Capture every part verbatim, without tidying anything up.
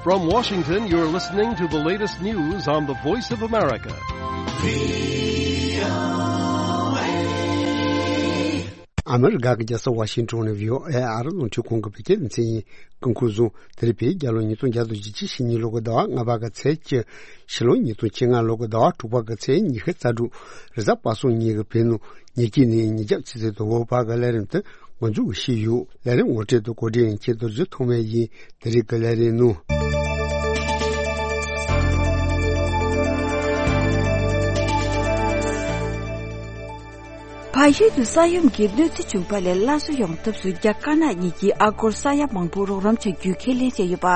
From Washington, you're listening to the latest news on the Voice of America. ཨ་མི་རི་ཀ་གི་རྒྱལ་ས་ཝ་ཤིང་ཊོན་ནས་བྷི་ཨོ་ཨེ་ཨ་རི་རླུང་འཕྲིན་ཁང་གི་བོད་སྐད་སྡེ་ཚན་ཡིན། སྐུ་ཁུ་བཟུང་། དེ་རིང་བོད་རྒྱལ་ལོ་ཉིས་སྟོང་བརྒྱ་དང་བཞི་བཅུ་ཞེ་གཉིས་ལོ་གི་ཟླ་བ་ལྔ་པ་གི་ཚེས་བཅུ། ཕྱི་ལོ་ཉིས་སྟོང་བཅོ་ལྔ་ལོ་གི་ཟླ་བ་དྲུག་པ་གི་ཚེས་ཉི་ཤུ་རྩ་དྲུག་རེས་གཟའ་པ་སངས་ཉིན་གྱི་བོད་ནང་ཉིན་གཅིག་ནས་ཉིན་རྒྱབ་ཆུ་ཚོད་དང་པོ་བར་གྱི་ལས་རིམ་དུ་འགོ་འཛུགས་ཞུས་ཡོད། ལས་རིམ་ངོ་སྤྲོད་དང་གོ་སྒྲིག་ཡིན་ཁྱེད་རྡོ་རྗེ་ཐོགས་མེད་ཡིན། དེ་རིང་གི་ལས་རིམ་ནང་། བལ་ཡུལ་དུ་ས་ཡོམ་གྱི་གནོད་འཚེ་བྱུང་བ་ལས་སླར་གསོ་ཡོང་ཐབས་སུ་རྒྱ་དཀར་ནག་གཉིས་ཀྱིས་ཨ་སྒོར་ས་ཡ་མང་པོ་རོགས་རམ་བྱ་རྒྱུའི་ཁས་ལེན་བྱས་ཡོད་པ།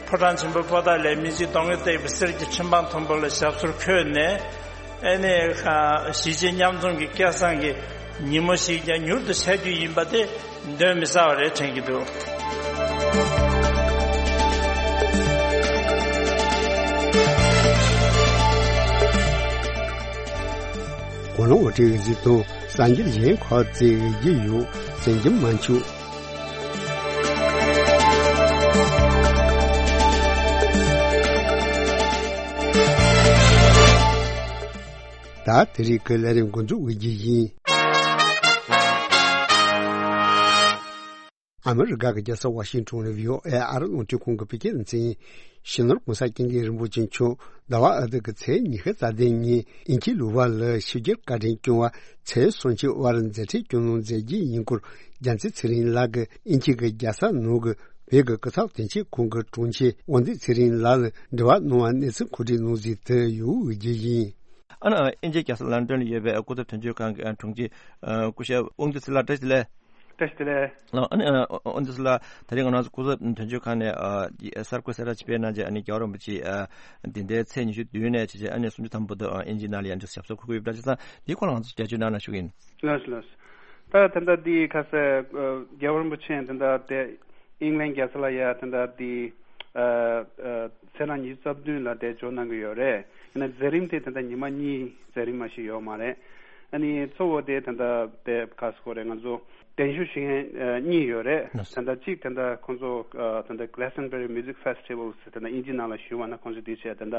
ཕོ་བྲང་ཆེན་པོའི་པོ་ཏཱ་ལའི་མི་ཆེན་གདོང་གི་བཏེགས་པའི་གསེར་གྱི་ཁྲི་འཕང་མཐོན་པོ་ལ་ཞབས་སོར་འཁོད་ནས། ཨ་ནི་གཞིས་བྱེས་མཉམ་འཛོམས་ཀྱི་སྐལ་བཟང་གི་ཉིན་མོ་ཞིག་ཀྱང་མྱུར་དུ་འཆར་རྒྱུ་ཡིན་པ་དེ་གདོན་མི་ཟ་བ་རེད་དྲན་གྱི་འདུག། གོ་ལོང་འོ་ཊི་གི་གཟིགས་མཐོང་། སངས་རྒྱས་གཞན་ཁོ་ཚེ་གི་རྒྱུ་ཡོད་སེམས་ཀྱི་མ་འཆུག། ད་དེ་རིང་གི་ལས་རིམ་འགོ་འཛུགས་འོས་རྒྱུ་ཡིན། ཨ་མི་རི་ཀ་གི་རྒྱལ་ས་ཝ་ཤིང་ཊོན་ནས་བྷི་ཨོ་ཨེ་ཨ་རི་རླུང་འཕྲིན་ཁང་གི་བོད་སྐད་སྡེ་ཚན་ཡིན། སྤྱི་ནོར་༸གོང་ས་༸སྐྱབས་མགོན་རིན་པོ་ཆེ་མཆོག་ཟླ་བ་ཨ་ཐུར་གྱི་ཚེས་ཉི་ཤུ་རྩ་བདུན་ཉིན་དབྱིན་ཇིའི་ལུ་བྷ་ལ་ཕྱི་རྒྱལ་བཀའ་དྲིན་སྐྱོང་བ་ཚེས་སུམ་ཅུ་བར་མཛད་འཕྲིན་སྐྱོང་གནང་མཛད་རྒྱུ་ཡིན་སྐོར་རྒྱལ་མཚན་ཚེ་རིང་ལགས་ཀྱིས་དབྱིན་ཇི་གི་རྒྱལ་ས་ནང་གི་བོད་ཀྱི་སྐུ་ཚབ་དོན་གཅོད་ཁང་གི་དྲུང་ཆེ་དབང་འདུས་ཚེ་རིང་ལགས་ལ་འབྲེལ་བ་གནང་བར་གནས་ཚུལ་གོ་སྒྲིག་གནང་ཟིན་དུ་ཡོད་རྒྱུ་ཡིན། ཨ་ནི་དབྱིན་ཇིའི་རྒྱལ་ས་ལན་ཀྲན་ལ་ཡོད་པའི་སྐུ་ཚབ་དོན་གཅོད་ཁང་གི་དྲུང་ཆེ་སྐུ་ཞབས་དབང་འདུས་ཚེ་རིང་ལགས་བཀྲ་ཤིས་བདེ་ལེགས། བཀྲ་ཤིས་བདེ་ལེགས། ཨ་ནི་ཨ་ཨ་ཨ་འདི་ཚོ་ལ་ད་རེས་ང་རང་ཚོ་སྐུ་ཚབ་དོན་གཅོད་ཁང་ནས་ཨ་གསར་འགོད་གསལ་བསྒྲགས་ཅིག་སྤེལ་གནང་རྗེས་ཨ་ནི་རྒྱལ་བ་རིན་པོ་ཆེ་ཨ་འདི་ཟླའི་ཚེས་ཉི་ཤུ་བདུན་ནས་བྱས་རྗེས་ཨ་ནི་སུམ་ཅུ་ཐམ་པ་བར་དུ་ཨ་དབྱིན་ཇིའི་ནང་ལ་ཡང་འདི་ཞབས་སོར་འཁོད་ཀྱི་ཡོད་པ་འདྲ། བྱས་ཙང་འདིའི་སྐོར་ལ་ང་ཚོ་བརྒྱ་ཆོས་གནང་ན་ཞུ་གི་ཡིན། ལགས་སོ་ལགས་སོ། ད་ད་ལྟ་འདི་ཁ་སང་ཨ་རྒྱལ་བ་རིན་པོ་ཆེ་ད་ལྟ་དེ་ཨིང་ལན་རྒྱལ་ས་ལ་ཡ་ད་ལྟ་དེ་ཨ་ཨ་ཚེས་གྲངས་ཉི་ཤུ་རྩ་བདུན་ལ་དེ་འབྱོར་གནང་གི་ཡོད་རེད། ཡིན་ན་མཛད་རིམ་དེ་ད་ལྟ་ཉི་མ་གཉིས་མཛད་རིམ་མ་ཞིག་ཡོད་མ་རེད། ཨ་ནི་གཙོ་བོ་དེ་ད་ལྟ་དེ་ག་ཟེར་དགོས་རེད། ང་ཚོ་གདན་ཞུ་ཞུ་མཁན་ཨ་གཉིས་ཡོད་རེད། ལགས་སོ། ད་ལྟ་གཅིག་ད་ལྟ་ཁོང་ཚོ་ཨ་ད་ལྟ་Glastonbury Music Festival ཟེར་ད་ལྟ་དབྱིན་ཇི་ནང་ལ་ཞུས་པ་ན་ཁོང་ཚོ་དེ་བྱས་ད་ལྟ་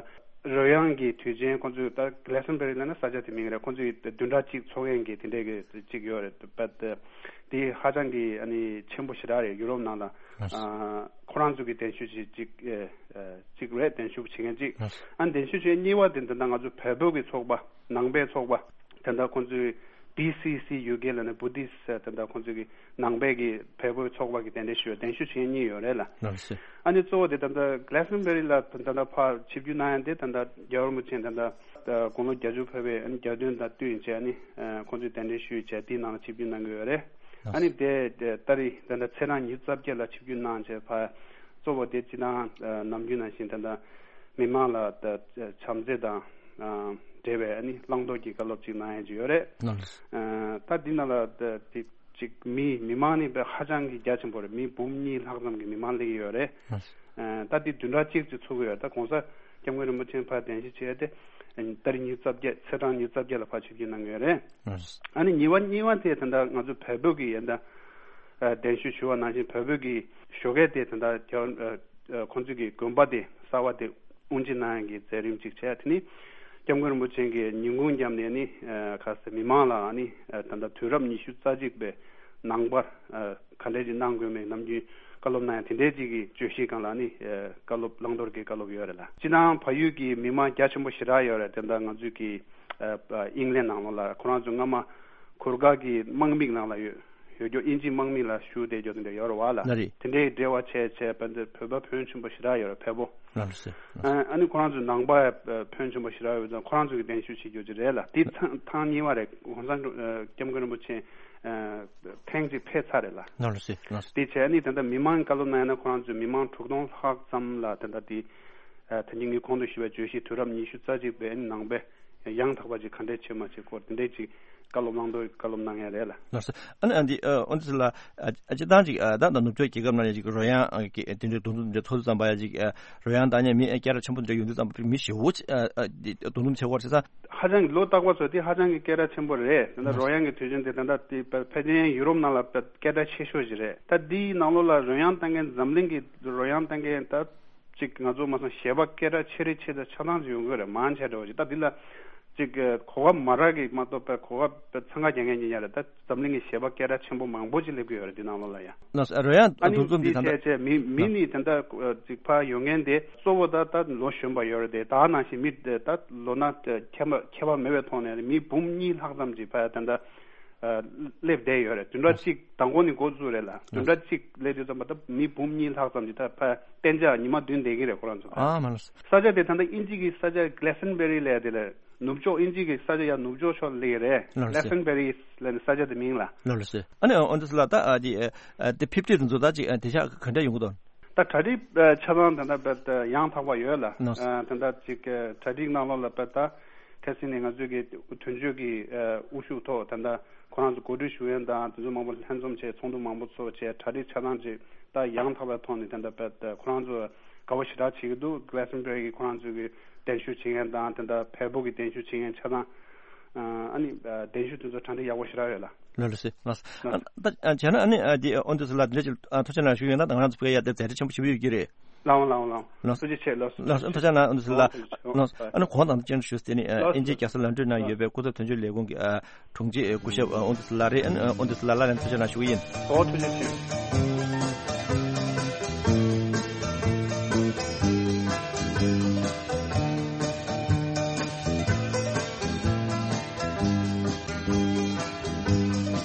རོལ་དབྱངས་ཀྱི་དུས་ཆེན་ཁོང་ཚོས་ད་Glastonbury ལབ་ན་ས་ཆ་དེ་མིང་རེད། ཁོང་ཚོས་བདུན་ཕྲག་གཅིག་འཚོགས་མཁན་གྱི་དེ་འདྲའི་གི་གཅིག་ཡོད་རེད། But དེ་ཧ་ཅང་གི་ཨ་ནི་ཆེན་པོ་ཞེ་དྲག་རེད། ཡུ་རོབ་ནང་ལ་ཨ་ཁོ་རང་ཚོ་གི་གདན་ཞུ་བྱེད་གཅིག་ཨ་ཨ་གཅིག་རེད། གདན་ཞུ་བྱེད་མཁན་གཅིག་ཨ་གདན་ཞུ་བྱེད་གཉིས་པ་དེ་ད་ལྟ་ང་ཚོ་བལ་པོ་གི་ཚོགས་པ་ནང་པའི་ཚོགས་པ་དེ་འདྲ་ཁོང་ཚོས་B C C U K ལབ་ནས་Buddhist དེ་འདྲ་ཁོང་ཚོས་གི་ནང་པའི་གི་བལ་པོའི་ཚོགས་པ་གི་གདན་འདྲེན་ཞུ་གདན་ཞུ་བྱེད་མཁན་གཉིས་ཡོད་རེད་ལ། ལགས་སོ། ཨ་ནི་གཙོ་བོ་དེ་ད་ལྟ་Glastonbury ལ་ད་ལྟ་ཕར་ཆིབས་བསྒྱུར་གནང་ཡ་དེ་ད་ལྟ་རྒྱལ་བ་རིན་པོ་ཆེ་ད་ལྟ་དགུང་ལོ་བརྒྱད་ཅུ་ཕེབས་པའི་ཨ་ནི་གྱ་སྟོན་དང་བསྟུན་བྱས་ཨ་ནི་ཁོང་ཚོས་གདན་འདྲེན་ཞུས་བྱས་དེའི་ནང་ལ་ཆིབས་བསྒྱུར་གནང་གི་ཡོད་རེད། ཨ་ནི་དེ་དེ་ད་རེས་ད་ལྟ་ཚེས་གྲངས་ཉི་ཤུ་རྩ་བརྒྱད་ལ་ཆིབས་བསྒྱུར་གནང་བྱས་ཕར་གཙོ་བོ་དེ་སྤྱིར་བཏང་ནམ་རྒྱུན་ནང་བཞིན་ད་ལྟ་མི་མང་ལ་ད་བྱམས་བརྩེ་དང་འབྲེལ་བའི་ཨ་ནི་བླང་དོར་གྱི་བཀའ་སློབ་ཅིག་གནང་ཡ་ཅིག་ཡོད་རེད། ལགས་སོ། ད་འདི་ནང་ལ་ད་དེ་ཅིག་མི་མི་མང་ནི་དཔེ་ཧ་ཅང་གི་རྒྱ་ཆེན་པོ་རེད། མི་འབུམ་གཉིས་ལྷག་ཙམ་གྱི་མི་མང་སླེབས་ཀྱི་ཡོད་རེད། ལགས་སོ། ད་འདི་བདུན་ཕྲག་གཅིག་ཙམ་ཚུགས་ཀྱི་ཡོད་རེད། ད་༸གོང་ས་༸སྐྱབས་མགོན་རིན་པོ་ཆེ་ཕར་གདན་ཞུ་བྱས་ཏེ་ཏ་རིག་ཉི་ཤུ་རྩ་བརྒྱད་ཚེས་གྲངས་ཉི་ཤུ་རྩ་བརྒྱད་ལ་ཕར་ཆིབས་བསྒྱུར་གནང་གི་ཡོད་རེད། ཨ་ནི་གཉིས་པ་གཉིས་པ་དེ་ད་ལྟ་ང་ཚོ་བལ་པོ་གི་ཡ་ད་གདན་ཞུ་ཞུ་བ་ནང་བཞིན་བལ་པོ་གི་ཞོགས་ཀས་དེ་ད་ལྟ་རྒྱ་ཁོང་ཚོ་གི་དགོན་པ་དེ་གསར་པ་དེ་དབུ་འབྱེད་གནང་ཡ་གི་མཛད་རིམ་ཅིག་བྱས། དེ་ནི་༸སྐྱབས་མགོན་རིན་པོ་ཆེ་གིས་ཉིན་གུང་མཉམ་ནས་ནི་ག་ས་མི་མང་ལ་ནི་ད་ལྟ་དུས་རབས་ཉི་ཤུ་རྩ་གཅིག་པའི་ནང་པ་ག་འདྲས་ཅིག་གནང་དགོས་མེད་ནམ་རྒྱུན་བཀའ་སློབ་གནང་ཡ་དེ་འདྲས་ཅིག་གི་བརྗོད་གཞིའི་སྒང་ལ་ནི་བཀའ་སློབ་བླང་དོར་གྱི་བཀའ་སློབ་ཡོད་རེད་ལ། སྤྱིར་བཏང་བལ་ཡུལ་གྱི་མི་མང་རྒྱ་ཆེན་པོ་ཞེ་དྲག་ཡོད་རེད། དེ་འདྲ་ང་ཚོའི་གི་ཨིང་ལན་ནང་ལོགས་ལ་ཁོ་རང་ཚོ་སྔ་མ་གུར་དཀར་གྱི་དམག་མི་ནང་ལ་ཡོད་ཡོད་རྒྱུ་དབྱིན་ཇིའི་དམག་མི་ལ་ཞུགས་བསྡད་རྒྱུ་དེ་འདྲ་ཡོད་རེད་བ་ལ། ལ་རེད། དེ་འདྲའི་འབྲེལ་བ་བྱས་བྱས་བལ་འདི་བོད་པ་ཕོན་ཆེན་པོ་ཞེ་དྲག་ཡོད་རེད་བལ་པོ། ལགས་སོ། ཨ་ནི་ཁོ་རང་ཚོའི་ནང་པ་ཕོན་ཆེན་པོ་ཞེ་དྲག་ཡོད་ཙང་ཁོ་རང་ཚོ་གི་གདན་ཞུ་བྱེད་རྒྱུ་ཅིག་རེད་ལ། དེ་ཐེངས་ཐེངས་གཉིས་པ་རེད། གོང་ས་༸སྐྱབས་མགོན་རིན་པོ་ཆེ་ཐེངས་གཅིག་ཕེབས་ཚར་རེད་ལ། ལགས་སོ། ལགས་སོ། དེ་བྱས་ནི་ད་ལྟ་མི་མང་བཀའ་སློབ་གནང་ཡ་ན་ཁོ་རང་ཚོས་མི་མང་དྲུག་སྟོང་ལྷག་ཙམ་ལ་ད་ལྟ་དེ་ད་གིན་ངས་གོང་དུ་ཞུས་པའི་བརྗོད་གཞི་དུས་རབས་ཉི་ཤུ་རྩ་གཅིག་པའི་ནང་པའི་ ཡང་དག་པ་ཅིག་ག་འདྲས་བྱེད་མ་བྱེད་སྐོར་དེ་འདྲས་ཅིག་བཀའ་སློབ་གནང་འདོད་བཀའ་སློབ་གནང་ཡ་རེད་ལ། ལགས་སོ། ཨ་ནི་ཨ་འདི་ཨ་ཨོ་འདི་ཚོ་ལ་ཨ་ཨ་སྤྱི་བཏང་ཅིག་ཨ་ད་ད་ནུབ་ཕྱོགས་རྒྱལ་ཁབ་ནང་ཡང་ཅིག་རོལ་དབྱངས་ཨ་གི་དེ་འདྲའི་རྡུང་རྡེག་འདི་འདྲ་ཚོ་ཙམ་པ་ཡ་ཅིག་ཨ་རོལ་དབྱངས་བཏང་མཁན་མི་ཨ་སྐད་གྲགས་ཆེན་པོ་འདྲ་ཡོང་དུས་ཙམ་པ་མི་ཞེ་བོ་ཅིག་ཨ་ཨ་འདི་རྡུང་རྡེག་བྱེད་ཀྱི་ཡོད་རེད་ཟེར་ས། ཧ་ཅང་གི་ལོ་རྟག་པར་ཚོ་དེ་ཧ་ཅང་གི་སྐད་གྲགས་ཆེན་པོ་རེད། ད་ལྟ་རོལ་དབྱངས་ཀྱི་དུས་ཆེན་དེ་ད་ལྟ་དེ་ཕལ་ཆེར་ཡུ་རོབ་ནང་ལ་སྐད་གྲགས་ཆེ་ཤོས་ཅིག་རེད། ད་འདིའི་ནང་ལོགས་ལ་རོལ་དབྱངས་བཏང་མཁན་འཛམ་གླིང་གི་རོལ་དབྱངས་བཏང་མཁན་ད་ཅིག་ང་ཚོ་མ་སོང་གཞས་པ་སྐད་གྲགས་ཆེ་རིགས་ཆེ་ད་ཆ་ཚང་ཅིག་ཡོང་གི་རེད། མང་ཆེ་འདྲ་བོ་ཅིག་ད་འདི་ལ་ཅིག་གོ་སྐབས་མ་རག་གི་མ་གཏོགས་པའི་གོ་སྐབས་འཚང་ཁ་རྒྱག་མཁན་ཉིད་ཡ་རེད། ད་འཛམ་གླིང་གི་གཞས་པ་སྐད་གྲགས་ཆེན་པོ་མང་པོ་ཅིག་སླེབས་ཀྱི་ཡོད་རེད་འདི་ནང་ལོགས་ལ་ཡ། ལགས་སོ། རོལ་དབྱངས་ཨ་ནི་འདུ་འཛོམས་འདི་འདི་ཐད་ཆེ་མི་མི་ནི་ད་ལྟ་ཅིག་ཕར་ཡོང་མཁན་དེ་གཙོ་བོ་ད་ད་ལོ་གཞོན་པ་ཡོད་རེད་དེ། ད་ནང་བཞིན་མི་ད་ལོ་ན་ཁྱད་པར་ཁྱད་པར་མེད་པའི་ཐོག་ནས་མི་འབུམ་གཉིས་ལྷག་ཙམ་ཅིག་ཕར་ད་ལྟ་སླེབས་བསྡད་ཡོད་རེད། བདུན་ཕྲག་གཅིག་དང་པོ་ནས་འགོ་བཙུགས་རེད་ལ། བདུན་ཕྲག་གཅིག་སླེབས་དུས་ཙམ་པ་ད་མི་འབུམ་གཉིས་ལྷག་ཙམ་ཅིག་ད་ཕར་གཏན་འཇགས་ཉི་མ་བདུན་བསྡད་ཀྱི་རེད་ཁོ་རང་ཚོ། ཨ་མ་ལགས་སོ། ས་ཆ་དེ་ད་ལྟ་དབྱིན་ཇི་གི་ས་ཆ་Glastonbury་ལབ་ཡ་དེ་ལ། ནུབ་ཕྱོགས་དབྱིན་ཇི་གི་ས་ཆ་ཡང་ནུབ་ཕྱོགས་ཕྱོགས་ལ་སླེབས་ཀྱི་རེད། ལགས་སོ། Glastonbury་ལབ་ནས་ས་ཆ་དེ་མིང་ལ། ལགས་སོ། ཨ་ནི་ཨོ་འདི་ཚོ་ལ་ད་ཨ་དེ་ཨ་དེ་ཕེབས་བསུ་དེ་ཚོ་ད་ཅིག་ཨ་དེ་ཤག་ག་འདྲ་ཡོང་གི་འདུག་ད་གྲ་སྒྲིག་ཨ་ཆ་ཚང་ད་ལྟ་བས་ཡང་དག་པ་ཡོད་ལ། ལགས་སོ། ཨ་ད་ལྟ་ཅིག་ཨ་གྲ་སྒྲིག་ནང་ལོགས་ལ་བས་ད་ཁ་སང་ནས་ང་ཚོས་ཀྱི་དོན་གཅོད་ཀྱི་ཨ་དབུ་བཞུགས་ཐོག་ད་ལྟ་ཁོ་རང་ཚོ་གོ་སྒྲིག་ཞུ་མཁན་དང་དེ་ཚོ་མང་པོ་ལྷན་འཛོམས་བྱས། ཚོགས་འདུ་མང་པོ་ཚོགས་བྱས། གྲ་སྒྲིག་ཆ་ཚང་བྱས། ད་ཡང་དག་པའི་ཐོག་ནས་ད་ལྟ་བས་ཁོ་རང་ཚོ་དགའ་པོ་ཞེ་དྲག་བྱེད་ཀྱི་འདུག Glastonbury་གི་ཁོ་རང་ཚོ་གི་གདན་ཞུ་བྱེད་མཁན་དང་དེ་འདྲ་བལ་པོ་གི་གདན་ཞུ་བྱེད་མཁན་ཆ་ཚང་ཨ་ནི་གདན་ཞུ་དེ་ཚོ་གྲ་སྒྲིག་ཡག་པོ་ཞེ་དྲག་ཡོད་ལ། ལགས་ལགས་སེ་ལགས། ད་བྱས་ན་ཨ་ནི་འདི་ཨོ་འདི་ཚོ་ལ་འདི་འདྲ་ཅིག་ཐུགས་རྗེ་གནང་ཞུ་ཡོད་ན། ད་ང་རང་ཚོ་བོད་ཡ་དེ་མཛད་འཕྲིན་ཆེན་པོ་ཞེ་པོ་ཡོད་ཀྱི་རེད། ལགས་ལགས་ལགས། ལགས། ཐུགས་རྗེ་ཆེ་ལགས། ལགས་ཐུགས་རྗེ་ཆེ་ལགས། ཨོ་འདི་ཚོ་ལ་ལགས། ཨ་ནི་གོང་དང་ཅན་ཞུས་ཏེ་ནི་ཨིན་ཇི་རྒྱལ་ས་ལོན་ཌོན་ན་ཡོད་པའི་སྐུ་ཚབ་དོན་གཅོད་ལས་ཁུངས་ཀྱི་དྲུང་ཆེ་སྐུ་ཞབས་ཨོ་འདི་ཚོ་ལགས་རེད། ཨོ་འདི་ཚོ་ལགས་ལ་ཐུགས་རྗེ་གནང་ཞུ་གི་ཡིན། ཨོ་ཐུགས་རྗེ་ཆེ།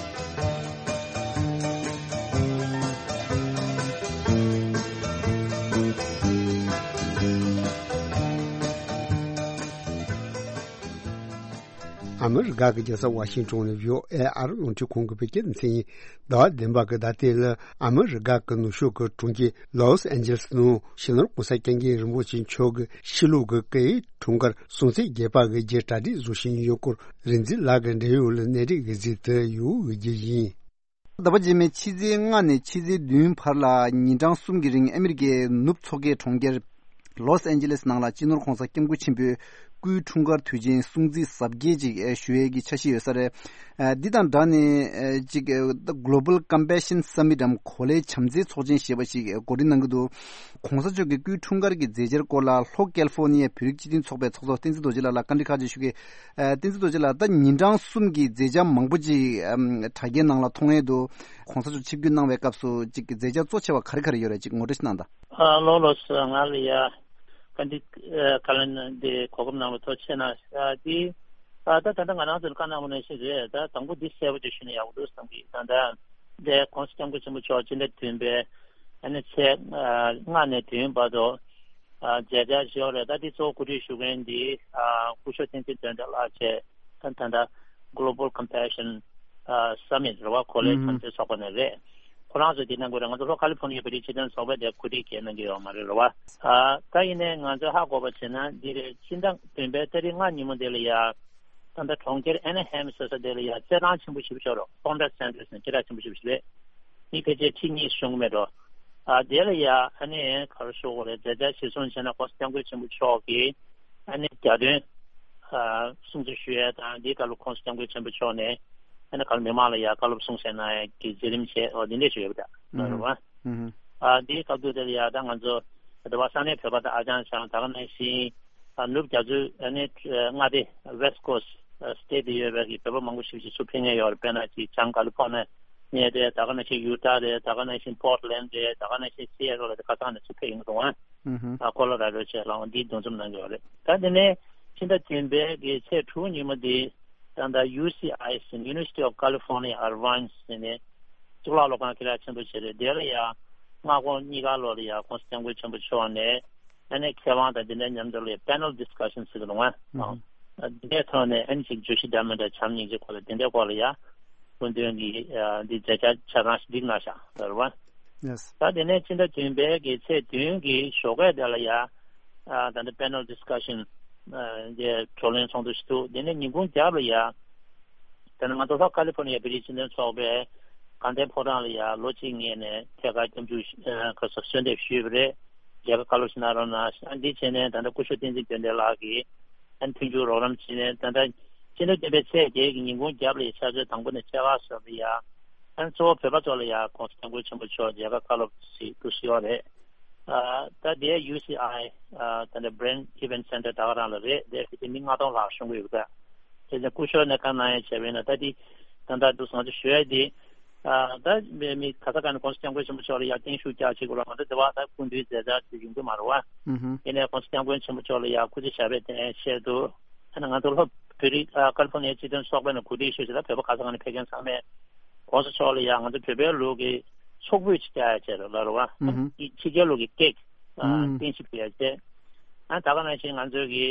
ཨ་མི་རི་ཀ་གི་རྒྱལ་ས་ཝ་ཤིང་ཊོན་ནས་བྷི་ཨོ་ཨེ་ཨ་རི་རླུང་འཕྲིན་ཁང་གི་བོད་སྐད་སྡེ་ཚན་ཡིན། ཟླ་བ་བདུན་པ་གི་ཟླ་སྟེང་ལ་ཨ་མི་རི་ཀ་གི་ནུབ་ཕྱོགས་ཀྱི་གྲོང་ཁྱེར་ལོས་ཨན་ཇི་ལིས་ནང་སྤྱི་ནོར་༸གོང་ས་༸སྐྱབས་མགོན་རིན་པོ་ཆེ་མཆོག་གི་ཕྱི་ལུགས་ཀྱི་སྐུའི་འཁྲུངས་སྐར་སྲུང་བརྩི་རྒྱས་པ་གི་རྒྱུ་གྲ་སྒྲིག་བཟོ་བཞིན་ཡོད་སྐོར་རིག་འཛིན་ལགས་ཀྱི་འབྲེལ་ཡོད་ལ་གནས་རིགས་ཀྱི་གཟིགས་དུ་ཡོད་རྒྱུ་ཡིན། ཟླ་བ་རྗེས་མའི་ཕྱི་ཚེས་ལྔ་ནས་ཕྱི་ཚེས་བདུན་བར་ལ་ཉིན་གྲངས་གསུམ་གྱི་རིང་ཨ་མི་རི་ཀའི་ནུབ་མཚོ་ཁའི་གྲོང་ཁྱེར་ལོས་ཨན་ཇི་ལེས་ནང་ལ་སྤྱི་ནོར་༸གོང་ས་༸སྐྱབས་མགོན་ཆེན་པོའི་སྐུའི་འཁྲུངས་སྐར་དུས་ཆེན་སྲུང་བརྩི་གཟབ་རྒྱས་ཅིག་ཞུ་ཡས་ཀྱི་འཆར་གཞི་ཡོད་ས་རེད། འདི་དང་སྦྲགས་ནས་ཅིག་Global Compassion Summit་འམ་གོ་ལའི་བྱམས་བརྩེའི་ཚོགས་ཆེན་ཞེས་པ་ཞིག་གོ་སྒྲིག་གནང་གི་འདུག ༸གོང་ས་མཆོག་གི་སྐུའི་འཁྲུངས་སྐར་གྱི་མཛད་འཆར་སྐོར་ལ་ལྷོ་ཀལ་ཧྥོ་ནི་ཡའི་བོད་རིགས་སྤྱི་མཐུན་ཚོགས་པའི་ཚོགས་གཙོ་བསྟན་འཛིན་རྡོ་རྗེ་ལགས་ལ་བཀའ་འདྲི་ཁག་ཅིག་ཞུ་གི། ཨ་བསྟན་འཛིན་རྡོ་རྗེ་ལགས། ད་ཉིན་གྲངས་གསུམ་གྱི་མཛད་འཆར་མང་པོ་ཅིག་ཨམ་དྲ་རྒྱའི་ནང་ལ་མཐོང་ཡས་འདུག ༸གོང་ས་མཆོག་ཆིབས་བསྒྱུར་གནང་བའི་སྐབས་སུ་ཅིག་མཛད་འཆར་གཙོ་ཆེ་བ་ག་རེ་ག་རེ་ཡོད་རེད། ཅིག་ངོ་སྤྲོད་ཅིག་གནང་དང་། ཨ་ལགས་ལགས་སོ། ང་ལ་ཡ་བཀའ་འདྲི་ཨ་བཀའ་ལན་འདི་གོ་སྐབས་གནང་བའི་ཐུགས་རྗེ་གནང་། ཨ་འདི་ཨ་ད་ད་ལྟ་ང་རང་ཚོ་ལ་བཀའ་གནང་བ་ནང་བཞིན་རེད། ད་དང་པོ་འདི་གསལ་པོ་ཅིག་ཞུས་ན་ཡག་པོ་འདུག་བསམ་གི། ད་ད་འདི་༸གོང་ས་༸སྐྱབས་མགོན་ཆེན་པོ་མཆོག་སྤྱི་ཟླ་བདུན་པའི་ཨ་ནི་ཚེས་ཨ་ལྔ་ནས་བདུན་བར་དུ། ཨ་མཛད་འཆར་ཞུ་བ་རེད། ད་འདི་གཙོ་བོ་གོ་སྒྲིག་ཞུ་མཁན་འདི་ཨ་སྐུ་ཞབས་བསྟན་འཛིན་དོན་གྲུབ་ལགས་བྱས། ད་ད་ལྟ་Global Compassion ཨ་Summit་རེད་བ། གོ་ལའི་ཨུམ་བྱམས་བརྩེའི་ཚོགས་པ་ནས་རེད། ཁོ་རང་ཚོ་འདི་གནང་དགོས་རེད། ང་ཚོ་ལྷོ་ཁ་ལི་ཕོར་ནི་ཡའི་བོད་རིགས་སྤྱི་མཐུན་ཚོགས་པས་དེ་གོ་སྒྲིག་གལ་གནང་གི་ཡོད་མ་རེད་རེད་བ། ཨ་ད་ཡིན་ནའི་ང་ཚོ་ཧ་གོ་བ་བྱས་ན་འདི་རེད། ཕྱི་ཟླ་བདུན་པའི་ཏ་རིག་ལྔ་ཉིན་མོ་དེ་ལ་ཡ་ད་ལྟ་གྲོང་ཁྱེར་ཨེ་ན་ཧེམ་ཟེར་ས་དེ་ལ་ཡ་རྩེད་ཐང་ཆེན་པོ་ཞེ་པོ་ཅིག་ཡོད་རེད། Conrad Sanders་ནས་སྐད་གྲགས་ཆེན་པོ་ཞེ་པོ་ཞིག་རེད། མི་ཕལ་ཆེར་ཁྲི་གཉིས་ཤོང་གི་མེད་འགྲོ། ཨ་དེ་ལ་ཡ་ཨ་ནི་ག་རེ་ཞུ་དགོས་རེད། མཛད་འཆར་གཞིར་བཟུང་བྱས་ན་༸གོང་ས་༸སྐྱབས་མགོན་ཆེན་པོ་མཆོག་གིས་ཨ་ནི་རྒྱ་དོན་ཨ་སྲུང་བརྩི་ཞུ་ཡས་དང་། འདིའི་སྐབས་ལ་༸གོང་ས་༸སྐྱབས་མགོན་ཆེན་པོ་མཆོག་ནས་ཨ་ནི་ག་རེ་མི་མང་ལ་ཡ་བཀའ་སློབ་གསུང་བཤད་གནང་ཡས་ཀྱི་མཛད་རིམ་བྱས། འོ་འདི་འདྲས་ཞིག་ཡོད་པ་འདྲ་ཨུ་ཧུམ། རེད་བ། ཨུ་ཧུམ། ཨ་འདིའི་སྐབས་དུས་དེ་ལ་ཡ་ད་ང་ཚོ་ད་བར་ས་གནས་བོད་པ་དང་ཨ་ཅང་ཅང་། ད་ག་ནང་བཞིན་ཨ་ནུབ་རྒྱ་མཚོའི་ཨ་ནི་མངའ་སྡེ་West Coast་ཨ་State་དེ་ཡོད་པའི་གི་བོད་པ་མང་པོ་ཞིག་ཅིག་ཚུར་ཕེབས་མཁན་ཡོད་རེད། དཔེར་ན་ཅིག་བྱང་ཀ་ལི་ཕོར་ནི་ཡ་རེད། ད་ག་ནང་བཞིན་ཡུ་ཊ་རེད། ད་ག་ནང་བཞིན་Portland་རེད། ད་ག་ནང་བཞིན་Seattle་རེད། ཁ་སང་ནས་ཚུར་ཕེབས་ཡོང་གི་འདུག་ཨ། ཨུ་ཧུམ། ཨ་ཀོ་ལོ་ར་ཌོ་བཅས་ལའང་འདིའི་འདུ་འཛོམས་གནང་གི་ཡོད་རེད། ད་དེ་ནས་ཕྱི་ཟླ་བདུན་པའི་གི་ཚེས་དྲུག་ཉིན་མོ་འདི་ད་ལྟ་ཡུ་སི་ཨའི་ཟེར་University of California Irvine་ཟེར་ནས་གཙུག་ལག་སློབ་ཁང་སྐད་གྲགས་ཆེན་པོ་ཞིག་རེད། དེ་ལ་ཡང་སྔ་དགོང་གཉིས་ཀ་ལོག་ལ་ཡང་༸གོང་ས་༸སྐྱབས་མགོན་ཆེན་པོ་མཆོག་ནས་ཨ་ནི་མཁས་དབང་དང་དེ་འདྲའི་མཉམ་དུ་ལ་ཡང་Panel Discussion་ཟེར་གི་རེད་བ། ཨང་། འདི་འདྲའི་ཐོག་ནས་ཨ་ནི་ཅིག་བརྗོད་གཞི་འདྲ་མི་འདྲ་བྱམས་སྙིང་རྗེ་སྐོར་ལ་དེ་འདྲའི་སྐོར་ལ་ཡང་སྐུ་མདུན་གྱིས་ཨ་འདི་མཛད་འཆར་ཆ་ཚང་ཞིག་བསྒྲིགས་གནང་བཞག་ཡོད་རེད་བ། Yes། ད་དེ་ནས་ཕྱི་ཟླ་བདུན་པའི་གི་ཚེས་བདུན་གྱི་ཞོགས་ཀས་དེ་ལ་ཡང་ཨ་ད་ལྟ་Panel Discussion་ ཨ་འདི་བགྲོ་གླེང་ཚོགས་འདུ་ཞིག་འདུག་དེ་ནས་ཉིན་གུང་རྒྱབ་ལ་ཡ། དེ་ནས་ང་ཚོ་ལྷོ་ཀ་ལི་ཕོར་ནི་ཡ་བོད་རིགས་སྤྱི་མཐུན་ཚོགས་པའི་དགའ་ལྡན་ཕོ་བྲང་ལ་ཡ་ལོ་གཅིག་སྔོན་ནས་ཐད་ཀར་སྐྱབས་འཇུག་ཨ་ཁ་སོ་གསོལ་འདེབས་ཞུས་པ་རེད། མཇལ་ཁ་བཀའ་སློབ་ཞིག་གནང་རོགས་གནང་། ཨ་འདི་བྱས་ནས་ད་ལྟ་སྐུ་ཞབས་བསྟན་འཛིན་དགེ་འདུན་ལགས་ཀྱིས་ཨ་མཐུན་འགྱུར་རོགས་རམ་བྱས་ནས་ད་ལྟ་སྤྱི་ཟླ་བདུན་པའི་ཚེས་བརྒྱད་ཀྱི་ཉིན་གུང་རྒྱབ་ལ་ཡ་ཆུ་ཚོད་དང་པོ་ནས་ཕྱེད་ཀ་ཙམ་ལ་ཡ། ཨ་གཙོ་བོ་བོད་པ་ཚོ་ལ་ཡ་༸གོང་ས་༸སྐྱབས་མགོན་ཆེན་པོ་མཆོག་མཇལ་ཁ་བཀའ་སློབ་ཞིག་ཏུ་ཞུ་བ་རེད། ཨ་ད་དེ་ཡུ་སི་ཨའི་ཨ་ད་ལྟ་Brand Event Center ད་ག་རང་ལ་རེད། དེ་ཕལ་ཆེར་མི་ལྔ་སྟོང་ལྷག་ཤོང་གི་ཡོད་པ། དེ་ནས་སྐུ་ཞབས་ནས་བཀའ་གནང་ཡ་བྱས་པ་ཡིན་ན་ད་དེ་ད་ལྟ་འདུག་ང་ཚོ་ཞུ་ཡ་དེ་ཨ་ད་མི་ག་ས་ག་ནས་༸གོང་ས་༸སྐྱབས་མགོན་ཆེན་པོ་མཆོག་ལ་ཡ་བརྟན་བཞུགས་རྒྱག་བྱེད་དགོས་ལ་ང་ཚོ་དེ་བ་ད་སྐུ་མདུན་མཛད་འཆར་དེ་ཡོང་གི་མ་རེད་བ། ཨུ་ཧུ། ཡིན་ནའི་༸གོང་ས་༸སྐྱབས་མགོན་ཆེན་པོ་མཆོག་ལ་ཡ་སྐུ་ཚེ་ཞབས་པད་བརྟན་ཆེད་དུ། ཨ་ནི་ང་ཚོ་ལྷོ་བོད་རིགས་ཨ་ཀ་ལི་ཕོར་ནི་ཡ་སྤྱི་མཐུན་ཚོགས་པ་ནས་གོ་སྒྲིག་ཞུས་བྱས་ད་བོད་པ་ག་ས་ག་ནས་ཕེབས་མཁན་ཚང་མས་༸གོང་ས་མཆོག་ལ་ཡང་ང་ཚོ་བོད་པའི་ལུགས་ཀྱི་ཚོགས་ཕུད་ཅིག་བཀྱག་ཡ་བྱས་རོགས་ལབ་རོགས་ཨ། ཨུ་ཧུ། ཕྱི་རྒྱལ་ལུགས་ཀྱི་ཀེག་ཨ་ཨུ་རྟེན་གཞི་ཕུལ་ཡ་བྱས། ཨ་ད་ག་ནང་བཞིན་ང་ཚོ་གི་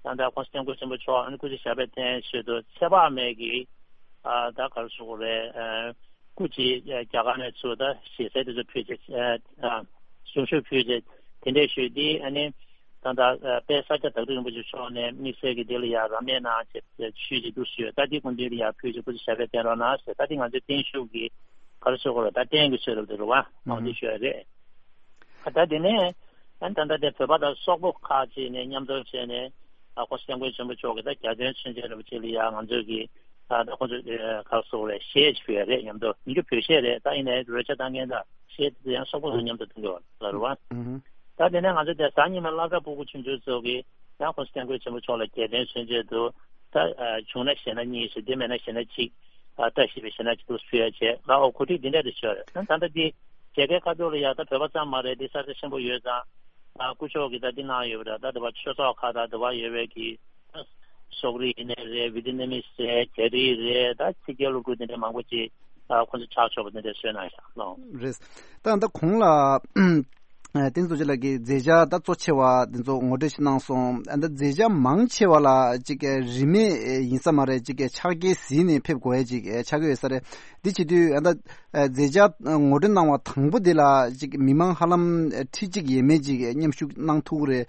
ད་ལྟ་༸གོང་ས་༸སྐྱབས་མགོན་ཆེན་པོ་མཆོག་ཨ་ནི་སྐུ་ཚེ་ཞབས་པད་བརྟན་ཆེད་དུ་ཚེ་དཔག་མེད་ཀྱི་ཨ་ད་ག་རེ་ཟེར་དགོས་རེད་ཨ། སྐུ་མཁྱེན་རྒྱ་གར་ནས་ཚུར་ད་ཞལ་གསེར་དེ་ཚོ་ཕུལ་བྱས་ཨ་གསུང་ཆོས་ཕུལ་བྱས་དེ་འདྲས་ཞུས་ཏེ་ཨ་ནི་ད་ལྟ་དཔལ་ས་སྐྱ་བདག་ཁྲི་རིན་པོ་ཆེ་མཆོག་ནས་དམིགས་བསལ་གྱི་དེ་ལ་ཡ་རབ་གནས་གནང་བྱས་ཞུས་ཀྱི་འདུག་ཞུས། ད་དེ་སྐུ་མདུན་ལ་ཡ་ཕུལ་བྱས་སྐུ་ཚེ་ཞབས་པད་བརྟན་རོགས་གནང་ཞེས་ད་དེ་ང་ཚོའི་བརྟན་བཞུགས་ཀྱི་ག་རེ་ཟེར་དགོས་རེད་ད་རྟེན་གྱི་ཚོད་རབ་དེ་རུ་བ་ཨང་དེ་ཞུ་ཡ་རེད། ད་དེ་ནས་ཨ་ད་ལྟ་དེ་བོད་པ་དང་སོག་པོ་ཁག་ཅིག་ནས་མཉམ་འཛོམས་བྱས་ནས་ཨ་ཁོང་སྐྱབས་མགོན་ཆེན་པོ་མཆོག་གིས་ད་རྒྱལ་དོན་མཚོན་ཆེད་རབ་ཅིག་ལ་ཡ་ང་ཚོས་ཀྱི་ད་ད་ཁོང་ཚོ་ཨ་ཁ་སོག་རེད་གཞས་ཅིག་ཕུལ་ཡ་རེད། མཉམ་དུ་ཉིན་རྒྱུན་བོད་གཞས་རེད། ད་ཡིན་ནའི་རོལ་ཆ་བཏང་མཁན་དང་གཞས་དེ་ཡང་སོག་པོ་ཚོ་མཉམ་དུ་གཏོང་གི་ཡོད་ལ་རུ་བ། ད་དེ་ནས་ང་ཚོ་དེ་གཟའ་ཉི་མ་སློབ་གྲྭ་ཕྲུ་གུ་ཆུང་ཆུང་ཚོ་གིས་ཡང་ཁོང་སྐྱབས་མགོན་ཆེན་པོ་མཆོག་ལ་རྒྱལ་དོན་མཚོན་ཆེད་དུ་ད་བྱུང་ན་གཞས་སྣ་གཉིས་ཤིག་དེ་མེད་ན་གཞས་སྣ་གཅིག་བཀྲ་ཤིས་པའི་གཞས་སྣ་གཅིག་ཏུ་ཕུལ་ཡ་བྱས་ལ་འོ་གོ་སྒྲིག་འདི་འདྲ་དེ་བྱས་རེད། ད་ད་ལྟ་འདི་མཇལ་ཁའི་ཁ་ཐོག་ལ་ཡ་ད་བོད་པ་ཙམ་མ་རེད། འདི་ས་ཆ་ཆེན་པོ་ཡོད་ཙང་ཨ་སྐུ་ཞབས་ཀྱིས་ད་འདི་གནང་ཡོད་པ་རེད། ད་དེ་བ་ཆོས་ཚོགས་ཁག་དང་དེ་བ་ཡོད་པའི་གི་སོག་རིགས་ཡིན་ནའི་རེད། ཝི་ཏི་ནམ་མི་རེད། རྒྱ་རིགས་རེད། ད་ཕྱི་རྒྱལ་སློབ་ཕྲུག་དེ་འདྲ་མང་པོ་ཅིག་ཨ་ཁོང་ཚོ་ཕྱག་ཕྱོགས་པ་དེ་འདྲ་བཟོས་གནང་ཤག་ལོ། རེད། ད་ད་གོང་ལ་བསྟན་འཛིན་རྡོ་རྗེ་ལགས་ཀྱིས་མཛད་འཆར་ད་གཙོ་ཆེ་བ་དེ་ཚོ་ངོ་སྤྲོད་ཞིག་གནང་སོང་། ད་མཛད་འཆར་མང་ཆེ་བ་ལ་ཅིག་རིན་མེད་ཡིན་ས་མ་རེད། ཅིག་ཕྱག་འཁྱེར་གཟིགས་ནས་ཕེབས་དགོས་ཡས་ཅིག་ཆགས་ཀྱི་ཡོད་ས་རེད། འདི་བྱེད་དུས་ད་མཛད་འཆར་ངོ་སྤྲོད་གནང་བ་དང་པོ་དེ་ལ་ཅིག་མི་མང་ཧ་ལམ་ཁྲི་གཅིག་ཡས་མས་ཅིག་མཉམ་ཞུགས་གནང་ཐུབ་ཀྱི་རེད་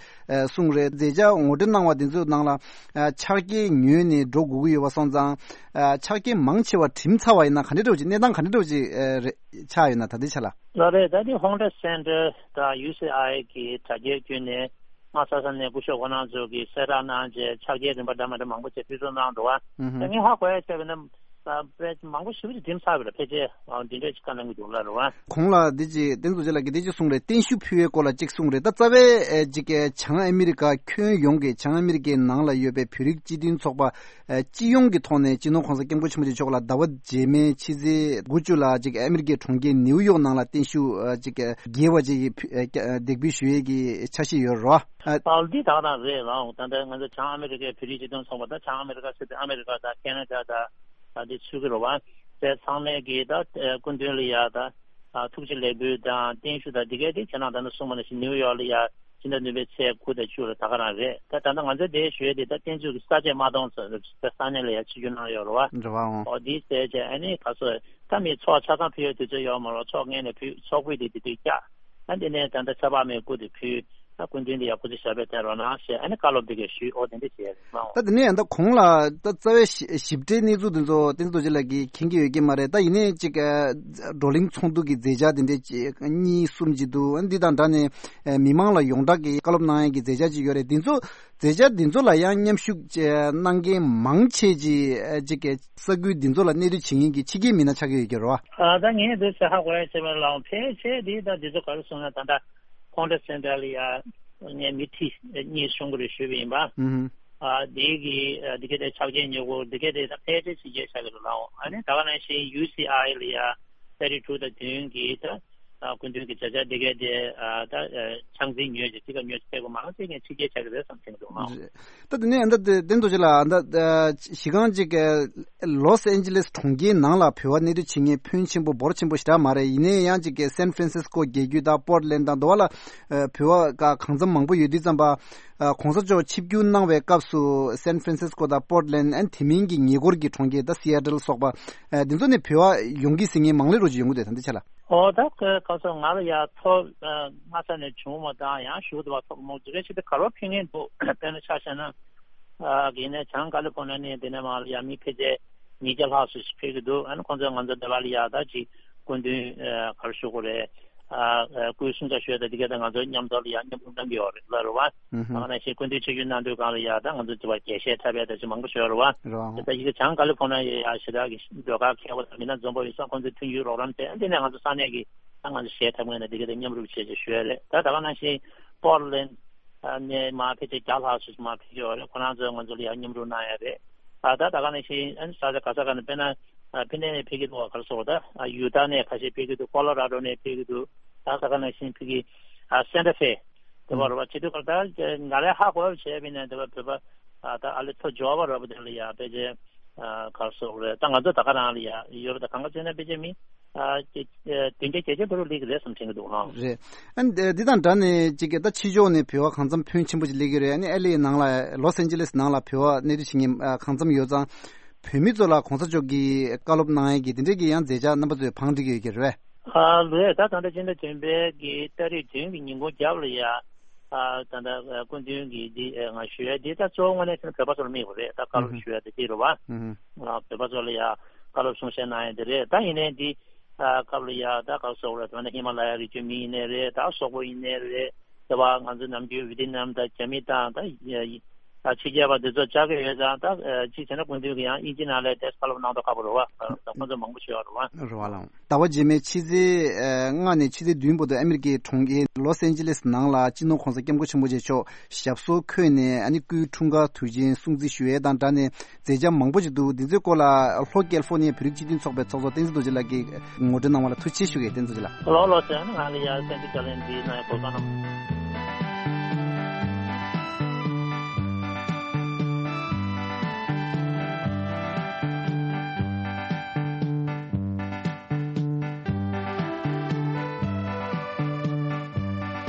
གསུངས་རེད། མཛད་འཆར་ངོ་སྤྲོད་གནང་བ་དེ་ཚོའི་ནང་ལ་ཕྱག་འཁྱེར་ཉོས་ནས་འགྲོ་དགོས་ཀྱི་ཡོད་པ་སོང་ཙང་ཕྱག་འཁྱེར་མང་ཆེ་བ་འགྲིམ་ཚར་བ་ཡིན་ན་ག་འདྲ་འདྲ་བོ་ཅིག་གནས་སྟངས་ག་འདྲ་འདྲ་བོ་ཅིག་རེད། ཆགས་ཡོད་ན་ད་ལྟའི་ཆ་ལ། ལགས་རེད། ད་ནི་Hongdae Center དང་ཡུ་སི་ཨའི་གི་དྲ་རྒྱའི་བརྒྱུད་ནས་དམའ་ས་ས་ནས་སྐུ་ཞབས་ཁོང་རྣམ་ཚོ་གིས་གསལ་བསྒྲགས་གནང་རྗེས་ཕྱག་འཁྱེར་རིན་པ་འདྲ་མི་འདྲ་མང་པོ་ཅིག་ཕུལ་ཚུལ་གནང་འདུག་བ། ཨུ་ཧུ། ད་ངས་ཧ་གོ་ཡ་བྱས་པ་ན་ད་དཔེ་མང་པོ་ཞེ་པོ་ཅིག་འགྲིམ་ཚར་བ་རེད། ཕལ་ཆེར་འདི་འདྲས་ཅིག་བཀའ་གནང་གི་འདུག་ལ་རེད་བ། གོང་ལ་འདི་ཅིག་བསྟན་འཛིན་རྡོ་རྗེ་ལགས་ཀྱིས་འདི་ཅིག་གསུངས་རེད། བརྟན་བཞུགས་ཕུལ་བའི་སྐོར་ལ་ཅིག་གསུངས་རེད། ད་རྩ་བའི་ཨེ་ཅིག་བྱང་ཨ་མི་རི་ཀ་ཁྱོན་ཡོངས་ཀྱི་བྱང་ཨ་མི་རི་ཀའི་ནང་ལ་ཡོད་པའི་བོད་རིགས་སྤྱི་མཐུན་ཚོགས་པ། ཨ་སྤྱི་ཡོངས་ཀྱི་ཐོག་ནས་སྤྱི་ནོར་༸གོང་ས་༸སྐྱབས་མགོན་ཆེན་པོ་མཆོག་ལ་ཟླ་བ་རྗེས་མའི་ཕྱི་ཚེས་དགུ་བཅུ་ལ་ཅིག་ཨ་མི་རི་ཀའི་གྲོང་ཁྱེར་ནེའུ་ཡོག་ནང་ལ་བརྟན་བཞུགས་ཨ་ཅིག་རྒྱས་པ་ཅིག་གི་ཕུ་ཨ་ཀ་ཨ་འདེགས་འབུལ་ཞུ་ཡས་ཀྱི་འཆར་གཞི་ཡོད་རེད་བ། ཨ་འདི་ད་ག་རང་རེད་ལགས། ད་ལྟ་ང་ཚོ་བྱང་ཨ་མི་རི་ཀའི་བོད་རིགས་སྤྱི་མཐུན་ཚོགས་པ་དང་བྱང་ཨ་མི་རི་ཀ་ཟེར་དུས་ཨ་མི་རི་ཀ་དང་ཁེ་ན་ཌ་དང་ཨ་འདི་ཚུད་ཀྱི་རེད་བ། དེ་ཚང་མས་ཀྱི་ད་སྐུ་མདུན་ལ་ཡ་ད་ཐུགས་རྗེ་ལེགས་འབུལ་དང་བརྟན་བཞུགས་དང་འདི་གའི་དེ་ཁྱེད་རང་ད་ནི་གསུངས་པ་ནང་བཞིན་ནེའུ་ཡོག་ལ་ཡ། ཕྱི་ཟླ་བདུན་པའི་ཚེས་དགུ་དང་བཅུ་ལ་ད་ག་རང་རེད། ད་ད་ལྟ་ང་ཚོའི་དེའི་ཞུ་ཡས་དེ་ད་བསྟན་བཅོས་ཀྱི་ས་བཅད་མ་གཏོང་ཚོད་རེད། ས་གནས་ལ་ཡ་ཆིབས་བསྒྱུར་གནང་ཡོད་རེད་བ། རེད་བའོ། ཨོ་དེའི་ཟེར་བྱས་ཨ་ནི་ག་ཚོད་ད་མི་ཚོགས་ཆ་ཚང་ཕུལ་ཡས་དུས་ཚོད་ཡོད་མ་རེད། ཚོགས་སྔོན་ནས་ཕུལ་ཚོགས་ཕུད་དེ་དེ་དུས་བཀྱག་ཨ་འདི་ནས་ད་ལྟ་ཆབ་འབངས་མའི་སྐུ་དེ་ཕུལ། ད་སྐུ་མདུན་དེ་ཡ་སྐུ་ཚེ་ཞབས་པད་བརྟན་རོགས་གནང་ཞེས་ཨ་ནི་བཀའ་སློབ་དེ་གས་ཞུས། ཨོ་དེ་འདྲ་བྱས་རེད་མ་འོ། ད་དེ་ནས་ཡང་ད་གོང་ལ་ད་རྩ་བའི་ཞི་ཞིབ་ཕྲའི་གནས་ཚུལ་དེ་ཚོ་བསྟན་འཛིན་རྡོ་རྗེ་ལགས་ཀྱིས་མཁྱེན་གྱི་ཡོད་ཀྱི་མ་རེད། ད་ཡིན་ནའི་ཅིག་ཨ་བགྲོ་གླེང་ཚོགས་འདུ་གི་མཛད་འཆར་དེ་འདྲ་ཅིག་གཉིས་གསུམ་ཅིག་འདུག་ཨ་འདི་དང་འདྲ་ནས་ཨ་མི་མང་ལ་ཡོངས་གྲགས་ཀྱི་བཀའ་སློབ་གནང་ཡས་ཀྱི་མཛད་འཆར་ཅིག་ཡོད་རེད། འདི་ཚོ་མཛད་འཆར་འདི་ཚོ་ལ་ཡང་མཉམ་ཞུགས་ཅིག་གནང་མཁན་མང་ཆེ་ཅིག་ཨ་ཅིག་ས་ཁུལ་འདི་ཚོ་ལ་གནས་སྡོད་བྱེད་མཁན་གྱི་ཕྱི་རྒྱལ་མི་སྣ་ཆགས་ཀྱི་ཡོད་ཀྱི་རེད་བ། ཨ་ད་ངས་འདི་ཚོ་ཧ་གོ་ཡ་བྱས་པ་ལའང་ཕལ་ཆེར་འདི་ད་འདི་ཚོ་ག་རེ་སོང་ན་ད་ལྟ་ཁོང་ཁྲོ་སེན་ཊར་ལ་ཡ་ངས་མི་ཁྲི་གཉིས་གསུང་གི་རེད་ཞུས་པ་ཡིན་པ། ཨུ་ཧུ། ཨ་འདི་གི་ཨ་འདི་ག་དེ་ཕྱག་རྗེས་ཉེ་བོ་འདི་ག་དེ་ད་ཕལ་ཆེར་ཕྱི་རྒྱལ་ཆགས་ཀྱི་རེད་ལའང་། ཨ་ནི་ད་ག་ནང་བཞིན་ཡུ་སི་ཨའི་ལ་ཡ་ས་རི་ཁྲུ་དང་བདུན་གི་ད་ཨ་སྐུ་མདུན་གྱི་མཛད་འཆར་འདི་ག་དེ་ཨ་ད་ཨ་ཆང་འཛིན་ཉོས་ཀྱི་འདི་ག་ཉོས་ཀྱི་ཕེབས་པ་མང་ཆེ་ངས་ཕྱི་རྒྱལ་ཆགས་ཀྱི་རེད་བསམ་བྱུང་འདུག་ལའང་། རེད། ད་དེ་ནས་ད་དེ་བསྟན་རྡོ་རྗེ་ལགས་ད་གཞི་རྐང་ཅིག་ལོས་ཨན་ཇི་ལེས་གྲོང་ཁྱེར་ནང་ལ་བོད་པ་གནས་སྡོད་བྱེད་མཁན་ཕོན་ཆེན་པོ་འབོར་ཆེན་པོ་ཞེ་དྲག་མ་རེད། ཡིན་ནའི་ཡང་ཅིག་སན་ཧྥ་རན་སིས་ཀོ་རྒྱལ་རྒྱུད་དང་པོར་ཊ་ལེན་དང་དེ་བ་ལ་བོད་པ་ག་གང་འཚམ་མང་པོ་ཡོད་དུས་ཙམ་པ་༸གོང་ས་མཆོག་ཆིབས་བསྒྱུར་གནང་བའི་སྐབས་སུ་སན་ཧྥ་རན་སིས་ཀོ་དང་པོར་ཊ་ལེན་ཨན་དེ་མིན་གྱི་ཉེ་འཁོར་གྱི་གྲོང་ཁྱེར་ད་སི་ཨེ་ཊལ་སོགས་པ་འདི་ཚོ་ནས་བོད་པ་ཡོང་གི་ཟེར་མཁན་མང་ལེ་རོ་ཅིག་ཡོང་གི་འདུག་ད་འདི་ཆ་ལ། ཨོ་ད་ག་ག་སོ་ང་ལ་ཡ་ཐོབ་ཨ་སྔ་ས་ནས་བྱུང་མ་དང་ཡང་ཞུ་དུ་བ་ཐོབ་མོ་ཅི་རེ་ཞིག་ཏུ་ག་རོ་ཕིང་ངེ་འདུག་དཔེར་ན་ཆ་བཞག་ན་ཨ་གི་ནས་བྱང་ཀ་ལི་ཕོར་ནི་ནས་དེ་ནས་མ་ལ་ཡ་མི་ཕལ་ཆེར་ཉིས་བརྒྱ་ལྷག་སུ་ཕེབས་ཀྱི་འདུག་ཨ་ནི་ཁོང་ཚོས་ང་ཚོ་འདི་བ་ལ་ཡ་ད་ཅིག་སྐུ་མདུན་ཨ་ག་རེ་ཞུ་དགོས་རེད། ཨ་ཨ་སྐུའི་གསུང་ཆ་ཞུས་ད་འདི་ག་ད་ང་ཚོ་མཉམ་དུ་ལ་ཡ་མཉམ་རུབ་གནང་གི་ཡོད་རེད་ལ་རེད་བ། ཨུ་ཧུམ། ད་ག་ནང་བཞིན་སྐུ་མདུན་ཆིབས་བསྒྱུར་གནང་དུས་སྒང་ལ་ཡ་ད་ང་ཚོ་དེ་བ་རྒྱས་བཤད་འཁྲབ་པའི་ད་ཅིག་མང་པོ་ཞུ་ཡོད་རེད་བ། རེད་བ། ད་ཡི་གེ་བྱང་ཀ་ལི་ཕོར་ནི་ཡ་ཞེ་དྲག་གི་ཟློས་གར་མཁས་པོ་དང་མི་སྣ་འཛོམས་པོ་ཡོད་ས་ཁོང་ཚོའི་མཐུན་འགྱུར་རོགས་རམ་བྱས་འདི་ནས་ང་ཚོ་ས་གནས་ཀྱི་ད་ང་ཚོ་གཞས་འཁྲབ་མཁན་ནས་འདི་ག་ད་མཉམ་རུབ་བྱས་ཅེས་ཞུ་ཡ་རེད། ད་ད་ག་ནང་བཞིན་པོར་ལེན་ནས་མ་ཕལ་ཆེར་བརྒྱ་ལྷག་ཙམ་མ་ཕེབས་ཀྱི་ཡོད་རེད། ཁོ་རང་ཚོས་ང་ཚོ་ལ་ཡང་མཉམ་རུབ་གནང་ཡ་རེད། ཨ་ད་ད་ག་ནང་བཞིན་ཨ་ནི་ས་ཆ་ག་ས་ག་ནས་དཔེར་ན་ཨ་ཕི་ནེ་ནས་ཕེབས་ཀྱི་འདུག་ག་ག་རེ་ཟེར་དགོས་ད་ཨ་ཡུ་ཏཱ་ནས་ཁ་ཤས་ཕེབས་ཀྱི་འདུག་ཀོ་ལོ་ར་ཌོ་ནས་ཕེབས་ཀྱི་འདུག་ད་ད་ག་ནང་བཞིན་ཕ་གི་ཨ་སན་ཏ་ཧྥེ་དེ་བར་བ་བྱེད་དུས་སྐབས་ད་ང་རའི་ཧ་གོ་བ་བྱས་པ་ཡིན་ན་དེ་བ་བོད་པ་ཨ་ད་ཨ་ལེ་ཐོ་ཇོ་བ་ར་བ་དེ་ལ་ཡ་ཕལ་ཆེར་ཨ་ག་རེ་ཟེར་དགོས་རེད། ད་ང་ཚོ་ད་ག་རང་ལ་ཡ་ཡོད་རེད། ད་གང་ག་བྱས་ན་ཕལ་ཆེར་མི་ཨ་བདུན་བརྒྱ་བརྒྱད་བརྒྱ་བར་དུ་སླེབས་ཀྱི་རེད་བསམ་དྲན་གྱི་འདུག་ཨང་། རེད། ཨ་ནི་འདི་དང་འདྲ་ནས་ཅིག་ད་ཕྱི་ཕྱོགས་ནས་བོད་པ་གང་འཚམ་ཕོན་ཆེན་པོ་ཅིག་སླེབས་ཀྱི་རེད། ཨ་ནི་ཨེལ་ཨེ་ནང་ལ་ལོས་ཨན་ཇི་ལེས་ནང་ལ་བོད་པ་གནས་སྡོད་བྱེད་མཁན་གང་འཚམ་ཡོད་ཙང་། བོད་མི་ཚོ་ལ་གོང་ས་མཆོག་གིས་བཀའ་སློབ་གནང་ཡས་ཀྱི་དེ་འདྲས་ཀྱི་ཡང་མཛད་འཆར་རྣམ་པ་ཚོས་བང་བསྒྲིགས་ཡོད་ཀྱི་རེད་པས། ཨ་ལོས་ད་ད་ལྟ་སྤྱི་ཟླ་བདུན་པའི་གི་ཏ་རིག་བདུན་གྱི་ཉིན་གུང་རྒྱབ་ལ་ཡ་ཨ་ད་ད་སྐུ་མདུན་གྱི་འདི་ང་ཞུ་ཡས་འདི་ད་གཙོ་བོ་དངོས་གནས་བྱས་ན་བོད་པ་ཚོ་ལ་དམིགས་པ་རེད། ད་བཀའ་སློབ་ཞུ་ཡས་དེ་འདི་རེད་བ། ཨ་བོད་པ་ཚོ་ལ་ཡ་བཀའ་སློབ་གསུང་བཤད་གནང་ཡས་འདི་རེད། ད་ཡིན་ནའི་འདི་ཨ་སྐབས་ལ་ཡ་ད་ག་རེ་ཟེར་དགོས་རེད། ད་ནི་ཧི་མ་ལ་ཡ་རི་རྒྱུད་མི་ཡིན་ནའི་རེད། ད་སོག་པོ་ཡིན་ནའི་རེད། དེ་བ་ང་ཚོ་ནམ་རྒྱུན་ཝི་ཏི་ནམ་དང་རྒྱ་མི་དང་ད་ཡ་ཡ་ད་ཕྱི་རྒྱལ་བ་འདི་ཚོ་བཅར་གི་ཡོད་ཙང་ད་ཅིག་བྱས་ན་སྐུ་མདུན་གྱི་ཡང་དབྱིན་ཇི་ནང་ལ་ཏེས་བཀའ་སློབ་གནང་མདོག་ཁ་པོ་རེད་བ། ད་ཁོང་ཚོ་མང་པོ་ཞིག་ཡོད་རེད་བ། རེད་བ་ལགས། ཟླ་བ་རྗེས་མའི་ཕྱི་ཚེས་ལྔ་ནས་ཕྱི་ཚེས་བདུན་བར་དུ་ཨ་མི་རི་ཀའི་གྲོང་ཁྱེར་ལོས་ཨན་ཇི་ལེས་ནང་ལ་སྤྱི་ནོར་གོང་ས་སྐྱབས་མགོན་ཆེན་པོ་མཆོག་ཞབས་སོར་འཁོད་ནས་ཨ་ནི་སྐུའི་འཁྲུངས་སྐར་དུས་ཆེན་སྲུང་བརྩི་ཞུ་ཡས་དང་སྦྲགས་ནས་མཛད་འཆར་མང་པོ་ཞིག་འདུག་འདི་ཚོའི་སྐོར་ལ་ལྷོ་ཀལ་ཧྥོ་ནི་ཡའི་བོད་རིགས་སྤྱི་མཐུན་ཚོགས་པའི་ཚོགས་གཙོ་བསྟན་འཛིན་རྡོ་རྗེ་ལགས་ཀྱིས་ངོ་སྤྲོད་གནང་བ་ལ་ཐུགས་རྗེ་ཆེ་ཞུ་གི་ཡོད། བསྟན་འཛིན་རྡོ་རྗེ་ལགས། ལོ་ལོ་ཟེར་ན་ང་ལ་ཡ་བསྟན་འཛིན་བརྒྱ་ལན་འདི་ན་ཡ་གོ་གནང་།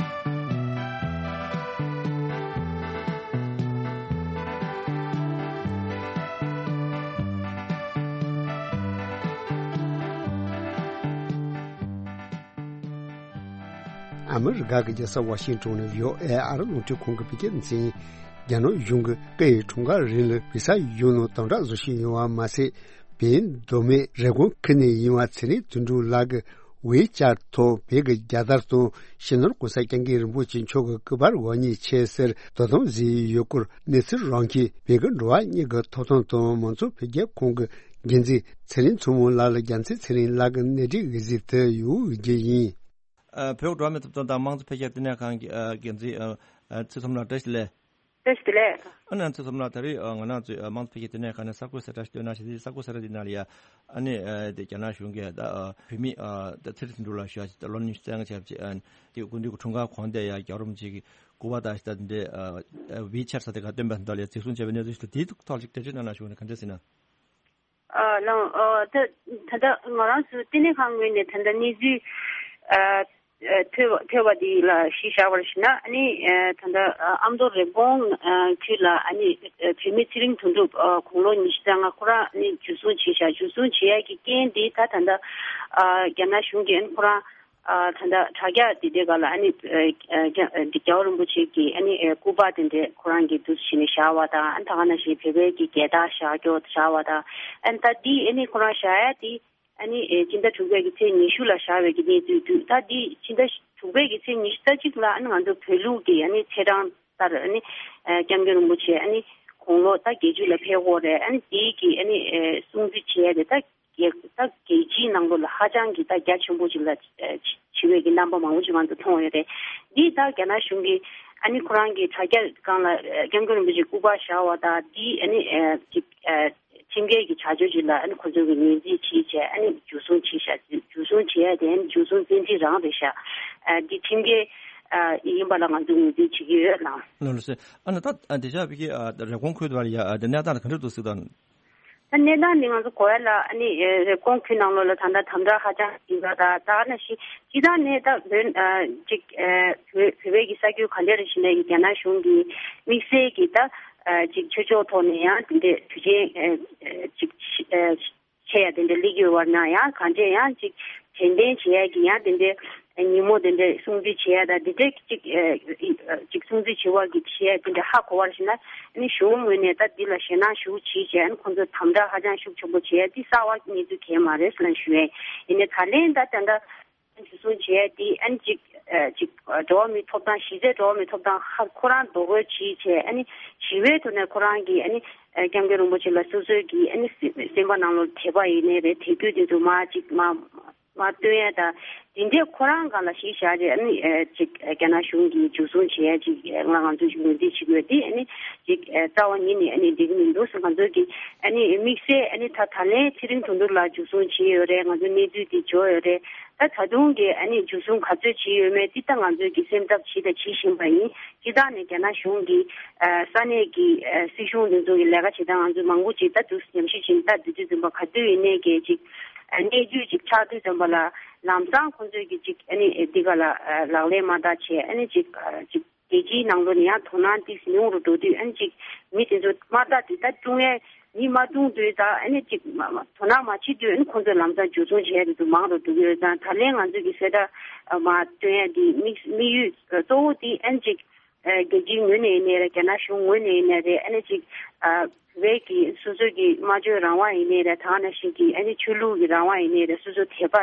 ཨ་མི་རི་ཀ་གི་རྒྱལ་ས་ཝ་ཤིང་ཏོན་ནས་བྷི་ཨོ་ཨེ་ཨ་རི་རླུང་འཕྲིན་ཁང་གི་བོད་སྐད་སྡེ་ཚན། རྒྱ་ནག་གཞུང་གིས་སྐུའི་འཁྲུངས་སྐར་རིང་ལ་བི་ས་ཡོད་ནོ་དམ་དྲག་བཟོ་བཞིན་ཡོད་པ་མ་ཟད། བོད་མདོ་སྨད་རེབ་གོང་ཁུལ་ནས་ཡིན་པ་ཚེ་རིང་དོན་གྲུབ་ལགས་ཀྱི་ཝེ་ཅར་ཐོག་བོད་ཀྱི་རྒྱལ་དར་དང་སྤྱི་ནོར་༸གོང་ས་༸སྐྱབས་མགོན་རིན་པོ་ཆེ་མཆོག་གི་སྐུ་པར་འོ་བརྙན་ཆེ་སར་དོ་དམ་བཟོས་ཡོད་སྐོར་གནས་ཚུལ་རང་ཁྱིམ་བོད་ཀྱི་འགྲོ་བ་མིའི་ཐོབ་ཐང་དང་མང་གཙོ་འཕེལ་རྒྱས་ཁང་གི་འགན་འཛིན་ཚེ་རིང་མཚོ་མོ་ལགས་ལ་རྒྱལ་མཚན་ཚེ་རིང་ལགས་ཀྱི་གནས་འདྲི་འོས་གཟིགས་དུ་ཡོད་རྒྱུ་ཡིན། ཨ་བོད་འགྲོ་བ་མིའི་ཐོབ་ཐང་དང་དམངས་གཙོ་འཕེལ་རྒྱས་བསྟི་གནས་ཁང་གི་ཨ་འགན་འཛིན་ཨ་ཨ་ཚེ་མཚོ་མོ་ལགས་བཀྲ་ཤིས་བདེ་ལེགས། བཀྲ་ཤིས་བདེ་ལེགས། ཨ་ནི་ཚེ་མཚོ་མོ་ལགས་ད་རེས་ཨ་ང་རང་ཚོའི་ཨ་དམངས་གཙོ་འཕེལ་རྒྱས་བསྟི་གནས་ཁང་ནས་གསར་འགོད་གསལ་བསྒྲགས་ཤིག་བཏོན་གནང་ཞིག་དེ་གསར་འགོད་གསལ་བསྒྲགས་འདི་ནང་ལ་ཡ་ཨ་ནི་ཨ་དེ་རྒྱ་ནག་གཞུང་གིས་ད་ཨ་བོད་མི་ཨ་ད་ཚེ་རིང་དོན་གྲུབ་ལགས་ཞུ་ཡ་ཅིག་ད་ལོ་ཉི་ཤུ་རྩ་ལྔ་བྱས་པ་ཅིག་ཨ་དེ་སྐུ་མདུན་གྱི་འཁྲུངས་སྐར་གོང་དེ་ཡ་རྒྱལ་བ་རིན་པོ་ཆེ་གི་སྐུ་པར་དང་ཞིག་ད་དེ་འདྲའི་ཨ་ཝི་ཆར་ས་དེ་ག་བཏོན་པ་འདི་ལ་ཡ་གཟིགས་བཟུང་བྱས་པའི་གནས་ཚུལ་ཞིག་ད་དེའི་ཐོག་ལ་ཅིག་འགྲེལ་བརྗོད་གནང་གནང་ཞུ་ནས་ག་འདྲ་ཟེར་ན། ཨ་ལགས། ཨ་ད་ད་ལྟ་ང་རང་ཚོའི་བསྟི་གནས་ཁང་ངོས་ནས་ད་ལྟ་གནས་ཚུལ་ཨ་ཨ་ཐོས་པ་ཐོས་པ་འདི་ལ་གཞི་བཞག་པར་ཞུ་ན་ཨ་ནི་ཨ་ད་ལྟ་ཨ་ཨ་མདོ་རེབ་གོང་ཨ་ཁུལ་ལ་ཨ་ནི་ཨ་བོད་མི་ཚེ་རིང་དོན་གྲུབ་ཨ་དགུང་ལོ་ཉི་ཤུ་རྩ་ལྔ་ཁོ་རང་ཨ་ནི་འཇུ་བཟུང་བྱས་ཤག་འཇུ་བཟུང་བྱེད་ཡ་གི་རྐྱེན་འདི་ད་ད་ལྟ་ཨ་རྒྱ་ནག་གཞུང་གིས་ཨ་ནི་ཁོ་རང་ཨ་ད་ལྟ་དྲ་རྒྱ་འདི་འདྲའི་སྒང་ལ་ཨ་ནི་ཨ་ཨ་རྒྱ་རྒྱལ་བ་རིན་པོ་ཆེ་གི་ཨ་ནི་ཨ་སྐུ་པར་དེ་འདྲས་ཁོ་རང་གིས་འདུག་སེ་བྱས་ནས་བཞག་པ་དང་ཨ་ནི་ད་ག་ནང་བཞིན་བོད་པའི་གི་རྒྱལ་དར་བཞག་རྒྱུ་བཞག་པ་དང་ཨ་ནི་ད་འདི་ཨ་ནི་ཁོ་རང་བཞག་ཡ་དེ་ཨ་ནི་ཨ་སྤྱི་ཟླ་དྲུག་པའི་གི་ཚེས་ཉི་ཤུ་ལ་བཞག་པའི་གི་གནས་ཚུལ་འདུག་ད་འདི་སྤྱི་ཟླ་དྲུག་པའི་གི་ཚེས་ཉི་ཤུ་རྩ་གཅིག་ལ་ཨ་ནི་ང་ཚོ་བོད་ལུགས་ཀྱི་ཨ་ནི་ཚེས་གྲངས་ལྟར་ཨ་ནི་ཨ་སྐྱབས་མགོན་རིན་པོ་ཆེ་ཨ་ནི་དགུང་ལོ་ད་བརྒྱད་ཅུ་ལ་ཕེབས་ཀྱི་ཡོད་རེད། ཨ་ནི་དེའི་གི་ཨ་ནི་ཨ་སྲུང་བརྩི་བྱེད་ཡ་དེ་ད་རྒྱལ་ད་རྒྱལ་སྤྱིའི་ནང་ལོགས་ལ་ཧ་ཅང་གི་ད་རྒྱ་ཆེན་པོ་ཅིག་ལ་ཨ་བྱེད་པའི་གི་རྣམ་པ་མང་པོ་ཅིག་ང་ཚོ་མཐོང་ཡོད་རེད། འདི་ད་རྒྱ་ནག་གཞུང་གིས་ཨ་ནི་ཁོ་རང་གི་དྲ་རྒྱ་སྒང་ལ་ཨ་སྐྱབས་མགོན་རིན་པོ་ཆེའི་སྐུ་པར་བཞག་པ་དང་འདི་ཨ་ནི་ཨ་ཅིག་ཨ་ཁྲིམས་འགལ་གྱི་བྱ་སྤྱོད་ཅིག་ལ་ཨ་ནི་ཁོ་ཚོ་གིས་ངོས་འཛིན་བྱས་བྱས་ཨ་ནི་འཇུ་བཟུང་བྱས་ཤག་འཇུ་བཟུང་བྱས་ཡ་དེ་ཨ་ནི་འཇུ་བཟུང་བཙན་འཁྲིད་རང་རེད་ཤག་ཨ་འདི་ཁྲིམས་འགལ་ཨ་ཡིན་པ་ལ་ང་ཚོས་ངོས་འཛིན་བྱེད་ཀྱི་ཡོད་ལགས། ལགས་ལགས་སེ། ཨ་ནི་ད་ཨ་འདི་ཤག་བི་ཀི་ཨ་རེབ་གོང་ཁུལ་དུ་བ་ལ་ཡ་ཨ་འདི་གནས་སྟངས་ག་འདྲ་འདུག་སྲིད་དང་། ད་གནས་སྟངས་འདི་ང་ཚོ་གོ་ཡ་ལ་ཨ་ནི་ཨ་རེབ་གོང་ཁུལ་ནང་ལོགས་ལ་ད་ལྟ་དམ་དྲག་ཧ་ཅང་ཡིན་པ་དང་ད་ནང་བཞིན་སྤྱིར་བཏང་ནས་ད་བོད་ཨ་ཅིག་ཨ་བོད་བོད་པའི་གི་ས་ཁུལ་ག་འདྲ་རེ་ཞིག་ནས་ཀྱི་རྒྱ་ནག་གཞུང་གི་དམིགས་བསལ་གྱི་ད་ཨ་ཅིག་ཆོས་ཕྱོགས་ཐོག་ནས་ཡང་དེ་འདྲའི་དུས་ཆེན་ཨ་ཅིག་ཨ་ཆེ་ཡ་དེ་འདྲ་སླེབས་ཀྱི་ཡོད་པ་ན་ཡང་གང་འདྲས་ཡང་ཅིག་ གདན་འདྲེན་བྱེད་ཡ་གི་ཡང་དེ་འདྲའི་ཉིན་མོ་དེ་འདྲའི་སྲུང་བརྩི་བྱེད་ཡ་དང་དེ་འདྲའི་གཅིག་ཨ་གཅིག་སྲུང་བརྩི་བྱེད་པ་གི་བྱེད་ཡ་དེ་འདྲ་ཧ་གོ་བར་ཞིག་ན་ཨ་ནི་གཞུང་ངོས་ནས་ད་འདི་ལ་ཞེད་སྣང་ཞེ་པོ་བྱེད་བྱས་ཨ་ནི་ཁོང་ཚོ་དམ་དྲག་ཧ་ཅང་ཤུགས་ཆེན་པོ་བྱེད་ཡ་འདི་གསར་བ་གནས་ཚུལ་གང་ཡང་མ་རེད་ཟེར་ལབ་ཞུ་ཡ་ཡིན། ཡིན་ནའི་ད་ལན་ད་ད་ལྟ་འཇུ་བཟུང་བྱས་ཏེ་ཨ་ནི་ཅིག་ཨ་ཅིག་འགྲོ་བ་མིའི་ཐོབ་ཐང་གཞི་རྩའི་འགྲོ་བ་མིའི་ཐོབ་ཐང་ཧ་ཁོ་རང་རྡོག་རོལ་བྱས་བྱས་ཨ་ནི་ཞི་བའི་ཐོག་ནས་ཁོ་རང་གིས་ཨ་ནི་ཨ་སྐྱབས་མགོན་རིན་པོ་ཆེ་ལ་སོ་སོའི་གི་ཨ་ནི་སེམས་པ་ནང་ལོགས་དད་པ་ཡིན་ནའི་རེད་དད་གུས་དེ་ཚོ་མར་ཅིག་མར་མར་སྟོན་ཡ་དང་དེ་འདྲས་ཁོ་རང་སྒང་ལ་གཞི་བཞག་རྗེས་ཨ་ནི་ཨ་ཅིག་ཨ་རྒྱ་ནག་གཞུང་གིས་འཇུ་བཟུང་བྱས་ཡ་ཅིག་ང་ང་ཚོས་ངོས་འཛིན་བྱེད་དགོས་དེ་ཨ་ནི་ཅིག་ཨ་རྩ་བ་ཉིད་ནས་ཨ་ནི་འགྲིག་གི་མི་འདུག་ཟེར་ང་ཚོས་ཀྱི་ཨ་ནི་དམིགས་བསལ་ཨ་ནི་ད་ད་ལན་ཚེ་རིང་དོན་གྲུབ་ལགས་འཇུ་བཟུང་བྱས་ཡོད་རེད། ང་ཚོ་གནས་ཚུལ་དེ་འབྱོར་ཡོད་རེད། ད་ད་དུང་གི་ཨ་ནི་འཇུ་བཟུང་ག་ཚོད་བྱས་ཡོད་མེད་འདི་ད་ང་ཚོས་ཀྱི་སེམས་འཚབ་བྱས་དང་བྱེད་བཞིན་པ་ཡིན། སྤྱིར་བཏང་ནས་རྒྱ་ནག་གཞུང་གི་ཨ་ས་གནས་ཀྱི་ཨ་སྲིད་གཞུང་དེ་ཚོ་གི་ལས་ཀ་བྱེད་སྟངས་ང་ཚོས་མང་པོ་ཅིག་ད་དུ་ཉམས་ཞིབ་བྱས་ནས་ད་དུས་ཚོད་ཙམ་པ་ག་དུས་ཡིན་ནའི་གི་ཅིག་ཨ་གནས་ཚུལ་ཅིག་ཆགས་དུས་ཙམ་པ་ལ་ལམ་སང་ཁོང་ཚོས་ཀྱི་ཅིག་ཨ་ནི་འདི་ག་ལ་ཨ་ལག་ལེན་མ་བསྟར་བྱས་ཨ་ནི་ཅིག་ཨ་ཅིག་རྒྱལ་སྤྱིའི་ནང་ལོགས་ནས་ཡང་དོ་སྣང་ཏོག་ཙམ་ཉུང་རུ་འགྲོ་དུས་ཨ་ནི་ཅིག་མི་དེ་ཚོ་དམར་རྟགས་དེ་ད་སྲུང་ཡས་མི་མ་བཏུང་དུས་ད་ཨ་ནི་ཅིག་མ་མ་དོ་སྣང་མ་བྱེད་དུས་ཨ་ནི་ཁོང་ཚོས་ལམ་སང་འཇུ་བཟུང་བྱས་དེ་ཚོ་མང་རུ་འགྲོ་གི་ཡོད་ཙང་ད་ལན་ང་ཚོས་ཀྱི་གསལ་བསྒྲགས་མ་སྟོན་ཡས་དེ་དམིགས་དམིགས་ཡུལ་གཙོ་བོ་དེ་ཨ་ནི་ཅིག་རྒྱལ་སྤྱིའི་ངོས་ནས་ཡིན་ནའི་རེད། རྒྱ་ནག་གཞུང་ངོས་ནས་ཡིན་ནའི་རེད། ཨ་ནི་ཅིག་བོད་ཀྱི་སོ་སོ་གི་སྨྲ་བརྗོད་རང་དབང་ཡིན་ནའི་རེད། ད་ག་ནང་བཞིན་གྱི་ཨ་ནི་ཆོས་ལུགས་ཀྱི་རང་དབང་ཡིན་ནའི་རེད། སོ་སོ་དད་པ་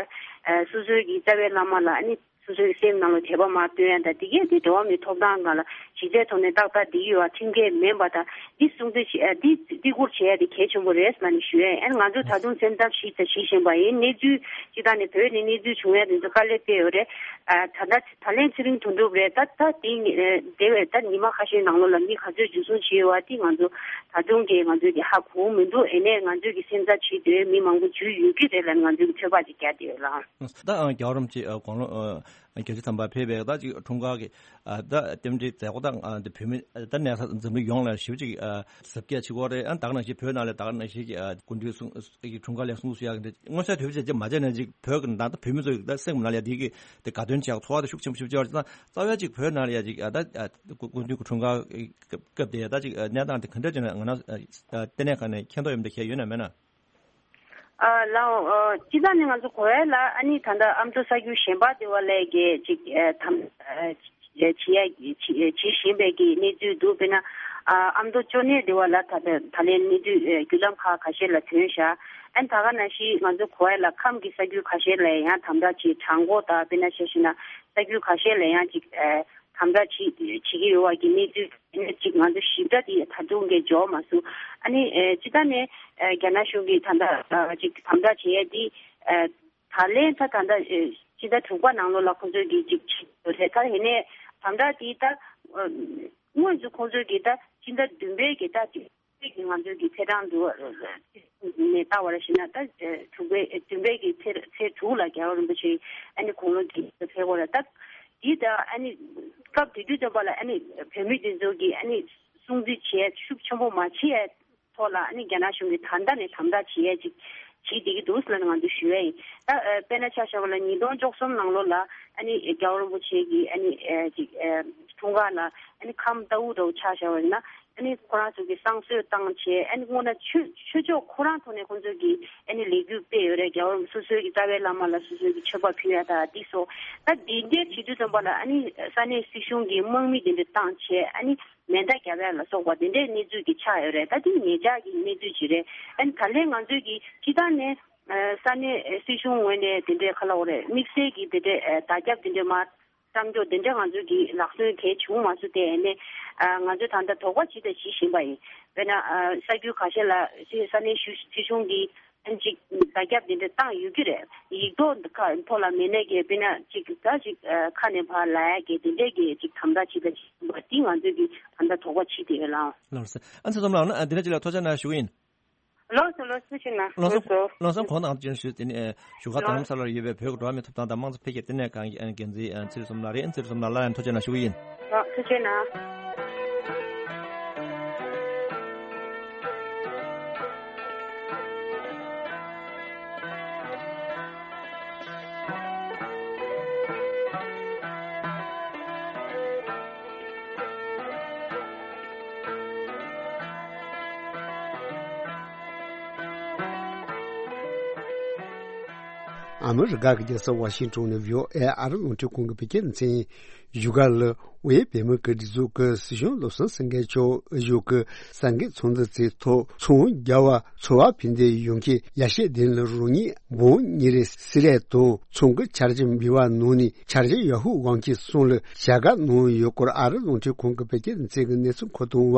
སོ་སོའི་གི་རྩ་བའི་བླ་མ་ལ་ཨ་ནི་སོ་སོའི་སེམས་ནང་ལ་དད་པ་མར་སྟོན་ཡ་དང་དེ་གས་དེ་འགྲོ་བ་མིའི་ཐོབ་ཐང་སྒང་ལ་གཞི་རྩའི་ཐོག་ནས་ཏག་ཏག་བསྡད་ཀྱི་ཡོད་པ་ཁྲིམས་འགལ་མིན་པ་དང་འདི་སྲུང་བརྩི་བྱེད་ཨ་འདི་བརྩི་བཀུར་བྱེད་ཡ་དེ་གལ་ཆེན་པོ་རེད་ལབ་ནས་ཞུ་ཡ་ཡིན། ཨ་ནི་ང་ཚོ་ད་དུང་སེམས་འཚབ་ཞིག་དང་ཞིག་བཞིན་པ་ཡིན། གནས་ཚུལ་སྤྱིར་བཏང་ནས་བོད་ནས་གནས་ཚུལ་བྱུང་ཡ་དེ་ཚོ་དཀའ་ལས་སྤྲད་ཡོད་རེད། ཨ་ད་ལྟ་ད་ལན་ཚེ་རིང་དོན་གྲུབ་རེད། ད་ད་དེ་ཉི་ཨ་དེ་བས་ད་ཉི་མ་ཁ་ཤས་ནང་ལོགས་ལ་མི་ག་ཚོད་འཇུ་བཟུང་བྱས་ཡོད་པ་དེ་ང་ཚོ་ད་དུང་གི་ང་ཚོས་དེ་ཧ་གོ་མི་འདུག་ཨེ་ནས་ང་ཚོས་ཀྱི་སེམས་འཚབ་བྱེད་དུས་མི་མང་པོ་འཇུ་ཡོད་ཀྱི་རེད་ལབ་ང་ཚོས་ཀྱི་ཚོད་དཔག་ཅིག་རྒྱག་བསྡད་ཡོད་ལགས། ད་ཨ་རྒྱལ་བ་རིན་པོ་ཆེ་ཨ་དགུང་ལོ་ཨ་བརྒྱད་ཅུ་ཐམ་པ་ཕེབས་པའི་ད་ཅིག་འཁྲུངས་སྐར་གྱི་ཨ་ད་རྟེན་འབྲེལ་མཛད་སྒོ་དང་ཨ་འདི་བོད་མི་ད་གནས་ས་འཛམ་གླིང་ཡོངས་ལ་ཞེ་པོ་ཅིག་ཨ་གཟབ་རྒྱས་བྱེད་ཀྱི་ཡོད་རེད། ཨ་ད་ག་ནང་བཞིན་བོད་ནང་ལ་ད་ག་ནང་བཞིན་གྱི་ཨ་སྐུ་མདུན་གསུང་གི་འཁྲུངས་སྐར་ལ་གསུང་གསུང་ཡག་གི་འདི་མངོན་གསལ་དོད་པོ་བྱས་རྗེས་མ་བྱས་ནས་ཅིག་བོད་ཀྱི་ནང་ད་བོད་མི་ཚོ་ཡི་ད་སེམས་ནང་ལ་ཡ་དེ་གི་དེ་དགའ་སྟོན་བྱེད་ཡག་ཚོར་བ་དེ་ཤུགས་ཆེན་པོ་ཞེ་པོ་ཅིག་ཡོད་རེད། ད་རྩ་བའི་ཅིག་བོད་ནང་ལ་ཡ་ཅིག་ཨ་ད་ཨ་སྐུ་སྐུ་མདུན་གྱི་འཁྲུངས་སྐར་སྐབས་དེ་ད་ཅིག་གནས་སྟངས་དེ་ག་འདྲ་ཅིག་ན་ང་རང་ལྟེ་གནས་ཁང་ནས་མཁྱེན་རྟོགས་ཡོད་མེད་དེ་ཁྱེད་ཡོད་ན་མེད་ན། ཨ་ལགས་འོ། སྤྱིར་བཏང་ནས་ང་ཚོ་གོ་ཡ་ལ་ཨ་ནི་ད་ལྟ་ཨ་མདོ་ས་རྒྱུད་གཞན་པ་དེ་བ་ལས་ཀྱི་ཅིག་ཨ་དམ་ཨ་བྱེད་ཡ་བྱེད་བཞིན་པའི་གི་གནས་ཚུལ་འདུག་དཔེར་ན་ཨ་ཨ་མདོ་ཅོ་ནེ་དེ་བ་ལ་ད་ལྟ་ད་ལན་གནས་ཚུལ་ཨ་བརྒྱུད་ལམ་ཁག་ཁ་ཤས་ལ་ཐོན་ཤག་ཨ་ནི་ད་ག་ནང་བཞིན་ང་ཚོ་གོ་ཡ་ལ་ཁམས་ཀྱི་ས་རྒྱུད་ཁ་ཤས་ལ་ཡང་དམ་དྲག་ཅིག་གྲངས་འགོ་དང་དཔེར་ན་ཆ་བཞག་ན་ས་རྒྱུད་ཁ་ཤས་ལ་ཡང་ཅིག་ཨ་དམ་དྲག་བྱེད་བྱེད་ཀྱི་ཡོད་པ་གི་གནས་ཚུལ་ནས་ཅིག་ང་ཚོ་ཞིབ་ཕྲ་དེ་ད་དུང་གི་འབྱོར་མ་སོང་། ཨ་ནི་ཨ་སྤྱིར་བཏང་ནས་ཨ་རྒྱ་ནག་གཞུང་གིས་ད་ལྟ་ཨ་ཅིག་དམ་དྲག་བྱེད་ཡས་དེ་ཨ་ད་ལན་ད་ད་ལྟ་ཨ་སྤྱི་ཟླ་དྲུག་པ་ནང་ལོགས་ལ་ཁོང་ཚོས་ཀྱི་ཅིག་བྱེད་ཡོད་རེད། ད་ཡིན་ནའི་དམ་དྲག་དེ་ད་ཨ་དངོས་སུ་ཁོང་ཚོས་ཀྱི་ད་སྤྱི་ཟླ་བདུན་པའི་གི་ད་ཅིག་ཅིག་ང་ཚོའི་གི་ཕེབས་ཐེངས་དུ་ནས་ལྟ་བར་ཞིག་ན་ད་དྲུག་པའི་བདུན་པའི་གི་ཚེས་ཚེས་དྲུག་ལ་རྒྱལ་བ་རིན་པོ་ཆེ་ཨ་ནི་དགུང་ལོ་བརྒྱད་ཅུ་ཕེབས་པ་རེད། ད་འདི་ད་ཨ་ནི་སྐབས་དེ་དུས་ཙམ་པ་ལ་ཨ་ནི་བོད་མི་དེ་ཚོ་གི་ཨ་ནི་སྲུང་བརྩི་བྱེད་ཤུགས་ཆེན་པོ་མ་བྱེད་ཐོག་ལ་ཨ་ནི་རྒྱ་ནག་གཞུང་གིས་ད་ལྟ་ནས་དམ་དྲག་བྱེད་ཡས་ཅིག་བྱེད་བསྡད་ཀྱི་འདུག་ཟེར་ལབ་ནས་ང་ཚོས་ཞུ་ཡས་ཡིན། ད་དཔེར་ན་ཆ་བཞག་པ་ལ་ཉིས་སྟོང་བཅུ་གསུམ་ནང་ལོགས་ལ་ཨ་ནི་རྒྱལ་བ་རིན་པོ་ཆེ་གི་ཨ་ནི་ཅིག་འཁྲུངས་སྐར་ལ་ཨ་ནི་ཁམས་རྟའུ་རུ་ཆ་བཞག་པ་ཡིན་ན། ཨ་ནི་ཁོ་རང་ཚོ་གི་བསང་གསོལ་བཏང་བྱས་ཨ་ནི་སྔོན་ན་ཆོས་ཆོས་ཕྱོགས་ཁོ་རང་ཐོག་ནས་ཁོང་ཚོ་གི་ཨ་ནི་ལས་འགུལ་སྤེལ་ཡོད་རེད། རྒྱལ་བ་སོ་སོའི་གི་རྩ་བའི་བླ་མ་ལ་སོ་སོའི་གི་མཆོད་པ་ཕུལ་ཡ་དང་འདི་སོགས་ད་འདི་འདྲའི་བྱེད་དུས་ཙམ་པ་ལ་ཨ་ནི་ས་གནས་སྲིད་གཞུང་གི་དམག་མི་དེ་འདྲ་བཏང་བྱས་ཨ་ནི་མེ་མདའ་བརྒྱབ་ཡ་ལ་སོགས་པ་དེ་འདྲའི་གནས་ཚུལ་གི་ཆགས་ཡོད་རེད། ད་འདི་ཉེ་ཆར་གི་གནས་ཚུལ་ཅིག་རེད། ཨ་ནི་ད་ལན་ང་ཚོའི་གི་སྤྱི་བཏང་ནས་ས་གནས་སྲིད་གཞུང་ངོས་ནས་དེ་འདྲའི་ག་ལ་འོ་རེད་དམིགས་བསལ་གི་དེ་འདྲའི་བརྡ་ཁྱབ་དེ་འདྲའི་མ་བཏང་ཆོག་དེ་འདྲ་ང་ཚོ་གི་ལག་སོན་གལ་བྱུང་མ་སོང་སྟེ་ཨ་ནི་ང་ཚོས་ད་ལྟ་དོགས་པ་ཇི་ལྟར་ཞི་བཞིན་པ་ཡིན། དཔེར་ན་ས་རྒྱུད་ཁ་ཤས་ལ་སི་ས་གནས་ཞུ་སྲིད་གཞུང་གིས་ཨ་ནི་ཅིག་བརྡ་ཁྱབ་དེ་འདྲ་བཏང་ཡོད་ཀྱི་རེད། ཡིག་ཐོག་ཁ་ཐོག་ལ་མེད་ནས་ཀྱི་དཔེར་ན་ཅིག་ད་ཅིག་ཁ་ནས་ཕར་ལབ་ཡ་གི་དེ་འདྲས་ཀྱི་ཅིག་དམ་དྲག་ཇི་ལྟར་ཞི་བཞིན་པ་དེ་ང་ཚོས་ཀྱི་ད་ལྟ་དོགས་པ་ཇི་ལྟར་ཡོད་ལགས། ལགས་སོ། ཨ་ཚེ་རིང་ལགས་ཨ་འདི་འདྲ་ཅིག་ལ་ཐུགས་རྗེ་གནང་ཞུ་གི་ཡིན། ལགས་སོ་ལགས་སོ་ཐུགས་རྗེ་གནང་། ལགས་སོ་ལགས་སོ། ལགས་སོ་གོང་དང་ཅིག་ཞུས་དེ་ནི་བཞུགས་སྒར་རྡ་རམ་ས་ལར་ཡོད་པའི་བོད་ཀྱི་འགྲོ་བ་མིའི་ཐོབ་ཐང་དང་དམངས་གཙོ་འཕེལ་རྒྱས་ལྟེ་གནས་ཁང་གི་འགན་འཛིན་ཚེ་རིང་བསོད་ནམས་ལགས་རེད། ཚེ་རིང་བསོད་ནམས་ལགས་ལ་ཡང་ཐུགས་རྗེ་གནང་ཞུ་གི་ཡིན། ལགས་ཐུགས་རྗེ་གནང་། ཨ་མི་རི་ཀ་གི་རྒྱལ་ས་ཝ་ཤིང་ཏོན་ནས་བྷི་ཨོ་ཨེ་ཨ་རི་རླུང་འཕྲིན་ཁང་གི་བོད་སྐད་སྡེ་ཚན་ཡིན། བཞུགས་སྒར་ལ་དབུས་བོད་མི་གི་སྒྲིག་འཛུགས་ཀྱི་སྲིད་གཞུང་བློ་བཟང་སེང་གེ་མཆོག་ཨ་ཞོག་གི་གསར་འགོད་ཚོགས་འདུ་དེའི་ཐོག་ཚོང་རྒྱ་བ་ཚོ་བ་ཕན་བདེ་ཡོང་ཁྱེད་ཡ་ཤེས་ལྡན་ལ་རོགས་གཉིས་འབོ་ཉི་རེ་སི་ལས་དང་ཚོང་གི་འཆར་གཞི་འབུལ་བ་ནང་ནས་འཆར་གཞི་ཡ་ཧུ་དབང་ཁྱེད་གསུང་ལ་བྱ་དགའ་གནང་ཡོད་སྐོར་ཨ་རི་རླུང་འཕྲིན་ཁང་གི་བོད་སྐད་སྡེ་ཚན་གྱི་གནས་ཚུལ་མཁོ་གཏོང་བ་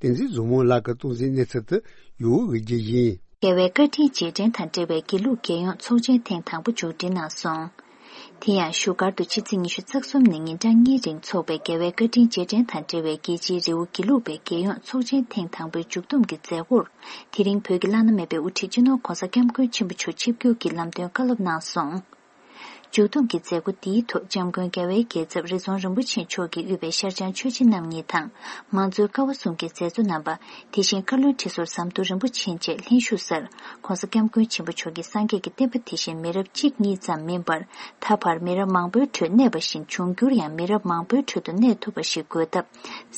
བསྟན་འཛིན་བཟང་མོ་ལགས་ཀྱིས་གཏོང་གཟིགས་གནས་ཚུལ་དུ་ཡོད་འོས་རྒྱུ་ཡིན། རྒྱལ་བའི་བཀའ་དྲིན་རྗེས་དྲན་དང་འབྲེལ་བའི་དགེ་ལུགས་རྒྱལ་ཡོངས་ཚོགས་ཆེན་ཐེངས་དང་པོ་མཇུག་སྒྲིལ་གནང་སོང་། དེ་ཡང་བཞུགས་སྒར་དུ་ཕྱི་ཚེས་ཉི་ཤུ་རྩ་གསུམ་ནས་ཉིན་གྲངས་གཉིས་རིང་འཚོགས་པའི་རྒྱལ་བའི་བཀའ་དྲིན་རྗེས་དྲན་དང་འབྲེལ་བའི་རྒྱལ་སྤྱིའི་རི་བོ་དགེ་ལུགས་པའི་རྒྱལ་ཡོངས་ཚོགས་ཆེན་ཐེངས་དང་པོའི་མཇུག་བསྡོམས་ཀྱི་མཛད་སྒོར། དེ་རིང་བོད་ཀྱི་བླ་ན་མེད་པའི་དབུ་ཁྲིད་སྤྱི་ནོར་༧གོང་ས་༧སྐྱབས་མགོན་ཆེན་པོ་མཆོག་ཆིབས་བསྒྱུར་གྱིས་ལམ་སྟོན་བཀའ་སློབ་གནང་སོང་། མཇུག་བསྡོམས་ཀྱི་མཛད་སྒོ་འདིའི་ཐོག་༧སྐྱབས་མགོན་རྒྱལ་བའི་རྒྱལ་ཚབ་རི་རྫོང་རིན་པོ་ཆེ་མཆོག་གིས་དབུས་པའི་ཤར་བྱང་ཆོས་རྗེ་རྣམ་གཉིས་དང་། མང་གཙོའི་ཀ་བ་གསུམ་གྱི་མཛད་གཙོ་རྣམ་པ། དེ་བཞིན་བཀའ་བློན་ཁྲི་ཟུར་ཟམ་གདོང་རིན་པོ་ཆེ་བཅས་ལྷན་ཞུགས་སར། ༧གོང་ས་༧སྐྱབས་མགོན་ཆེན་པོ་མཆོག་གིས་སངས་རྒྱས་ཀྱི་བསྟན་པ་དེ་བཞིན་མི་རབས་གཅིག་གཉིས་ཙམ་མིན་པར། ད་བར་མི་རབས་མང་པོའི་ཁྲོད་གནས་པ་བཞིན་འབྱུང་འགྱུར་ཡང་མི་རབས་མང་པོའི་ཁྲོད་དུ་གནས་ཐུབ་པ་ཞིག་དགོས་སྟབས།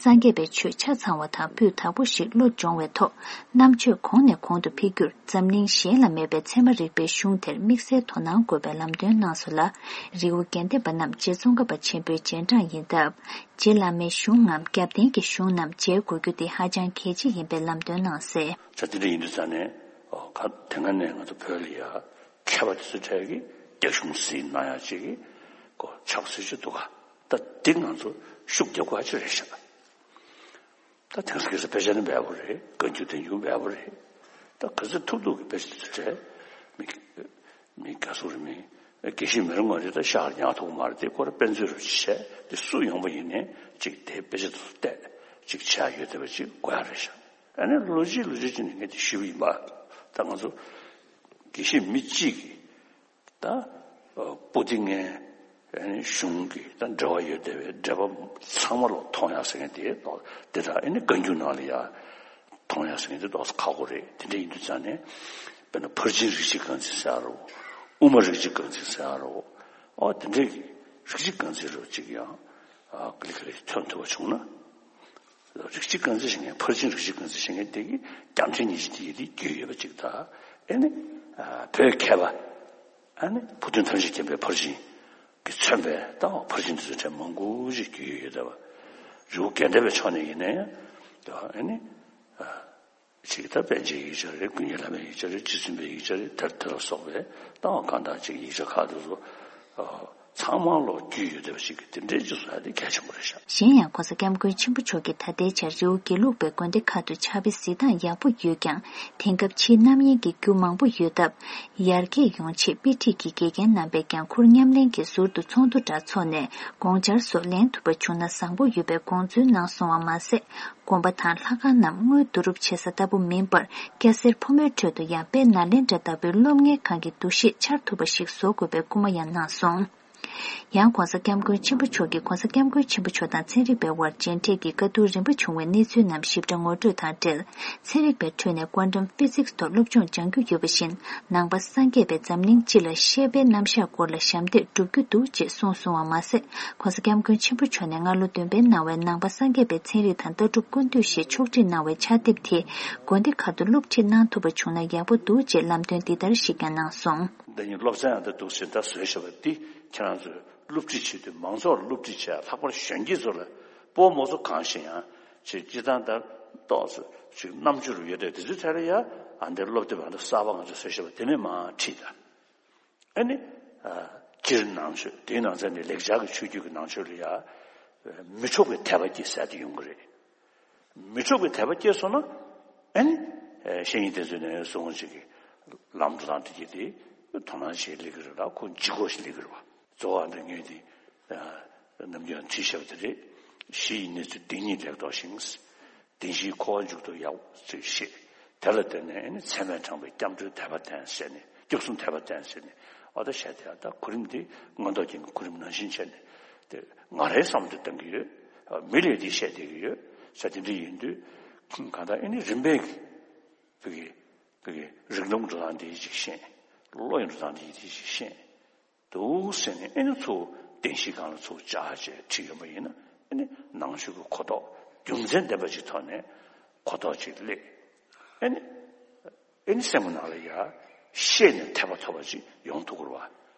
སངས་རྒྱས་པའི་ཆོས་ཆ་ཚང་བ་དང་སྤུས་དག་པོ་ཞིག་བློ་སྦྱོང་བའི་ཐོག་རྣམ་དཔྱོད་གོང་ནས་གོང་དུ་འཕེལ་རྒྱུར། འཛམ་གླིང་གཞན་ལ་མེད་པའི་ཚད་མ་རིག་པའི་གཞུང་དེར་དམིགས་བསལ་དོ་སྣང་དགོས་པའི་ལམ་སྟོན་གནང་སོང་ལ། རི་བོ་དགེ་ལྡན་པ་རྣམས་རྗེ་ཙོང་ཁ་པ་ཆེན་པོའི་རྗེས་འབྲང་ཡིན་སྟབས། རྗེ་བླ་མའི་གཞུང་ངམ་རྒྱབ་རྟེན་གྱི་གཞུང་རྣམས་མཇལ་དགོས་རྒྱུ་དེ་ཧ་ཅང་གལ་ཆེ་ཡིན་པའི་ལམ་སྟོན་གནང་གསལ། ད་དེ་འདྲ་ཡིན་དུས་ཙང་ནས་ཨོ་ག་དེ་སྔ་ནས་ང་ཚོ་བོད་ལ་ཡ་མཁས་པ་དེ་ཚོའི་གྲས་ཀྱིས་རྒྱ་གཞུང་ཟིན་གནང་ཡ་ཅིག་གི་གོ་ཆགས་སྲིད་ཅིག་འདུག་ག་ད་འདི་ང་ཚོ་ཤུགས་རྒྱབ་དགོས་ཡ་ཅིག་རེད་ཤག་ད་དེང་སང་ཁ་སང་དཔེ་ཆ་ནི་འབེལ་པོ་རེད། བཀའ་འགྱུར་བསྟན་འགྱུར་འབེལ་པོ་རེད། ད་ག་ཚོད་ཐུབ་ཐུབ་ཀྱི་དཔེ་ཆ་དེ་ཚོ་བྲིས། མི་མི་དགའ་སུ་རེད། མི་དགེ་བཤེས་མི་རུང་བ་རེད། ད་ཤག་ཉག་ཐོག་མ་རེད། དེ་ཁོ་ར་དཔེ་མཛོད་རུ་བྱས་དེ་སུ་ཡོང་པ་ཡིན་ནའི་ཅིག་དེ་དཔེ་ཆ་དེ་ཚོ་བལྟས་ཅིག་བྱས་ཡོད་བསྡད་པ་ཅིག་དགོས་ཡ་རེད་ཤག་ཨ་ནི་ལོ་གཅིག་ལོ་གཅིག་ཅིག་ནས་ངས་དེ་ཞུས་པ་ཡིན་པ། ད་ང་ཚོ་དགེ་བཤེས་མི་གཅིག་གིས། ད་པོ་ཏི་ངན་གཞུང་གི་ད་འབྲེལ་བ་ཡོད་བསྡད་པའི་འབྲེལ་བ་ཚང་མ་ལོག་མཐོང་ཡག་ཟེར་མཁན་དེ་དོག་དེ་དག་ཨེ་ནི་བཀའ་འགྱུར་ནང་ལ་ཡ་མཐོང་ཡག་ཟེར་མཁན་དེ་དོག་ཁག་པོ་རེད། དེ་འདྲ་ཡིན་དུས་ཙང་ནས་དཔེར་ན་ཕར་ཕྱིན་རིགས་གཅིག་རྐང་འཛིན་ཟེར་ཡ་རོ། དབུ་མ་རིགས་གཅིག་རྐང་འཛིན་ཟེར་ཡ་རོ། ཨོ་དེ་འདྲའི་གི་རིགས་གཅིག་རྐང་འཛིན་རོ་གཅིག་ཡང་ཨ་ག་ལེ་ག་ལེ་ཐོན་ཐུབ་པ་བྱུང་ན། རིགས་གཅིག་རྐང་འཛིན་བྱེད་མཁན་ཕར་ཕྱིན་རིགས་གཅིག་རྐང་འཛིན་བྱེད་མཁན་དེ་གི་རྒྱང་འཕྲིན་ཉི་ཤུ་དེ་ཡི་དེ་རྒྱུས་ཡོད་པ་ཅིག་དང་། ཨེ་ནི་ཨ་བོད་མཁས་པ། ཨ་ནི་བུ་སྟོན་ཐམས་ཅད་མཁྱེན་པའི་ཕར་ཕྱིན་གྱིས་མཚོན་པའི་ད་ཕར་ཕྱིན་དེ་ཚོ་གྲས་མང་པོ་ཞིག་རྒྱུས་ཡོད་ཡོད་བསྡད་པ། རི་བོ་དགེ་ལྡན་པའི་ཕྱོགས་ནས་ཡིན་ན་ཡང་ད་ཨ་ནི་ཨ་ཅིག་ད་པཎ་ཆེན་ཡིག་ཆ་རེད། ཀུན་མཁྱེན་བླ་མའི་ཡིག་ཆ་རེད། རྗེ་བཙུན་པའི་ཡིག་ཆ་རེད། དེ་དེ་ལ་སོགས་པའི་ད་གང་དག་ཅིག་ཡིག་ཆ་ཁག་དེ་ཚོ་ཨ་ཚང་མ་ལོག་རྒྱུས་ཡོད་བསྡད་པ་ཞིག་གི་དེ་འདྲའི་ཅིག་བཟོ་ཡ་དེ་གལ་ཆེན་པོ་རེད་ཤག་གཞན་ཡང་༧གོང་ས་༧སྐྱབས་མགོན་ཆེན་པོ་མཆོག་གིས་ད་ལྟའི་ཆར་རི་བོ་དགེ་ལུགས་པའི་དགོན་སྡེ་ཁག་ཏུ་ཕྱག་དཔེ་གཟིགས་སྟངས་ཡག་པོ་ཡོད་ཀྱང་། དེང་སྐབས་ཕྱིའི་རྣམ་གཡེང་གི་རྒྱུ་མང་པོ་ཡོད་སྟབས། ཡར་རྒྱས་ཡོང་ཆེད་དཔེ་ཁྲིད་ཀྱི་དགེ་རྒན་རྣམ་པས་ཀྱང་ཁུར་མཉམ་ལེན་གྱིས་ཟུར་དུ་ཚོགས་འདུ་འདྲ་འཚོགས་ནས་དགོངས་འཆར་སོགས་ལེན་ཐུབ་པ་བྱུང་ན་བཟང་པོ་ཡོད་པའི་དགོངས་ཚུལ་གནང་སོང་བ་མ་ཟད། དགོན་པ་དང་ལྷ་ཁང་རྣམས་དངུལ་བསྡུ་རུབ་བྱེད་ས་ལྟ་བུ་མིན་པར། སྐྱ་སེར་ཕོ་མོའི་ཁྲོད་དུ་ཡང་དཔེ་ནཱ་ལེནྡྲ་ལྟ་བུའི་སློབ་གཉེར་ཁང་གི་འདུ་ཤེས་འཆར་ཐུབ་པ་ཞིག་བཟོ་དགོས་པའི་སྐུལ་མ་ཡང་གནང་སོང་། ཡང་༧གོང་ས་༧སྐྱབས་མགོན་ཆེན་པོ་མཆོག་གིས་༧གོང་ས་༧སྐྱབས་མགོན་ཆེན་པོ་མཆོག་དང་ཚན་རིག་པའི་དབར་མཇལ་འཕྲད་ཀྱི་བཀའ་བསྡུར་རིམ་པ་བྱུང་བའི་གནས་ཚུལ་རྣམས་ཞིབ་ཕྲ་ངོ་སྤྲོད་དང་འབྲེལ། ཚན་རིག་པའི་ཁྲོད་ནས་Quantum Physics ཐོག་སློབ་སྦྱོང་སྦྱང་རྒྱུ་ཡོད་པ་བཞིན། ནང་པ་སངས་རྒྱས་པས་འཛམ་གླིང་སྤྱི་ལ་བཤད་པའི་རྣམ་གཞག་སྐོར་ལ་ཞབས་འདེགས་སྒྲུབ་རྒྱུ་འདུག་ཅེས་གསུངས་སོང་བ་མ་ཟད། ༧གོང་ས་༧སྐྱབས་མགོན་ཆེན་པོ་མཆོག་ནས་སྔ་ལོ་བདུན་པའི་ནང་བའི་ནང་པ་སངས་རྒྱས་པའི་ཚན་རིག་དང་ལྟ་གྲུབ་སྐུ་མདུན་ཞེས་ཕྱོགས་སྒྲིག་གནང་བའི་ཕྱག་དེབ་དེ་དགོན་སྡེ་ཁག་ཏུ་སློབ་ཁྲིད་གནང་ཐུབ་པ་བྱུང་ན་ཡག་པོ་འདུག་ཅེས་ལམ་སྟོན་འདི་ལྟར་ཞིག་ཀྱང་གནང་སོང་། འདི་ཉིད་སློབ་ཚན་ཡང་ད་འདུག་ཟེར་ད་བཟོས་བཞག་པ་འདི་ཁྱེད་རང་ཚོས་སློབ་ཁྲིད་བྱེད་དུས་མང་ཚོགས་ལ་སློབ་ཁྲིད་བྱས་ལྷག་པར་གཞོན་སྐྱེས་ཚོ་ལ་སྤོ་མོ་ཚོ་གང་ཞིག་ཡང་ཅིག་སྤྱི་བཏང་ལྟར་ཏོག་ཙམ་ཅིག་རྣམ་དཔྱོད་རུ་ཡོད་དེ་དེ་ཚོའི་ཐད་ལ་ཡ་ཨ་འདིར་སློབ་དེབ་ཨ་འདི་གསར་པ་ང་ཚོས་བཟོས་བཞག་པ་དེ་ནས་མར་ཁྲིད་ད། ཨ་ནི་ཨ་སྤྱིར་ནང་ཆོས་དེའི་ནང་ཚན་ནི་ལེགས་སྦྱར་གྱི་ཆོས་བརྒྱུད་ཀྱི་ནང་ཆོས་ལ་ཡ་མི་འཕྲོག་པའི་དད་པ་སྐྱེ་ས་དེ་ཡོང་གི་རེད། མི་འཕྲོག་པའི་དད་པ་སྐྱེས་སོང་ན། ཨ་ནི་ཨེ་བཤེས་གཉེན་དེ་ཚོས་ནས་གསུང་ངོ་ཅིག་གི་ལམ་འགྲོ་སྟངས་དེ་གྱིས་དེ་དོ་སྣང་བྱེད་ལེགས་ཀྱི་རེད་ལ་ཁོ་ལྗིད་ཁོག་ཞིག་ལེགས་ཀྱི་རེད་བ། གཙོ་བོ་འདི་ངས་དེ་ནམ་རྒྱུན་བྲིས་བཞག་པ་དེ་རེད། གཞི་ཡི་གནས་ཚུལ་བདེན་གཉིས་ལེགས་རྟོགས་ཤིང་། བདེན་བཞིའི་འཁོར་བ་མཇུག་ཏུ་ཡག་ཅིག་ཤེས། དེ་ལ་བརྟེན་ནས་ཨ་ནི་ཚད་མས་དྲངས་པའི་སྐྱབས་འགྲོའི་དད་པ་བསྟེན་ཟེར་ནས་སྐྱབས་གསུམ་དད་པ་བསྟེན་ཟེར་ནས་ཨ་ད་བཤད་དེ་ཨ་ད་གོ་རིམ་འདི་མངོན་རྟོགས་རྒྱན་གྱི་གོ་རིམ་ནང་བཞིན་བྱས་ནས་དེ་ང་རའི་བསམ་བློ་བཏང་གི་ཡོད། མི་ལས་འདི་བཤད་བསྡད་ཀྱི་ཡོད་ཟེར་དེ་འདྲ་ཡིན་དུས་གང་ལྟར་ཨ་ནི་རིམ་པས་ཀྱི་བོད་ཀྱི་བོད་ཀྱི་རིགས་ལམ་འགྲོ་སྟངས་འདི་ཅིག་ཤེས། བློ་ཡི་འགྲོ་སྟངས་འདི་ཅིག་ཤེས། འདུག་ཟེར་ནས་ཨེ་ནི་ཚུར་བདེན་བཞིའི་སྒང་ལ་ཚུར་བཅར་བྱས་ཁྲིད་ཡོང་པ་ཡིན་ན་ཨེ་ནི་ནང་ཆོས་ཀྱི་གོ་རྟོགས་རྒྱུ་མཚན་ལྡན་པ་ཅིག་ཐོག་ནས་གོ་རྟོགས་ཅིག་སླེབས། ཨེ་ནི་ཨེ་ནི་སེམས་ཀྱི་ནང་ལ་ཡ་ཤེས་ནས་དད་པ་ཐོབ་པ་ཅིག་ཡོང་ཐུབ་ཀྱི་རེད་བ།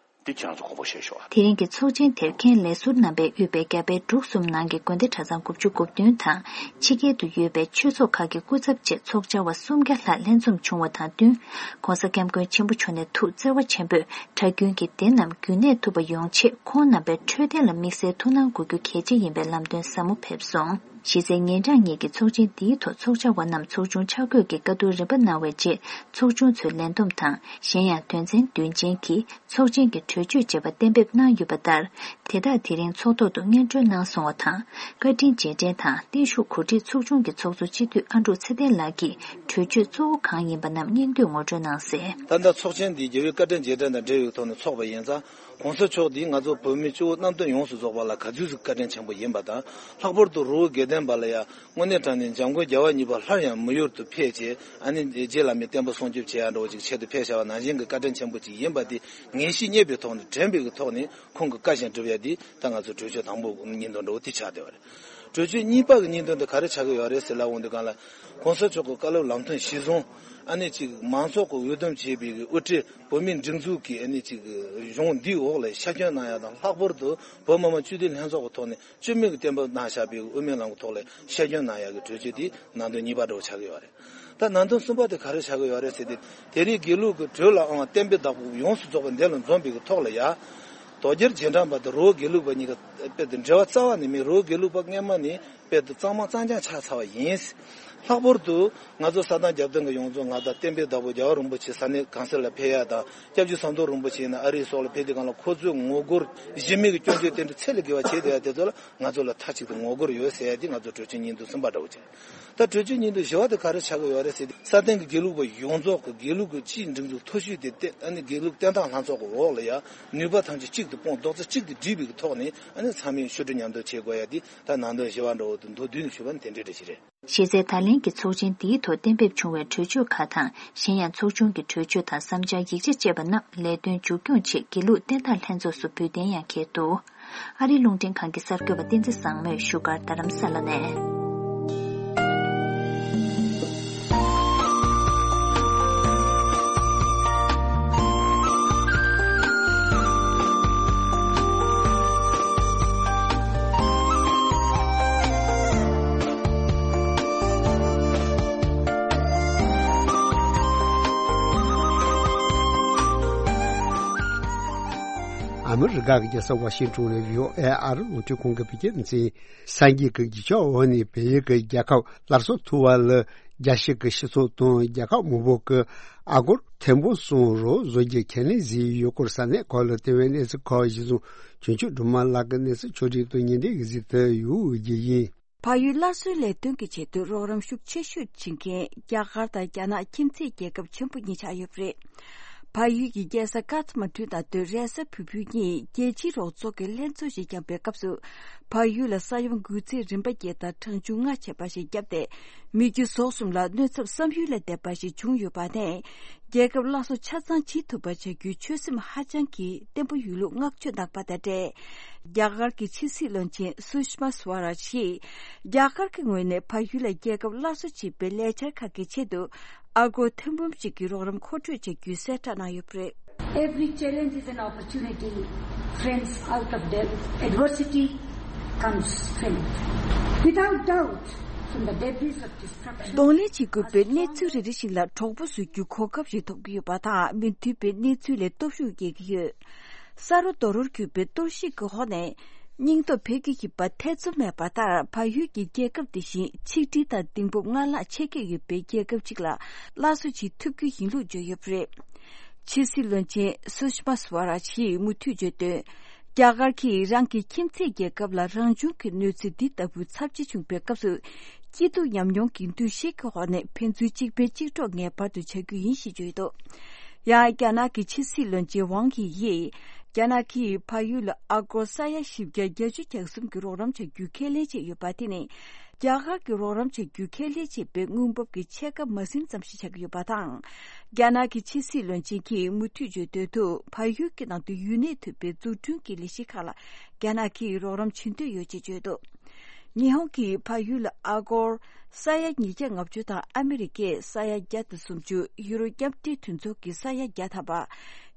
འདི་ཁྱེད་རང་ཚོ་དགོངས་པ་བཞེས་ཤོག་ཨ། དེ་རིང་གི་ཚོགས་ཆེན་དེར་མཁན་ལས་ཟུར་རྣམ་པས་དབུས་པའི་རྒྱ་བལ་འབྲུག་གསུམ་ནང་གི་དགོན་སྡེ་གྲྭ་ཚང་དགུ་བཅུ་གོ་བདུན་དང་། ཕྱི་རྒྱལ་དུ་ཡོད་པའི་ཆོས་ཚོགས་ཁག་གི་སྐུ་ཚབ་བཅས་ཚོགས་བཅར་བ་སུམ་བརྒྱ་ལྷག་ལྷན་འཛོམས་བྱུང་བ་དང་བསྟུན། ྋགོང་ས་ྋསྐྱབས་མགོན་ཆེན་པོ་མཆོག་ནས་ཐུགས་བརྩེ་བ་ཆེན་པོས་གྲྭ་རྒྱུན་གྱི་སྡེ་རྣམས་རྒྱུན་གནས་ཐུབ་པ་ཡོང་ཆེད། ཁོང་རྣམ་པའི་འཕྲོད་བསྟེན་ལ་དམིགས་བསལ་ཐུགས་སྣང་དགོས་རྒྱུ་གལ་ཆེ་ཡིན་པའི་ལམ་སྟོན་ཟབ་མོ་ཕེབས་སོང་། གཞི་རྩའི་ཉིན་གྲངས་གཉིས་ཀྱི་ཚོགས་ཆེན་འདིའི་ཐོག་ཚོགས་བཅར་བ་རྣམས་ཚོགས་ཆུང་ཆ་བགོས་ཀྱིས་བཀའ་བསྡུར་རིམ་པ་གནང་བའི་རྗེས། ཚོགས་ཆུང་ཚོའི་ལས་བསྡོམས་དང་། གཞན་ཡང་དོན་ཚན་བདུན་ཅན་གྱི་ཚོགས་ཆེན་གྱི་གྲོས་ཆོད་ཅེས་པ་གཏན་འབེབས་གནང་ཡོད་པ་ལྟར། དེ་དག་དེ་རིང་ཚོགས་ཐོག་ཏུ་སྙན་སྒྲོན་གནང་སོང་བ་དང་། བཀའ་དྲིན་རྗེས་དྲན་དང་བརྟན་བཞུགས་གོ་སྒྲིག་ཚོགས་ཆུང་གི་ཚོགས་གཙོ་སྤྱི་འཐུས་ཨ་འབྲུག་ཚེ་བརྟན་ལགས་ཀྱིས་གྲོས་ཆོད་གཙོ་བོ་གང་ཡིན་པ་རྣམས་སྙན་བརྒྱུད་ངོ་སྤྲོད་གནང་གསལ། ད་ལྟ་ཚོགས་ཆེན་འདི་རྒྱལ་བའི་བཀའ་དྲིན་རྗེས་དྲན་དང་འབྲེལ་བའི་ཐོག་ནས་ཚོགས་པ་ཡིན་ཙང་། ྋགོང་ས་མཆོག་འདི་ང་ཚོ་བོད་མི་སྤྱི་བོ་གནམ་སྟོང་ཡོངས་སུ་རྫོགས་པ་ལ་ག་ཚོད་ཅིག་བཀའ་དྲིན་ཆེན་པོ་ཡིན་པ་དང་། ལྷག་པར་དུ་རི་བོ་དགེ་ལྡན་པ་ལ་ཡང་དངོས་གནས་དྲང་གནས་འཇམ་མགོན་རྒྱལ་བ་གཉིས་པ་སླར་ཡང་མི་ཡུལ་དུ་ཕེབས་བྱས། ཨ་ནི་རྗེ་བླ་མའི་བསྟན་པ་སྲུང་སྐྱོབ་བྱེད་ཡ་འདྲ་བོ་ཅིག་ཆེད་དུ་ཕེབས་བཞག་པ་ནང་བཞིན་གྱི་བཀའ་དྲིན་ཆེན་པོ་ཅིག་ཡིན་པ་དེ་ངེས་ཤེས་རྙེད་པའི་ཐོག་ནས་དྲན་པའི་གི་ཐོག་ནས་ཁོང་གི་བཀའ་བཞིན་སྒྲུབ་ཡ་དེ་ད་ང་ཚོ་གྲོས་ཆོད་དང་པོ་སྙིང་དོན་འདྲ་བོ་དེ་ཆགས་བསྡད་པ་རེད། གྲོས་ཆོད་གཉིས་པ་གི་སྙིང་དོན་དེ་ག་རེ་ཆགས་ཀྱི་ཡོད་རེད་ཟེར་ལབ་འོང་དུས་སྒང་ལ། ྋགོང་ས་མཆོག་གི་བཀའ་སློབ་ལམ་སྟོན་གཞི་བཟུང་། ཨ་ནི་ཅིག་མང་ཚོགས་ཀྱི་འོས་འདེམས་བྱས་པའི་གི་དབུ་ཁྲིད་བོད་མིའི་སྒྲིག་འཛུགས་ཀྱི་ཨ་ནི་ཅིག་གཞུང་འདིའི་འོག་ལ་ཤར་སྐྱོད་གནང་ཡ་དང་། ལྷག་པར་དུ་བོད་མི་མང་སྤྱི་འཐུས་ལྷན་ཚོགས་ཀྱི་ཐོག་ནས་བཅོས་མིན་གྱི་གཏན་འབེབས་གནང་བཞག་པའི་གི་དབུ་མའི་ལམ་གྱི་ཐོག་ལ་ཤར་སྐྱོད་གནང་ཡ་གི་གྲོས་ཆོད་དེ་ནང་དོན་གཉིས་པ་འདྲ་བོ་ཆགས་ཀྱི་ཡོད་རེད། ད་ནང་དོན་གསུམ་པ་དེ་ག་རེ་ཆགས་ཀྱི་ཡོད་རེད་ཟེར་ཏེ། དེ་རིང་དགེ་ལུགས་ཀྱི་གྲོས་ལའང་གཏན་འབེབས་བདག་པོ་ཡོངས་སུ་རྫོགས་པ་འདི་ལ་འཛོམས་པའི་གི་ཐོག་ལ་ཡ། དོལ་རྒྱལ་རྗེས་འབྲང་པ་དང་རི་བོ་དགེ་ལུགས་པ་གཉིས་ཀ་དཔེ་དེ་འབྲེལ་བ་རྩ་བ་ནས་མེད། རི་བོ་དགེ་ལུགས་པ་སྔས་མ་ནས་དཔེ་དེ་གཙང་མ་གཙང་རྐྱང་ཆགས་ཚར་བ་ཡིན། ལྷག་པར་དུ་ང་ཚོ་ས་དང་རྒྱབ་མདུན་གྱི་ཡོངས་རྫོགས་ང་དང་བསྟན་པའི་བདག་པོ་རྒྱལ་བ་རིན་པོ་ཆེ་ས་གནས་གང་སར་ལ་ཕེབས་ཡ་དང་། སྐྱབས་རྗེ་ཟམ་གདོང་རིན་པོ་ཆེ་ཡིན་ན་ཨ་རིའི་སོགས་ལ་ཕེབས་དུས་སྒང་ལ་ཁོ་ཚོས་ངོ་རྒོལ་གཞི་མེད་ཀྱི་སྐྱོན་བརྗོད་དེ་འདྲ་ཚད་ལས་བརྒལ་བ་བྱས་བསྡད་ཡ་དེ་ཚོ་ལ་ང་ཚོ་ལ་མཐའ་གཅིག་ཏུ་ངོ་རྒོལ་ཡོད་ཟེར་ཡ་དེ་ང་ཚོ་གྲོས་ཆོད་སྙིང་དོན་གསུམ་པ་འདྲ་བོ་བྱས། ད་གྲོས་ཆོད་སྙིང་དོན་བཞི་བ་དེ་ག་རེ་ཆགས་ཀྱི་ཡོད་རེད་ཟེར་དུས། སྲ་བརྟན་གྱི་དགེ་ལུགས་པ་ཡོངས་རྫོགས་ཀྱི་དགེ་ལུགས་ཀྱི་སྤྱིའི་སྒྲིག་འཛུགས་མཐོ་ཤོས་དེ་བསྟན། ཨ་ནི་དགེ་ལུགས་བསྟན་སྟངས་ལྷན་ཚོགས་ཀྱི་འོག་ལ་ཡ་ནུས་པ་ཐམས་ཅད་གཅིག་ཏུ་སྤུངས། རྡོག་རྩ་གཅིག་ཏུ་སྒྲིལ་བའི་ཐོག་ནས། ཨ་ནི་ཚང་མས་ཞུ་སྒྲིག་མཉམ་དུ་བྱེད་དགོས་ཡ་དེ་ད་ནང་དོན་བཞི་བ་འདྲ་བོ་དེ་མདོར་བསྡུས་ནས་ཞུས་པ་ནི་དེ་འདྲའི་འདྲ་ཞིག་རེད། གཞི་རྩའི་ད་ལན་གྱི་ཚོགས་ཆེན་འདིའི་ཐོག་གཏན་འབེབས་བྱུང་བའི་གྲོས་ཆོད་ཁག་དང་། གཞན་ཡང་ཚོགས་ཆུང་གི་གྲོས་ཆོད་དང་བསམ་འཆར་ཡིག་ཆ་བཅས་པ་རྣམས་ལས་དོན་མཇུག་སྐྱོང་ཆེད་དགེ་ལུགས་བསྟན་སྟངས་ལྷན་ཚོགས་སུ་འབུལ་གཏན་ཡང་འཁེལ་འདུག་ཨ་རིའི་རླུང་འཕྲིན་ཁང་གི་གསར་འགོད་པ་བསྟན་འཛིན་བཟང་མོས་བཞུགས་སྒར་རྡ་རམ་ས་ལ་ནས། ཨ་མི་རི་ཀ་གི་རྒྱལ་ས་ཝ་ཤིང་ཏོན་ནས་བྷི་ཨོ་ཨེ་ཨ་རི་རླུང་འཕྲིན་ཁང་གི་བོད་སྐད་སྡེ་ཚན། སངས་རྒྱས་ཀྱི་གཞིས་ཆགས་འོག་ནས་བལ་ཡུལ་གྱི་རྒྱལ་ཁབ་སླར་གསོ་ཐུབ་པ་ལ་རྒྱལ་སྤྱི་གི་སྤྱི་ཚོགས་དང་རྒྱལ་ཁབ་མང་པོ་གིས་ཨ་སྒོར་ཐེར་འབུམ་གསུམ་རོགས་བཟོ་རྒྱུ་ཁས་ལེན་བྱས་ཡོད་སྐོར་ས་གནས་ཁག་ལ་བལྟས་པའི་གནས་ཚུལ་ཁག་གཞིར་བཟུང་བྱུང་ཆོས་སྒྲོལ་མ་ལགས་ཀྱིས་གནས་ཚུལ་ཕྱོགས་སྒྲིག་དང་ཉིན་རེའི་གཟིགས་ཏེ་ཡོད་རྒྱུ་ཡིན། བལ་ཡུལ་སླར་གསོའི་ལས་དོན་གྱི་ཆེད་དུ་རོགས་རམ་ཤུགས་ཆེ་ཤོས་བྱེད་མཁན་རྒྱ་གར་དང་རྒྱ་ནག་ཁྱིམ་མཚེས་རྒྱལ་ཁབ་ཆེན་པོ་གཉིས་ཆགས་ཡོད་པ་རེད། བལ་ཡུལ་གྱི་རྒྱལ་ས་ཀ་ཐ་མན་གྲུ་དང་དུ་རེས་གཟའ་ཕུར་བུ་གཉིས་རྒྱལ་སྤྱིའི་རོགས་ཚོགས་ཀྱི་ལྷན་ཚོགས་ཤིག་བསྐྱངས་པའི་སྐབས་སུ། བལ་ཡུལ་ལ་ས་ཡོམ་འགོས་ཚད་རིམ་པ་བརྒྱད་དང་གྲངས་ཆུང་ལྔ་བྱས་པ་ཞིག་བརྒྱབ་སྟེ། མི་རྒྱུ་ཟོག་གསུམ་ལ་གནོད་ཚབས་བསམ་ཡུལ་ལས་འདས་པ་ཞིག་བྱུང་ཡོད་པ་ནས། རྒྱལ་ཁབ་སླར་གསོ་ཆ་ཚང་བྱེད་ཐུབ་པ་བྱ་རྒྱུའི་ཆོད་སེམས་ཧ་ཅང་གི་བརྟན་པོ་ཡོད་ལུགས་བསྔགས་བརྗོད་གནང་པ་དང་འབྲེལ། རྒྱ་གར་གྱི་ཕྱི་སྲིད་བློན་ཆེན་སུ་ཤི་མ་སུ་ཝ་རཱཇ་ཡིས། རྒྱ་གར་གྱི་ངོས་ནས་བལ་ཡུལ་ལ་རྒྱལ་ཁབ་སླར་གསོ་བྱེད་པའི་ལས་འཆར་ཁག་གི་ཆེད་དུ། ཨ་སྒོར་ཐེར་འབུམ་གཅིག་གི་རོགས་རམ་མཁོ་སྤྲོད་བྱ་རྒྱུའི་གསལ་བསྒྲགས་གནང་ཡོད་པ་རེད། Every challenge is an opportunity, friends. Out of adversity comes strength. Without doubt, from the debris of destruction. གདོང་ལེན་བྱེད་དགོས་པའི་གནས་ཚུལ་རེ་རེ་ཞིག་ལ་གྲོགས་པོ་བཟོ་རྒྱུའི་གོ་སྐབས་ཤིག་ཐོབ་ཀྱི་ཡོད་པ་དང་། མི་མཐུན་པའི་གནས་ཚུལ་ལས་སྟོབས་ཤུགས་སྐྱེ་གི་ཡོད། ས་རོ་རྡོ་རོར་གྱུར་པའི་གཏོར་བཤིག་གི་འོག་ནས་སྙིང་སྟོབས་འཕེལ་གྱི་ཡོད་པ་ཐེ་ཚོམ་མེད་པ་ལྟར། བལ་ཡུལ་གྱི་རྒྱལ་ཁབ་དེ་བཞིན་ཆིག་སྒྲིལ་དང་གདིང་སྤོབས་སྔར་ལྷག་ཆེ་སྐྱེད་ཡོད་པའི་རྒྱལ་ཁབ་ཅིག་ལ་སླར་གསོ་བྱེད་ཐུབ་རྒྱུ་ཡིན་ལུགས་བརྗོད་ཡོད་པ་རེད། ཕྱི་སྲིད་བློན་ཆེན་སུ་ཤི་མ་སུ་ཝ་རཱཇ་ཡིས་མུ་མཐུད་བརྗོད་དོན། རྒྱ་གར་གྱིས་རང་གི་ཁྱིམ་མཚེས་རྒྱལ་ཁབ་ལ་རང་བྱུང་གི་གནོད་འཚེ་འདི་ལྟ་བུ་ཚབས་ཆེ་བྱུང་པའི་སྐབས་སུ། སྐྱིད་སྡུག་ཉམས་མྱོང་གི་འདུ་ཤེས་ཀྱི་འོག་ནས་ཕན་ཚུན་གཅིག་ཕན་གཅིག་གྲོགས་ངེས་པར་དུ་བྱ་རྒྱུ་ཡིན་ཞེས་བརྗོད་འདུག་ཡང་རྒྱ་ནག་གི་ཕྱི་སྲིད་བློན་ཆེན་ཝང་དབྱི་ཡིས། རྒྱ་ནག་གིས་བལ་ཡུལ་ལ་ཨ་སྒོར་ས་ཡ་བཞི་བརྒྱ་བརྒྱད་ཅུ་གྱ་གསུམ་གྱི་རོགས་རམ་བྱ་རྒྱུའི་ཁས་ལེན་བྱས་ཡོད་པ་དེ་ནི། རྒྱ་གར་གྱི་རོགས་རམ་བྱ་རྒྱུའི་ཁས་ལེན་བྱས་པའི་དངུལ་འབབ་ཀྱི་ཕྱེད་ཀ་མ་ཟིན་ཙམ་ཞིག་ཆགས་ཀྱི་ཡོད་པ་དང་། རྒྱ་ནག་གི་ཕྱི་སྲིད་བློན་ཆེན་གྱིས་མུ་མཐུད་བརྗོད་དོན་དུ། བལ་ཡུལ་གྱི་ནང་དུ་ཡུན་གནས་ཐུབ་པའི་འཛུགས་སྐྲུན་གྱི་ལས་གཞི་ཁག་ལ་རྒྱ་ནག་གིས་རོགས་རམ་བྱེད་འདོད་ཡོད་ཅེས་བརྗོད་འདུག་ཉི་ཧོང་གིས་བལ་ཡུལ་ལ་ཨ་སྒོར་ས་ཡ་ཉིས་བརྒྱ་ལྔ་བཅུ་དང་ཨ་མི་རི་ཀས་ས་ཡ་བརྒྱ་དང་སུམ་ཅུ། ཡུ་རོབ་མཉམ་འབྲེལ་མཐུན་ཚོགས་ཀྱིས་ས་ཡ་བརྒྱ་ཐམ་པ།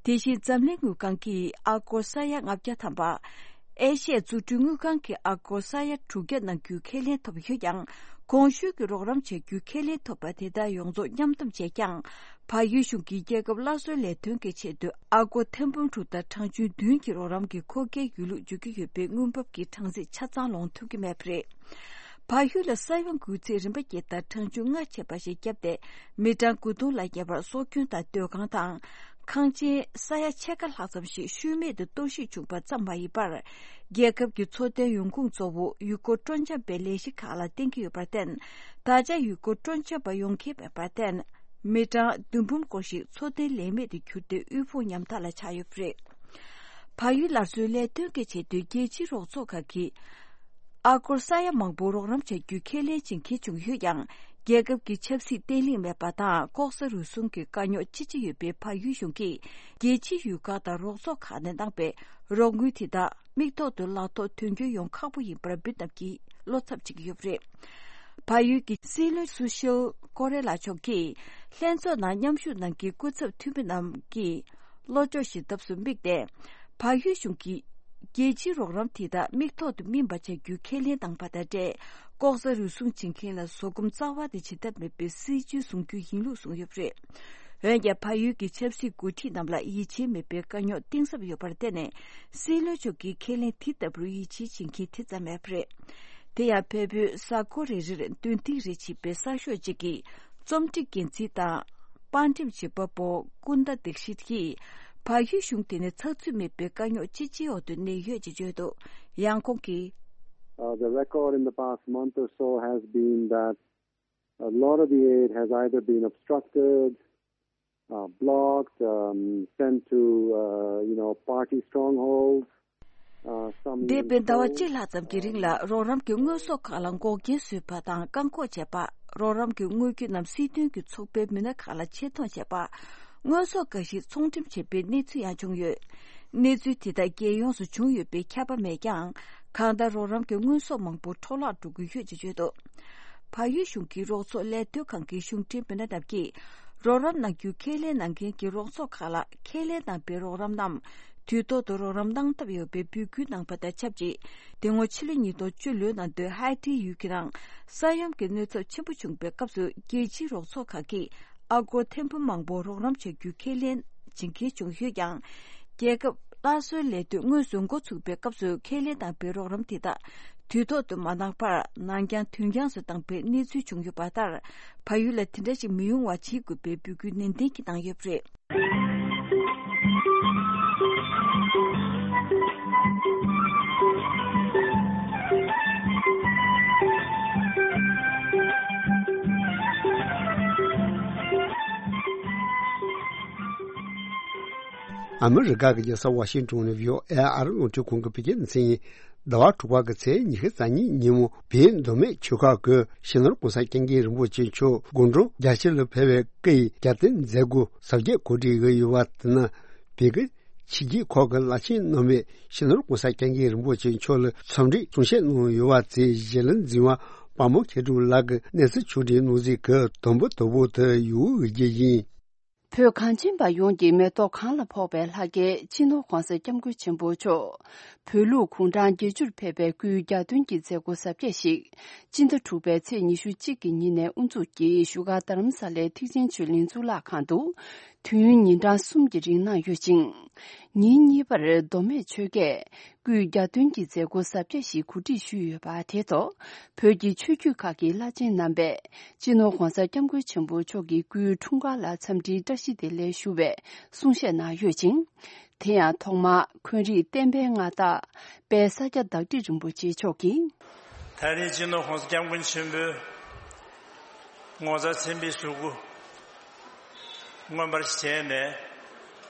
དེ་བཞིན་འཛམ་གླིང་དངུལ་ཁང་གིས་ཨ་སྒོར་ས་ཡ་ལྔ་བརྒྱ་ཐམ་པ། ཨེ་ཤི་ཡའི་འཛུགས་སྐྲུན་དངུལ་ཁང་གིས་ཨ་སྒོར་ས་ཡ་དྲུག་བརྒྱ་གནང་རྒྱུའི་ཁས་ལེན་ཐོབ་ཡོད་ཀྱང་། གོང་ཞུས་ཀྱི་རོགས་རམ་བྱ་རྒྱུའི་ཁས་ལེན་ཐོབ་པ་དེ་དག་ཡོངས་རྫོགས་མཉམ་འདོམས་བྱས་ཀྱང་། བལ་ཡུལ་གཞུང་གིས་རྒྱལ་ཁབ་སླར་གསོའི་ལས་དོན་གྱི་ཆེད་དུ་ཨ་སྒོར་ཐེར་འབུམ་དྲུག་དང་གྲངས་ཆུང་བདུན་གྱི་རོགས་རམ་གྱི་མཁོ་གལ་ཡོད་ལུགས་བརྗོད་ཀྱི་ཡོད་པའི་དངུལ་འབབ་ཀྱི་གྲངས་རྩིས་ཆ་ཚང་ལོངས་ཐུབ་ཀྱི་མེད་པ་རེད། བལ་ཡུལ་ལ་ས་ཡོམ་འགོས་ཚད་རིམ་པ་བརྒྱད་དང་གྲངས་ཆུང་ལྔ་ཆད་པ་ཞིག་བརྒྱབ་སྟེ། མི་གྲངས་དགུ་སྟོང་ལ་བརྒལ་བར་སྲོག་སྐྱོན་དང་སྡོད་ཁང་དང་། ཁང་ཆེན་ས་ཡ་ཕྱེད་ཀ་ལྷག་ཙམ་ཞིག་ཤུལ་མེད་དུ་གཏོར་བཤིག་བྱུང་པ་ཙམ་མ་ཡིན་པར། རྒྱལ་ཁབ་ཀྱི་འཚོ་རྟེན་ཡོང་ཁུངས་གཙོ་བོ་ཡུལ་སྐོར་སྤྲོ་འཆམ་པའི་ལས་གཞི་ཁག་ལ་བརྟེན་གྱི་ཡོད་པར་བརྟེན། ད་ཆ་ཡུལ་སྐོར་སྤྲོ་འཆམ་པ་ཡོང་མཁན་མེད་པར་བརྟེན། མི་གྲངས་བདུན་འབུམ་སྐོར་ཞིག་འཚོ་རྟེན་ལས་མེད་དུ་གྱུར་ཏེ་དབུལ་ཕོངས་ཉམ་ཐག་ལ་ཆགས་ཡོད་པ་རེད། བལ་ཡུལ་སླར་གསོའི་ལས་དོན་གྱི་ཆེད་དུ་རྒྱལ་སྤྱིའི་རོགས་ཚོགས་ཁག་གིས། ཨ་སྒོར་ས་ཡ་མང་པོ་རོགས་རམ་བྱ་རྒྱུའི་ཁས་ལེན་བྱེད་མཁན་བྱུང་ཡོད་ཀྱང་། རྒྱལ་ཁབ་ཀྱི་ཆབ་སྲིད་བརྟན་ལྷིང་མེད་པ་དང་ལྐོག་ཟ་རུལ་སུངས་ཀྱི་དཀའ་རྙོག་ཅི་ཆེ་ཡོད་པའི་བལ་ཡུལ་གཞུང་གིས། རྒྱལ་སྤྱིའི་ཡུལ་ཁག་དང་རོགས་ཚོགས་ཁག་ནས་གནང་པའི་རོགས་དངུལ་དེ་དག་མིག་ཐོག་ཏུ་ལག་ཐོག་དོན་འཁྱོལ་ཡོང་ཁག་པོ་ཡིན་པར་འབུ་ནག་གིས་བློ་འཚབ་བྱེད་ཀྱི་ཡོད་པ་རེད། བལ་ཡུལ་གྱི་སྲིད་བློན་སུ་ཤིལ་ཀོ་རེ་ལ་མཆོག་གིས། ལྷན་ཚོགས་ནང་མཉམ་ཞུགས་གནང་མཁན་སྐུ་ཚབ་འཐུས་མི་རྣམས་ཀྱིས། བློ་སྐྱོ་ཞིག་ཐབས་སུ་དམིགས་ཏེ། བལ་ཡུལ་གཞུང་གིས། རྒྱལ་སྤྱིའི་རོགས་རམ་དེ་དག་མིག་ཐོག་ཏུ་སྨིན་པ་བྱ་རྒྱུའི་ཁས་ལེན་བཏང་པ་དང་འབྲེལ། ལྐོག་ཟ་རུལ་སུངས་བྱེད་མཁན་ལ་བཟོད་སྒོམ་རྩ་བ་ནས་བྱེད་ཐབས་མེད་པའི་སྲིད་ཇུས་བཟུང་རྒྱུ་ཡིན་ལུགས་གསུངས་ཡོད་པ་རེད། འོན་ཀྱང་། བལ་ཡུལ་གྱི་ཆབ་སྲིད་འགོ་ཁྲིད་རྣམས་ལ་ཡིད་ཆེས་མེད་པའི་དཀའ་རྙོག་གཏིང་ཟབ་ཡོད་པར་བརྟེན་ནས། སྲིད་བློན་མཆོག་གིས་ཁས་ལེན་དེ་ལྟ་བུར་ཡིད་ཆེས་བྱེད་མཁན་དེ་ཙམ་མེད་པ་རེད། དེ་ཡང་། བལ་པོའི་ས་ཁུལ་རེ་རེར་མདུན་ཐིག་རེ་བྱེད་པའི་གསར་ཤོག་ཅིག་གིས། རྩོམ་སྒྲིག་འགན་འཛིན་དང་། པར་འགྲེམས་བྱེད་པ་པོ་ཀུན་ད་དིག་ཤིད་ཀྱིས། བལ་ཡུལ་གཞུང་དེ་ནི་ཚགས་ཚུད་མེད་པའི་དཀའ་རྙོག་ཅི་ཆེའི་འོག་ཏུ་གནས་ཡོད་ཅེས་བརྗོད་འདུག། ཡང་ཁོང་གིས། Uh, the record in the past month or so has been that a lot of the aid has either been obstructed, uh, blocked, um, sent to, uh, you know, party strongholds. Uh, some འདས་པའི་ཟླ་བ་གཅིག་ལྷག་ཙམ་གྱི་རིང་ལ་རོགས་རམ་གྱི་དངོས་ཟོག་ཁག་ལ་འགོག་རྐྱེན་བཟོས་པ་དང་བཀག་འགོག་བྱས་པ། རོགས་རམ་གྱི་དངོས་རྒྱུ་རྣམས་སྲིད་དོན་གྱི་ཚོགས་པའི་མི་སྣ་ཁག་ལ་ཆེད་གཏོང་བྱས་པ། དངོས་ཟོག་འགའ་ཞིག་ཚོང་འགྲེམས་བྱས་པའི་གནས་ཚུལ་ཡང་བྱུང་ཡོད། གནས་ཚུལ་དེ་དག་རྒྱལ་ཡོངས་སུ་བྱུང་ཡོད་པའི་ཁྱབ་པ་མེད་ཀྱང་། གང་ལྟར་རོགས་རམ་གྱི་དངོས་ཟོག་མང་པོ་འཕྲོ་བརླག་འགྲོ་གི་ཡོད་ཅེས་བརྗོད་འདུག། བལ་ཡུལ་གཞུང་གི་རོགས་ཚོགས་ལས་དོན་ཁང་གི་གཞུང་འབྲེལ་མི་སྣ་རྣམས་ཀྱིས། རོགས་རམ་གནང་རྒྱུའི་ཁས་ལེན་གནང་མཁན་གྱི་རོགས་ཚོགས་ཁག་ལ་ཁས་ལེན་གནང་པའི་རོགས་རམ་རྣམས་དུས་ཐོག་ཏུ་རོགས་རམ་གནང་ཐབས་ཡོད་པའི་འབོད་སྐུལ་གནང་པ་དང་ཆབས་ཅིག། དེ་སྔོན་ཕྱི་ལོ་ཉིས་སྟོང་བཅུ་ལོའི་ནང་དུ་ཧའེ་ཊིའི་ཡུལ་གྱི་ནང་ས་ཡོམ་གྱི་གནོད་ཚབས་ཆེན་པོ་བྱུང་པའི་སྐབས་སུ་རྒྱལ་སྤྱིའི་རོགས་ཚོགས་ཁག་གིས་ཨ་སྒོར་ཐེར་འབུམ་མང་པོ་རོགས་རམ་བྱ་རྒྱུའི་ཁས་ལེན་བྱེད་མཁན་བྱུང་ཡོད་ཀྱང་། རྒྱལ་ཁབ་སླར་གསོའི་ལས་དོན་དངོས་སུ་འགོ་ཚུགས་པའི་སྐབས་སུ་ཁས་ལེན་དང་པའི་རོགས་རམ་དེ་དག་དུས་ཐོག་ཏུ་མ་གནང་བར་ནང་འགྱངས་དུས་འགྱངས་སུ་བཏང་པའི་གནས་ཚུལ་བྱུང་ཡོད་པ་ལྟར། བལ་ཡུལ་ལ་དེ་འདྲ་ཞིག་མི་ཡོང་བ་བྱེད་དགོས་པའི་འབོད་སྐུལ་ནན་ཏན་གྱིས་གནང་ཡོད་པ་རེད། ཨ་མི་རི་ཀ་གི་རྒྱལ་ས་ཝ་ཤིང་ཏོན་ནས་བྷི་ཨོ་ཨེ་ཨ་རི་རླུང་འཕྲིན་ཁང་གི་བོད་སྐད་སྡེ་ཚན་ཡིན། ཟླ་བ་དྲུག་པ་གི་ཚེས་ཉི་ཤུ་རྩ་གཉིས་ཉིན་མོ་བོད་མདོ་སྨད་ཆོལ་ཁ་གི་སྤྱི་ནོར་༸གོང་ས་༸སྐྱབས་མགོན་རིན་པོ་ཆེ་མཆོག་དགུང་གྲངས་བརྒྱད་ཅུ་ལ་ཕེབས་པའི་སྐུའི་རྒྱབ་རྟེན་མཛད་སྒོ་གཟབ་རྒྱས་གོ་སྒྲིག་ཡོད་པ་དེ་ནི་བོད་ཀྱི་ཕྱི་རྒྱལ་ཁག་གི་བླ་ཆེན་རྣམ་པས་སྤྱི་ནོར་༸གོང་ས་༸སྐྱབས་མགོན་རིན་པོ་ཆེ་མཆོག་ལ་འཚམས་འདྲི་གསུང་བཤད་གནང་ཡོད་པ་དེ་གཞིས་བློན་འཛིན་པ་དཔལ་མོ་མཁས་གྲུབ་ལགས་ཀྱིས་གནས་ཚུལ་ཕྱོགས་སྒྲིག་གནང་གཟིགས་ཀྱི་དུམ་བུ་དང་པོ་དེ་ཡོད་ཀྱི་ཡིན། བོད་གངས་ཅན་པ་ཡོངས་ཀྱི་མེ་ཏོག་གང་ལ་ཕོག་པའི་ལྷ་སྐལ་སྤྱི་ནོར་༸གོང་ས་༸སྐྱབས་མགོན་ཆེན་པོ་མཆོག་བོད་ལུགས་གུང་ཁྲན་བརྒྱད་ཅུར་ཕེབས་པའི་སྐུའི་རྒྱབ་རྟེན་གྱི་མཛད་སྒོ་གཟབ་རྒྱས་ཤིག་སྤྱི་ཟླ་དྲུག་པའི་ཚེས་ཉི་ཤུ་གཅིག་གི་ཉིན་ནས་དབུ་འཛུགས་ཀྱིས་བཞུགས་སྒར་རྡ་རམ་ས་ལའི་ཐེག་ཆེན་ཆོས་གླིང་གཙུག་ལག་ཁང་དུ་དུས་ཡུན་ཉིན་གྲངས་གསུམ་གྱི་རིང་གནང་ཡོད་ཅིང་། ཉིན་གཉིས་པར་མདོ་སྨད་ཆོལ་ཁས་སྐུའི་རྒྱབ་རྟེན་གྱི་མཛད་སྒོ་གཟབ་རྒྱས་ཤིག་གོ་སྒྲིག་ཞུས་ཡོད་པ་དེ་ཐོག་བོད་ཀྱི་ཆོས་བརྒྱུད་ཁག་གི་བླ་ཆེན་རྣམ་པས་སྤྱི་ནོར་༸གོང་ས་༸སྐྱབས་མགོན་ཆེན་པོ་མཆོག་གི་སྐུའི་འཁྲུངས་སྐར་ལ་འཚམས་འདྲིའི་བཀྲ་ཤིས་བདེ་ལེགས་ཞུ་བའི་གསུང་བཤད་གནང་ཡོད་ཅིང་། དེ་ཡང་ཐོག་མར་འཁོན་རིགས་བསྟན་པའི་མངའ་བདག་དཔལ་ས་སྐྱ་བདག་ཁྲི་རིན་པོ་ཆེ་མཆོག་གིས། ད་རེས་སྤྱི་ནོར་༸གོང་ས་༸སྐྱབས་མགོན་ཆེན་པོས་ངོ་མཚར་ཆེན་པོའི་གཟུགས་པོ་མངོན་པར་བྱས་ནས།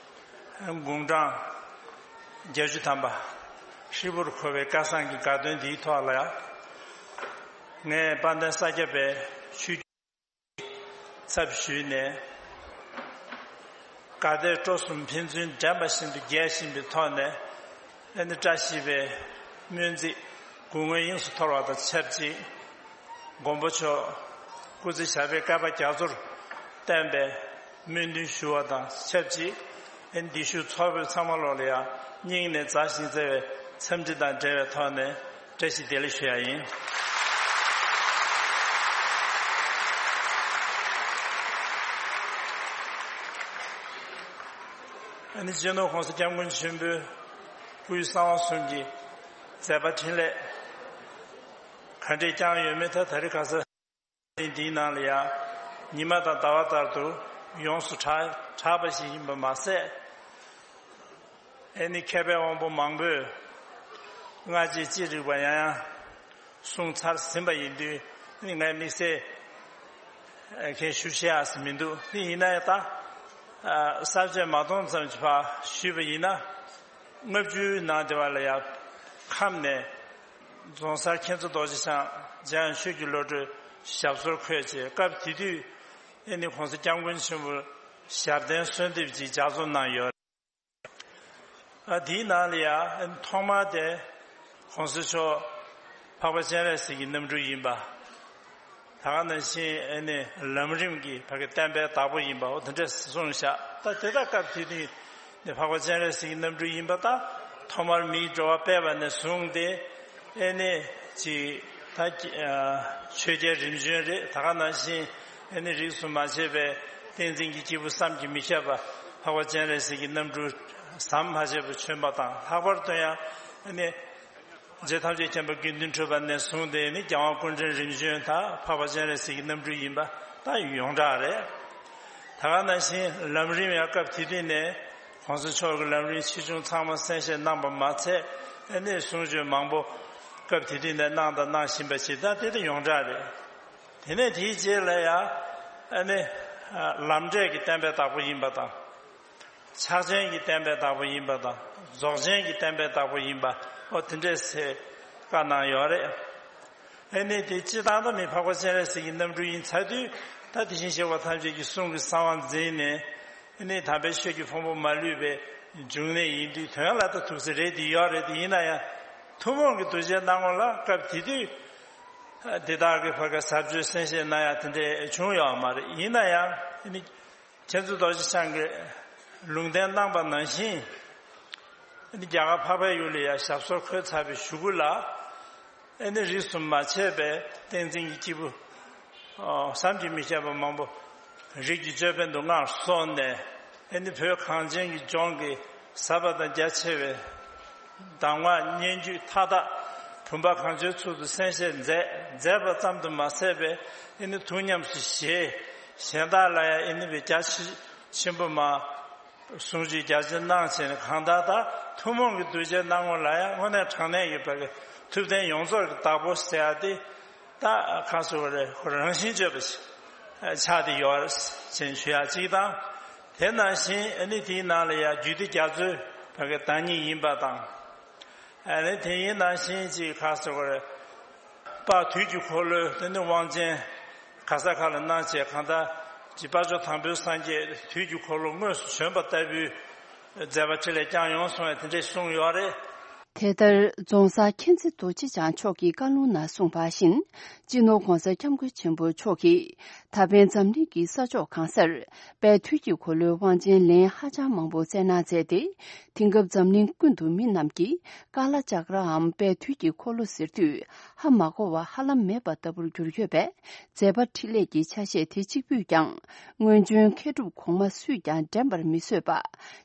དགུང་གྲངས་བརྒྱད་ཅུ་ཐམ་པ་ཧྲིལ་པོར་འཁོར་བའི་སྐལ་བཟང་གི་དགའ་སྟོན་འདིའི་ཐོག་ལ་ངས་དཔལ་ལྡན་ས་སྐྱ་པའི་ཆོས་བརྒྱུད་ཚབ་ཞུས་ནས། དགའ་དད་སྤྲོ་གསུམ་ཕན་ཚུན་འགྲན་པ་བཞིན་དུ་རྒྱས་བཞིན་པའི་ཐོག་ནས། ཨ་ནི་བཀྲ་ཤིས་པའི་སྨོན་ཚིག་གུང་སྔོན་དབྱིངས་སུ་འཐོར་བ་དང་ཆབས་ཅིག། མགོན་པོ་མཆོག་སྐུ་ཚེ་ཞབས་པད་བསྐལ་པ་རྒྱ་མཚོར་བརྟན་པའི་སྨོན་འདུན་ཞུ་བ་དང་ཆབས་ཅིག། ཨེ་འདི་ཤུགས་ཚོགས་ཕེབས་ཚང་མ་ལོག་ལ་ཡང་སྙིང་ནས་མཛའ་ཞིང་བརྩེ་བའི་འཚམས་འདྲི་དང་འབྲེལ་བའི་ཐོག་ནས་བཀྲ་ཤིས་བདེ་ལེགས་ཞུ་ཡ་ཡིན། ཨ་ནི་སྤྱི་ནོར་༸གོང་ས་༸སྐྱབས་མགོན་ཆེན་པོའི་སྐུའི་གསང་བ་གསུམ་གྱི་མཛད་པ་འཕྲིན་ལས་ག་འདྲས་བསྐྱངས་ཡོད་མེད་ཐད་ད་རེས་ཁ་སང་འདིའི་ནང་ལ་ཡང་ཉི་མ་དང་ཟླ་བ་ལྟར་དུ་ཡོངས་སུ་གྲགས་གྲགས་པ་ཞིག་ཡིན་པ་མ་ཟད། ཨེ་ནི་མཁས་པའི་དབང་པོ་མང་པོས་སྔ་རྗེས་ཅི་རིགས་པ་ཡང་ཡང་གསུངས་ཚར་ཟིན་པ་ཡིན་དུས་ཨེ་ནི་ངས་དམིགས་བསལ་ཨེ་མཁན་ཞུ་བཤད་ཡག་ཟིན་མི་འདུག་དེ་ཡིན་ན་ཡང་ད་ཨ་གསར་བརྗེ་མ་གཏོང་ཙམ་གྱི་བར་ཞུས་པ་ཡིན་ན། ལྔ་བཅུའི་ནང་དེ་བ་ལ་ཡང་ཁམས་ནས་རྫོང་སར་མཁྱེན་བརྩེ་རྡོ་རྗེ་འཆང་འཇམ་དབྱངས་ཆོས་ཀྱི་བློ་གྲོས་ཞབས་སོར་འཁོད་བྱས། སྐབས་དེ་དུས་ཨེ་ནི་༸གོང་ས་༸སྐྱབས་མགོན་ཆེན་པོ་ཞབས་བརྟན་གསོལ་འདེབས་ཀྱི་ལྗགས་རྩོམ་གནང་ཡོད། ཨ་དེའི་ནང་ལ་ཡང་ཐོག་མར་དེ་༸གོང་ས་མཆོག་འཕགས་པ་སྤྱན་རས་གཟིགས་ཀྱི་རྣམ་སྤྲུལ་ཡིན་པ། ད་ག་ནང་བཞིན་ཨེ་ནི་ལམ་རིམ་གྱི་ཕ་གི་བསྟན་པའི་བདག་པོ་ཡིན་པ་འོ་དེ་འདྲས་གསུངས་བཞག་ད་དེ་དག་སྐབས་དེ་དུས་ནི་འཕགས་པ་སྤྱན་རས་གཟིགས་ཀྱི་རྣམ་སྤྲུལ་ཡིན་པ་དང་ཐོག་མར་མིའི་འགྲོ་བ་སྤེལ་བ་ནས་བཟུང་སྟེ་ཨེ་ནི་ཅིག་ད་ཆོས་རྒྱལ་རིམ་བྱོན་རེད། ད་ག་ནང་བཞིན་ཨེ་ནི་རིས་སུ་མ་ཆད་པའི་བསྟན་འཛིན་གྱི་སྐྱེས་བུ་བསམ་གྱིས་མི་ཁྱབ་པ་འཕགས་པ་སྤྱན་རས་གཟིགས་ཀྱི་རྣམ་སྤྲུལ་ཟམ་མ་ཆད་པར་བྱོན་པ་དང་ལྷག་པར་དུ་ཡང་ཨེ་ནི། རྗེ་ཐམས་ཅད་མཁྱེན་པ་དགེ་འདུན་གྲུབ་པ་ནས་བཟུང་སྟེ་ནི་རྒྱལ་དབང་སྐུ་ཕྲེང་རིམ་བྱོན་དང་འཕགས་པ་སྤྱན་རས་གཟིགས་ཀྱི་རྣམ་སྤྲུལ་ཡིན་པ་ད་ཡོངས་གྲགས་རེད། ད་ག་ནང་བཞིན་ལམ་རིམ་ཡང་སྐབས་དེ་དུས་ནས་༸གོང་ས་མཆོག་གི་ལམ་རིམ་ཆེ་ཆུང་ཚང་མ་གསན་བཞེས་གནང་པ་མ་ཚད་ཨ་ནི་གསུང་ཆོས་མང་པོ་སྐབས་དེ་དུས་ནས་གནང་དང་གནང་བཞིན་པ་ཞིག་ད་དེ་ད་ཡོངས་གྲགས་རེད། དེ་ནས་དེའི་རྗེས་ལ་ཡང་ཨ་ནི་ལམ་འབྲས་ཀྱི་བསྟན་པའི་བདག་པོ་ཡིན་པ་དང་། ཕྱག་ཆེན་གྱི་བསྟན་པའི་བདག་པོ་ཡིན་པ་དང་རྫོགས་ཆེན་གྱི་བསྟན་པའི་བདག་པོ་ཡིན་པ་འོ་དེ་འདྲས་སེ་བཀའ་གནང་ཡོད་རེད། ཨ་ནི་དེ་སྤྱི་བཏང་ད་མི་འཕགས་པ་སྤྱན་རས་གཟིགས་ཀྱི་རྣམ་སྤྲུལ་ཡིན་ཚར་དུས་ད་དེ་བཞིན་གཤེགས་པ་ཐམས་ཅད་ཀྱི་གསུང་གི་གསང་བ་འཛིན་ནས་ཨ་ནི་དམ་པའི་ཆོས་ཀྱི་ཕུང་པོ་མ་ལུས་པའི་འབྱུང་གནས་ཡིན་དུས་དོན་ལ་ད་ཐུགས་སྲས་རེད་དེ་ཡོད་རེད། དེ་ཡིན་ན་ཡང་ཐུན་མོང་གི་གདུལ་བྱའི་སྣང་ངོ་ལ་སྐབས་དེ་དུས་དེ་དག་གི་བར་ག་ཟབ་ཆོས་གསན་བཞེས་གནང་ཡ་དེ་འདྲས་བྱུང་ཡོད་མ་རེད། ཡིན་ན་ཡང་ཨ་ནི། མཁྱེན་བརྩེ་རྡོ་རྗེ་འཆང་གིས་ལུང་བསྟན་གནང་པ་ནང་བཞིན། ཨ་ནི་རྒྱ་གར་འཕགས་པའི་ཡུལ་ལ་ཡང་ཞབས་སོར་འཁོད་ཚར་བའི་གཞུག་གུ་ལ། ཨ་ནི་རིས་སུ་མ་ཆད་པའི་བསྟན་འཛིན་གྱི་སྐྱེས་བུ། ཨོ་བསམ་གྱིས་མི་ཁྱབ་པ་མང་པོ་རིགས་ཀྱི་ཅོད་པན་དུ་མངའ་གསོལ་ནས། ཨ་ནི་བོད་གངས་ཅན་གྱི་ལྗོངས་ཀྱི་ཟབ་པ་དང་རྒྱ་ཆེ་བའི་གདམས་ངག་སྙན་བརྒྱུད་མཐའ་དག་བུམ་པ་གང་བྱོའི་ཚུལ་དུ་གསན་བཞེས་མཛད་མཛད་པ་ཙམ་དུ་མ་ཟད་པའི་ཨེ་ནི་ཐུགས་ཉམས་སུ་བཞེས། གཞན་དག་ལ་ཡང་ཨེ་ནི་བའི་རྒྱ་ཆེ་ཆེན་པོ་མ་གསུང་ཆོས་རྒྱ་ཆེ་གནང་བྱས་ནས་གང་ལྟར་ད་ཐུན་མོང་གི་གདུལ་བྱའི་སྣང་ངོ་ལ་ཡང་དངོས་གནས་དྲང་གནས་ཡོད་པའི་ཐུབ་བསྟན་ཡོངས་རྫོགས་ཀྱི་བདག་པོ་ཟེར་ཡ་དེ་ད་གང་ཟེར་བ་རེད། ཁོ་རང་བཞིན་བརྗོད་པ་ཆགས་ཏེ་ཡོད་ཅེས་ཞུ་ཡ་གཅིག་དང་། དེ་ནང་བཞིན་ཨ་ནི་དེའི་ནང་ལ་ཡང་རྒྱུད་སྡེ་རྒྱ་མཚོའི་བར་གྱི་བདག་ཉིད་ཡིན་པ་དང་། ཨ་ནི་དེ་ཡིན་ནང་བཞིན་གཅིག་ག་ཟེར་བ་རེད། དཔལ་དུས་ཀྱི་འཁོར་ལོའི་དེ་ནི་དབང་ཆེན་ག་ས་ག་ལ་གནང་བྱས་གང་ལྟར་གྱི་དཔལ་མཆོག་དང་པོའི་སངས་རྒྱས་དུས་ཀྱི་འཁོར་ལོ་དངོས་སུ་བྱོན་པ་ལྟ་བུའི་མཛད་པ་འཕྲིན་ལས་བསྐྱངས་ཡོང་སོང་བས་དེ་འདྲས་གསུངས་ཡོད་རེད། དེ་ལྟར་རྫོང་སར་མཁྱེན་བརྩེ་རྡོ་རྗེ་འཆང་མཆོག་གི་བཀའ་ལུང་ནང་གསུངས་པ་བཞིན། སྤྱི་ནོར་༸གོང་ས་༸སྐྱབས་མགོན་ཆེན་པོ་མཆོག་གིས་ད་ཕན་འཛམ་གླིང་གི་ས་ཕྱོགས་གང་སར་དཔལ་དུས་ཀྱི་འཁོར་ལོའི་དབང་ཆེན་ལན་ཧ་ཅང་མང་པོ་སྩལ་གནང་མཛད་དེ། དེང་སྐབས་འཛམ་གླིང་ཀུན་ཏུ་མི་རྣམས་ཀྱིས་ཀ་ལ་ཅག་རའམ་དཔལ་དུས་ཀྱི་འཁོར་ལོ་ཟེར་དུས་ཧ་མ་གོ་བ་ཧ་ལམ་མེད་པ་ལྟ་བུར་གྱུར་ཡོད་པས། མཛད་པ་འཕྲིན་ལས་ཀྱི་ཆ་ཤས་དེ་གཅིག་པུས་ཀྱང་སྔོན་བྱོན་མཁས་གྲུབ་གོང་མ་སུས་ཀྱང་འགྲན་པར་མི་བཟོད་པ།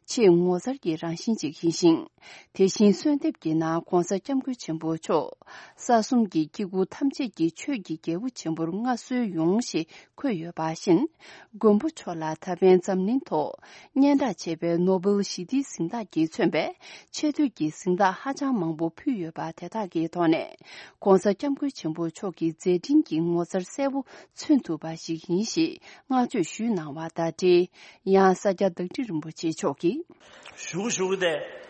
ཆེས་ངོ་མཚར་གྱི་རང་བཞིན་ཅིག་ཡིན་ཞིང་། དེ་བཞིན་གསོལ་འདེབས་ཀྱི་ནང་༸གོང་ས་༸སྐྱབས་མགོན་ཆེན་པོ་མཆོག་ས་གསུམ་གྱི་སྐྱེ་དགུ་ཐམས་ཅད་ཀྱི་ཆོས་ཀྱི་རྒྱལ་པོ་ཆེན་པོར་མངའ་གསོལ་ཡོང་ཞེས་འཁོད་ཡོད་པ་བཞིན། མགོན་པོ་མཆོག་ལ་ད་ཕན་འཛམ་གླིང་ཐོག་སྙན་གྲགས་ཆེ་བའི་ནོ་བེལ་ཞི་བདེའི་གཟེངས་རྟགས་ཀྱིས་མཚོན་པའི་ཆེ་བསྟོད་ཀྱི་གཟེངས་རྟགས་ཧ་ཅང་མང་པོ་ཕུལ་ཡོད་པ་དེ་དག་གི་ཐོག་ནས་༸གོང་ས་༸སྐྱབས་མགོན་ཆེན་པོ་མཆོག་གི་མཛད་འཕྲིན་གྱི་ངོ་མཚར་གསལ་པོ་མཚོན་ཐུབ་པ་ཞིག་ཡིན་ཞེས་བསྔགས་བརྗོད་ཞུས་གནང་བ་དང་འབྲེལ། ཡང་ས་སྐྱ་བདག་ཁྲི་རིན་པོ་ཆེ་མཆོག་གིས། ཞུ་ཞུ་སྟེ།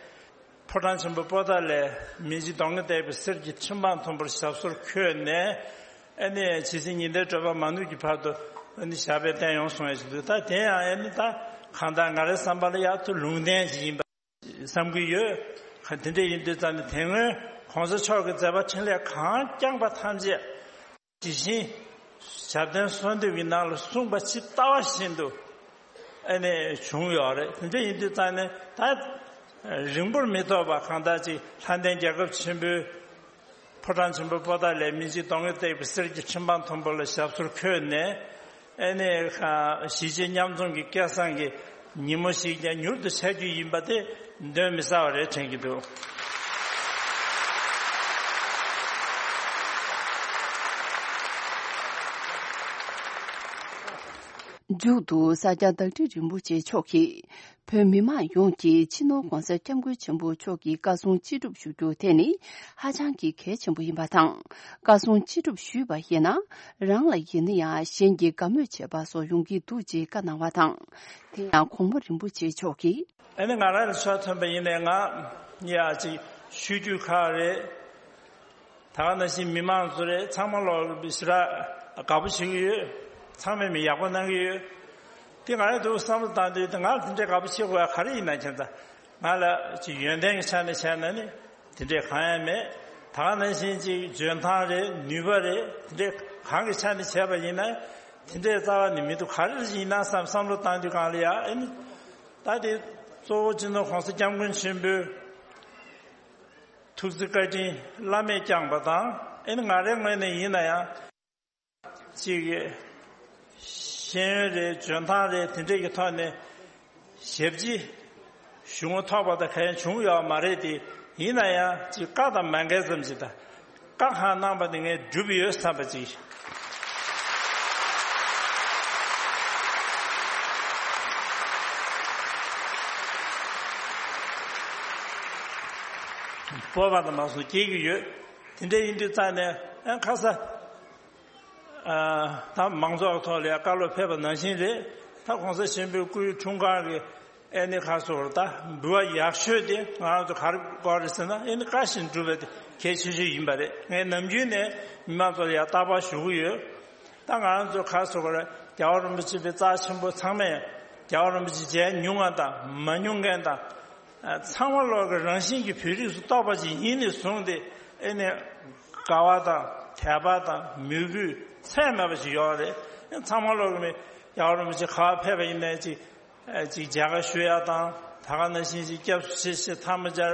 ཕོ་བྲང་ཆེན་པོ་པོ་ཏཱ་ལའི་མི་འཇིགས་གདོང་ལྔས་བཏེགས་པའི་གསེར་གྱི་ཁྲི་འཕང་མཐོན་པོར་ཞབས་སོར་འཁོད་ནས། ཨ་ནི་ཇི་སྲིད་ཉི་ཟླའི་བགྲོད་པ་མ་ནུབ་ཀྱི་བར་དུ་ཨ་ནི་ཞབས་པད་བརྟན་ཡོང་སོང་ཡ་ཞིག་འདུག་ད་དེ་ཡང་ཨ་ནི་ད་གང་ལྟར་ང་རའི་བསམ་པ་ལ་ཡག་ཏུ་ལུང་བསྟན་ཞིག་ཡིན་པ་བསམ་གྱི་ཡོད། ག་དེ་འདྲ་ཡིན་དུས་ཙང་ནས་དེ་སྔོན་༸གོང་ས་མཆོག་གི་མཛད་པ་འཕྲིན་ལས་གང་བསྐྱངས་པ་ཐམས་ཅད། དེ་བཞིན་ཞབས་བརྟན་གསོལ་འདེབས་ཀྱི་ནང་ལ་གསུངས་པ་ཇི་ལྟ་བ་བཞིན་དུ་ ཨ་ནི་བྱུང་ཡོད་རེད། དེ་འདྲ་ཡིན་དུས་ཙང་ནས་ད་རིང་པོར་མི་ཐོགས་པ་གང་ལྟར་ཅིག་ལྷ་ལྡན་རྒྱལ་ཁབ་ཆེན་པོའི་ཕོ་བྲང་ཆེན་པོ་པོ་ཏཱ་ལའི་སྨིན་བྱེད་གདོང་གི་བཏེགས་པའི་གསེར་གྱི་ཁྲི་འཕང་མཐོན་པོ་ལ་ཞབས་སོར་འཁོད་ནས། ཨ་ནི་གཞིས་བྱེས་མཉམ་འཛོམས་ཀྱི་སྐལ་བཟང་གི་ཉིན་མོ་ཞིག་ཀྱང་མྱུར་དུ་འཆར་རྒྱུ་ཡིན་པ་དེ་གདོན་མི་ཟ་བ་རེད་དྲན་གྱི་འདུག། མཇུག་ཏུ་ས་སྐྱ་བདག་ཁྲི་རིན་པོ་ཆེ་མཆོག་གིས། བོད་མི་མང་ཡོངས་ཀྱིས་སྤྱི་ནོར་༸གོང་ས་༸སྐྱབས་མགོན་ཆེན་པོ་མཆོག་གི་བཀའ་གསུང་ཅི་སྒྲུབ་ཞུ་རྒྱུ་དེ་ནི་ཧ་ཅང་གི་གལ་ཆེན་པོ་ཡིན་པ་དང་། བཀའ་གསུང་ཅི་སྒྲུབ་ཞུས་པ་ཡིན་ན། རང་ལ་ཡིན་ན་ཡང་གཞན་གྱིས་དགའ་མོས་བྱེད་པ་སོགས་ཡོང་གི་འདུག་ཅེས་བཀའ་གནང་བ་དང་། དེ་ཡང་གོང་མ་རིན་པོ་ཆེ་མཆོག་གིས། ཨ་ནི་ང་རང་ལ་ཕྱག་ཐོན་པ་ཡིན་ནའི་ང་ཡ་ཅིག་ཞུ་རྒྱུ་ཁག་རེད། ད་ག་ནང་བཞིན་མི་མང་ཚོ་རེད། ཚང་མ་ལོག་ཞེ་དྲག་དགའ་པོ་བྱེད་ཀྱི་ཡོད། ཚང་མས་མི་ཡག་པོ་གནང་གི་ཡོད། དེ་ང་རང་དུ་བསམ་བློ་བཏང་དུས་དེ་ང་ལ་དེ་འདྲའི་དགའ་པོ་བྱེད་དགོས་ཡ་ག་རེ་ཡིན་ན་ཁྱེད་ཚོ། ང་ལ་ཅིག་ཡོན་ཏན་གྱི་ཆ་ནས་བྱས་ན་ནི་དེ་འདྲའི་གང་ཡང་མེད། ད་ག་ནང་བཞིན་ཅིག་འཇོན་ཐང་རེད། ནུས་པ་རེད། དེ་འདྲའི་གང་གི་ཆ་ནས་བྱས་པ་ཡིན་ན་དེ་འདྲའི་རྩ་བ་ནས་མི་འདུག། ག་རེ་ཡིན་ན་བསམ་བསམ་བློ་བཏང་དུས་གང་ལ་ཡ་ཨ་ནི་ད་དེ་གཙོ་བོ་སྤྱི་ནོར་༸གོང་ས་༸སྐྱབས་མགོན་ཆེན་པོའི་ཐུགས་བརྩེ་བཀའ་དྲིན་བླ་མེད་བསྐྱངས་པ་དང་། ཨ་ནི་ང་རའི་ངོས་ནས་ཡིན་ན་ཡང་། གཅིག་གི་ཤེས་ཡོན་རེད། འཇོན་ཐང་རེད། དེ་འདྲས་ཀྱི་ཐོག་ནས་ཞབས་ཕྱི་ཞུ་ངོ་ཐོག་པ་དང་གང་ཡང་བྱུང་ཡོད་མ་རེད་དེ། ཡིན་ན་ཡང་གཅིག་བཀའ་དང་མ་འགལ་ཙམ་ཞིག་དང་། བཀའ་གང་གནང་པ་དེ་ངས་བསྒྲུབས་ཡོད་བསམ་པ་ཅིག། སྤོབས་པ་དང་མ་སོང་སྐྱེ་གི་ཡོད། དེ་འདྲ་ཡིན་དུས་ཙང་ནས་ཨ་ཁ་ས། ཨ་ད་མང་ཚོགས་ཐོག་ལ་ཡང་བཀའ་སློབ་ཕེབས་པ་ནང་བཞིན་རེད། ད་༸གོང་ས་ཆེན་པོའི་སྐུའི་འཁྲུངས་སྐར་གྱི་ཨེ་ནི་ཁ་སོ་བར་ད་འབུལ་བ་ཡག་ཤོས་དེ་ང་རང་ཚོ་ག་རེ་དགོས་རེད་ཟེར་ན། ཨེ་ནི་བཀའ་བཞིན་སྒྲུབ་པ་དེ་གལ་ཆེ་ཤོས་ཡིན་པ་རེད། ངས་ནམ་རྒྱུན་ནས་མི་མང་ཚོ་ལ་ཡང་རྟག་པར་ཞུ་གི་ཡོད། ད་ང་རང་ཚོ་ག་རེ་ཟེར་དགོས་རེད། རྒྱལ་བ་རིན་པོ་ཆེ་པའི་རྩ་ཆེན་པོ་ཚང་མས་རྒྱལ་བ་རིན་པོ་ཆེ་མཇལ་མྱོང་བ་དང་མ་མྱོང་མཁན་དང་། ཚང་མ་ལོག་གི་རང་བཞིན་གྱི་བོད་རིགས་སུ་གཏོགས་པ་ཅིག་ཡིན་ནས་བཟུང་སྟེ། ཨེ་ནས་དགའ་བ་དང་དད་པ་དང་མོས་གུས་ཚད་མེད་པ་ཞིག་ཡོད་རེད། ཚང་མ་ལོག་གི་མི་རྒྱལ་བ་རིན་པོ་ཆེ་ག་པར་ཕེབས་པ་ཡིན་ནའི་ཅིག་ཅིག་མཇལ་ཁ་ཞུ་ཡ་དང་། ད་ག་ནང་བཞིན་ཅིག་སྐྱབས་སུ་མཆི་ཞེས་ཐལ་མོ་སྦྱར་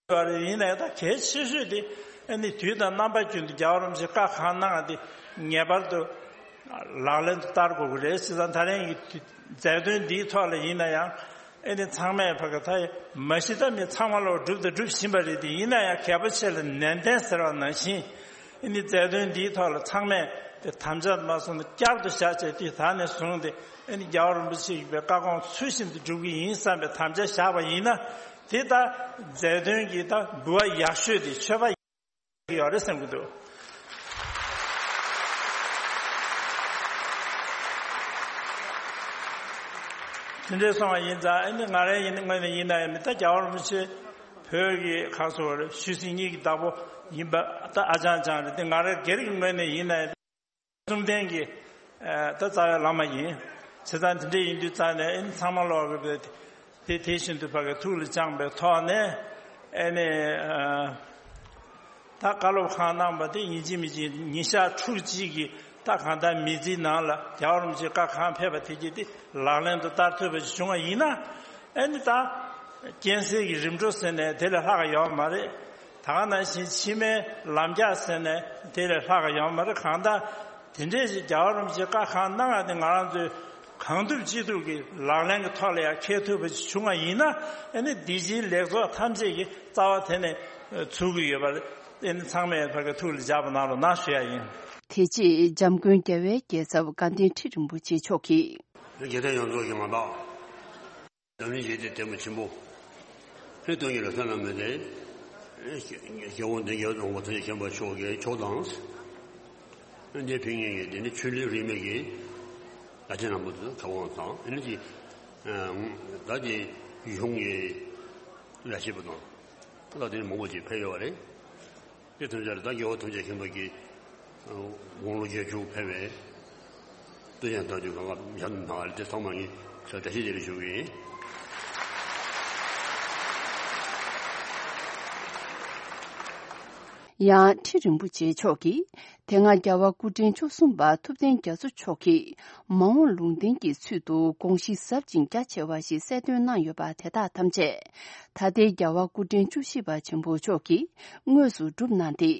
ཡོད་རེད། ཡིན་ནའི་ད་གལ་ཆེ་ཤོས་དེ་ཨེ་ནི་དུས་དང་རྣམ་པ་ཀུན་ཏུ་རྒྱལ་བ་རིན་པོ་ཆེ་བཀའ་གང་གནང་བ་དེ་ངེས་པར་དུ་ལག་ལེན་དུ་བསྟར་དགོས་ཀྱི་རེད། བྱས་ཙང་ད་རིང་གི་མཛད་དོན་འདིའི་ཐོག་ལ་ཡིན་ན་ཡང་། ཨེ་ནི་ཚང་མས་ཕ་གི་ད་མ་གཞི་ད་མི་ཚང་མ་ལོག་སྒྲུབ་དང་སྒྲུབ་བཞིན་པ་རེད་དེ། ཡིན་ན་ཡང་གལ་པོ་ཆེ་ལ་ནན་ཏན་ཟེར་བ་ནང་བཞིན། ཨེ་ནི་མཛད་དོན་འདིའི་ཐོག་ལ་ཚང་མས་དེ་དམ་བཅའ་མ་སོང་ན་བསྐྱར་དུ་བཞག་བྱས་དུས་ད་ནས་བཟུང་སྟེ། ཨེ་ནི་རྒྱལ་བ་རིན་པོ་ཆེ་ཡི་བཀའ་དགོངས་ཚུལ་བཞིན་དུ་སྒྲུབ་ཀྱི་ཡིན་བསམ་པའི་དམ་བཅའ་བཞག་པ་ཡིན་ན། དེ་ད་མཛད་དོན་གྱི་ད་འབུལ་བ་ཡག་ཤོས་དེ་མཆོད་པ་ཡོད་རེད་བསམ་གྱི་འདུག། དེ་འདྲའི་སོང་བ་ཡིན་ཙང་། ཨ་ནི་ང་རང་ཡིན་ངོས་ནས་ཡིན་ན་ཡང་མི་ད་རྒྱལ་བ་རིན་པོ་ཆེ་བོད་ཀྱི་ཁ་སོ་བར་ཆོས་སྲིད་གཉིས་ཀྱི་བདག་པོ་ཡིན་པ་ད་ཨ་ཅང་ཅང་རེད་དེ། ང་རང་སྒེར་གྱི་ངོས་ནས་ཡིན་ན་ཡང་གསུམ་ལྡན་གྱི་ད་རྩ་བའི་བླ་མ་ཡིན། བྱས་ཙང་དེ་འདྲ་ཡིན་དུས་ཙང་ནས་ཨ་ནི་ཚང་མ་ལོག་གི་དེ་དེ་བཞིན་དུ་ཕ་གི་ཐུགས་ལ་བཅངས་པའི་ཐོག་ནས། ཨ་ནི་ད་བཀའ་སློབ་གང་གནང་པ་དེ་ཡིན་གཅིག་མིན་གཅིག་ཉིན་ཞག་ཕྲུགས་གཅིག་གི་ད་གང་ལྟར་མི་ཚེའི་ནང་ལ་རྒྱལ་བ་རིན་པོ་ཆེ་བཀའ་གང་ཕེབས་པ་དེ་གྱིས་དེ་ལག་ལེན་དུ་བསྟར་ཐུབ་པ་ཞིག་བྱུང་བ་ཡིན་ན། ཨ་ནི་ད་རྐྱེན་སེལ་གྱི་རིམ་གྲོ་ཟེར་ནས་དེ་ལས་ལྷག་ག་ཡོད་མ་རེད། ད་ག་ནང་བཞིན་ཕྱི་མའི་ལམ་རྒྱགས་ཟེར་ནས་དེ་ལས་ལྷག་ག་ཡོད་མ་རེད། གང་ལྟར་དེ་འདྲས་ཞིག་རྒྱལ་བ་རིན་པོ་ཆེ་བཀའ་གང་གནང་བ་དེ་ང་རང་ཚོས་གང་ཐུབ་ཅི་ཐུབ་ཀྱིས་ལག་ལེན་གྱི་ཐོག་ལ་ཡང་འཁེལ་ཐུབ་པ་ཞིག་བྱུང་བ་ཡིན་ན། ཨ་ནི་འདི་ཕྱིའི་ལེགས་ཚོགས་ཐམས་ཅད་ཀྱི་རྩ་བ་དེ་ནས་ཚུགས་ཀྱི་ཡོད་པ་རེད། ཨ་ནི་ཚང་མས་ཕ་གི་ཐུགས་ལ་འཇགས་པ་གནང་རོགས་གནང་ཞུ་ཡ་ཡིན། དེ་རྗེས་འཇམ་མགོན་རྒྱལ་བའི་རྒྱལ་ཚབ་དགའ་ལྡན་ཁྲི་རིན་པོ་ཆེ་མཆོག་གིས། དགེ་ལྡན་ཡོངས་རྫོགས་ཀྱི་ང་བདག། འཛམ་གླིང་ཞི་བདེའི་ལྟད་མོ་ཆེན་པོ། ཧེ་སྟོན་གྱི་ལ་ས་ན་མེད་དེ། རྒྱལ་བ་འདི་རྒྱལ་དབང་པོ་ཐམས་ཅད་མཁྱེན་པ་མཆོག་གི་མཆོག་དང་། འདི་ཕིང་ངེ་གི་འདི་ནི་ཆོས་ལུགས་རིས་མེད་ཀྱི་བླ་ཆེན་རྣམ་པ་ཚོ་ཁ་དབང་དང་། ཨ་ནི་ཅི་ད་དེ་གཞུང་གི་བླ་ཆེན་པོ་དང་། ད་དེ་ནི་མང་པོ་ཅིག་ཕེབས་ཡོད་པ་རེད། དེ་ཐམས་ཅད་ལ་ད་རྒྱལ་བ་ཐམས་ཅད་མཁྱེན་པ་གི་དགུང་ལོ་བརྒྱད་ཅུ་ཕེབས་པའི་སྟོད་ཡང་ད་དུས་གང་ག་ཡང་ན་དེ་ཚང་མ་ངས་ས་བཀྲ་ཤིས་བདེ་ལེགས་ཞུ་གི་ཡིན། ཡང་ཁྲི་རིན་པོ་ཆེ་མཆོག་གིས་ དེ་སྔ་རྒྱལ་བ་སྐུ་ཕྲེང་བཅུ་གསུམ་པ་ཐུབ་བསྟན་རྒྱ་མཚོ་མཆོག་གིས་མ་འོངས་ལུང་བསྟན་གྱི་ཚུལ་དུ་དགོངས་གཞི་ཟབ་ཅིང་རྒྱ་ཆེ་བ་ཞིག་གསལ་སྟོན་གནང་ཡོད་པ་དེ་དག་ཐམས་ཅད་ད་ལྟའི་རྒྱལ་བ་སྐུ་ཕྲེང་བཅུ་བཞི་པ་ཆེན་པོ་མཆོག་གིས་དངོས་སུ་བསྒྲུབས་གནང་སྟེ།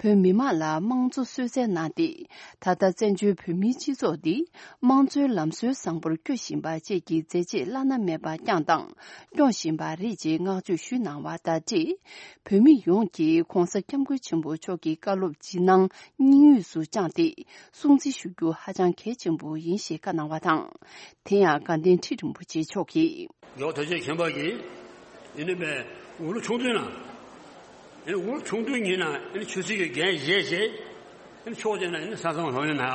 བོད་མི་མང་ལ་དམངས་གཙོ་གསོལ་སྩལ་གནང་སྟེ། ད་ལྟ་བཙན་བྱོལ་བོད་མིའི་སྤྱི་ཚོགས་འདི་དམངས་གཙོའི་ལམ་སྲོལ་བཟང་པོར་བསྐྱོད་བཞིན་པ་བཅས་ཀྱི་མཛད་རྗེས་བླ་ན་མེད་པ་བསྐྱངས་དང་སྐྱོང་བཞིན་པ་རེད་ཅེས་བསྔགས་བརྗོད་ཞུས་གནང་བ་དང་འབྲེལ། བོད་མི་ཡོངས་ཀྱིས་༧གོང་ས་༧སྐྱབས་མགོན་ཆེན་པོ་མཆོག་གི་བཀའ་སློབ་ཇི་གནང་སྙིང་དབུས་སུ་བཅངས་ཏེ་སྲུང་བརྩི་ཞུ་རྒྱུ་ཧ་ཅང་གལ་ཆེན་པོ་ཡིན་ཞེས་བཀའ་གནང་བ་དང་། དེ་ཡང་དགའ་ལྡན་ཁྲི་རིན་པོ་ཆེ་མཆོག་གིས། རྒྱལ་བ་ཐམས་ཅད་མཁྱེན་པ་གིས་ཨེ་ནི་པའི་འུ་ལོ་ཆུང་དུས་ན། ཨེ་ནི་འུ་ལོ་ཆུང་དུས་ཉིད་ན་ཨེ་ནི་ཆོས་སྲིད་ཀྱི་འགན་བཞེས་བྱས། ཨེ་ནི་ཕྱོགས་གཅིག་ན་ཨེ་ནི་ས་མཚམས་ལྷོད་ཡོད་ན།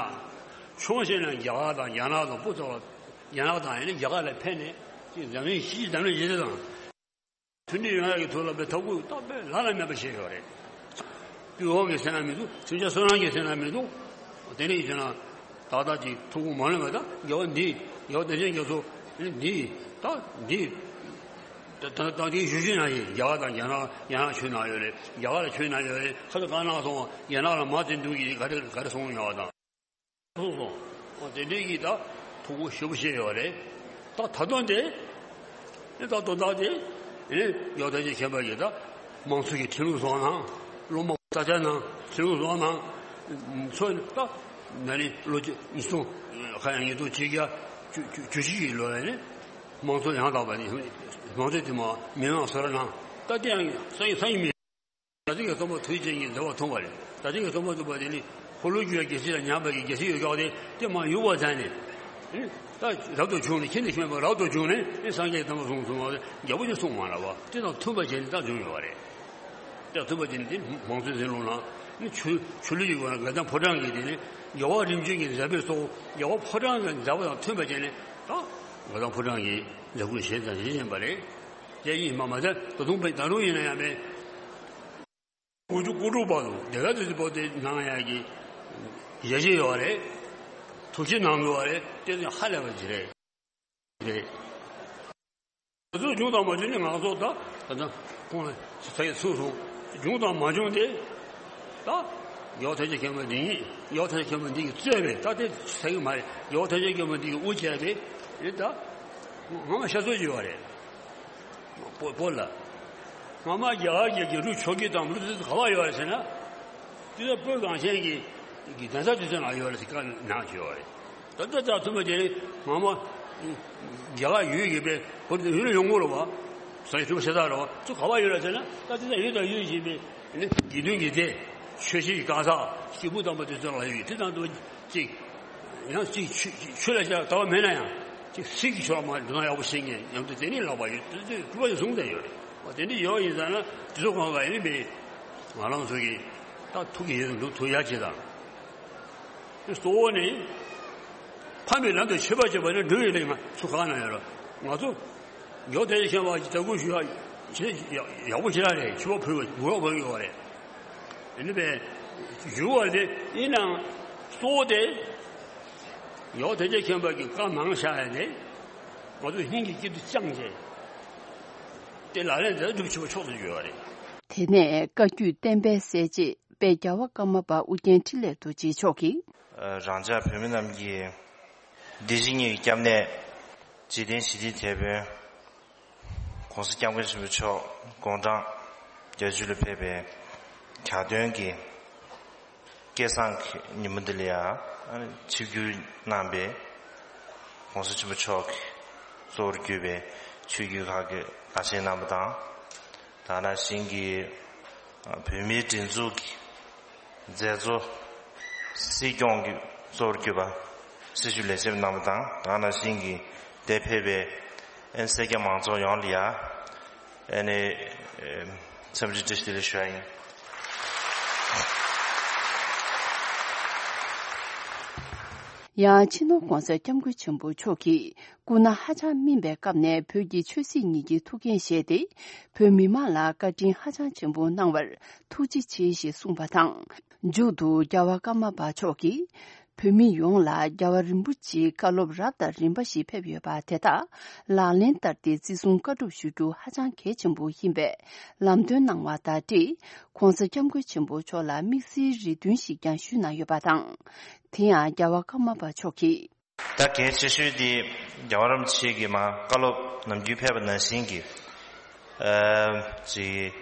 ཕྱོགས་གཅིག་ན་རྒྱ་གར་དང་རྒྱ་ནག་དང་སྤུ་ཚོགས་རྒྱ་ནག་དང་ཨེ་ནི་རྒྱ་གར་ལ་ཕན་ནས་ཅིག་འཛམ་གླིང་སྤྱི་འཛམ་གླིང་སྤྱི་དང་། མཐུན་སྒྲིལ་ཡོང་ཡག་གི་ཐོག་ལ་པའི་ཐབས་བཀོད་ཏག་ཏག་བླ་ན་མེད་པ་བྱས་ཡོད་རེད། དུས་འོག་གི་སེམས་ན་མི་འདུག་མཚོན་ཆ་བསོད་ནམས་ཀྱི་སེམས་ན་མི་འདུག་དེ་ནས་ཡིན་ན། ཏག་ཏག་ཅིག་ཐུགས་ཁུར་མ་ལོན་པ་དང་རྒྱལ་བ་འདི་རྒྱལ་བ་བདེ་ཆེན་རྒྱ་མཚོ་འདི་ད་འདི། ད་ད་ད་འདི་ཞུ་ཞུ་ན་ཡིན། རྒྱ་གར་དང་རྒྱ་ནག་རྒྱ་ནག་ཆོས་ནང་ཡོད་རེད། རྒྱ་གར་ལ་ཆོས་ནང་ཡོད་རེད། ཁ་ཐུག་གང་གནང་སོང་། རྒྱ་ནག་ལ་མ་བརྩི་འདུག་གི་ག་རེ་ག་རེ་སོང་ཡོད་དང་། སོང་སོང་། འོ་དེ་འདྲའི་གི་ད་ཐུགས་ཁུར་ཞེ་པོ་བཞེས་ཡོད་རེད། ད་ད་དུང་དེ་ནི་ད་དོན་དག་དེ་ནི་རྒྱལ་བ་ཐམས་ཅད་མཁྱེན་པ་གིས་ད་དམངས་གཙོ་གི་ཁྲིམས་ལུགས་བཟོ་གནང་། སློབ་མ་ས་ཆ་ནང་ཁྲིམས་ལུགས་བཟོ་གནང་། ཚོ་ནི་ད་ན་ནིང་ལོ་ཉིས་སྟོང་ཁ་ཡང་ཉིས་སྟོང་ཆིག་བརྒྱ་བཅུ་བཅུ་བཅུ་གཅིག་གི་ལོ་ལ་ནི་དམངས་གཙོ་ཡང་དག་པ་ནི་དམངས་གཙོ་དེ་མ་མི་མང་སོ་ར་ནང་ད་དེ་ཡང་ས་ཡི་ས་ཡི་མི། ད་ཅིག་གི་སྟོན་པ་ཐུགས་རྗེ་ཅན་གྱི་མཛད་པ་མཐོང་བ་རེད། ད་ཅིག་གི་སྟོན་པ་ཐུགས་པ་དེ་ནི་འཁོར་ལོས་སྒྱུར་བའི་རྒྱལ་སྲིད་ལ་ཉམས་པའི་རྒྱལ་སྲིད་ཡོད་ཀྱང་དེ་དེ་མ་ཡུལ་བ་མཚན་ནས། ད་རབ་ཏུ་བྱུང་ནས་ཁྱིམ་དུ་བྱོན་པ་རབ་ཏུ་བྱུང་ནས་ནི་སངས་རྒྱས་དམ་པ་གསུངས་གསུངས་པ་རྒྱལ་པོ་ཅིག་གསུངས་མ་རེད་བ། དེ་དང་མཐུན་པ་བྱས་ནས་ད་བྱུང་ཡོད་པ་རེད། ད་མཐུན་པ་བྱས་ནས་དེ་མང་གཙོའི་འཛིན་ལུགས་ནང་ནི་ཆོས་ཆོས་ལུགས་ཀྱི་སྒོ་ནས་དགའ་ལྡན་ཕོ་བྲང་གི་དེ་ནི་རྒྱལ་བ་རིམ་བྱོན་གྱི་མཛད་པའི་གཙོ་བོ་རྒྱལ་བ་ཕོ་བྲང་གི་མཛད་པ་དང་མཐུན་པ་བྱས་ནས་ད་དགའ་ལྡན་ཕོ་བྲང་གི་མཛད་ཁུར་བཞེས་དང་བཞེས་བཞིན་པ་རེད། དེ་ཡིན་མ་མ་ཟད་ད་དུང་ད་རུང་ཡིན་ན་ཡང་མེད། དགུ་བཅུ་གོ་དྲུག་བར་དུ་སྡེ་དགའ་བདུད་རྩི་པོ་ཏི་གནང་ཡག་གི་ཡ་གཞི་ཡོད་རེད། ཐུགས་རྗེ་གནང་དགོས་པ་རེད། དེ་ནི་ཧ་ལས་པ་ཅིག་རེད། རེད། ང་ཚོ་བྱུང་དང་མ་བྱུང་ནི་ང་ཚོ་ད་ད་ལྟ་ཁོང་ལ་ཚ་ཡི་ཚུགས་སོང་། བྱུང་དང་མ་བྱུང་དེ་ད་ཡོ་ཐ་ཆེ་མཁན་པོ་འདི་ཡིན། ཡོ་ཐ་ཆེ་མཁན་པོ་འདི་གི་རྩོད་པས་ད་དེ་ཚ་ཡི་མ་རེད། ཡོ་ཐ་ཆེ་མཁན་པོ་འདི་གི་དབུ་བྱས་ཏེ་རེད། ད་ང་ང་ཤ་ཚོད་ཅིག་ཡོད་རེད། པོ་པོ་ལ། སྔ་མ་རྒྱ་གར་གྱི་རྒྱལ་ཕྲུག་ཆོས་སྐྱིད་དང་ལུག་རྫི་ག་བ་ཡོད་རེད་ཟེར་ན། དེ་ཚོ་བོད་གངས་ཅན་གྱི་གི་གདན་ས་དེ་ཚོ་ནང་ཡོད་རེད་ཟེར་བཀའ་གནང་བྱས་ཡོད་རེད། ད་ལྟ་ད་ཐུབ་པ་དེ་ནི་སྔ་མ་རྒྱ་གར་ཡུལ་ཡོད་པའི་བོད་དུ་ཡུལ་ལ་ཡོང་གི་རེད་བ། ས་ཡི་ཐུབ་པ་ཤ་སྟག་རེད་བ། ཚོ་ག་བ་ཡོད་རེད་ཟེར་ན། ད་དེ་ཚོ་ཡུལ་དང་ཡུལ་བཞིན་པའི་ནི་དགེ་འདུན་གྱི་སྡེ། ཆོས་སྲིད་ཀྱི་གང་ཟག་སྐྱེས་བུ་དམ་པ་དེ་ཚོ་ལ་ཡོད་དེ་དང་དུ་གཅིག་ཡང་གཅིག་ཆོས་ཆོས་ལ་བྱ་ལྟ་བ་མེད་ན་ཡང་གཅིག་སྲིད་ཀྱི་ཆོས་མ་འགྲོ་ན་ཡག་པོ་ཤེས་མཁན་ཉམས་དེ་དེ་ནི་ལག་པ་ཡོད་དེ་ཚོས་གྲུབ་པ་ཡོད་བཟུང་བསྡད་ཡོད་རེད། འོ་དེ་འདྲ་ཡོད་ཡིན་ཙང་ན་དེ་ཚོ་གང་ག་ཡིན་པས་ང་རང་ཚོ་གིས་ད་ཐུགས་ཀྱི་ཡིད་དུ་འདུག་ཐུགས་ཡག་བྱེད་དང་། གཙོ་བོ་ནི་ཕ་མའི་ལམ་དུ་ཆོས་པ་བྱེད་པ་ནི་འགྲོ་བའི་ལས་མ་ཚུགས་གང་ན་ཡོད་རེད། ང་ཚོ་ཡོ་དེ་ཤེས་པ་ཅིག་ལྟ་སྐུལ་ཞུ་ཡག་ཡག་པོ་ཞེ་དྲག་རེད། ཆུ་བ་ཕུལ་བ་མགོ་ཡོག་ཕུལ་ཡོད་རེད། ཨ་ནི་པས་ཞུ་བ་དེ་ཡིན་ནའང་གཙོ་བོ་དེ་ཡོ་དེ་ཅེ་མཁྱེན་པ་གི་བཀའ་མང་བཞག་ཡ་དེ་ང་ཚོ་སྙིང་གི་དཀྱིལ་དུ་བཅངས་བྱས་དེ་ལག་ལེན་དེ་སྒྲུབ་ཆེ་བ་མཆོག་ཏུ་གྱུར་བ་རེད། དེ་ནས་བཀའ་བརྒྱུད་བསྟན་པའི་གསལ་བྱེད་དཔལ་རྒྱལ་བ་ཀརྨ་པ་ཨུ་རྒྱན་འཕྲིན་ལས་རྡོ་རྗེ་མཆོག་གིས། རང་ཅག་བོད་མི་རྣམས་ཀྱི་འདི་ཕྱི་གཉིས་ཀྱི་སྐྱབས་གནས་འཇིག་རྟེན་ཞི་བདེའི་དེད་དཔོན་༧གོང་ས་༧སྐྱབས་མགོན་ཆེན་པོ་མཆོག་དགུང་གྲངས་བརྒྱད་ཅུ་ལ་ཕེབས་པའི་གྱ་སྟོན་གྱི་སྐལ་བཟང་གི་ཉིན་མོ་འདི་ལ་ཡང་ཆིབས་བསྒྱུར་གནང་པའི་༧གོང་ས་ཆེན་པོ་མཆོག་གིས་གཙོ་བོར་གྱུར་པའི་ཆོས་བརྒྱུད་ཁག་གི་བླ་ཆེན་རྣམ་པ་དང་། དེ་ནང་བཞིན་གྱི་བོད་མིའི་སྒྲིག་འཛུགས་ཀྱི་མཛད་གཙོ། སྲིད་སྐྱོང་གི་གཙོ་བོར་གྱུར་པ་སྲི་ཞུ་ལས་བྱེད་རྣམ་པ་དང་། དེ་ནང་བཞིན་གྱི་འདིར་ཕེབས་པའི་ཨེ་སེར་སྐྱ་མང་ཚོགས་ཡོངས་ལ་ཡ་ཨེ་ནི་འཚམས་འདྲི་བཀྲ་ཤིས་བདེ་ལེགས་ཞུ་ཡ་ཡིན། ཡང་སྤྱི་ནོར་༧གོང་ས་༧སྐྱབས་མགོན་ཆེན་པོ་མཆོག་གིས་སྐུ་ན་ཧ་ཅང་སྨིན་པའི་སྐབས་ནས་བོད་ཀྱི་ཆོས་སྲིད་གཉིས་ཀྱི་ཐུགས་འགན་བཞེས་ཏེ། བོད་མི་མང་ལ་བཀའ་དྲིན་ཧ་ཅང་ཆེན་པོ་གནང་བར་ཐུགས་རྗེ་ཆེ་ཞེས་གསུངས་པ་དང་། མཇུག་ཏུ་རྒྱལ་བ་ཀརྨ་པ་མཆོག་གིས། བོད་མི་ཡོངས་ལ་རྒྱལ་བ་རིན་པོ་ཆེའི་བཀའ་སློབ་རབ་དང་རིམ་པ་ཞིག་ཕེབས་ཡོད་པ་དེ་དག་ལག་ལེན་བསྟར་ཏེ་བརྩི་སྲུང་བཀའ་སྒྲུབ་ཞུ་རྒྱུ་ཧ་ཅང་གལ་ཆེན་པོ་ཡིན་པས་ལམ་སྟོན་གནང་བ་དང་འབྲེལ་༸གོང་ས་༸སྐྱབས་མགོན་ཆེན་པོ་མཆོག་ལ་དམིགས་བསལ་རེ་འདུན་ཞིག་ཀྱང་ཞུས་གནང་ཡོད་པ་དང་། དེ་ཡང་རྒྱལ་བ་ཀརྨ་པ་མཆོག་གིས། ད་གལ་ཆེ་ཤོས་དེ་རྒྱལ་བ་རིན་པོ་ཆེ་གིས་མར་བཀའ་སློབ་ནམ་རྒྱུན་ཕེབས་པ་ནང་བཞིན་གྱི་ཨ་ཅིག་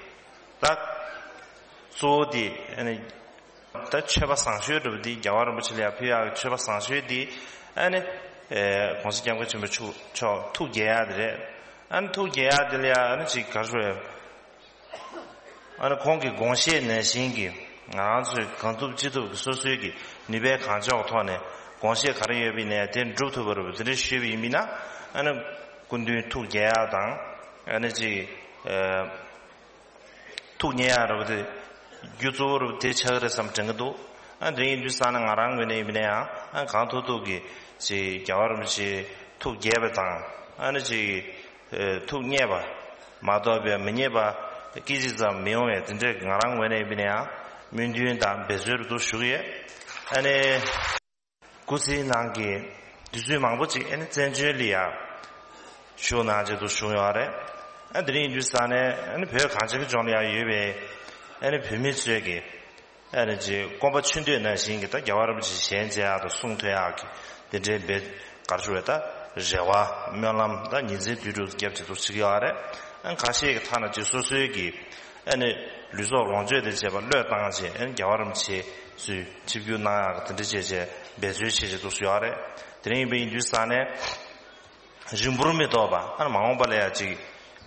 ད་གཙོ་བོ་དེ་ཨ་ནི་ད་མཆོད་པ་བཟང་ཤོས་འདྲ་པོ་དེ་རྒྱལ་བ་རིན་པོ་ཆེ་ལ་ཡར་ཕུལ་ཡག་གི་མཆོད་པ་བཟང་ཤོས་དེ་ཨ་ནི་༸གོང་ས་༸སྐྱབས་མགོན་ཆེན་པོ་མཆོག་མཆོག་ཐུགས་དགྱེས་ཡག་དེ་རེད། ཨ་ནི་ཐུགས་དགྱེས་ཡག་དེ་ལ་ཡང་ཨ་ནི་ཅིག་ག་རེ་ཞུ་དགོས་རེད། ཨ་ནི་ཁོང་གི་དགོངས་བཞེད་ནང་བཞིན་གྱི་ང་རང་ཚོས་གང་ཐུབ་ཅི་ཐུབ་ཀྱི་སོ་སོའི་གི་ནུས་པའི་གང་ལྕོགས་ཐོག་ནས་དགོངས་བཞེད་ག་རེ་ཡོད་པ་ཡིན་ནའི་དེ་འགྲུབ་ཐུབ་པ་རེད་པ། དེ་འདྲ་ཞུས་པ་ཡིན་མིན་ན་ཨ་ནི་སྐུ་མདུན་ཐུགས་དགྱེས་ཡག་དང་ཨ་ནི་ཅིག་ཨ་ཐུགས་མཉེས་ཡག་རེད་པ། དེ་རྒྱུ་གཙོ་བོ་རེད་པ། དེ་ཆགས་ཀྱི་རེད་བསམ་དྲན་གྱི་འདུག་ཨ་དེ་ཡིན་དུས་ཙང་ནས་ང་རང་ངོས་ནས་ཡིན་པ་ན་ཡང་ཨ་གང་ཐུབ་ཐུབ་ཀྱིས་ཅིག་རྒྱལ་བ་རིན་པོ་ཆེ་ཐུགས་དགྱེས་པ་དང་ཨ་ནི་ཅིག་ཨེ་ཐུགས་མཉེས་པ་མ་གཏོགས་པའི་མི་མཉེས་པ་སྐད་ཅིག་ཙམ་མི་ཡོང་བའི་དེ་འདྲའི་ང་རང་ངོས་ནས་ཡིན་པ་ན་ཡང་སྨོན་འདུན་དང་འབད་རྩོལ་རུ་འདུག་ཞུ་གི་ཡོད། ཨ་ནི་སྐུ་ཚེའི་ནང་གི་དུས་ཚོད་མང་པོ་ཅིག་ཨ་ནི་བཙན་བྱོལ་ལ་ཡ་བཞུགས་གནང་བྱས་འདུག་བཞུགས་ཡོད་རེད། ཨ་དེ་རིང་ཡིན་དུས་ཙང་ནས་ཨ་ནི་བོད་གངས་ཅན་གྱི་ལྗོངས་ལ་ཡ་ཡོད་པའི་ཨ་ནི་བོད་མི་ཚོས་ཀྱི་ཨ་ནི་ཅིག་སྐོམ་པ་ཆུ་འདོད་ནང་བཞིན་གྱི་ད་རྒྱལ་བ་རིན་པོ་ཆེ་ཞལ་མཇལ་ཡག་དང་གསུང་ཐོས་ཡག་གི་དེ་འདྲའི་འབད་ག་རེ་ཞུ་དགོས་རེད། ད་རེ་བ་སྨོན་ལམ་ད་ཉིན་མཚན་དུས་དྲུག་བརྒྱབ་བྱས་འདུག་བྱེད་ཀྱི་ཡོད་རེད། ཨ་ཁ་ཤས་ཀྱི་ཐ་ན་ཅིག་སོ་སོའི་གི་ཨ་ནི་ལུས་སྲོག་ལོངས་སྤྱོད་དང་བཅས་པ་བློས་བཏང་བྱས་ཨ་ནི་རྒྱལ་བ་རིན་པོ་ཆེ་ཚོའི་ཆིབས་བསྒྱུར་གནང་ཡག་གི་དེ་འདྲ་བྱས་བྱས་འབད་རྩོལ་བྱས་བྱས་འདུག་ཡོད་རེད། དེ་རིང་ཡིན་པ་ཡིན་དུས་ཙང་ནས་རིང་པོར་མི་ཐོགས་པ་ཨ་ནི་མ་འོངས་པ་ལ་ཡ་ཅིག་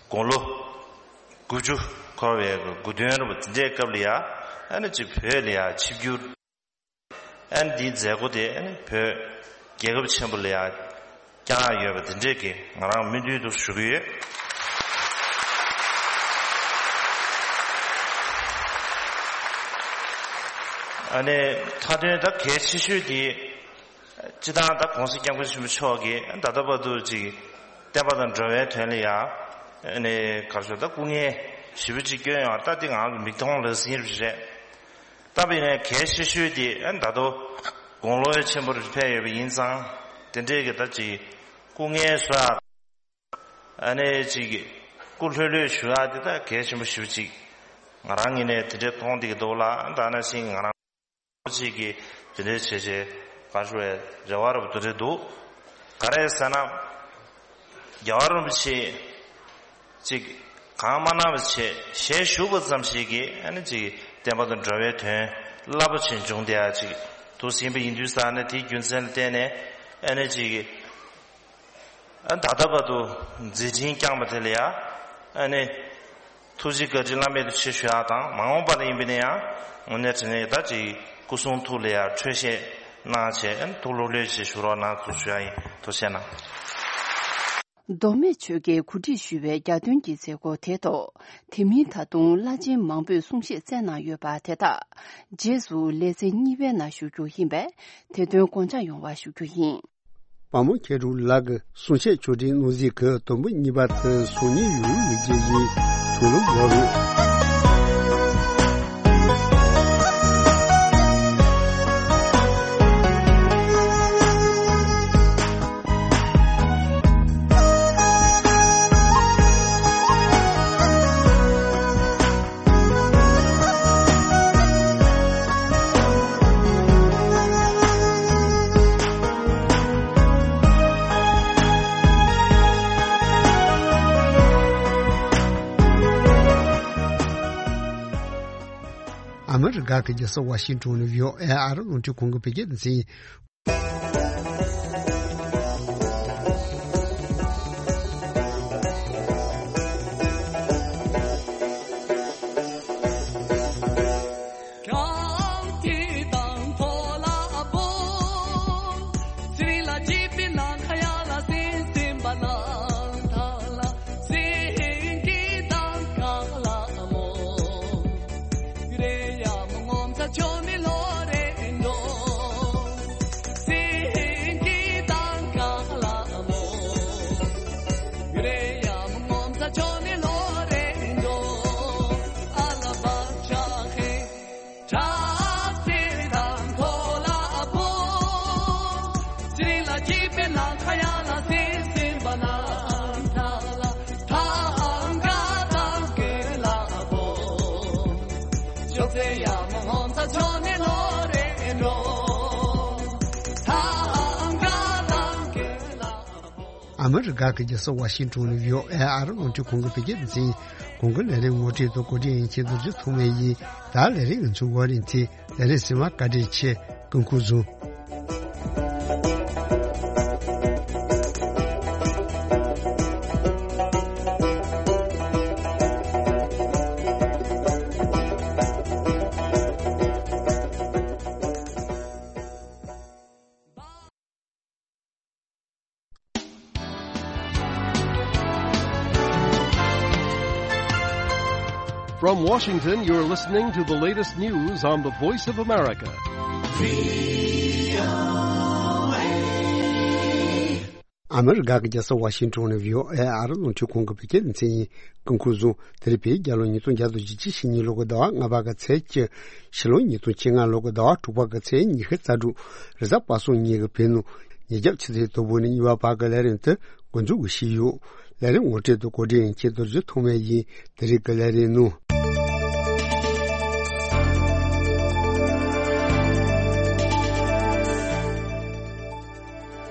དགུང་ལོ་དགུ་བཅུ་འཁོར་བའི་དགུང་སྟོན་རིན་པོ་དེ་འདྲའི་སྐབས་ལ་ཡ་ཨ་ནི་ཅིག་བོད་ལ་ཡ་ཆིབས་བསྒྱུར་ཨ་ནི་འདིའི་མཛད་སྒོ་དེ་ཨ་ནི་བོད་རྒྱལ་ཁབ་ཆེན་པོ་ལ་ཡ་བསྐྱངས་ཡོད་པ་དེ་འདྲས་ཀྱི་ང་རང་སྨོན་འདུན་དུ་ཞུ་གི་ཡོད། ཨ་ནི་མཐའ་དོན་ད་གལ་ཆེ་ཤོས་དེ་སྤྱི་བཏང་ད་༸གོང་ས་༸སྐྱབས་མགོན་ཆེན་པོ་མཆོག་གིས་ད་ལྟ་བར་དུ་ཅིག་བསྟན་པ་དང་འགྲོ་བའི་དོན་ལ་ཡ་ཨ་ནི་ག་རེ་ཞུ་ད་སྐུ་ངལ་ཞེ་པོ་ཅིག་བསྐྱོན་ཡོད་རེད། ད་འདི་ང་རང་གི་མིག་མཐོང་ལག་ཟིན་རེད། ད་བྱས་ནས་གལ་ཆེ་ཤོས་དེ་ཨ་ད་དུང་དགུང་ལོ་ཆེན་པོར་ཕེབས་ཡོད་པ་ཡིན་ཙང་དེ་འདྲའི་གི་ད་ཅིག་སྐུ་ངལ་གསོ་ཡག་ཨ་ནི་ཅིག་སྐུ་ལྷོད་ལྷོད་བཞུགས་ཡག་དེ་ད་གལ་ཆེན་པོ་ཞེ་པོ་ཅིག་ང་རང་ངོས་ནས་དེ་འདྲའི་མཐོང་བསྡད་ཀྱི་འདུག་ལ། ད་ནང་བཞིན་ང་རང་ཅིག་གིས་དེ་འདྲའི་བྱས་བྱས་ག་རེ་ཞུ་དགོས་རེ་བ་རབ་ཏུ་རེད་འདུག་ག་རེ་ཟེར་ན། རྒྱལ་བ་རིན་པོ་ཆེ་ཅིག་གང་མ་གནང་བ་བྱས་ཞལ་བཞུགས་པ་ཙམ་ཞིག་གིས་ཨ་ནི་ཅིག་བསྟན་པ་དང་འགྲོ་བའི་དོན་རླབས་པོ་ཆེ་འབྱུང་བསྡད་ཡག་ཅིག་འདུག་ཟིན་པ་ཡིན་དུས་ཙང་ནས་དེའི་རྒྱུ་མཚན་ལ་བརྟེན་ནས་ཨ་ནི་ཅིག་ཨ་ད་ལྟ་བར་དུ་མཛད་འཕྲིན་བསྐྱངས་པ་དེ་ལ་ཡ་ཨ་ནི་ཐུགས་རྗེ་བཀའ་དྲིན་བླ་མེད་དུ་ཆེ་ཞུ་ཡག་དང་མ་འོངས་པ་ལ་ཡིན་པ་ན་ཡང་དངོས་གནས་དྲང་གནས་ད་ཅིག་སྐུ་གསུང་ཐུགས་ལ་ཡ་འཕྲོད་བཞེས་གནང་བྱས་ཨ་ནི་ཐུགས་ལྷོད་ལྷོད་བྱས་བཞུགས་རོགས་གནང་ཞུ་ཡག་ཡིན། ཐུགས་རྗེ་གནང་། མདོ་སྨད་ཆོལ་ཁའི་གོ་སྒྲིག་ཞུས་པའི་རྒྱ་སྟོན་གྱི་མཛད་སྒོ་དེའི་ཐོག་དེ་མིན་ད་དུང་བླ་ཆེན་མང་པོས་གསུང་བཤད་སྩལ་གནང་ཡོད་པ་དེ་དག་རྗེས་སུ་ལེ་ཚན་གཉིས་པའི་ནང་ཞུ་རྒྱུ་ཡིན་པས་དེ་དོན་དགོངས་འཇགས་ཡོང་བ་ཞུ་རྒྱུ་ཡིན། དཔའ་མོ་མཁས་གྲུབ་ལགས་ཀྱི་གསུང་བཤད་ཆོས་འབྲེལ་ནོར་རྫས་ཀྱི་དུམ་བུ་གཉིས་པ་དེ་སང་ཉིན་ཡོང་ཡོད་རྒྱུ་ཡིན། ཐུགས་ལ་འོར། ཨ་མི་རི་ཀ་གི་རྒྱལ་ས་ཝ་ཤིང་ཏོན་ནས་བྷི་ཨོ་ཨེ་ཨ་རི་རླུང་འཕྲིན་ཁང་གི་བོད་སྐད་སྡེ་ཚན། ཨ་མི་རི་ཀ་གི་རྒྱལ་ས་ཝ་ཤིང་ཏོན་ནས་བྷི་ཨོ་ཨེ་ཨ་རི་རླུང་འཕྲིན་ཁང་གི་བོད་སྐད་སྡེ་ཚན་ཡིན། གོང་གི་ལས་རིམ་ངོ་སྤྲོད་དང་གོ་སྒྲིག་ཡིན་ཆེད་རྡོ་རྗེ་ཐོགས་མེད་ཡིན། ད་ལས་རིམ་ང་ཚོའི་བར་རིང་ཚེ་ལས་རིམ་ཟིན་མ་བཀའ་དྲིན་ཆེ། སྐུ་ཁམས་བཟང་། From Washington, you're listening to the latest news on the Voice of America. ཨ་མི་རི་ཀ་གི་རྒྱལ་ས་ཝ་ཤིང་ཏོན་ནས་བྷི་ཨོ་ཨེ་ཨ་རི་རླུང་འཕྲིན་ཁང་གི་བོད་སྐད་སྡེ་ཚན་ཡིན། སྐུ་ཁམས་བཟང་། དེ་རིང་བོད་རྒྱལ་ལོ་ཉིས་སྟོང་བརྒྱ་དང་བཞི་བཅུ་ཞེ་གཉིས་ལོ་གི་ཟླ་བ་ལྔ་པ་གི་ཚེས་བཅུ། ཕྱི་ལོ་ཉིས་སྟོང་བཅོ་ལྔ་ལོ་གི་ཟླ་བ་དྲུག་པ་གི་ཚེས་ཉི་ཤུ་རྩ་དྲུག་རེས་གཟའ་པ་སངས་ཉིན་གྱི་བོད་ནང་ཉིས་བརྒྱ་ཆུ་ཚོད་དང་པོ་ནས་གཉིས་པ་བར་གྱི་ལས་རིམ་དེ་འགོ་འཛུགས་ཞུས་ཡོད། ལས་རིམ་ངོ་སྤྲོད་དང་གོ་སྒྲིག་ཡིན་ཆེད་རྡོ་རྗེ་ཐོགས་མེད་ཡིན། དེ་རིང་གི་ལས་རིམ་ནང་།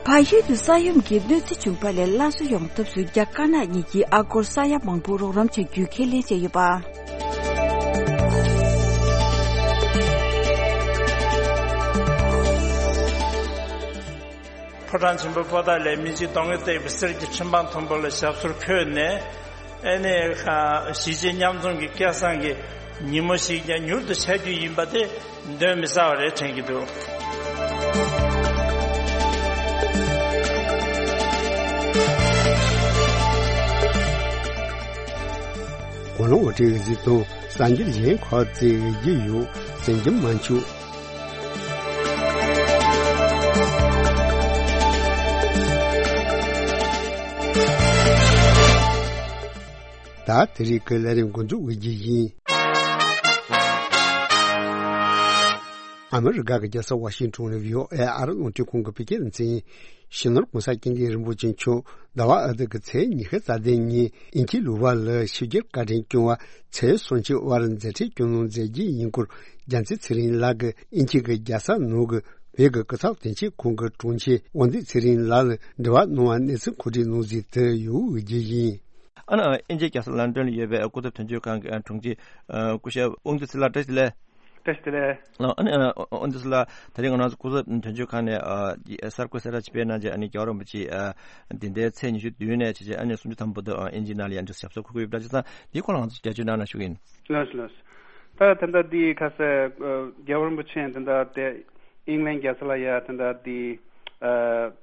བལ་ཡུལ་དུ་ས་ཡོམ་གྱི་གནོད་འཚེ་བྱུང་བ་ལས་སླར་གསོ་ཡོང་ཐབས་སུ་རྒྱ་དཀར་ནག་གཉིས་ཀྱིས་ཨ་སྒོར་ས་ཡ་མང་པོ་རོགས་རམ་བྱ་རྒྱུའི་ཁས་ལེན་བྱས་ཡོད་པ། ཕོ་བྲང་ཆེན་པོའི་པོ་ཏཱ་ལའི་མི་ཆེན་གདོང་གི་བཏེགས་པའི་གསེར་གྱི་ཁྲི་འཕང་མཐོན་པོ་ལ་ཞབས་སོར་འཁོད་ནས། ཨེ་ནས་གཞིས་བྱེས་མཉམ་འཛོམས་ཀྱི་སྐལ་བཟང་གི་ཉིན་མོ་ཞིག་ཀྱང་མྱུར་དུ་འཆར་རྒྱུ་ཡིན་པ་དེ་གདོན་མི་ཟ་བ་རེད་དྲན་གྱི་འདུག། གོ་ལོང་འོ་ཏྲི་གཟིགས་དང་གསར་འགྱུར་གཞན་ཁག་ཅིག་རྒྱུ་ཡོད་ཟིན་གྱི་མ་འཆུག། ད་དེ་རིང་གི་ལས་རིམ་འགོ་འཛུགས་འོས་རྒྱུ་ཡིན། ཨ་མི་རི་ཀ་གི་རྒྱལ་ས་ཝ་ཤིང་ཏོན་ནས་བྷི་ཨོ་ཨེ་ཨ་རི་རླུང་འཕྲིན་ཁང་གི་བོད་སྐད་སྡེ་ཚན་ཡིན། སྤྱི་ནོར་གོང་ས་སྐྱབས་མགོན་རིན་པོ་ཆེ་མཆོག་ཟླ་བ་ཨ་ཐུར་གྱི་ཚེས་ཉི་ཤུ་རྩ་བདུན་ཉིན་དབྱིན་ཇིའི་ལུ་བ་ལ་ཆིབས་བསྒྱུར་བཀའ་དྲིན་སྐྱོང་བ་ཚེས་སུམ་ཅུ་བར་མཛད་འཕྲིན་སྐྱོང་གནང་མཛད་རྒྱུ་ཡིན་སྐོར་རྒྱལ་མཚན་ཚེ་རིང་ལགས་ཀྱིས་དབྱིན་ཇི་གི་རྒྱལ་ས་ནང་གི་བོད་ཀྱི་སྐུ་ཚབ་དོན་གཅོད་ཁང་གི་དྲུང་ཆེ་དབང་འདུས་ཚེ་རིང་ལགས་ལ་འབྲེལ་བ་གནང་བའི་གནས་ཚུལ་གོ་སྒྲིག་གནང་ཟིན་དུ་ཡོད་རྒྱུ་ཡིན། ཨ་ནི་དབྱིན་ཇིའི་རྒྱལ་ས་ལོན་ཌོན་ལ་ཡོད་པའི་སྐུ་ཚབ་དོན་གཅོད་ཁང་གི་དྲུང་ཆེ་སྐུ་ཞབས་དབང་འདུས་ཚེ་ལགས་བཀྲ་ཤིས་བདེ་ལེགས། བཀྲ་ཤིས་བདེ་ལེགས། ཨ་ནི་ཨ་འདི་ཚོ་ལ་ད་རེས་ང་རང་ཚོ་སྐུ་ཚབ་དོན་གཅོད་ཁང་ནས་ཨ་གསར་འགོད་གསལ་བསྒྲགས་ཅིག་སྤེལ་གནང་རྗེས། ཨ་ནི་རྒྱལ་བ་རིན་པོ་ཆེ་ཨ་འདི་ཟླའི་ཚེས་ཉི་ཤུ་བདུན་ནས་བྱས་རྗེས་ཨ་ནི་སུམ་ཅུ་ཐམ་པ་བར་དུ་ཨ་དབྱིན་ཇིའི་ནང་ལ་ཡང་འདི་ཞབས་སོར་འཁོད་ཀྱི་ཡོད་པ་འདྲ་བྱས་ཙང་འདིའི་སྐོར་ལ་ང་ཚོ་རྒྱ་ཆེའི་ནང་ལ་ཞུ་གི་ཡིན། ལགས་སོ་ལགས་སོ། ད་ད་ལྟ་འདི་ཁ་སང་ཨ་རྒྱལ་བ་རིན་པོ་ཆེ་ད་ལྟ་དེ་ཨིང་ལན་རྒྱལ་ས་ལ་ཡ་ད་ལྟ་འདི་ཨ་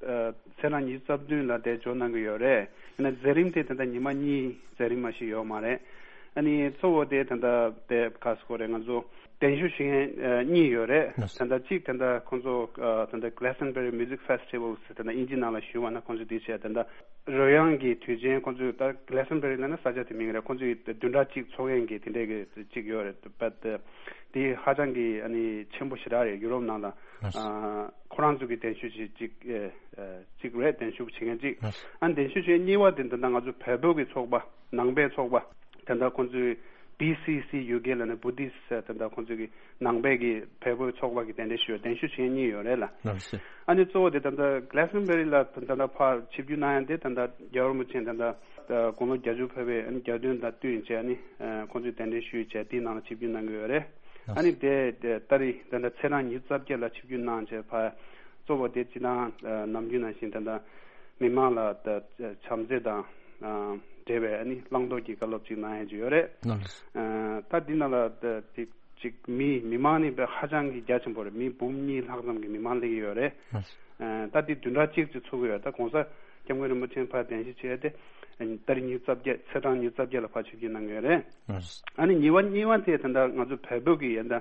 ཨ་ཚེས་གྲངས་ཉི་ཤུ་རྩ་བདུན་ལ་དེ་འབྱོར་གནང་གི་ཡོད་རེད། ཡིན་ན་མཛད་རིམ་དེ་ད་ལྟ་ཉི་མ་གཉིས་མཛད་རིམ་མ་ཞིག་ཡོད་མ་རེད། ཨ་ནི་གཙོ་བོ་དེ་ད་ལྟ་དེ་ཁ་སང་གོ་རེད། ང་ཚོ་གདན་ཞུ་བྱེད་མཁན་ཨ་གཉིས་ཡོད་རེད། ལགས་སོ། ད་ལྟ་གཅིག་ད་ལྟ་ཁོང་ཚོ་ཨ་ད་ལྟ་Glastonbury Music Festival ཟེར་ད་ལྟ་དབྱིན་ཇི་ནང་ལ་ཞུ་བ་ན་ཁོང་ཚོ་དེ་བྱས། ད་ལྟ་རོལ་དབྱངས་ཀྱི་དུས་ཆེན་ཁོང་ཚོས་ད་Glastonbury ལབ་ན་ས་ཆ་དེ་མིང་རེད། ཁོང་ཚོས་བདུན་ཕྲག་གཅིག་འཚོགས་མཁན་གྱི་དེ་འདྲའི་གི་གཅིག་ཡོད་རེད། But དེ་ཧ་ཅང་གི་ཨ་ནི་ཆེན་པོ་ཞེ་དྲག་རེད། ཡུ་རོབ་ནང་ལ་ལགས་སོ། ཨ་ཁོ་རང་ཚོ་གི་གདན་ཞུ་བྱེད་གཅིག་ཨ་ཨ་གཅིག་རེད། གདན་ཞུ་བྱེད་མཁན་གཅིག་ལགས་སོ། ཨ་ནི་གདན་ཞུ་བྱེད་གཉིས་པ་དེ་ད་ལྟ་ང་ཚོ་བལ་པོ་གི་ཚོགས་པ་ནང་པའི་ཚོགས་པ། ད་ལྟ་ཁོང་ཚོའི་B C C U K ལབ་ནས་Buddhist ད་ལྟ་ཁོང་ཚོ་གི་ནང་པའི་གི་བལ་པོའི་ཚོགས་པ་གི་གདན་འདྲེན་ཞུ་གདན་ཞུ་བྱེད་མཁན་གཉིས་ཡོད་རེད་ལ། ལགས་སོ། ཨ་ནི་གཙོ་བོ་དེ་ད་ལྟ་Glastonbury ལ་ད་ལྟ་ཕར་ཆིབས་བསྒྱུར་གནང་ཡ་དེ་ད་ལྟ་རྒྱལ་བ་རིན་པོ་ཆེ་ད་ལྟ་དགུང་ལོ་བརྒྱད་ཅུ་ཕེབས་པའི་ཨ་ནི་རྒྱལ་སྟོན་དང་བསྟུན་བྱས། ཨ་ནི་ཁོང་ཚོས་གདན་འདྲེན་ཞུས་བྱས་དེའི་ནང་ལ་ཆིབས་བསྒྱུར་གནང་གི་ཡོད་རེད། ཨ་ནི་དེ་ད་རེས་ད་ལྟ་ཚེས་གྲངས་ཉི་ཤུ་རྩ་བརྒྱད་ལ་ཆིབས་བསྒྱུར་གནང་བྱས་ཕར་གཙོ་བོ་དེ་སྤྱིར་བཏང་ནམ་རྒྱུན་ནང་བཞིན་ད་ལྟ་མི་མང་ལ་ད་བྱམས་བརྩེ་དང་འབྲེལ་བའི་ཨ་ནི་བླང་དོར་གྱི་བཀའ་སློབ་ཅིག་གནང་ཡ་ཅིག་ཡོད་རེད། ལགས་སོ། ད་འདི་ནང་ལ་ད་ཅིག་ཅིག་མི་མི་མང་ནི་དཔེ་ཧ་ཅང་གི་རྒྱ་ཆེན་པོ་རེད། མི་འབུམ་གཉིས་ལྷག་ཙམ་གྱི་མི་མང་སླེབས་ཀྱི་ཡོད་རེད། ལགས་སོ། ད་འདི་བདུན་ཕྲག་གཅིག་ཅིག་ཚུགས་ཀྱི་ཡོད། ད་གོང་ས་སྐྱབས་མགོན་རིན་པོ་ཆེ་ཕར་གདན་ཞུ་བྱས་ཏེ་ད་རེས་ཉི་ཤུ་རྩ་བརྒྱད་ཚེས་གྲངས་ཉི་ཤུ་རྩ་བརྒྱད་ལ་ཕར་ཆིབས་བསྒྱུར་གནང་གི་ཡོད་རེད། ཨ་ནི་གཉིས་པ་གཉིས་པ་དེ་ད་ལྟ་ང་ཚོ་བལ་པོ་གི་ཡ་ད་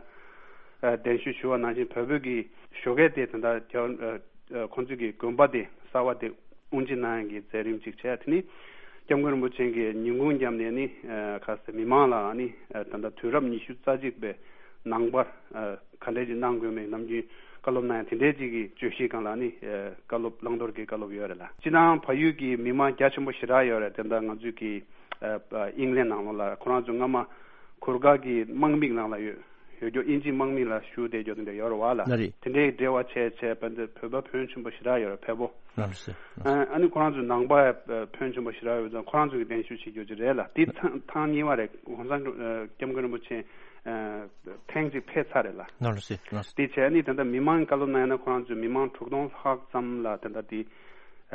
གདན་ཞུ་ཞུ་བ་ནང་བཞིན་བལ་པོ་གི་ཞོགས་ཀས་དེ་ད་ལྟ་རྒྱ་ཁོང་ཚོ་གི་དགོན་པ་དེ་གསར་པ་དེ་དབུ་འབྱེད་གནང་ཡ་གི་མཛད་རིམ་ཅིག་བྱས། དེ་ནི་སྐྱབས་མགོན་རིན་པོ་ཆེ་གི་ཉིན་གུང་མཉམ་ནས་ནི་ཁ་སང་མི་མང་ལ་ནི་ད་ལྟ་དུས་རབས་ཉི་ཤུ་རྩ་གཅིག་པའི་ནང་པར་ག་འདྲས་ཅིག་གནང་དགོས་མེད་ནམ་རྒྱུན་ བཀའ་སློབ་གནང་ཡ་དེ་འདྲའི་ཅིག་གི་བརྗོད་གཞིའི་སྒང་ལ་ནི་ཨ་བཀའ་སློབ་བླང་དོར་གྱི་བཀའ་སློབ་ཡོད་རེད་ལ། སྤྱིར་བཏང་བལ་ཡུལ་གྱི་མི་མང་རྒྱ་ཆེན་པོ་ཞེ་དྲག་ཡོད་རེད། དེ་འདྲ་ང་ཚོའི་གི་ཨ་ཨིང་ལན་ནང་ལོགས་ལ་ཁོ་རང་ཚོ་སྔ་མ་གུར་དཀར་གྱི་དམག་མིའི་ནང་ལ་ཡོད་ཡོད་རྒྱུ། དབྱིན་ཇིའི་དམག་མི་ལ་ཞུགས་བསྡད་རྒྱུ་དེ་འདྲ་ཡོད་རེད་བ་ལ། ལགས་རེད། དེ་འདྲའི་འབྲེལ་བ་བྱས་བྱས་བོད་འདི་བོད་པ་ཕོན་ཆེན་པོ་ཞེ་དྲག་ཡོད་རེད། བལ་པོ། ལགས་རེད་ཟེར། ལགས་སོ། ཨ་ཨ་ནི་ཁོ་རང་ཚོའི་ནང་པ་ཕོན་ཆེན་པོ་ཞེ་དྲག་ཡོད་ཙང་ཁོ་རང་ཚོ་གི་གདན་ཞུ་བྱེད་རྒྱུ་ཅིག་རེད་ལ། དེ་ཐེངས་ཐེངས་གཉིས་པ་རེད། གོང་ས་སྐྱབས་མགོན་རིན་པོ་ཆེ་ཨ་ཐེངས་གཅིག་ཕེབས་ཚར་རེད་ལ། ལགས་རེད་ཟེར། ལགས་སོ། དེ་བྱས་ནི་ད་ལྟ་མི་མང་བཀའ་སློབ་གནང་ཡ་ན་ཁོ་རང་ཚོའི་མི་མང་དྲུག་སྟོང་ལྷག་ཙམ་ལ་ད་ལྟ་དེ་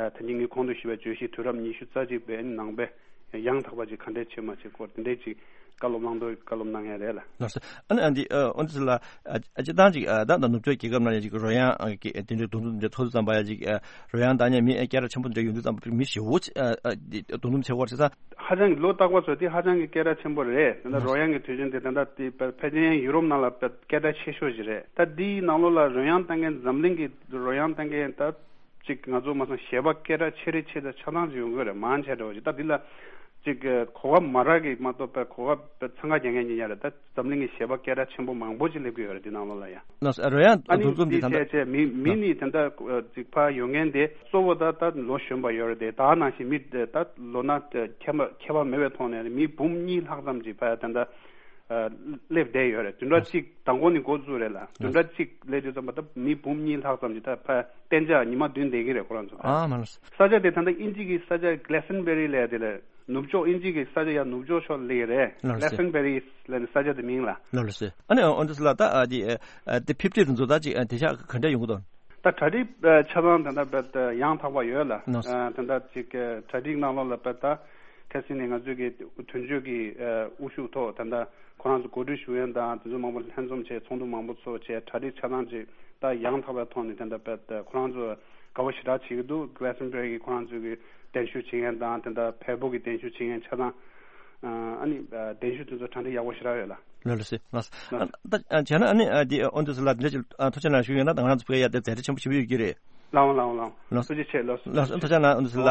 ཨ་ད་གིན་ངས་གོང་དུ་ཞུས་པའི་བརྗོད་གཞི་དུས་རབས་ཉི་ཤུ་རྩ་གཅིག་པའི་ནང་པའི་ཡང་དག་པ་ཅིག་ག་འདྲས་བྱེད་མ་བྱེད་སྐོར་དེ་འདྲས་ཅིག་བཀའ་སློབ་གནང་དོ་བཀའ་སློབ་གནང་ཡ་རེད་ལ། ལགས་སོ། ཨ་ནི་ཨ་འདི་ཨ་ཨོ་འདི་ཚོ་ལ་ཨ་ཨ་སྤྱིར་བཏང་ཅིག་ཨ་ད་ད་ནུབ་ཕྱོགས་རྒྱལ་ཁབ་ནང་ཡང་ཅིག་རོལ་དབྱངས་ཨ་གི་ཨ་དེ་འདྲའི་རྡུང་རྡུང་འདྲ་ཐོག་ཏུ་བརྩམས་པ་ཡ་ཅིག་ཨ་རོལ་དབྱངས་བཏང་མཁན་མི་ཨ་སྐད་གྲགས་ཆེན་པོ་འདྲ་ཡོང་དུས་ཙམ་པ་མི་ཞེ་པོ་ཅིག་ཨ་ཨ་འདི་རྡུང་རྡུང་བྱེད་དགོས་རེད་ཙང་། ཧ་ཅང་གི་ལོ་རྟག་པར་ཚོ་དེ་ཧ་ཅང་གི་སྐད་གྲགས་ཆེན་པོ་རེད། དེ་འདྲ་རོལ་དབྱངས་ཀྱི་དུས་ཆེན་དེ་ད་ལྟ་དེ་ཕལ་ཕལ་ཆེར་ཡུ་རོབ་ནང་ལ་སྐད་གྲགས་ཆེ་ཤོས་ཤིག་རེད། ད་འདིའི་ནང་ལོགས་ལ་རོལ་དབྱངས་བཏང་མཁན་འཛམ་གླིང་གི་རོལ་དབྱངས་བཏང་མཁན་ད། ཅིག་ང་ཚོ་མ་སང་གཞས་པ་སྐད་གྲགས་ཆེ་རེ་ཆེ་ད་ཆ་ཚང་ཅིག་ཡོང་གི་རེད། མང་ཆེ་འདྲ་བོ་ཅིག་ད་འདི་ལ་ཅིག་གོ་སྐབས་མ་རག་གི་མ་གཏོགས་པའི་གོ་སྐབས་འཚང་ཁ་རྒྱག་མཁན་ཉིད་ཡ་རེད། ད་འཛམ་གླིང་གི་གཞས་པ་སྐད་གྲགས་ཆེན་པོ་མང་པོ་ཅིག་སླེབས་ཀྱི་ཡོད་རེད་འདི་ནང་ལོགས་ལ་ཡ། ལགས་སོ། རོལ་དབྱངས་ཨ་ནི་འདུ་འཛོམས་འདི་འདི་ནང་བྱས་བྱས་མི་མི་ནི་ད་ལྟ་ཅིག་ཕར་ཡོང་མཁན་དེ་གཙོ་བོ་ད་ད་ལོ་གཞོན་པ་ཡོད་རེད་དེ། ད་ནང་བཞིན་མི་ད་ལོ་ན་ཁྱད་པར་ཁྱད་པར་མེད་པའི་ཐོག་ནས་མི་འབུམ་གཉིས་ལྷག་ཙམ་ཅིག་ཕར་ད་ལྟ་སླེབས་བསྡད་ཡོད་རེད། བདུན་ཕྲག་གཅིག་དང་པོ་ནས་འགོ་བཙུགས་རེད་ལ། བདུན་ཕྲག་གཅིག་སླེབས་དུས་ཙམ་པ་ད་མི་འབུམ་གཉིས་ལྷག་ཙམ་ཅིག་ད་ཕར་གཏན་འཇགས་ཉི་མ་བདུན་བསྡད་ཀྱི་རེད་ཁོ་རང་ཚོ། ཨ་མ་ལགས་སོ། ས་ཆ་དེ་ད་ལྟ་དབྱིན་ཇི་གི་ས་ཆ་Glastonbury་ལབ་དེ་ལ་ནུབ་ཕྱོགས་དབྱིན་ཇི་གི་ས་ཆ་ཡ་ནུབ་ཕྱོགས་ཕྱོགས་སླེབས་ཀྱི་རེད། ལགས་སོ། Glastonbury་ལབ་ནས་ས་ཆ་དེ་མིང་ལ། ལགས་སོ། ཨ་ནི་ཨོ་འདི་ཚོ་ལ་ད་ཨ་དེ་ཨ་དེ་ཕེབས་དུས་དེ་ཚོ་ད་ཅིག་ཨ་དེང་སང་ག་འདྲ་ཡོང་གི་འདུག་ད་གྲ་སྒྲིག་ཨ་ཆ་ཚང་ད་ལྟ་ཡང་དག་པ་ཡོད་ལ། ལགས་སོ། ཨ་ད་ལྟ་ཅིག་ཨ་གྲ་སྒྲིག་ནང་ལོགས་ལ་ད་ཁ་སང་ནས་ང་ཚོའི་གི་དོན་གཅོད་ཀྱི་ཨ་དབུ་བཞུགས་ཐོག་ད་ལྟ་ཁོ་རང་ཚོ་གོ་སྒྲིག་ཞུ་མཁན་དང་དེ་ཚོ་མང་པོ་ལྷན་འཛོམས་བྱས། ཚོགས་འདུ་མང་པོ་ཚོགས་བྱས། གྲ་སྒྲིག་ཆ་ཚང་ཅིག་ད་ཡང་དག་པའི་ཐོག་ནས་ད་ལྟ་ཁོ་རང་ཚོ་དགའ་པོ་ཞེ་དྲག་བྱེད་ཀྱི་འདུག Glastonbury་གི་ཁོ་རང་ཚོའི་གི་གདན་ཞུ་བྱེད་མཁན་དང་ད་ལྟ་བལ་པོ་གི་གདན་ཞུ་བྱེད་མཁན་ཆ་ཚང་ཨ་ནི་གདན་ཞུ་དེ་ཚོ་གྲ་སྒྲིག་ཡག་པོ་ཞེ་དྲག་ཡོད་ལ། ལགས་ལགས་སེ་ལགས། ད་བྱས་ན་ཨ་ནི་འདི་ཨོ་འདི་ཚོ་ལ་འདི་འདྲ་ཅིག་ཐུགས་རྗེ་གནང་ཞུ་ཡོད་ན་ད་ང་རང་ཚོ་བོད་ཡ་དེ་མཛད་རྗེས་ཆེན་པོ་ཞེ་པོ་ཡོད་ཀྱི་རེད། ལགས་འོང་ལགས་འོང་ལགས་འོང་། ལགས་སོ། ཐུགས་རྗེ་ཆེ། ལགས་སོ། ལགས་སོ། ཐུགས་རྗེ་གནང་། ཨོ་འདི་ཚོ་ལ།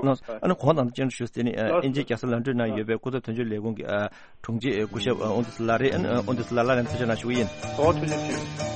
ལགས་སོ། ཨ་ནི་གོང་དང་ཅན་ཞུ་སྟེ་ནི་ཨིན་ཇི་རྒྱལ་ས་ལོན་ཌོན་ནང་ཡོད་པའི་སྐུ་ཚབ་དོན་གཅོད་ལས་ཁུངས་ཀྱི་དྲུང་ཆེ་སྐུ་ཞབས་ཨོ་འདི་ཚོ་ལ་རེད། ཨོ་འདི་ཚོ་ལ་ལ་ལན་ཐུགས་རྗེ་གནང་ཞུ་གི་ཡིན། ཨོ་ཐུགས་རྗེ་ཆེ།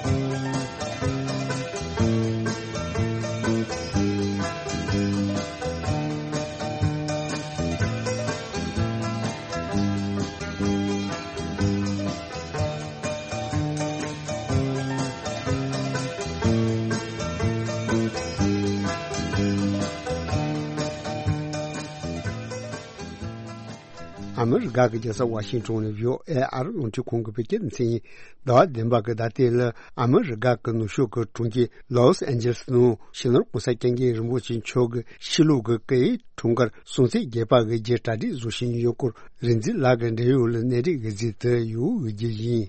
ཨ་མི་རི་ཀ་གི་རྒྱལ་ས་ཝ་ཤིང་ཊོན་ནས་བྷི་ཨོ་ཨེ་ཨ་རི་རླུང་འཕྲིན་ཁང་གི་བོད་སྐད་སྡེ་ཚན་ཡིན། ཟླ་བ་བདུན་པ་གི་ཟླ་སྟེང་ལ་ཨ་མི་རི་ཀ་གི་ནུབ་ཕྱོགས་ཀྱི་གྲོང་ཁྱེར་ལོས་ཨན་ཇེ་ལིས་ནང་སྤྱི་ནོར་༸གོང་ས་༸སྐྱབས་མགོན་རིན་པོ་ཆེ་མཆོག་གི་ཕྱི་ལུགས་ཀྱི་སྐུའི་འཁྲུངས་སྐར་སྲུང་བརྩི་རྒྱས་པ་གི་རྗེས་གྲ་སྒྲིག་བཟོ་བཞིན་ཡོད་སྐོར་རིག་འཛིན་ལགས་ཀྱིས་འབྲེལ་ཡོད་ལ་གནས་འདྲི་གི་རྗེས་དུ་ཡོད་རྒྱུ་ཡིན།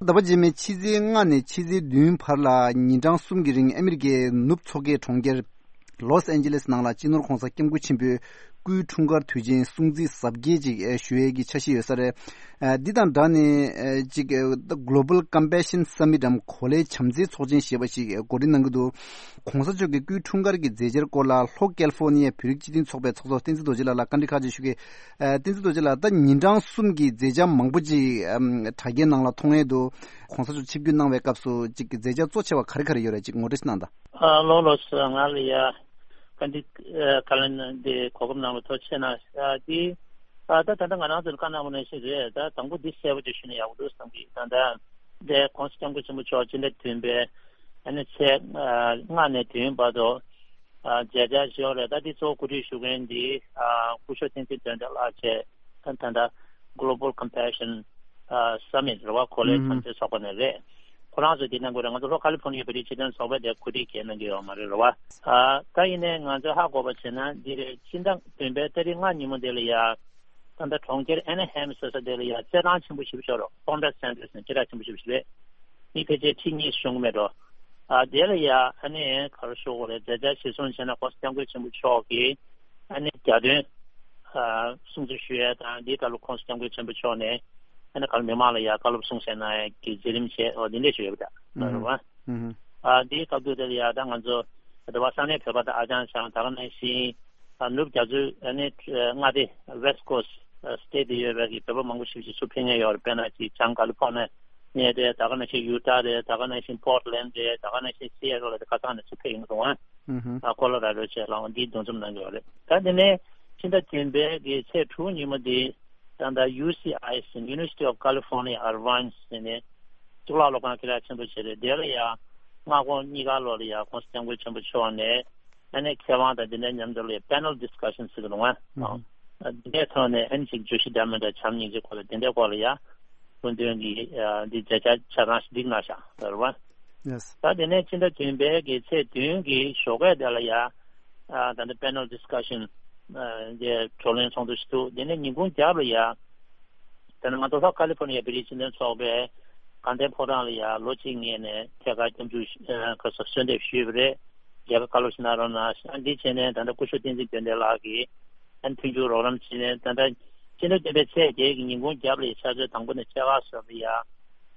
ཟླ་བ་རྗེས་མའི་ཕྱི་ཚེས་ལྔ་ནས་ཕྱི་ཚེས་བདུན་བར་ལ་ཉིན་གྲངས་གསུམ་གྱི་རིང་ཨ་མི་རི་ཀའི་ནུབ་མཚོ་ཁའི་གྲོང་ཁྱེར་ལོས་ཨན་ཇེ་ལིས་ནང་ལ་སྤྱི་ནོར་༸གོང་ས་༸སྐྱབས་མགོན་ཆེན་པོའི་སྐུའི་འཁྲུངས་སྐར་དུས་ཆེན་སྲུང་བརྩི་གཟབ་རྒྱས་ཅིག་ཞུ་ཡས་ཀྱི་འཆར་གཞི་ཡོད་ས་རེད། འདི་དང་སྦྲགས་ནས་ཅིག་Global Compassion Summit་འམ་གོ་ལའི་བྱམས་བརྩེའི་ཚོགས་ཆེན་ཞེས་པ་ཞིག་གོ་སྒྲིག་གནང་གི་འདུག ༸གོང་ས་མཆོག་གི་སྐུའི་འཁྲུངས་སྐར་གྱི་མཛད་འཆར་སྐོར་ལ་ལྷོ་ཀལ་ཧྥོ་ནི་ཡའི་བོད་རིགས་སྤྱི་མཐུན་ཚོགས་པའི་ཚོགས་གཙོ་བསྟན་འཛིན་རྡོ་རྗེ་ལགས་ལ་བཀའ་འདྲི་ཁག་ཅིག་ཞུ་གི། ཨ་བསྟན་འཛིན་རྡོ་རྗེ་ལགས། ད་ཉིན་གྲངས་གསུམ་གྱི་མཛད་འཆར་མང་པོ་ཅིག་ཨམ་དྲ་རྒྱའི་ནང་ལ་མཐོང་ཡས་འདུག ༸གོང་ས་མཆོག་ཆིབས་བསྒྱུར་གནང་བའི་སྐབས་སུ་ཅིག་མཛད་འཆར་གཙོ་ཆེ་བ་ག་རེ་ག་རེ་ཡོད་རེད། ཅིག་ངོ་སྤྲོད་ཅིག་གནང་དང་། ཨ་ལགས་ལགས་སོ། ང་ལ་ཡ་བཀའ་འདྲི་ཨ་བཀའ་ལན་འདི་གོ་སྐབས་གནང་བར་ཐུགས་རྗེ་ཆེ་གནང་། ཨ་འདི་ཨ་ད་ད་ལྟ་ང་རང་ཚོར་བཀའ་གནང་བ་ནང་བཞིན་རེད། ད་དང་པོ་འདི་གསལ་པོ་ཅིག་ཞུས་ན་ཡག་པོ་འདུག་བསམ་གི། ད་ད་འདི་༸གོང་ས་༸སྐྱབས་མགོན་ཆེན་པོ་མཆོག་སྤྱི་ཟླ་བདུན་པའི་ཨ་ནི་ཚེས་ཨ་ལྔ་ནས་བདུན་བར་དུ་ཨ་མཛད་འཆར་ཞུས་ཡོད་རེད། ད་འདི་གཙོ་བོ་གོ་སྒྲིག་ཞུ་མཁན་འདི་ཨ་སྐུ་ཞབས་བསྟན་འཛིན་དོན་གྲུབ་ལགས་བཅས། ད་ད་ལྟ་Global Compassion ཨ་Summit་རེད་བ། གོ་ལའི་ཨུམ་བྱམས་བརྩེའི་ཚོགས་པ་ནས་རེད། ཁོ་རང་ཚོས་འདི་གནང་དགོས་རེད། ང་ཚོ་ལྷོ་ཁ་ལི་ཕོར་ནི་ཡའི་བོད་རིགས་སྤྱི་མཐུན་ཚོགས་པས་དེ་གོ་སྒྲིག་གང་ཡང་གནང་གི་ཡོད་མ་རེད། རེད་བ། ཨ་ད་ཡིན་ནའི་ང་ཚོས་ཧ་གོ་བ་བྱས་ན་འདི་རེད། ཕྱི་ཟླ་བདུན་པའི་ཏ་རིག་ལྔ་ཉིན་མོ་དེ་ལ་ཡ་ད་ལྟ་གྲོང་ཁྱེར་ཨ་ན་ཧེམ་ཟེར་ས་དེ་ལ་ཡ་རྩེད་ཐང་ཆེན་པོ་ཞེ་པོ་ཅིག་ཡོད་རེད། Conrad Center་ཟེར་ནས་སྐད་གྲགས་ཆེན་པོ་ཞེ་པོ་ཅིག་རེད། མི་ཕལ་ཆེར་ཁྲི་གཉིས་ཤོང་གི་མེད་འགྲོ། ཨ་དེ་ལ་ཡ་ཨ་ནི་ག་རེ་ཞུ་དགོས་རེད། མཛད་འཆར་གཞིར་བཟུང་བྱས་ན་༸གོང་ས་༸སྐྱབས་མགོན་ཆེན་པོ་མཆོག་གིས་ཨ་ནི་རྒྱ་སྟོན་ཨ་སྲུང་བརྩི་ཞུ་ཡས་དང་། འདིའི་སྐབས་ལ་༸གོང་ས་༸སྐྱབས་མགོན་ཆེན་པོ་མཆོག་ནས་ཨ་ནི་ག་རེ་མི་མང་ལ་ཡ་བཀའ་སློབ་གསུང་བཤད་གནང་ཡས་ཀྱི་མཛད་རིམ་བྱས། འོ་འདི་འདྲས་ཞིག་ཡོད་པ་འདྲ་རེད་བ། ཨ་འདིའི་སྐབས་དུས་དེ་ལ་ཡ་ད་ང་ཚོ་དེ་བ་ས་གནས་བོད་པ་དང་ཨ་ཅང་ཅང་ད་ག་ནང་བཞིན་ཨ་ནུབ་རྒྱ་མཚོའི་ཨ་ནི་མངའ་སྡེ་West Coast State་དེ་ཡོད་པའི་གི་བོད་པ་མང་པོ་ཞིག་ཅིག་ཚུར་ཕེབས་མཁན་ཡོད་རེད། དཔེར་ན་ཅིག་བྱང་ཀ་ལི་ཕོར་ནི་ ནས་རེད། ད་ག་ནང་བཞིན་ཡུ་ཊ་རེད། ད་ག་ནང་བཞིན་པོར་ཊ་ལེན་ཌི་རེད། ད་ག་ནང་བཞིན་སི་ཨེ་ཊལ་རེད། ཁ་སང་ནས་ཚུར་ཕེབས་ཡོང་སོང་ཨ། ཨ་ཀོ་ལོ་ར་ཌོ་བཅས་ལའང་འདིའི་འདུ་འཛོམས་གནང་གི་ཡོད་རེད། ད་དེ་ནས་ཕྱི་ཟླ་བདུན་པའི་གི་ཚེས་དྲུག་ཉིན་མོ་འདི་ད་ལྟ་ཡུ་སི་ཨའི་ཟེར། University of California Irvine ཟེར་ནས་གཙུག་ལག་སློབ་ཁང་དཀའ་ལས་ཆེན་པོ་ཞིག་རེད། དེ་ལ་ཡང་མངའ་ཁོངས་གཉིས་ཀ་ལོག་ལ་ཡང་༸གོང་ས་༸སྐྱབས་མགོན་ཆེན་པོ་མཆོག་ནས་ཨ་ནི་མཁས་དབང་དང་དེ་འདྲའི་མཉམ་དུ་ལ་ཡང་པེ་ནལ་ཌི་སི་ཀ་ཤན་ཟེར་གི་རེད་བ། ཨ་དེ་འདྲའི་ཐོག་ནས་ཨ་ནི་ཅིག་བརྗོད་གཞི་འདྲ་མི་འདྲ་བྱམས་སྙིང་རྗེ་སྐོར་ལ་དེ་འདྲའི་སྐོར་ལ་ཡང་སྐུ་མདུན་གྱིས་ཨ་འདི་མཛད་འཆར་ཆ་ཚང་ཞིག་བསྒྲིགས་གནང་བཞག་ཟེར་བ། Yes. ད་དེ་ནས་ཕྱི་ཟླ་བདུན་པའི་གི་ཚེས་བདུན་གྱི་ཞོགས་ཀས་དེ་ལ་ཡང་ཨ་ད་ལྟ་པེ་ནལ་ཌི་སི་ཀ་ཤན་ཨ་དེ་བགྲོ་གླེང་ཚོགས་འདུ་ཞིག་འདུག་དེ་ནས་ཉིན་གུང་རྒྱབ་ལ་ཡང་ད་ནི་ང་ཚོ་ལྷོ་ཀ་ལི་ཕོར་ནི་ཡ་བོད་རིགས་སྤྱི་མཐུན་ཚོགས་པའི་དགའ་ལྡན་ཕོ་བྲང་ལ་ཡང་ལོ་གཅིག་སྔོན་ནས་ཐད་ཀར་སྐྱབས་འཇུག་ཨ་ཁ་སོ་གསོལ་འདེབས་ཞུས་པ་རེད། རྒྱལ་ཁ་བཀའ་སློབ་ཞིག་གནང་རོགས་གནང་། ཨ་འདི་བྱས་ནས་ད་ལྟ་སྐུ་ཞབས་བསྟན་འཛིན་དོན་ལྡན་ལགས་ཀྱིས་ཨ་མཐུན་འགྱུར་རོགས་རམ་བྱས་ནས་ད་ལྟ་ཕྱི་ཟླ་བདུན་པའི་ཚེས་བརྒྱད་ཀྱི་ཉིན་གུང་རྒྱབ་ལ་ཡང་ཕྱག་ཚོད་དང་པོ་ནས་ཕྱེད་ཀ་སོགས་ལ་ཡང་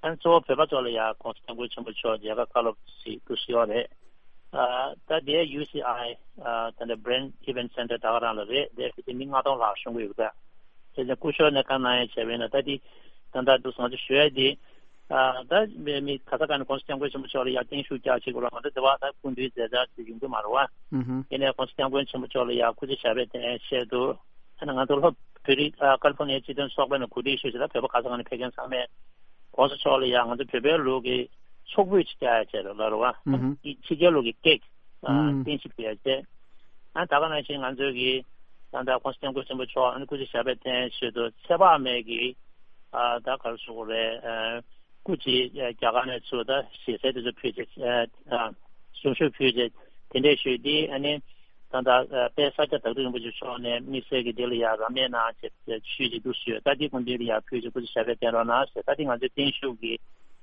ཨ་གཙོ་བོ་བོད་པ་ཚོ་ལ་ཡང་༸གོང་ས་༸སྐྱབས་མགོན་ཆེན་པོ་མཆོག་མཇལ་ཁ་བཀའ་སློབ་ཞིག་འདུག་ཞུ་ཡོད་རེད། ཨ་ད་དེ་ཡུ་སི་ཨའི་ཨ་ད་ལྟ་Brain Event Center ད་ག་རང་ལ་རེད། དེ་ཕལ་ཆེར་མི་ལྔ་སྟོང་ལྷག་ཤོང་གི་ཡོད་པས། དེ་ནས་སྐུ་ཞབས་ནས་བཀའ་གནང་ཡ་བྱས་པས་ན་ད་དེ་ད་ལྟ་འདུག་ང་ཚོ་ཞུ་ཡ་དེ། ཨ་ད་མི་མི་ག་ས་ག་ནས་༸གོང་ས་༸སྐྱབས་མགོན་ཆེན་པོ་མཆོག་ལ་ཡར་བརྟན་བཞུགས་རྒྱག་ཅིག་རོགས། ང་ཚོ་འདི་བ་ད་སྐུ་མདུན་མཛད་འཆར་ཅིག་ཡོང་གི་མ་རེད་བ། ཨུ་ཧུ། དེ་ནས་༸གོང་ས་༸སྐྱབས་མགོན་ཆེན་པོ་མཆོག་ལ་ཡར་སྐུ་ཚེ་ཞབས་པད་བརྟན་ཆེད་དུ་ཨ་ནི་ང་ཚོ་ལྷོ་བོད་རིགས་ཨ་ཀ་ལི་ཕོར་ནི་ཡའི་སྤྱི་མཐུན་ཚོགས་པ་ནས་གོ་སྒྲིག་ཞུས་ཤིག་ད་བོད་པ་ག་ས་ག་ནས་ཕེབས་མཁན་ཚང་མས་༸གོང་ས་མཆོག་ལ་ཡར་ང་ཚོ་བོད་པའི་ལུགས་ཀྱི་ཚོགས་ཕུད་ཅིག་རྒྱག་ཡ་བྱས་རོགས་ལབ་རེད་བ། ཨུ་ཧུ། ཕྱི་རྒྱལ་ལུགས་ཀྱི་ཀེག་ཨ་ཨུ་ཧུ། རྟེན་གཞི་ཕུལ་ཡ་བྱས། ཨ་ད་ག་ནང་བཞིན་ང་ཚོའི་གི་ད་ལྟ་༸གོང་ས་༸སྐྱབས་མགོན་ཆེན་པོ་མཆོག་ཨ་ནི་སྐུ་ཚེ་ཞབས་པད་བརྟན་ཆེད་དུ་ཚེ་དཔག་མེད་ཀྱི་ཨ་ད་ག་རེ་ཞུ་དགོས་རེད། ཨ་སྐུ་ཅིག་རྒྱ་གར་ནས་ཚུར་ད་ཞལ་ཟས་དེ་ཚོ་ཕུལ་བྱས་ཨ་གཟུངས་གཞུག་ཕུལ་བྱས་དེ་འདྲས་ཞུས་ཏེ། ཨ་ནི་ད་ལྟ་དཔལ་ས་སྐྱ་བདག་ཁྲི་རིན་པོ་ཆེ་མཆོག་ནས་དམིགས་བསལ་གྱི་དེ་ལ་ཡང་རབ་གནས་གནང་བྱས་ཞུས་ཅིག་འདུག་ཞུས། ད་འདི་སྐུ་མདུན་ལ་ཡང་ཕུལ་བྱས་སྐུ་ཚེ་ཞབས་པད་བརྟན་རོགས་གནང་ཞེས། ད་འདི་ང་ཚོའི་བརྟན་བཞུགས་ཀྱི་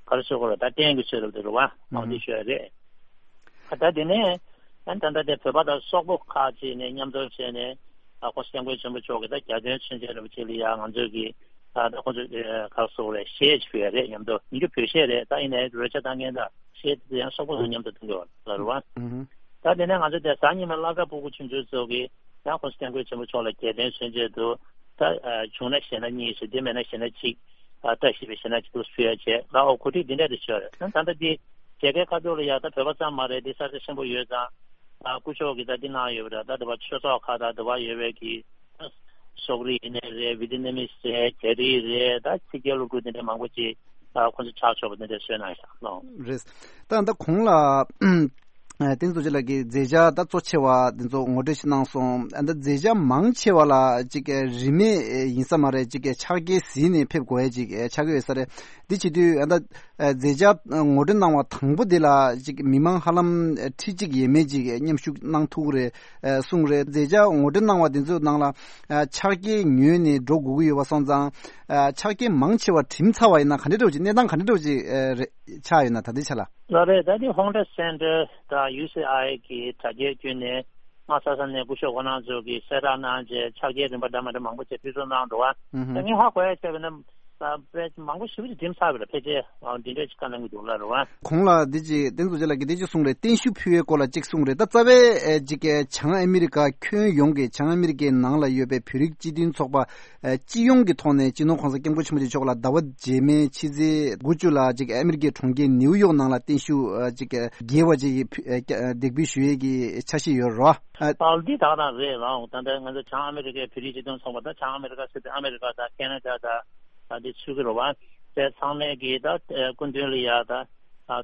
ག་རེ་ཞུ་དགོས་རེད། ད་རྟེན་གྱི་ཚུལ་དུ་དེ་རུ་བ་ཨང་འདི་ཞུ་ཡ་རེད། ད་དེ་ནས་ཨ་ད་ལྟ་དེ་བོད་པ་དང་སོག་པོ་ཁག་ཅིག་ནས་མཉམ་འཛོམས་བྱས་ནས་ཨ་༸གོང་ས་༸སྐྱབས་མགོན་ཆེན་པོ་མཆོག་གི་ད་རྒྱལ་དོན་མཚོན་ཆེད་རིན་པོ་ཆེ་ལ་ཡང་ང་ཚོས་ཀྱི་ཨ་ད་ཁོང་ཚོ་ཨ་ག་རེ་ཟེར་རེད། གཞས་ཅིག་ཕུལ་ཡ་རེད། མཉམ་དུ་ཡིན་རྒྱུ་བོད་གཞས་རེད། ད་ཡིན་ནའི་རོལ་ཆ་བཏང་མཁན་དང་གཞས་དེ་ཡང་སོག་པོ་ཚོ་མཉམ་དུ་གཏོང་གི་ཡོད་ལ་རེད་བ། ད་དེ་ནས་ང་ཚོ་དེ་གཟའ་ཉི་མ་སློབ་གྲྭ་སྤུ་གུ་ཆུང་ཆུང་ཚོ་གི་ཡང་༸གོང་ས་༸སྐྱབས་མགོན་ཆེན་པོ་མཆོག་ལ་རྒྱལ་དོན་མཚོན་ཆེད་དུ་ད་ཨ་བྱུང་ན་གཞས་སྣ་གཉིས་ཤིག་དེ་མེད་ན་གཞས་སྣ་གཅིག་ཨ་བཀྲ་ཤིས་པའི་གཞས་སྣ་གཅིག་ཏུ་ཕུལ་ཡ་བྱས་ལ། འོ་གོ་སྒྲིག་འདི་འདྲ་དེ་བྱས་རེད། ད་ད་ལྟ་འདི་རྒྱལ་ཁའི་ཁ་ཐོག་ལ་ཡ་ད་བོད་པ་ཙམ་མ་རེད། འདི་ས་ཆ་ཆེན་པོ་ཡོད་ཙང་ཨ་སྐུ་ཞབས་ཀྱིས་ད་འདི་གནང་ཡོད་པ་རེད། ད་དེ་བ་ཆོས་ཚོགས་ཁག་དང་དེ་བ་ཡོད་པའི་གི་སོག་རིགས་ཡིན་ནའི་རེད། ཝི་ཏི་ནམ་མི་རེད། རྒྱ་རིགས་རེད། ད་ཕྱི་རྒྱལ་སློབ་ཕྲུག་དེ་འདྲ་མང་པོ་ཅིག་ཨ་ཁོང་ཚོ་ཕྱག་ཕྱོགས་པ་དེ་འདྲ་བཟོས་གནང་ཤག་ལོ། རེད། ད་ད་གོང་ལ་ཨ་བསྟན་འཛིན་རྡོ་རྗེ་ལགས་ཀྱིས་མཛད་འཆར་ད་གཙོ་ཆེ་བ་དེ་ཚོ་ངོ་སྤྲོད་ཞིག་གནང་སོང་། ཨ་ད་མཛད་འཆར་མང་ཆེ་བ་ལ་ཅིག་རིན་མེད་ཡིན་ས་མ་རེད། ཅིག་ཕྱག་འཁྱེར་གཟིགས་ནས་ཕེབས་དགོས་ཡ་ཅིག་ཆགས་ཀྱི་ཡོད་ས་རེད། འདི་བྱེད་དུས་ཨ་ད་མཛད་འཆར་ངོ་སྤྲོད་གནང་བ་དང་པོ་འདི་ལ་ཅིག་མི་མང་ཧ་ལམ་ཁྲི་གཅིག་ཡས་མས་ཅིག་མཉམ་ཞུགས་གནང་ཐུབ་ཀྱི་རེད་གསུངས་རེད། མཛད་འཆར་ངོ་སྤྲོད་གནང་བ་འདི་ཚོའི་ནང་ལ་ཕྱག་འཁྱེར་ཉོས་ནས་འགྲོ་དགོས་ཀྱི་ཡོད་པ་སོང་ཙང་། ཨ་ཕྱག་འཁྱེར་མང་ཆེ་བ་བྲིམས་ཚར་བ་ཡིན་ན་ག་འདྲ་འདྲ་བོ་ཅིག་གནས་སྟངས་ག་འདྲ་འདྲ་བོ་ཅིག་ཨ་རེད་ཆགས་ཡོད་ན་ད་ལྟའི་ཆ་ལ། ལགས་རེད། ད་ནི་Hunter Center དང་ཡུ་སི་ཨའི་གི་དྲ་རྒྱའི་བརྒྱུད་ནས་སྔ་ས་ས་ནས་སྐུ་ཞབས་ཁོ་རང་ཚོ་གིས་གསལ་བསྒྲགས་གནང་རྗེས་ཕྱག་འཁྱེར་རིན་པ་འདྲ་མི་འདྲ་མང་པོ་ཅིག་ཕུལ་བསུ་གནང་འདུག་བ། ཨུ་ཧུ། ད་ངས་ཧ་གོ་ཡ་བྱས་པ་ན་ད་དཔེ་མང་པོ་ཞེ་པོ་ཅིག་བྲིམས་ཚར་བ་རེད། ཕལ་ཆེར་འདི་འདྲ་ཅིག་བཀའ་གནང་གི་འདུག་ལབ་རེད་བ། གོང་ལ་འདི་ཅིག་བསྟན་འཛིན་རྡོ་རྗེ་ལགས་ཀྱིས་འདི་ཅིག་གསུངས་རེད། བརྟན་བཞུགས་ཕུལ་བའི་སྐོར་ལ་ཅིག་གསུངས་རེད། ད་རྩ་བའི་ཨེ་ཅིག་བྱང་ཨ་མི་རི་ཀ་ཁྱོན་ཡོངས་ཀྱི་བྱང་ཨ་མི་རི་ཀའི་ནང་ལ་ཡོད་པའི་བོད་རིགས་སྤྱི་མཐུན་ཚོགས་པ་ཨ་སྤྱི་ཡོངས་ཀྱི་ཐོག་ནས་སྤྱི་ནོར་༸གོང་ས་༸སྐྱབས་མགོན་ཆེན་པོ་མཆོག་ལ་ཟླ་བ་རྗེས་མའི་ཕྱི་ཚེས་དགུ་བཅུ་ལ་ཅིག་ཨ་མི་རི་ཀའི་གྲོང་ཁྱེར་ནིའུ་ཡོག་ནང་ལ་བརྟན་བཞུགས་ཨ་ཅིག་རྒྱས་པ་ཅིག་ཕུ་ཨ་འདེགས་འབུལ་ཞུ་ཡས་ཀྱི་འཆར་གཞི་ཡོད་རེད་བ། ཨ་འདི་ད་ག་རང་རེད་ལགས། ད་ལྟ་ང་ཚོ་བྱང་ཨ་མི་རི་ཀའི་བོད་རིགས་སྤྱི་མཐུན་ཚོགས་པ་དང་བྱང་ཨ་མི་རི་ཀ་ཟེར་དུས་ཨ་མི་རི་ཀ་དང་ཁེ་ན་ཌ་དང་ད་འདི་ཚུད་ཀྱི་རེད་བ། དེ་ཚང་མས་ཀྱིས་ད་སྐུ་མདུན་ལ་ཡ་ད་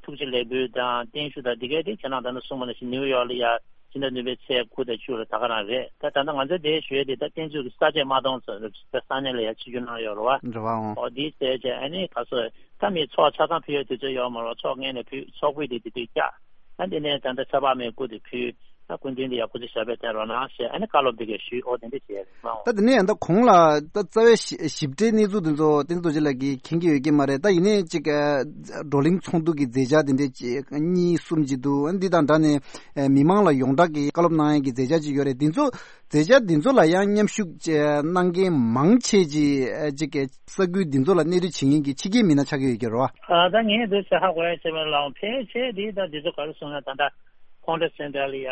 ཐུགས་རྗེ་ལེགས་འབུལ་དང་བརྟན་བཞུགས་དང་འདི་གས་དེ་ཁྱེད་རང་ད་ནི་གསུངས་པ་ནང་བཞིན་ནིའུ་ཡོག་ལ་ཡ་ཕྱི་ཟླ་བདུན་པའི་ཚེས་དགུ་དང་བཅུ་ལ་ད་ག་རང་རེད། ད་ད་ལྟ་ང་ཚོ་དེ་ཞུ་ཡས་དེ་ད་བསྟན་འཛིན་གྱི་ས་བཅད་མ་གཏོང་ཟེར་ད་ས་གནས་ལ་ཡ་ཆིབས་བསྒྱུར་གནང་ཡོད་རེད་བ། རེད་བ་འོང་། ཨོ་དེ་བྱས་རྗེས་ཨ་ནི་ག་ཚོད་ད་མི་ཚོགས་ཆ་ཚང་ཕུལ་ཡས་དུས་ཚོད་ཡོད་མ་རེད། ཚོགས་ངན་ནས་ཕུལ་ཚོགས་ཕུད་དེ་དེ་དུས་བཀྱག་ཨ་འདི་ནས་ད་ལྟ་ཚེ་དཔག་མེད་སྐུ་དེ་ཕུལ། ད་སྐུ་མདུན་དེ་ཡག་པོ་ཅིག་ཞབས་པད་བརྟན་རོགས་གནང་ཞེས་ཨ་ནི་བཀའ་སློབ་འདི་གས་ཞུས། ཨོ་དེ་འདྲ་བྱས་རེད་མ་འོང་། ད་དེ་ནས་ཡང་ད་གོང་ལ་ད་རྩ་བའི་ཞི་ཞིབ་ཕྲའི་གནས་ཚུལ་འདི་ཚོ་བསྟན་འཛིན་རྡོ་རྗེ་ལགས་ཀྱིས་མཁྱེན་གྱི་ཡོད་ཀྱི་མ་རེད། ད་ཡིན་ནའི་ཅིག་ཨ་བགྲོ་གླེང་ཚོགས་འདུ་གི་མཛད་འཆར་དེ་འདྲ་ཅིག་གཉིས་གསུམ་ཅིག་འདུག་ཨ་འདི་དང་འདྲ་ནས་ཨ་མི་མང་ལ་ཡོངས་གྲགས་ཀྱི་བཀའ་སློབ་གནང་ཡས་ཀྱི་མཛད་འཆར་ཅིག་ཡོད་རེད། འདི་ཚོ་མཛད་འཆར་འདི་ཚོ་ལ་ཡང་མཉམ་ཞུགས་ཅིག་གནང་མཁན་མང་ཆེ་ཅིག་ཨ་ཅིག་ས་ཁུལ་འདི་ཚོ་ལ་གནས་སྡོད་བྱེད་མཁན་གྱི་ཕྱི་རྒྱལ་མི་སྣ་ཆགས་ཀྱི་ཡོད་ཀྱི་རེད་བ། ཨ་ད་ངས་འདི་ཟེར་ཧ་གོ་ཡ་བྱས་པ་ལའང་ཕལ་ཆེར་འདི་ད་འདི་ཚོ་ག་རེ་གསུངས་ན་ད་ལྟ། Hunter Center ལ་ཡ་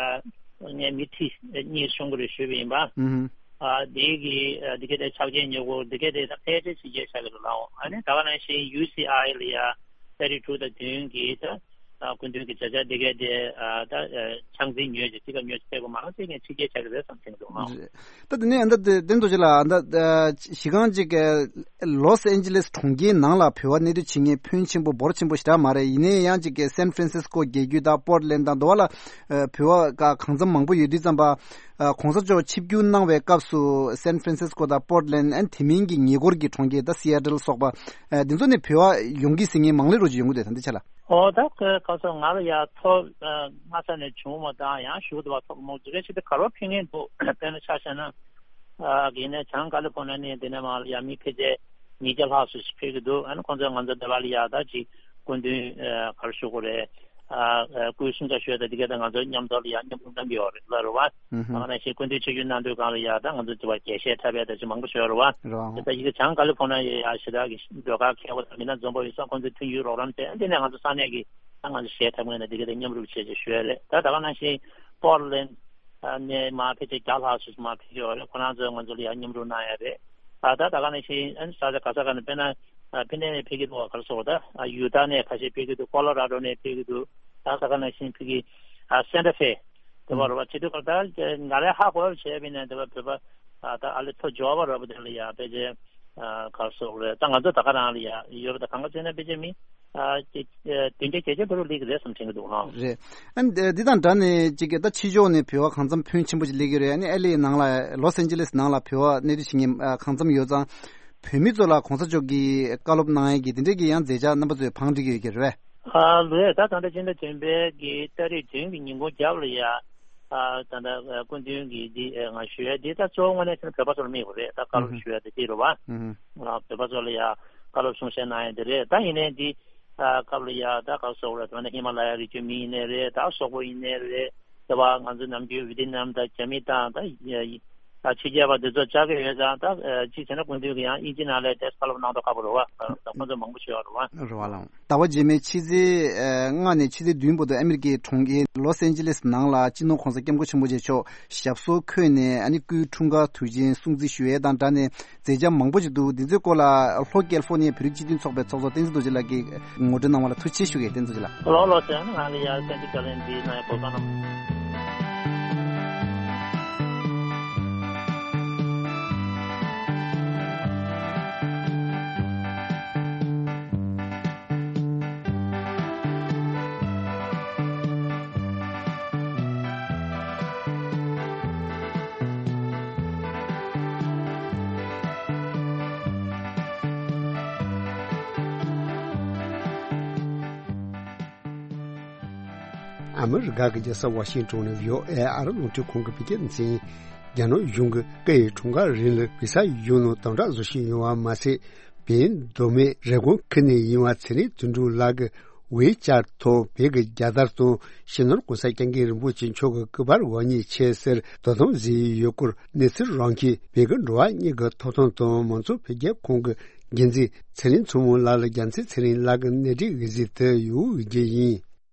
ངས་མི་ཁྲི་གཉིས་གསུང་གི་རེད་ཞུས་པ་ཡིན་པ། ཨུ་ཧུ། ཨ་དེ་གི་ཨ་དེ་ག་དེ་ཕྱག་ཆེན་ཉོ་དགོས་དེ་ག་དེ་ད་ཕལ་ཆེར་ཕྱི་རྒྱལ་ཆགས་ཀྱི་རེད་ལའོ། ཨ་ནི་ད་ག་ནང་བཞིན་ཡུ་སི་ཨའི་ལ་ཡ་ ཏ་རིག་དྲུག་དང་བདུན་གྱི་ད་སྐུ་མདུན་གྱི་མཛད་འཆར་འདི་གའི་དེ་ད་ཕྱག་འཛིན་ཉོས་ཀྱི་ཚིག་ཁ་ཉོས་ཀྱི་ཕེབས་པ་མང་ཚིག་ངས་ཕྱི་རྒྱལ་ཆགས་ཀྱི་རེད་བསམ་ཐེངས་འདུག་ཨང་། ད་དེ་ནས་ཨ་ད་དེ་དོན་དུ་ཅི་ལ་ཨ་ད་གཞི་རྐང་ཅིག་ལོས་ཨན་ཇི་ལེས་གྲོང་ཁྱེར་ནང་ལ་བོད་པ་གནས་སྡོད་བྱེད་མཁན་ཕོན་ཆེན་པོ་འབོར་ཆེན་པོ་ཞེ་དྲག་མ་རེད། ཡིན་ནའི་ཡང་ཅིག་སན་ཧྥ་རན་སིས་ཀོ་རྒྱལ་རྒྱུད་དང་པོར་ཏ་ལན་དང་དུ་བ་ལ་བོད་པ་གང་འཚམ་མང་པོ་ཡོད་དུས་ཙམ་པ། ཨ་གོང་ས་མཆོག་ཆིབས་བསྒྱུར་གནང་བའི་སྐབས་སུ་སན་ཧྥ་རན་སིས་ཀོ་དང་པོར་ཏ་ལན་ཨན་དེ་མིན་གྱི་ཉེ་འཁོར་གྱི་གྲོང་ཁྱེར་ད་སི་ཨེ་ཊལ་སོགས་པ་ཨ་འདི་ཚོ་ནས་བོད་པ་ཡོང་གི་ཟིན་མཁན་མང་ལེ་རུ་ཅིག་ཡོང་གི་འདུག་ད་འདི་ཆ་ལ། ཨོ་ད་ཁ་སང་ང་ལ་ཡ་ཐོ་སྔ་ས་ནས་བྱུང་བ་དང་ཡང་ཞུ་བ་ཐོག་མོ་ཇི་རེ་ཞིག་ཏུ་ག་རོ་ཕིང་ངེ་འདུག་དཔེར་ན་ཆ་བཞག་ན་ཨ་གི་ནས་བྱང་ཀ་ལི་ཕོར་ནི་ཡ་ནས་འདི་ནས་མ་ལ་ཡ་མི་ཕལ་ཆེར་ཉིས་བརྒྱ་ལྷག་སུ་ཕེབས་ཀྱི་འདུག་ཨ་ནི་ཁོང་ཚོ་ང་ཚོ་འདི་བ་ལ་ཡ་ད་ཅིག་སྐུ་མདུན་ག་རེ་ཞུ་དགོས་རེད། ཨ་སྐུའི་གསུང་ཆ་ཞུས་ཏེ་འདི་ག་ད་ང་ཚོ་མཉམ་དུ་ལ་ཡང་མཉམ་དུ་གནང་གི་ཡོད་རེད་ལ་རེད་བ། ཨ་ནི་ཞིག་སྐུ་མདུན་ཆིབས་བསྒྱུར་གནང་དུས་སྒང་ལ་ཡ་ད་ང་ཚོ་དེ་བ་རྒྱས་བཤད་འཁྲབ་ཡ་ད་ཅི་མང་པོ་ཞུ་ཡ་རེད་བ། དེ་ད་ཡི་གེ་བྱང་ཀ་ལི་ཕོར་ནི་ཡ་ཞེ་དྲག་གི་ཟློས་གར་མཁས་པོ་དང་མི་སྣ་འཛོམས་པོ་ཡོད་ས་ཁོང་ཚོའི་མཐུན་འགྱུར་རོགས་རམ་བྱས་འདི་ནས་ང་ཚོ་ས་གནས་ཀྱི་ད་ང་ཚོ་གཞས་འཁྲབ་མཁན་ནི་འདི་ག་ད་མཉམ་རུབ་བྱས་ཅེས་ཞུ་ཡ་རེད། ད་ད་ག་ནང་བཞིན་པོར་ལན་ནས་མ་ཕལ་ཆེར་བརྒྱ་ལྷག་ཙམ་མ་ཕེབས་ཀྱི་ཡོད་རེད། ཁོ་རང་ཚོས་ང་ཚོ་ལ་ཡ་མཉམ་རུབ་གནང་ཡ་རེད། ད་ད་ད་ག་ནང་བཞིན་ཨ་ནི་ས་ཆ་ག་ས་ག་ནས་དཔེར་ན། ཕི་ནས་ཕེབས་ཀྱི་འདུག་ག་རེ་ཟེར་དགོས་རེད། ཡུ་ཏཱ་ནས་ཁ་ཤས་ཕེབས་ཀྱི་འདུག་ཀོ་ལོ་ར་ཌོ་ནས་ཕེབས་ཀྱི་འདུག་ད་ས་ག་ནང་བཞིན་ཕ་གི་སན་ཏ་ཧྥེ་དེ་བ་རེད་བ། བྱེད་དུས་སྐབས་ད་ང་རའི་ཧ་གོ་བ་བྱས་པ་ཡིན་ན་དེ་བ་བོད་པ་ད་ཨ་ལེ་ཐོ་འབྱོར་བ་རེད་བ། དེ་ལ་ཡ་ཕལ་ཆེར་ག་རེ་ཟེར་དགོས་རེད། ད་ང་ཚོ་ད་ག་རང་ལ་ཡ་ཡོད་པ་ད་གང་ག་བྱས་ན་ཕལ་ཆེར་མི་བདུན་བརྒྱ་བརྒྱད་བརྒྱ་བར་དུ་སླེབས་ཀྱི་རེད་བསམ་དྲན་གྱི་འདུག་ཨང་། རེད། ཨ་ནི་འདི་དང་སྦྲགས་ནས་ཅིག་ད་ཕྱི་ཕྱོགས་ནས་བོད་པ་གང་འཚམ་ཕོན་ཆེན་པོ་ཅིག་སླེབས་ཀྱི་རེད། ཨ་ནི་ཨེལ་ཨེ་ནང་ལ་ལོས་ཨན་ཇི་ལེས་ནང་ལ་བོད་པ་གནས་སྡོད་བྱེད་མཁན་གང་འཚམ་ཡོད་ཙང་། བོད་མི་ཚོ་ལ་གོང་ས་མཆོག་གིས་བཀའ་སློབ་གནང་ཡས་ཀྱི་དེ་འདྲས་ཀྱི་ཡང་མཛད་འཆར་རྣམ་པ་ཚོས་བང་སྒྲིག་གི་ཡོད་ཀྱི་རེད་པས། ཨ་ལོས་ད་ད་ལྟ་སྤྱི་ཟླ་བདུན་པའི་གི་ཏ་རིག་བདུན་གྱི་ཉིན་གུང་རྒྱབ་ལ་ཡ། ཨ་ད་ལྟ་སྐུ་མདུན་གྱི་འདི་ང་ཞུ་ཡས་འདི་ད་གཙོ་བོ་དངོས་གནས་བྱས་ན་བོད་པ་ཚོ་ལ་དམིགས་པ་རེད། ད་བཀའ་སློབ་ཞུ་ཡས་དེ་འདི་རེད་བ། ཨ་བོད་པ་ཚོ་ལ་ཡ་བཀའ་སློབ་གསུང་བཤད་གནང་ཡས་འདི་རེད། ད་ཡིན་ནའི་འདི་ཨ་སྐབས་ལ་ཡ་ད་ག་རེ་ཟེར་དགོས་རེད། ད་ནི་ཧི་མ་ལ་ཡ་རི་རྒྱུད་མི་ཡིན་ནའི་རེད། ད་སོག་པོ་ཡིན་ནའི་རེད། དེ་བ་ང་ཚོ་ནམ་རྒྱུན་ཝི་ཏི་ནམ་དང་རྒྱ་མི་དང་ད་ཕྱི་རྒྱལ་བ་འདི་ཚོ་བཅར་གི་ཡོད་ཙང་ད་གཅིག་བྱས་ན་སྐུ་མདུན་གྱིས་ཡང་དབྱིན་ཇི་ནང་ལ་དེ་བཀའ་སློབ་གནང་མདོག་ཁ་པོ་རེད་བ། ད་ཁོང་ཚོ་མང་པོ་ཞིག་ཡོད་རེད་བ། རེད་བ་ལགས། ཟླ་བ་རྗེས་མའི་ཕྱི་ཚེས་ལྔ་ནས་ཕྱི་ཚེས་བདུན་བར་དུ་ཨ་མི་རི་ཀའི་གྲོང་ཁྱེར་ལོས་ཨན་ཇི་ལེས་ནང་ལ་སྤྱི་ནོར་༸གོང་ས་༸སྐྱབས་མགོན་ཆེན་པོ་མཆོག་ཞབས་སོར་འཁོད་ནས་ཨ་ནི་སྐུའི་འཁྲུངས་སྐར་དུས་ཆེན་སྲུང་བརྩི་ཞུ་ཡས་དང་སྦྲགས་ནས་མཛད་འཆར་མང་པོ་ཞིག་འདུག་འདི་ཚོའི་སྐོར་ལ་ལྷོ་ཀལ་ཧྥོ་ནི་ཡའི་བོད་རིགས་སྤྱི་མཐུན་ཚོགས་པའི་ཚོགས་གཙོ་བསྟན་འཛིན་རྡོ་རྗེ་ལགས་ཀྱིས་ངོ་སྤྲོད་གནང་བ་ལ་ཐུགས་རྗེ་ཆེ་ཞུ་གི་ཡིན། བསྟན་འཛིན་རྡོ་རྗེ་ལགས། ལོ་ལོ་ཟེར་ན་ང་ལ་ཡ་བསྟན་འཛིན་བཀའ་བློན་འདིའི་ནང་ཡ་གོ་སྐབས་གནང་། ཨ་མི་རི་ཀ་གི་རྒྱལ་ས་ཝ་ཤིང་ཏོན་ནས་བྷི་ཨོ་ཨེ་ཨ་རི་རླུང་འཕྲིན་ཁང་གི་བོད་སྐད་སྡེ་ཚན། རྒྱ་ནག་གཞུང་གིས་སྐུ་ཡི་འཁྲུངས་སྐར་རིང་ལ་བི་ས་གཞུང་ནང་དམ་དྲག་བཟོ་བཞིན་ཡོད་པ་མ་ཟད། བོད་མདོ་སྨད་རེབ་གོང་ཁུལ་ནས་ཡིན་པ་ཚེ་རིང་དོན་གྲུབ་ལགས་ཀྱིས་ཝེ་ཅར་ཐོག་བོད་ཀྱི་རྒྱལ་དར་དང་སྤྱི་ནོར་༸གོང་ས་༸སྐྱབས་མགོན་རིན་པོ་ཆེ་མཆོག་གི་སྐུ་པར་འོག་གཉིས་ཆེད་ཟེར་དོ་དམ་བཟོས་ཡོད་སྐོར་གནས་ཚུལ་རང་ཁྱིམ་བོད་ཀྱི་འགྲོ་བ་མིའི་ཐོབ་ཐང་དང་མང་གཙོ་འཕེལ་རྒྱས་ཁང་གི་འགན་འཛིན་ཚེ་རིང་མཚོ་མོ་ལགས་ལ་རྒྱལ་མཚན་ཚེ་རིང་ལགས་ཀྱིས་གནས་འདྲི་ཞུས་གཟིགས་དུ་ཡོད་རྒྱུ་ཡིན།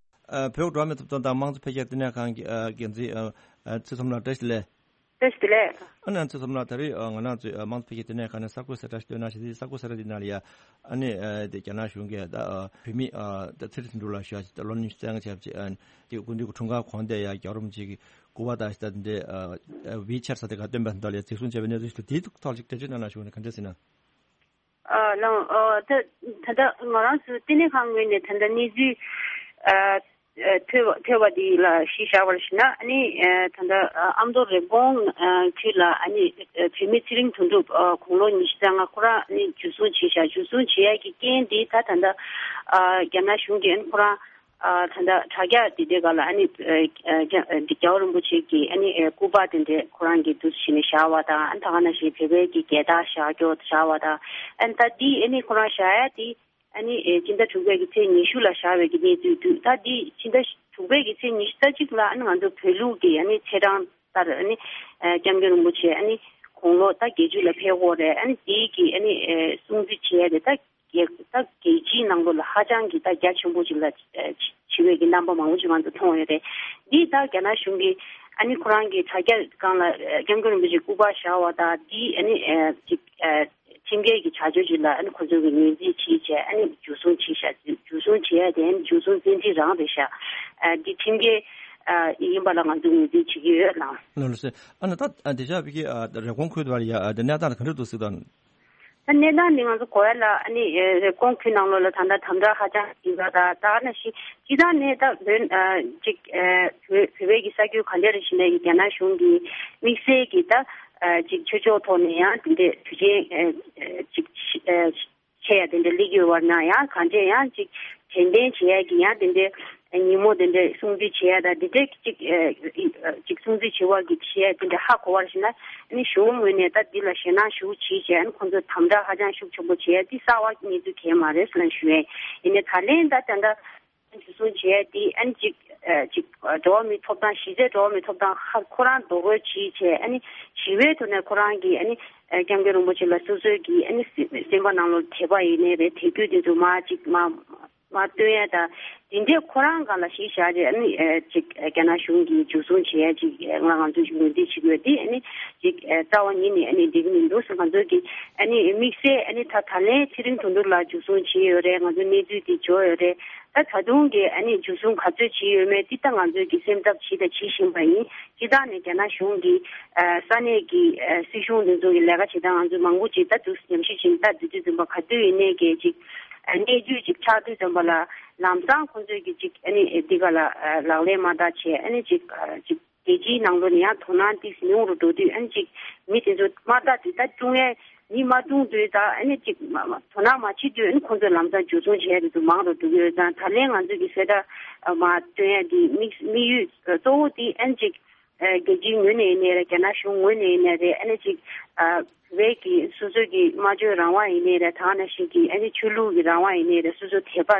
ཨ་བོད་འགྲོ་བ་མིའི་ཐོབ་ཐང་དང་དམངས་གཙོ་འཕེལ་རྒྱས་བསྟི་གནས་ཁང་གི་ཨ་འགན་འཛིན་ཨ་ཚེ་མཚོ་མོ་ལགས་བཀྲ་ཤིས་བདེ་ལེགས། བཀྲ་ཤིས་བདེ་ལེགས། ཨ་ནི་ཚེ་མཚོ་མོ་ལགས་ད་རེས་ཨ་ང་རང་ཚོའི་ཨ་དམངས་གཙོ་འཕེལ་རྒྱས་བསྟི་གནས་ཁང་ནས་གསར་འགོད་གསལ་བསྒྲགས་ཤིག་བཏོན་གནང་བྱས་ཏེ། གསར་འགོད་གསལ་བསྒྲགས་འདི་ནང་ལ་ཡ་ཨ་ནི་ཨ་དེ་རྒྱ་ནག་གཞུང་གིས་ད་ཨ་བོད་མི་ཨ་ད་ཚེ་རིང་དོན་གྲུབ་ལགས་ཞུ་ཡ་ཅིག་ད་ལོ་ཉི་ཤུ་རྩ་ལྔ་བྱས་པ་ཅིག་ཨ་ནི་དེ་སྐུ་མདུན་གྱི་འཁྲུངས་སྐར་གོང་དེ་ཡ་རྒྱལ་བ་རིན་པོ་ཆེ་གི་སྐུ་པར་དང་ད་འདི་ཨ་ཝེ་ཅར་ས་དེ་ག་སྟོན་པ་འདི་ལ་ཡ་གཟིགས་གསུང་བྱས་པའི་གནས་ཚུལ་ཞིག་འདུག་དེའི་ཐོག་ཅིག་འགྲེལ་བརྗོད་གནང་གནང་ཞུ་ནས་ག་འདྲ་ཟེར་ན། ཨ་ལགས། ཨ་ད་ད་ལྟ་ང་རང་ཚོའི་བསྟི་གནས་ཁང་ངོས་ནས་ད་ལྟ་གནས་ཚུལ་ཨ་ཨ་ཐོས་པ་ཐོས་པ་འདི་ལ་གཞི་བཞག་པར་ཞུས་ན། ཨ་ནི་ཨ་ད་ལྟ་ཨ་ཨ་མདོ་རེབ་གོང་ཨ་ཁུལ་ལ་ཨ་ནི་ཨ་བོད་མི་ཚེ་རིང་དོན་གྲུབ་ཨ་དགུང་ལོ་ཉི་ཤུ་རྩ་ལྔ་ཁོ་རང་ཨ་ནི་འཇུ་བཟུང་བྱས་བཞག་འཇུ་བཟུང་བྱེད་ཡ་གི་རྐྱེན་འདི་ད་ད་ལྟ་ཨ་རྒྱ་ནག་གཞུང་གིས་ཨ་ནི་ཁོ་རང་ཨ་ད་ལྟ་དྲ་རྒྱ་འདི་དེ་ག་ལ་ཨ་ནི་ཨ་ཨ་རྒྱ་རྒྱལ་བ་རིན་པོ་ཆེ་གི་ཨ་ནི་ཨ་སྐུ་པར་དེ་འདྲས་ཁོ་རང་གིས་འདུག་སེ་བྱས་ནས་བཞག་པ་དང་། ཨ་ནི་ད་ག་ནང་བཞིན་བོད་པའི་གི་རྒྱལ་དར་བཞག་རྒྱུ་བཞག་པ་དང་། ཨ་ནི་ད་འདི་ཨ་ནི་ཁོ་རང་བཞག་ཡ་དེ་ཨ་ནི་ཨེ་སྤྱི་ཟླ་དྲུག་པའི་གི་ཚེས་ཉི་ཤུ་ལ་བཞག་པའི་གི་གནས་ཚུལ་འདུག་ད་འདི་སྤྱི་ཟླ་དྲུག་པའི་གི་ཚེས་ཉི་ཤུ་རྩ་གཅིག་ལ་ཨ་ནི་ང་ཚོ་བོད་ལུགས་ཀྱི་ཨ་ནི་ཚེས་གྲངས་ལྟར་ཨ་ནི་ཨེ་སྐྱབས་མགོན་རིན་པོ་ཆེ་ཨ་ནི་དགུང་ལོ་ད་བརྒྱད་ཅུ་ལ་ཕེབས་ཡོད་རེད། ཨ་ནི་དེའི་གི་ཨ་ནི་ཨེ་སྲུང་བརྩི་བྱེད་ཡ་དེ་ད་རྒྱལ་ད་རྒྱལ་སྤྱིའི་ནང་ལོགས་ལ་ཧ་ཅང་གི་ད་རྒྱ་ཆེན་པོ་ཅིག་ལ་ཨེ་བྱེད་པའི་གི་རྣམ་པ་མང་པོ་ཅིག་ང་ཚོ་མཐོང་ཡོད་རེད། འདི་ད་རྒྱ་ནག་གཞུང་གིས་ཨ་ནི་ཁོ་རང་གི་དྲ་རྒྱ་སྒང་ལ་ཨེ་སྐྱབས་མགོན་རིན་པོ་ཆེ་སྐུ་པར་བཞག་པ་དང་འདི་ཨ་ནི་ཨེ་ཅིག་ཨེ། ཁྲིམས་འགལ་གྱི་བྱ་སྤྱོད་ཅིག་ལ་ཨ་ནི་ཁོ་ཚོ་གི་ངོས་འཛིན་བྱས་བྱས་ཨ་ནི་འཇུ་བཟུང་བྱས་ཤག་འཇུ་བཟུང་བྱས་ཡ་དེ་ཨ་ནི་འཇུ་བཟུང་བཙན་ཁྲིད་རང་རེད་ཤག་ཨ་འདི་ཁྲིམས་འགལ་ཨ་ཡིན་པ་ལ་ང་ཚོས་ངོས་འཛིན་བྱེད་ཀྱི་ཡོད་ལགས། ལགས་ལགས་སེ། ཨ་ནི་ད་ཨ་འདི་ཤག་བི་ཀི་ཨ་རེབ་གོང་ཁུལ་དུ་བར་ཡ་ཨ་འདི་གནས་སྟངས་ག་འདྲ་འདུག་ཟེར་དང་། ད་གནས་སྟངས་འདི་ང་ཚོ་གོ་ཡ་ལ་ཨ་ནི་ཨ་རེབ་གོང་ཁུལ་ནང་ལོགས་ལ་ད་ལྟ་དམ་དྲག་ཧ་ཅང་ཡིན་པ་དང་ད་ག་ནང་བཞིན་སྤྱིར་བཏང་ནས་ད་བོད་ཨ་ཅིག་ཨ་བོད་བོད་པའི་གི་ས་ཁུལ་ག་འདྲ་རེ་བཞིན་ནས་རྒྱ་ནག་གཞུང་གི་དམིགས་བསལ་གྱི་ད་ཨ་ཅིག་ཆོས་ཕྱོགས་ཐོག་ནས་ཡང་དེ་འདྲའི་དུས་ཆེན་ཨ་ཅིག་ཨ་ཆེ་ཡ་དེ་འདྲ་སླེབས་ཡོད་པ་ན་ཡང་གང་འདྲས་ཡང་ཅིག་དྲན་རྟེན་བྱེད་ཡ་གི་ཡང་དེ་འདྲའི་ཉིན་མོ་དེ་འདྲའི་སྲུང་བརྩི་བྱེད་ཡ་དང་དེ་འདྲའི་ཅིག་ཨ་ཅིག་སྲུང་བརྩི་བྱེད་པ་གི་བྱེད་ཡ་དེ་འདྲ་ཧ་གོ་བར་ཞིག་ན་ཨ་ནི་གཞུང་ངོས་ནས་ད་འདི་ལ་ཞེད་སྣང་ཞེ་པོ་བྱེད་བྱས་ཨ་ནི་ཁོང་ཚོ་དམ་དྲག་ཧ་ཅང་ཤུགས་ཆེན་པོ་བྱེད་ཡ་འདི་གསར་བ་གནས་ཚུལ་གང་ཡང་མ་རེད་ཟེར་ལབ་ཞུ་ཡ་ཡིན། ཡིན་ནའི་ད་ལན་ད་ད་ལྟ། འཇུ་བཟུང་བྱས་ཏེ་ཨ་ནི་ཅིག་ཨ་ཅིག་འགྲོ་བ་མིའི་ཐོབ་ཐང་གཞི་རྩའི་འགྲོ་བ་མིའི་ཐོབ་ཐང་ཧ་ཁོ་རང་རྡོག་རོལ་བྱས་བྱས་ཨ་ནི་ཞི་བའི་ཐོག་ནས་ཁོ་རང་གིས་ཨ་ནི་ཨ་སྐྱབས་མགོན་རིན་པོ་ཆེ་ལ་སོ་སོའི་གི་ཨ་ནི་སེམས་པ་ནང་ལོགས་དད་པ་ཡིན་ནའི་རེད་དད་གུས་དེ་ཚོ་མར་ཅིག་མར་མར་སྟོན་ཡ་དང་དེ་འདྲས་ཁོ་རང་སྒང་ལ་གཞི་བཞག་བྱས་ཨ་ནི་ཨ་ཅིག་རྒྱ་ནག་གཞུང་གིས་འཇུ་བཟུང་བྱས་ཡ་ཅིག་ང་ང་ཚོས་ངོས་འཛིན་བྱེད་དགོས་དེ་ཨ་ནི་ཅིག་རྩ་བ་ཉིད་ནས་ཨ་ནི་འགྲིག་གི་མི་འདུག་ཟེར་ང་ཚོས་ཀྱི་ཨ་ནི་དམིགས་བསལ་ཨ་ནི་ད་ད་ལན་ཚེ་རིང་དོན་གྲུབ་ལགས་འཇུ་བཟུང་བྱས་ཡོད་རེད། ང་ཚོ་གནས་ཚུལ་དེ་འབྱོར་ཡོད་རེད། ད་ད་དུང་གི་ཨ་ནི་འཇུ་བཟུང་ག་ཚོད་བྱས་ཡོད་མེད་འདི་ད་ང་ཚོས་ཀྱི་སེམས་འཚབ་བྱས་དང་བྱེད་བཞིན་པ་ཡིན། སྤྱིར་བཏང་ནས་རྒྱ་ནག་གཞུང་གིས་ཨ་ས་གནས་ཀྱི་ཨ་སྲིད་གཞུང་འདི་ཚོ་གི་ལས་ཀ་བྱེད་སྟངས་ང་ཚོས་མང་པོ་ཅིག་ད་དུ་ཉམས་ཞིབ་བྱེད་ད་དུས་ཚོད་ཙམ་པ་ག་དུས་ཡིན་ནའི་གི་ཅིག་ཨ་གནས་ཚུལ་ཅིག་ཆགས་དུས་ཙམ་པ་ལ་ལམ་སང་ཁོང་ཚོས་ཀྱི་ཅིག་ཨ་ནི་འདི་ག་ལ་ཨ་ལག་ལེན་མ་བསྟར་བྱས་ཨ་ནི་ཅིག་ཨ་ཅིག་རྒྱལ་སྤྱིའི་ནང་ལོགས་ནས་ཡང་དོ་སྣང་ཏོག་ཙམ་ཉུང་རུ་འགྲོ་དུས་ཨ་ནི་ཅིག་མི་དེ་ཚོ་དམག་རྟགས་དེ་ད་བཅུག་ཡས་མི་མ་བཏུང་དུས་ད་ཨ་ནི་ཅིག་མ་མ་དོ་སྣང་མ་བྱེད་དུས་ཨ་ནི་ཁོང་ཚོས་ལམ་སང་འཇུ་བཟུང་བྱས་དེ་ཚོ་མང་རུ་འགྲོ་གི་ཡོད་ཙང་ད་ལན་ང་ཚོས་ཀྱི་གསལ་བསྒྲགས་མ་སྟོན་ཡས་དེ་དམིགས་དམིགས་ཡུལ་གཙོ་བོ་དེ་ཨ་ནི་ཅིག་རྒྱལ་སྤྱིའི་ངོས་ནས་ཡིན་ནའི་རེད། རྒྱ་ནག་གཞུང་ངོས་ནས་ཡིན་ནའི་རེད། ཨ་ནི་ཅིག་བོད་ཀྱི་སོ་སོའི་གི་སྨྲ་བརྗོད་རང་དབང་ཡིན་ནའི་རེད། ད་ག་ནང་བཞིན་གྱི་ཨ་ནི་ཆོས་ལུགས་ཀྱི་རང་དབང་ཡིན་ནའི་རེད། སོ་སོ་དད་པ་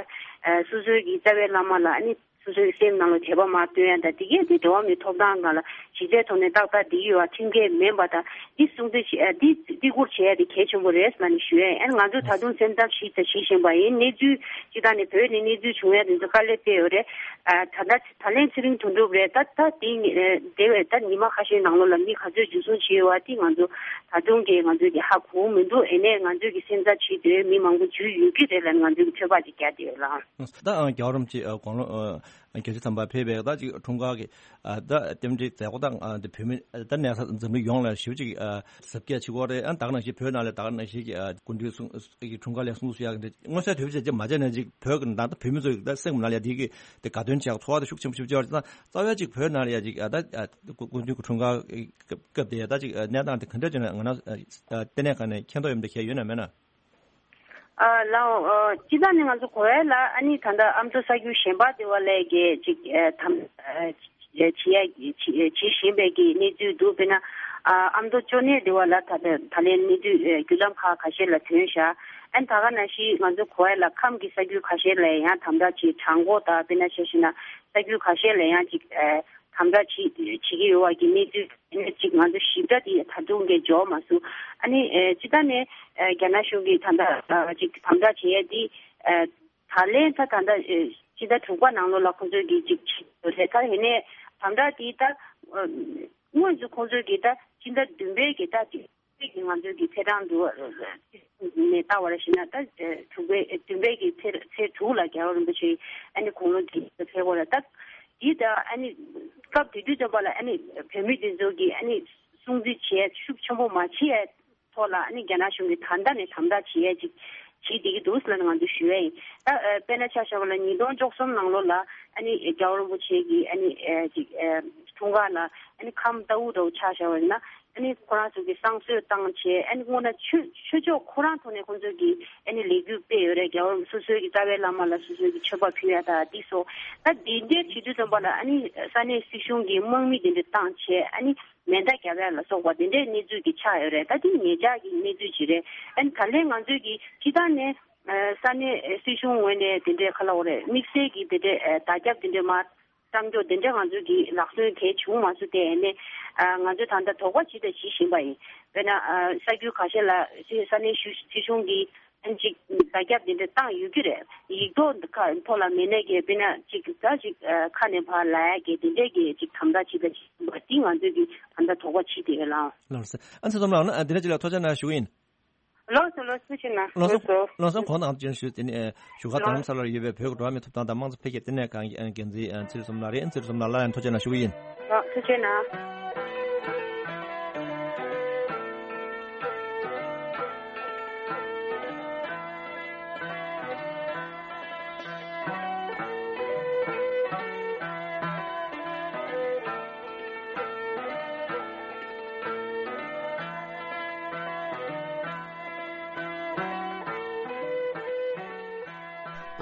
སོ་སོའི་གི་རྩ་བའི་བླ་མ་ལ་ཨ་ནི་སོ་སོའི་སེམས་ནང་ལ་དད་པ་མར་བཏོན་ཡ་དང་དེ་གས་དེ་འགྲོ་བ་མིའི་ཐོབ་ཐང་སྒང་ལ་གཞི་རྩའི་ཐོག་ནས་ཏག་ཏག་བསྡད་ཀྱི་ཡོད་པ་ཁྲིམས་འགལ་མིན་པ་དང་འདི་སྲུང་བརྩི་བྱེད་ཨ་འདི་འདི་བཀུར་བྱེད་ཡ་དེ་གལ་ཆེན་པོ་རེད་ཟེར་ནས་ཞུ་ཡ་ཡིན། ང་ཚོ་ད་དུང་སེམས་འཚབ་བྱེད་དང་བྱེད་བཞིན་པ་ཡིན། གནས་ཚུལ་སྤྱི་བཏང་ནས་བོད་ནས་གནས་ཚུལ་བྱུང་ཡ་དེ་ཚོ་དཀའ་ལས་སྤྲད་ཡོད་རེད། ཨ་ད་ལྟ་ད་ལན་ཚེ་རིང་དོན་གྲུབ་རེད། ད་ད་དེ་ནི་ཨ་འདས་པའི་ད་ཉི་མ་ཁ་ཤས་ནང་ལོགས་ལ་མི་ག་ཚོད་འཇུ་བཟུང་བྱས་ཡོད་པ་དེ་ང་ཚོ་ད་དུང་གི་ང་ཚོས་དེ་ཧ་གོ་མི་འདུག་ཨེ་ནས་ང་ཚོས་ཀྱི་སེམས་འཚབ་བྱེད་དུས་མི་མང་པོ་འཇུས་ཡོད་ཀྱི་རེད་ལབ་ང་ཚོས་ཀྱི་ཚོད་དཔག་ཅིག་རྒྱག་བསྡད་ཡོད་ལགས། ད་ཨ་རྒྱལ་བ་རིན་པོ་ཆེ་ཨ་དགུང་ལོ་ཨ་བརྒྱད་ཅུ་ཐམ་པ་ཕེབས་པའི་ད་ཅིག་འཁྲུངས་སྐར་གྱི་ཨ་ད་རྟེན་འབྲེལ་མཛད་སྒོ་དང་ཨ་དེ་བོད་མི་ཨ་ད་གནས་ས་འཛམ་གླིང་ཡོངས་ལ་ཞེ་པོ་ཅིག་ཨ་གཟབ་རྒྱས་བྱེད་ཀྱི་ཡོད་རེད། ཨ་ད་ག་ནང་བཞིན་བོད་ནང་ལ་ད་ག་ནང་བཞིན་གྱི་ཨ་སྐུ་མདུན་གསུང་གི་འཁྲུངས་སྐར་ལ་གསུང་བཤད་ཀྱི་མངོན་གསལ་དོད་པོ་བྱས་རྗེས་མ་བྱས་ན་ཅིག་བོད་ཀྱི་ནང་ད་བོད་མི་ཚོ་ད་སེམས་ནང་ལ་དེ་གི་དེ་དགའ་སྟོན་བྱེད་ཚོར་བ་དེ་ཤུགས་ཆེན་པོ་ཞིག་སྐྱེ་བ་རེད། ད་རྩ་བའི་ཅིག་བོད་ནང་ལ་ཡ་ཅིག་ཨ་ད་ཨ་སྐུ་མདུན་གྱི་འཁྲུངས་སྐར་སྐབས་དེ་ད་ཅིག་གནས་སྟངས་དེ་ག་འདྲ་ཅིག་ན་ང་རང་ལྟེ་གནས་ཁང་ནས་མཁྱེན་རྟོགས་ཡོད་མདོག་ཁྱེད་ཡོད་ན་མེད་ན། ཨ་ལའོ། ཨ་སྤྱི་བཏང་ནས་ང་ཚོ་གོ་བ་ལ་ཨ་ནི་ད་ལྟ་ཨ་མདོ་ས་ཁུལ་གཞན་པ་དེ་བ་ལས་ཀྱི་ཅིག་ཨ་དམ་ཨ་བྱེད་ཡ་བྱེད་བཞིན་པའི་གི་གནས་ཚུལ་འདུག་དཔེར་ན་ཨ་ཨ་མདོ་ཅོ་ནེ་དེ་བ་ལ་ད་ལྟ་ད་ལན་གནས་ཚུལ་བརྒྱུད་ལམ་ཁག་ཁ་ཤས་ལ་ཐོན་ཤག་ཨ་ནི་ད་ག་ནང་བཞིན་ང་ཚོ་གོ་བ་ལ་ཁམས་ཀྱི་ས་ཁུལ་ཁ་ཤས་ལ་ཡང་དམ་དྲག་ཅིག་བྲང་ཁོག་དང་དཔེར་ན་ཆ་བཞག་ན་ས་ཁུལ་ཁ་ཤས་ལ་ཡང་ཅིག་ཨ། དམ་དྲག་བྱེད་བྱེད་ཀྱི་ཡོད་པ་གི་གནས་ཚུལ་ནས་ཅིག་ང་ཚོ་ཞིབ་ཕྲ་དེ་ད་དུང་གི་འབྱོར་མ་སོང་། ཨ་ནི་ཨེ་སྤྱི་བཏང་ནས་ཨེ་རྒྱ་ནག་གཞུང་གིས་ད་ལྟ་ཨ་ཅིག་དམ་དྲག་བྱེད་ཡ་དེ་ཨེ་ད་ལན་ད་ད་ལྟ་ཨེ་ཕྱི་ཟླ་དྲུག་པ་ནང་ལོགས་ལ་ཁོང་ཚོས་ཀྱི་ཅིག་བྱེད་ཡོད་རེད། ད་ཡིན་ནའི་དམ་དྲག་དེ་ད་ཨ་དངོས་སུ་ཁོང་ཚོས་ཀྱི་ད་ཕྱི་ཟླ་བདུན་པའི་གི་ད་ཅིག་ཀྱི་ང་ཚོའི་གི་ཚེས་གྲངས་འདུག་ནས་ལྟ་བར་ཞིག་ན་ད་དྲུག་པའི་བདུན་པའི་གི་ཚེས་ཚེས་དྲུག་ལ་རྒྱལ་བ་རིན་པོ་ཆེ་ཨ་ནི་དགུང་ལོ་བགྲེས་པོ་ཕེབས་པ་ལ་ད་འདི་ད་ཨ་ནི་སྐབས་དེ་དུས་ཙམ་པ་ལ་ཨ་ནི་བོད་མི་དེ་ཚོ་གི་ཨ་ནི་སྲུང་བརྩི་བྱས་ཤུགས་ཆེན་པོ་མ་བྱས་ཐོག་ལ་ཨ་ནི་རྒྱ་ནག་གཞུང་གི་ད་ལྟ་ནས་དམ་དྲག་བྱས་ཡ་ཅིག་བྱེད་བསྡད་ཀྱི་འདུག་ལ་ང་ཚོས་ཞུ་ཡ་ཡིན། ད་དཔེར་ན་ཆ་བཞག་པ་ལ་ཉིས་སྟོང་བཅུ་གསུམ་ནང་ལོགས་ལ་ཨ་ནི་རྒྱལ་བ་རིན་པོ་ཆེ་གི་ཨ་ནི་ཅིག་འཁྲུངས་སྐར་ལ་ཨ་ནི་ཁམས་རྟའུ་འདྲ་བོ་ཆ་བཞག་པ་ཡིན་ན། ཨ་ནི་ཁོ་རང་ཚོ་གི་བསང་གསོལ་བཏང་བྱས་ཨ་ནི་སྔོན་ན་ཆོས་ཆོས་ཕྱོགས་ཁོ་རང་ཐོག་ནས་ཁོང་ཚོ་གི་ཨ་ནི་ལས་འགུལ་སྤེལ་ཡོད་རེད། རྒྱལ་བ་སོ་སོའི་གི་རྩ་བའི་བླ་མ་ལ་སོ་སོའི་གི་མཆོད་པ་ཕུལ་ཡ་ད་འདི་སོགས་ད་འདི་འདྲའི་བྱེད་དུས་ཙམ་པ་ལ་ཨ་ནི་ས་གནས་སྲིད་གཞུང་གི་དམག་མི་དེ་འདྲ་བཏང་བྱས་ཨ་ནི་མེ་མདའ་བརྒྱབ་ཡ་ལ་སོགས་པ་དེ་འདྲའི་གནས་ཚུལ་གི་ཆགས་ཡོད་རེད། ད་འདི་ཉེ་ཆར་གི་གནས་ཚུལ་ཅིག་རེད། ཨ་ནི་ད་ལན་ང་ཚོའི་གི་སྤྱི་བཏང་ནས་ས་གནས་སྲིད་གཞུང་ངོས་ནས་དེ་འདྲའི་ག་ལ་འོ་རེད་དམིགས་བསལ་གི་དེ་འདྲའི་བརྡ་ཁྱབ་དེ་འདྲའི་མ། བསམ་སྐྱོ་དེ་འདྲ་ང་ཚོ་གི་ལག་སོན་གལ་བྱུང་མ་སོང་སྟེ་ཨ་ནི་ང་ཚོས་ད་ལྟ་དོགས་པ་ཇི་ལྟར་བྱེད་བཞིན་པ་ཡིན། དཔེར་ན་ས་ཁུལ་ཁ་ཤས་ལ་ས་གནས་གཞུང་སྲིད་གཞུང་གིས་ཨ་ནི་ཅིག་བརྡ་ཁྱབ་དེ་འདྲ་བཏང་ཡོད་ཀྱི་རེད། ཡིག་ཐོག་ཁ་ཐོག་ལ་མེད་ནས་ཀྱི་དཔེར་ན་ཅིག་ད་ཅིག་ཁ་ནས་ཕར་ལབ་ཡ་གི་དེ་འདྲས་ཀྱི་ཅིག་དམ་དྲག་ཇི་ལྟར་བྱེད་བཞིན་པ་འདི་ང་ཚོས་ཀྱི་ད་ལྟ་དོགས་པ་བྱེད་དེ་ཡོད་ལགས། ལགས་སོ། ཨ་ཚེ་ཙམ་ལགས་ན་འདི་འདྲ་ཅིག་ལ་ཐུགས་རྗེ་གནང་ཞུ་གི་ཡིན། ལགས་སོ་ལགས་སོ། ཐུགས་རྗེ་གནང་། ལགས་སོ་ལགས་སོ། ལགས་སོ། གོང་དུ་ཨང་ཅན་ཞུས་དེ་ནི་བཞུགས་སྒར་རྡ་རམ་ས་ལར་ཡོད་པའི་བོད་ཀྱི་འགྲོ་བ་མིའི་ཐོབ་ཐང་དང་དམངས་གཙོ་འཕེལ་རྒྱས་ལྟེ་གནས་ཁང་གི་འགན་འཛིན་ཚེ་རིང་བསོད་ནམས་ལགས་རེད། ཚེ་རིང་བསོད་ནམས་ལགས་ལ་ཡང་ཐུགས་རྗེ་གནང་ཞུ་གི་ཡིན། ལགས་ཐུགས་རྗེ་གནང་།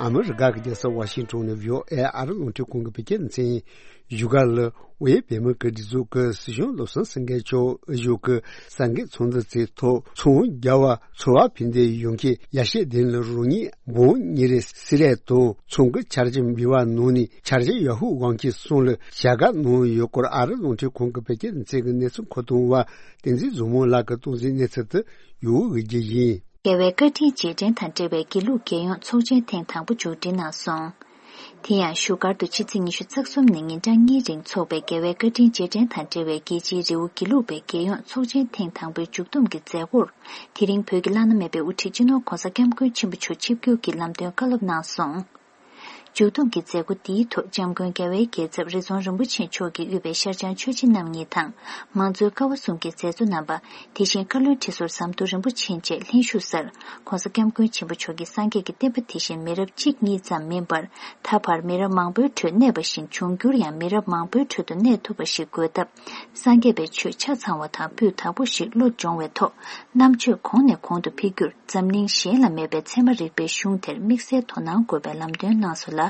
ཨ་མི་རི་ཀ་གི་རྒྱལ་ས་ཝ་ཤིང་ཏོན་ནས་བྷི་ཨོ་ཨེ་ཨ་རི་རླུང་འཕྲིན་ཁང་གི་བོད་སྐད་སྡེ་ཚན་ཡིན། བཞུགས་སྒར་ལ་དབུས་བོད་མི་གི་སྒྲིག་འཛུགས་ཀྱི་སྲིད་སྐྱོང་བློ་བཟང་སེང་གེ་མཆོག་ཨ་ཞོག་གི་གསར་འགོད་ཚོགས་འདུ་དེའི་ཐོག་ཚོང་རྒྱ་བ་ཚོ་བ་ཕན་བདེ་ཡོང་ཁྱེད་ཡ་ཤེས་ལྡན་ལ་རོགས་གཉིས་འབུམ་གཉིས་རེ་སྲིད་ལས་དང་ཚོང་གི་འཆར་གཞི་འབུལ་བ་ནང་ནས་འཆར་གཞི་ཡ་ཧུ་དབང་ཁྱེད་གསུམ་ལ་བྱ་དགའ་གནང་ཡོད་སྐོར་ཨ་རི་རླུང་འཕྲིན་ཁང་གི་བོད་སྐད་སྡེ་ཚན་གྱི་གནས་ཚུལ་མཁོ་གཏོང་བ་བསྟན་འཛིན་བཟང་མོ་ལགས་ཀྱིས་གཏོང་གཟིགས་གནས་ཚུལ་དུ་ཡོང་བའི་རྒྱུ་ཡིན། རྒྱལ་བའི་བཀའ་དྲིན་རྗེས་དྲན་དང་འབྲེལ་བའི་དགེ་ལུགས་རྒྱལ་ཡོངས་ཚོགས་ཆེན་ཐེངས་དང་པོ་མཇུག་སྒྲིལ་གནང་སོང་། དེ་ཡང་བཞུགས་སྒར་དུ་ཕྱི་ཚེས་ཉི་ཤུ་རྩ་གསུམ་ནས་ཉིན་གྲངས་གཉིས་རིང་འཚོགས་པའི་རྒྱལ་བའི་བཀའ་དྲིན་རྗེས་དྲན་དང་འབྲེལ་བའི་རྒྱལ་སྤྱིའི་རི་བོ་དགེ་ལུགས་པའི་རྒྱལ་ཡོངས་ཚོགས་ཆེན་ཐེངས་དང་པོའི་མཇུག་བསྡོམས་ཀྱི་མཛད་སྒོར། དེ་རིང་བོད་ཀྱི་བླ་ན་མེད་པའི་དབུ་ཁྲིད་སྤྱི་ནོར་༧གོང་ས་༧སྐྱབས་མགོན་ཆེན་པོ་མཆོག་ཆིབས་བསྒྱུར་གྱིས་ལམ་སྟོན་བཀའ་སློབ་གནང་སོང་། མཇུག་བསྡོམས་ཀྱི་མཛད་སྒོ་འདིའི་ཐོག་༧སྐྱབས་མགོན་རྒྱལ་བའི་རྒྱལ་ཚབ་རི་རྫོང་རིན་པོ་ཆེ་མཆོག་གིས་དབུས་པའི་ཤར་བྱང་ཆོས་རྗེ་རྣམ་གཉིས་དང་། མང་གཙོའི་ཀ་བ་གསུམ་གྱི་མཛད་གཙོ་རྣམ་པ། དེ་བཞིན་བཀའ་བློན་ཁྲི་ཟུར་ཟམ་གདོང་རིན་པོ་ཆེ་བཅས་ལྷན་ཞུགས་སར། ༧གོང་ས་༧སྐྱབས་མགོན་ཆེན་པོ་མཆོག་གིས་སངས་རྒྱས་ཀྱི་བསྟན་པ་དེ་བཞིན་མི་རབས་གཅིག་གཉིས་ཙམ་མིན་པར། ད་བར་མི་རབས་མང་པོའི་ཁྲོད་གནས་པ་བཞིན་འབྱུང་འགྱུར་ཡང་མི་རབས་མང་པོའི་ཁྲོད་དུ་གནས་ཐུབ་པ་ཞིག་དགོས་སྟབས། སངས་རྒྱས་པའི་ཆོས་ཆ་ཚང་བ་དང་སྤུས་དག་པོ་ཞིག་བློ་སྦྱོང་བའི་ཐོག་རྣམ་དཔྱོད་གོང་ནས་གོང་དུ་འཕེལ་རྒྱུར། འཛམ་གླིང་གཞན་ལ་མེད་པའི་ཚད་མ་རིག་པའི་གཞུང་དེར་དམིགས་བསལ་དོ་སྣང་དགོས་པའི་ལམ་སྟོན་གནང་སོང་ལ།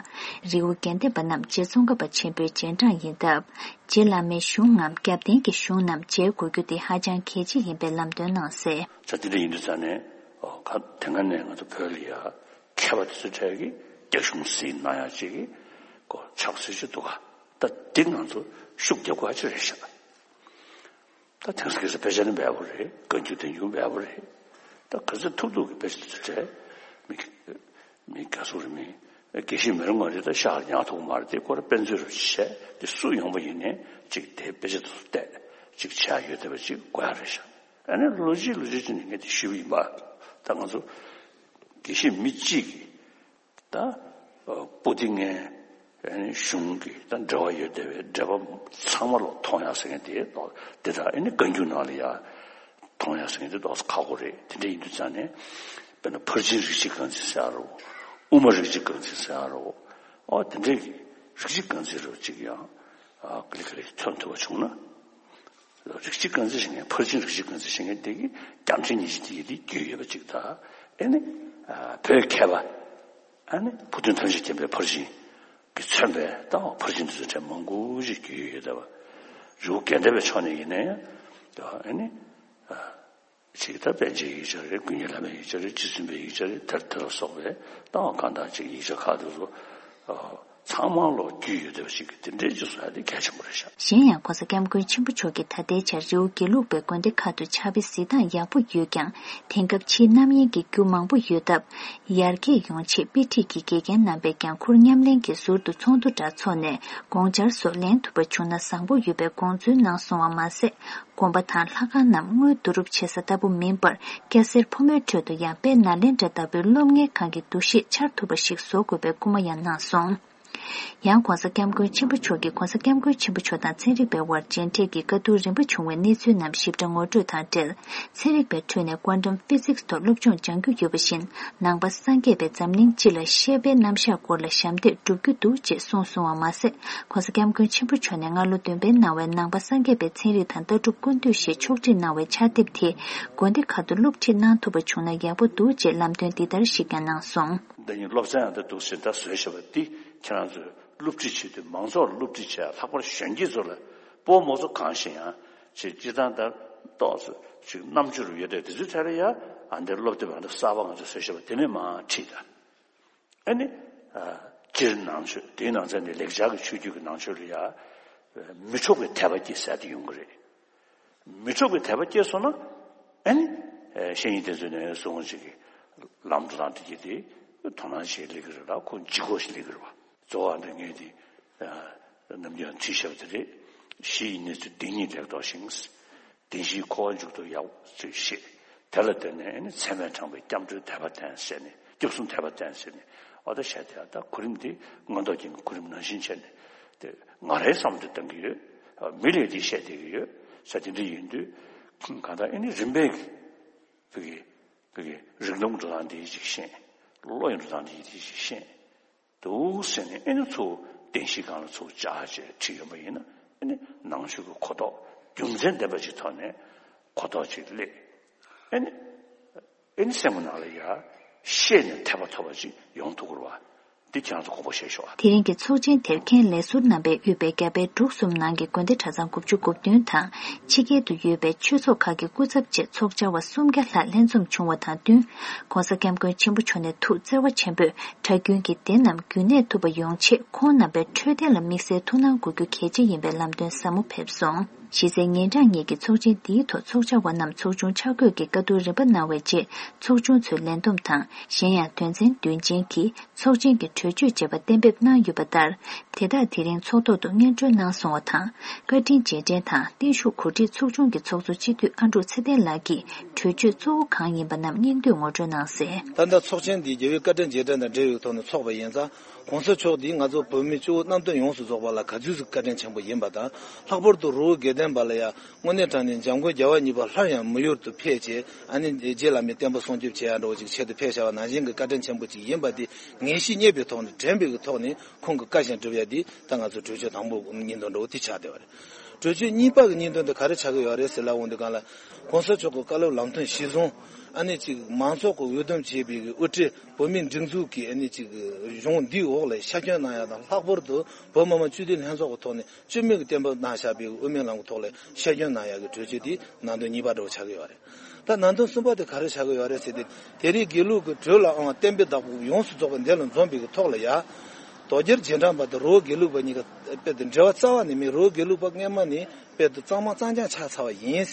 རི་བོ་དགེ་ལྡན་པ་རྣམས་རྗེ་ཙོང་ཁ་པ་ཆེན་པོའི་རྗེས་འབྲང་ཡིན་སྟབས། རྗེ་བླ་མའི་གཞུང་ངམ་རྒྱབ་རྟེན་གྱི་གཞུང་རྣམས་མཇལ་དགོས་རྒྱུ་དེ་ཧ་ཅང་གལ་ཆེ་ཡིན་པའི་ལམ་སྟོན་གནང་གསལ། ད་དེ་འདྲ་ཡིན་དུས་ཙང་ནས་ཨོ་ག་དེ་སྔ་ནས་ང་ཚོ་བོད་ལ་ཡ་མཁས་པ་དེ་ཚོའི་གྲས་ཀྱིས་རྒྱ་གཞུང་གཟིགས་གནང་ཡག་ཅིག་གི་ཀོ་ཕྱག་སྲོལ་ཅིག་འདུག་ག་ད་འདི་ང་ཚོ་ཤུགས་རྒྱབ་དགོས་ཡག་ཅིག་རེད་ཤག་ད་དེང་སང་གི་དཔེ་ཆ་ནི་འབེལ་པོ་རེད། བཀའ་འགྱུར་བསྟན་འགྱུར་འབེལ་པོ་རེད། ད་ག་ཚོད་ཐུབ་ཐུབ་ཀྱི་དཔེ་ཆ་དེ་ཚོ་བྲིས། མི་མི་དགའ་སོང་རེད། མི་དགེ་བཤེས་མི་རུང་བ་རེད། ད་ཤག་ཉག་ཐུག་མ་རེད། དེ་ཁོ་ར་དཔེ་མཛོད་རུ་བྱས་དེ་སུ་ཡོང་པ་ཡིན་ནའི་ཅིག་དེ་དཔེ་ཆ་དེ་ཚོ་བལྟས་ཅིག་བྱས་ཡོད་བསྡད་པ་ཅིག་དགོས་ཡག་རེད་ཤག་ཨ་ནི་ལོ་གཅིག་ལོ་གཅིག་ཅིག་ནས་ངས་དེ་ཞུས་པ་ཡིན་པ། ད་ང་ཚོ་དགེ་བཤེས་མི་གཅིག་གིས་ད་ཨ་པོ་ཏི་ངན་ཨ་ནི་གཞུང་གི་ད་འབྲེལ་བ་ཡོད་བསྡད་པའི་འབྲེལ་བ་ཚང་མ་ལོག་མཐོང་ཡག་ཟེར་མཁན་དེ་ཏོག་དེ་དག་ཨ་ནི་བཀའ་འགྱུར་ནང་ལ་ཡ་མཐོང་ཡག་ཟེར་མཁན་དེ་ཏོག་ཙམ་ཁག་པོ་རེད། དེ་འདྲ་ཡིན་དུས་ཙང་ནས་དཔེར་ན་ཕར་ཕྱིན་རིགས་གཅིག་རྐང་འཛིན་ཟེར་ཡག་རེད། དབུ་མ་རིགས་གཅིག་རྐང་འཛིན་ཟེར་ཡག་རེད། ཨོ་དེ་འདྲའི་གི་རིགས་གཅིག་རྐང་འཛིན་རེད་ཅིག་ཡང་ཨ་ཀི་ལི་ཀི་ལི་མཚོན་ཐུབ་པ་བྱུང་ན། རིགས་གཅིག་རྐང་འཛིན་བྱེད་མཁན་ཕར་ཕྱིན་རིགས་གཅིག་རྐང་འཛིན་བྱེད་མཁན་དེ་གིས་རྒྱལ་ཕྲན་ཉི་ཤུ་དེ་ཡི་དེ་རྒྱུས་ཡོད་པ་ཅིག་དང་། ཨེ་ནི་ཨ་བོད་མཁས་པ་ཨ་ནི་བུ་སྟོན་ཐམས་ཅད་མཁྱེན་པའི་ཕར་ཕྱིན་གྱིས་མཚོན་པའི་ད་ཕར་ཕྱིན་དེ་ཚོ་གྲས་མང་པོ་ཞིག་རྒྱུས་ཡོད་བསྡད་པ། རི་བོ་དགེ་ལྡན་པའི་ཕྱོགས་ནས་ཡིན་ན་ཡང་ཨེ་ནི་ཨ། ཅིག་ད་པཎ་ཆེན་ཡིག་ཆ་རེད། ཀུན་མཁྱེན་བླ་མའི་ཡིག་ཆ་རེད། རྗེ་བཙུན་པའི་ཡིག་ཆ་རེད། དེར་དེ་ལ་སོགས་པའི་ད་གང་དག་ཅིག་ཡིག་ཆ་ཁག་དེ་ཚོ་ཨ་ཚང་མ་ལོག་རྒྱུས་ཡོད་བསྡད་པ་ཞིག་གི་དེ་འདྲའི་ཅིག་བཟོ་ཡག་དེ་གལ་ཆེན་པོ་རེད་ཤག་གཞན་ཡང་༧གོང་ས་༧སྐྱབས་མགོན་ཆེན་པོ་མཆོག་གིས་ད་ལྟའི་ཆར་རི་བོ་དགེ་ལུགས་པའི་དགོན་སྡེ་ཁག་ཏུ་ཕྱག་དཔེ་གཟིགས་སྟངས་ཡག་པོ་ཡོད་ཀྱང་། དེང་སྐབས་ཕྱིའི་རྣམ་གཡེང་གི་རྒྱུ་མང་པོ་ཡོད་སྟབས། ཡར་རྒྱས་ཡོང་ཆེད་དཔེ་ཁྲིད་ཀྱི་དགེ་རྒན་རྣམ་པས་ཀྱང་ཁུར་མཉམ་ལེན་གྱིས་ཟུར་དུ་ཚོགས་འདུ་འདྲ་འཚོགས་ནས་དགོངས་འཆར་སོགས་ལེན་ཐུབ་པ་བྱུང་ན་བཟང་པོ་ཡོད་པའི་དགོངས་ཚུལ་གནང་སོང་བ་མ་ཟད། དགོན་པ་དང་ལྷ་ཁང་རྣམས་དངུལ་བསྡུ་རུབ་བྱེད་ས་ལྟ་བུ་མིན་པར། སྐྱ་སེར་ཕོ་མོའི་ཁྲོད་དུ་ཡང་དཔལ་ནཱ་ལེནྡྲ་ལྟ་བུའི་སློབ་གཉེར་ཁང་གི་འདུ་ཤེས་འཆར་ཐུབ་པ་ཞིག་བཟོ་དགོས་པའི་སྐུལ་མ་ཡང་གནང་སོང་། ཡང་༧གོང་ས་༧སྐྱབས་མགོན་ཆེན་པོ་མཆོག་གིས་༧གོང་ས་༧སྐྱབས་མགོན་ཆེན་པོ་མཆོག་དང་ཚན་རིག་པའི་དབར་མཇལ་འཕྲད་ཀྱིས་བཀའ་བསྡུར་རིམ་པ་བྱུང་བའི་གནས་ཚུལ་རྣམས་ཞིབ་ཕྲ་ངོ་སྤྲོད་དང་འབྲེལ། ཚན་རིག་པའི་ཁྲོད་ནས་Quantum Physics ཐོག་སློབ་སྦྱོང་སྦྱང་རྒྱུ་ཡོད་པ་བཞིན། ནང་པ་སངས་རྒྱས་པས་འཛམ་གླིང་སྤྱི་ལ་བཤད་པའི་རྣམ་གཞག་སྐོར་ལ་ཞབས་འདེགས་སྒྲུབ་རྒྱུ་འདུག་ཅེས་གསུངས་སོང་བ་མ་ཟད། ༧གོང་ས་༧སྐྱབས་མགོན་ཆེན་པོ་མཆོག་ནས་སྔ་ལོ་བདུན་པའི་ནང་བའི་ནང་པ་སངས་རྒྱས་པའི་ཚན་རིག་དང་ལྟ་གྲུབ་ཀུན་བཏུས་ཞེས་ཕྱོགས་སྒྲིག་གནང་བའི་ཕྱག་དེབ་དེ་དགོན་སྡེ་ཁག་ཏུ་སློབ་ཁྲིད་གནང་ཐུབ་པ་བྱུང་ན་ཡག་པོ་འདུག་ཅེས་ལམ་སྟོན་འདི་ལྟར་ཞིག་ཀྱང་གནང་སོང་། འདི་ཉིད་སློབ་ཚན་ཡང་ད་འདུག་ཟེར་ད་བཟོས་བཞག་པ་འདི་ཁྱེད་རང་ཚོས་སློབ་ཁྲིད་བྱེད་དུས་མང་ཚོགས་ལ་སློབ་ཁྲིད་བྱས་ལྷག་པར་གཞོན་སྐྱེས་ཚོ་ལ་སྤོ་མོ་ཚོ་གང་ཞིག་ཡང་ཅིག་སྤྱི་བཏང་ད་ཏོག་ཙམ་ཅིག་རྣམ་དཔྱོད་རུ་ཡོད་དེ་དེ་ཚོའི་ཐད་ལ་ཡ་ཨ་འདིར་སློབ་དེབ་ཨ་འདི་གསར་པ་ང་ཚོ་བཟོས་བཞག་པ་དེ་ནས་མར་ཁྲིད་ད། ཨ་ནི། ཨ་སྤྱིར་ནང་ཆོས་དེའི་ནང་ཚན་ནི་ལེགས་སྦྱར་གྱི་ཆོས་བརྒྱུད་ཀྱི་ནང་ཆོས་ལ་ཡ། མི་འཕྲོག་པའི་དད་པ་སྐྱེ་ཟེར་དེ་ཡོང་གི་རེད། མི་འཕྲོག་པའི་དད་པ་སྐྱེས་སོང་ན། ཨ་ནི། ཨ་བཤེས་གཉེན་དེ་ཚོས་ནས་སོང་ཅིག་གི་ལམ་འགྲོ་སྟངས་དེ་གྱིས་དེ་དོ་སྣང་བྱེད་ལེགས་ཀྱི་རེད་ལ་ཁོ་ལྗིད་ཁོག་ཞིག་ལེགས་ཀྱི་རེད་བ། གཙོ་བོ་འདི་ངས་དེ་ཨ་ནམ་རྒྱུན་ཁྲིད་བཞག་པ་དེ་རེད། གཞི་ཡི་གནས་ཚུལ་འདི་ཉིད་ལེགས་རྟོགས་ཤིང་། བདེན་བཞིའི་འཁོར་བ་མཇུག་ཏུ་ཡག་ཅིག་ཤེས། དེ་ལ་བརྟེན་ནས་ཨ་ནི་ཚད་མས་དྲངས་པའི་སྐྱབས་འགྲོའི་དད་པ་བསྟེན་ཟེར་ནས། སྐྱབས་སུ་དད་པ་བསྟེན་ཟེར་ནས། འོ་ད་བཤད་དེ། ད་གོ་རིམ་འདི་མངོན་རྟོགས་རྒྱན་གྱི་གོ་རིམ་ནང་བཞིན་བྱས་ནས། དེ་ང་རའི་བསམ་བློ་དེ་གཏང་གི་ཡོད། མི་ལས་འདི་བཤད་བསྡད་ཀྱི་ཡོད་ཟེར། དེ་འདྲ་ཡིན་དུས་གང་ལྟར་ཨ་ནི་རིམ་པས་ཀྱི་བོད་ཀྱི་བོད་ཀྱི་རིགས་ལམ་འགྲོ་སྟངས་འདི་ཞིག་ཤེས། བློ་ཡི་འགྲོ་སྟངས་འདི་ཞིག་ཤེས། འདུག་ཟེར་ནས། ཨ་ནི་ཚུར་བདེན་བཞིའི་སྒང་ལ་ཚུར་བཅར་བྱས་བྲིས་ཡོད་པ་ཡིན་ན། ཨ་ནི་ནང་ཆོས་ཀྱི་གོ་རྟོགས་རྒྱུ་མཚན་ལྡན་པ་ཅིག་ཐོག་ནས་གོ་རྟོགས་ཅིག་སླེབས། ཨ་ནི་ཨ་ནི་སེམས་ཀྱི་ནང་ལ་ཡར་ཤེས་ནས་དད་པ་ཐོབ་པ་ཅིག་ཡོང་ཐུབ་ཀྱི་རེད་བ། འདི་ཁྱེད་རང་ཚོ་དགོངས་པ་བཞེས་ཤོག་ཨ། དེ་རིང་གི་ཚོགས་ཆེན་དེར་མཁན་ལས་ཟུར་རྣམ་པས་དབུས་པའི་རྒྱ་བལ་འབྲུག་གསུམ་ནང་གི་དགོན་སྡེ་གྲྭ་ཚང་དགུ་བཅུ་གོ་བདུན་དང་། ཕྱི་རྒྱལ་དུ་ཡོད་པའི་ཆོས་ཚོགས་ཁག་གི་སྐུ་ཚབ་བཅས་ཚོགས་བཅར་བ་སུམ་བརྒྱ་ལྷག་ལྷན་འཛོམས་བྱུང་བ་དང་བསྟུན། ྋགོང་ས་ྋསྐྱབས་མགོན་ཆེན་པོ་མཆོག་ནས་ཐུགས་བརྩེ་བ་ཆེན་པོས་གྲྭ་རྒྱུན་གྱི་སྡེ་རྣམས་རྒྱུན་གནས་ཐུབ་པ་ཡོང་ཆེད། ཁོང་རྣམ་པའི་འཕྲོད་བསྟེན་ལ་དམིགས་བསལ་ཐུགས་སྣང་དགོས་རྒྱུ་གལ་ཆེ་ཡིན་པའི་ལམ་སྟོན་ཟབ་མོ་ཕེབས་སོང་། གཞི་རྩའི་ཉིན་གྲངས་གཉིས་ཀྱི་ཚོགས་ཆེན་འདིའི་ཐོག་ཚོགས་བཅར་བ་རྣམས་ཚོགས་ཆུང་འཆར་འགོད་ཀྱི་བཀའ་བསྡུར་རིམ་པ་གནང་བའི་རྗེས། ཚོགས་ཆུང་ཚོའི་ལས་བསྡོམས་དང་། གཞན་ཡང་དོན་ཚན་བདུན་ཅན་གྱི་ཚོགས་ཆེན་གྱི་གྲོས་ཆོད་ཅེས་པ་གཏན་འབེབས་གནང་ཡོད་པ་ལྟར། དེ་དག་དེ་རིང་ཚོགས་ཐོག་ཏུ་སྙན་སྒྲོན་གནང་སོང་བ་དང་། བཀའ་དྲིན་རྗེས་དྲན་དང་བརྟན་བཞུགས་གོ་སྒྲིག་ཚོགས་ཆུང་གི་ཚོགས་གཙོ་སྤྱི་འཐུས་ཨ་འབྲུག་ཚེ་བརྟན་ལགས་ཀྱིས་གྲོས་ཆོད་གཙོ་བོ་གང་ཡིན་པ་རྣམས་སྙིང་བསྡུས་ངོ་སྤྲོད་གནང་གསལ། ད་ལྟ་ཚོགས་ཆེན་འདི་རྒྱལ་བའི་བཀའ་དྲིན་རྗེས་དྲན་དང་འབྲེལ་ཡོད་ཐོག་ནས་ཚོགས་པ་ཡིན་ཙང་། ྋགོང་ས་མཆོག་འདི་ང་ཚོ་བོད་མི་སྤྱི་བོ་གནམ་སྟོང་ཡོངས་སུ་རྫོགས་པ་ལ་ག་ཚོད་ཅིག་བཀའ་དྲིན་ཆེན་པོ་ཡིན་པ་དང་། ལྷག་པར་དུ་རི་བོ་དགེ་ལྡན་པ་ལ་ཡང་དངོས་གནས་དྲང་གནས་འཇམ་མགོན་རྒྱལ་བ་གཉིས་པ་སླར་ཡང་མི་ཡུལ་དུ་ཕེབས་བྱས། ཨ་ནི་རྗེ་བླ་མའི་བསྟན་པ་སྲུང་སྐྱོབ་བྱེད་ཡ་འདྲ་བོ་ཅིག་ཆེད་དུ་ཕེབས་བཞག་པ་ནང་བཞིན་གྱི་བཀའ་དྲིན་ཆེན་པོ་ཅིག་ཡིན་པ་འདི་ངེས་ཤེས་རྙེད་པའི་ཐོག་ནས། དྲན་པའི་གི་ཐོག་ནས་ཁོང་གི་བཀའ་བཞིན་སྒྲུབ་ཡ་འདི་ད་ང་ཚོ་གྲོས་ཆོད་དང་པོ་ཉིན་དང་འདྲ་བོ་དེ་ཆགས་བསྡད་པ་རེད། གྲོས་ཆོད་གཉིས་པ་གི་སྙིང་དོན་དེ་ག་རེ་ཆགས་ཀྱི་ཡོད་རེད་ཟེར་ལབ་འོང་དུས་སྒང་ལ། ྋགོང་ས་མཆོག་གི་བཀའ་སློབ་ལམ་སྟོན་གཞིར་བཟུང་། ཨ་ནི་ཅིག་མང་ཚོགས་ཀྱི་འོས་བསྡོམས་བྱས་པའི་གི་དབུ་ཁྲིད་བོད་མིའི་སྒྲིག་འཛུགས་ཀྱི་ཨ་ནི་ཅིག་གཞུང་འདིའི་འོག་ལ་ཤར་བསྐྱོན་གནང་ཡ་དང་། ལྷག་པར་དུ་བོད་མི་མང་སྤྱི་འཐུས་ལྷན་ཚོགས་ཀྱི་ཐོག་ནས་བཅོས་མིན་གྱི་གཏན་འབེབས་གནང་བཞག་པའི་དབུ་མའི་ལམ་གྱི་ཐོག་ལ་ཤར་བསྐྱོན་གནང་ཡ་གི་གྲོས་ཆོད་དེ་ནང་དོན་གཉིས་པ་འདྲ་བོ་ཆགས་ཀྱི་ཡོད་རེད། ད་ནང་དོན་གསུམ་པ་དེ་ག་རེ་ཆགས་ཀྱི་ཡོད་རེད་ཟེར་ཏེ། དེ་རིང་དགེ་ལུགས་ཀྱི་གྲོས་ལ་འོང་བ་བསྟན་པའི་བདག་པོ་ཡོངས་སུ་རྫོགས་པ་འདི་ལ་འཛོམས་པའི་གི་ཐོག་ལ་ཡ། དོལ་རྒྱལ་རྗེས་འབྲང་པ་དང་རི་བོ་དགེ་ལུགས་པ་གཉིས་ཀ་དཔེ་དེ་འབྲེལ་བ་རྩ་བ་ནས་མེད། རི་བོ་དགེ་ལུགས་པ་སྔོན་མ་ནས་དཔེ་དེ་གཙང་མ་གཙང་རྐྱང་ཆགས་ཚར་བ་ཡིན།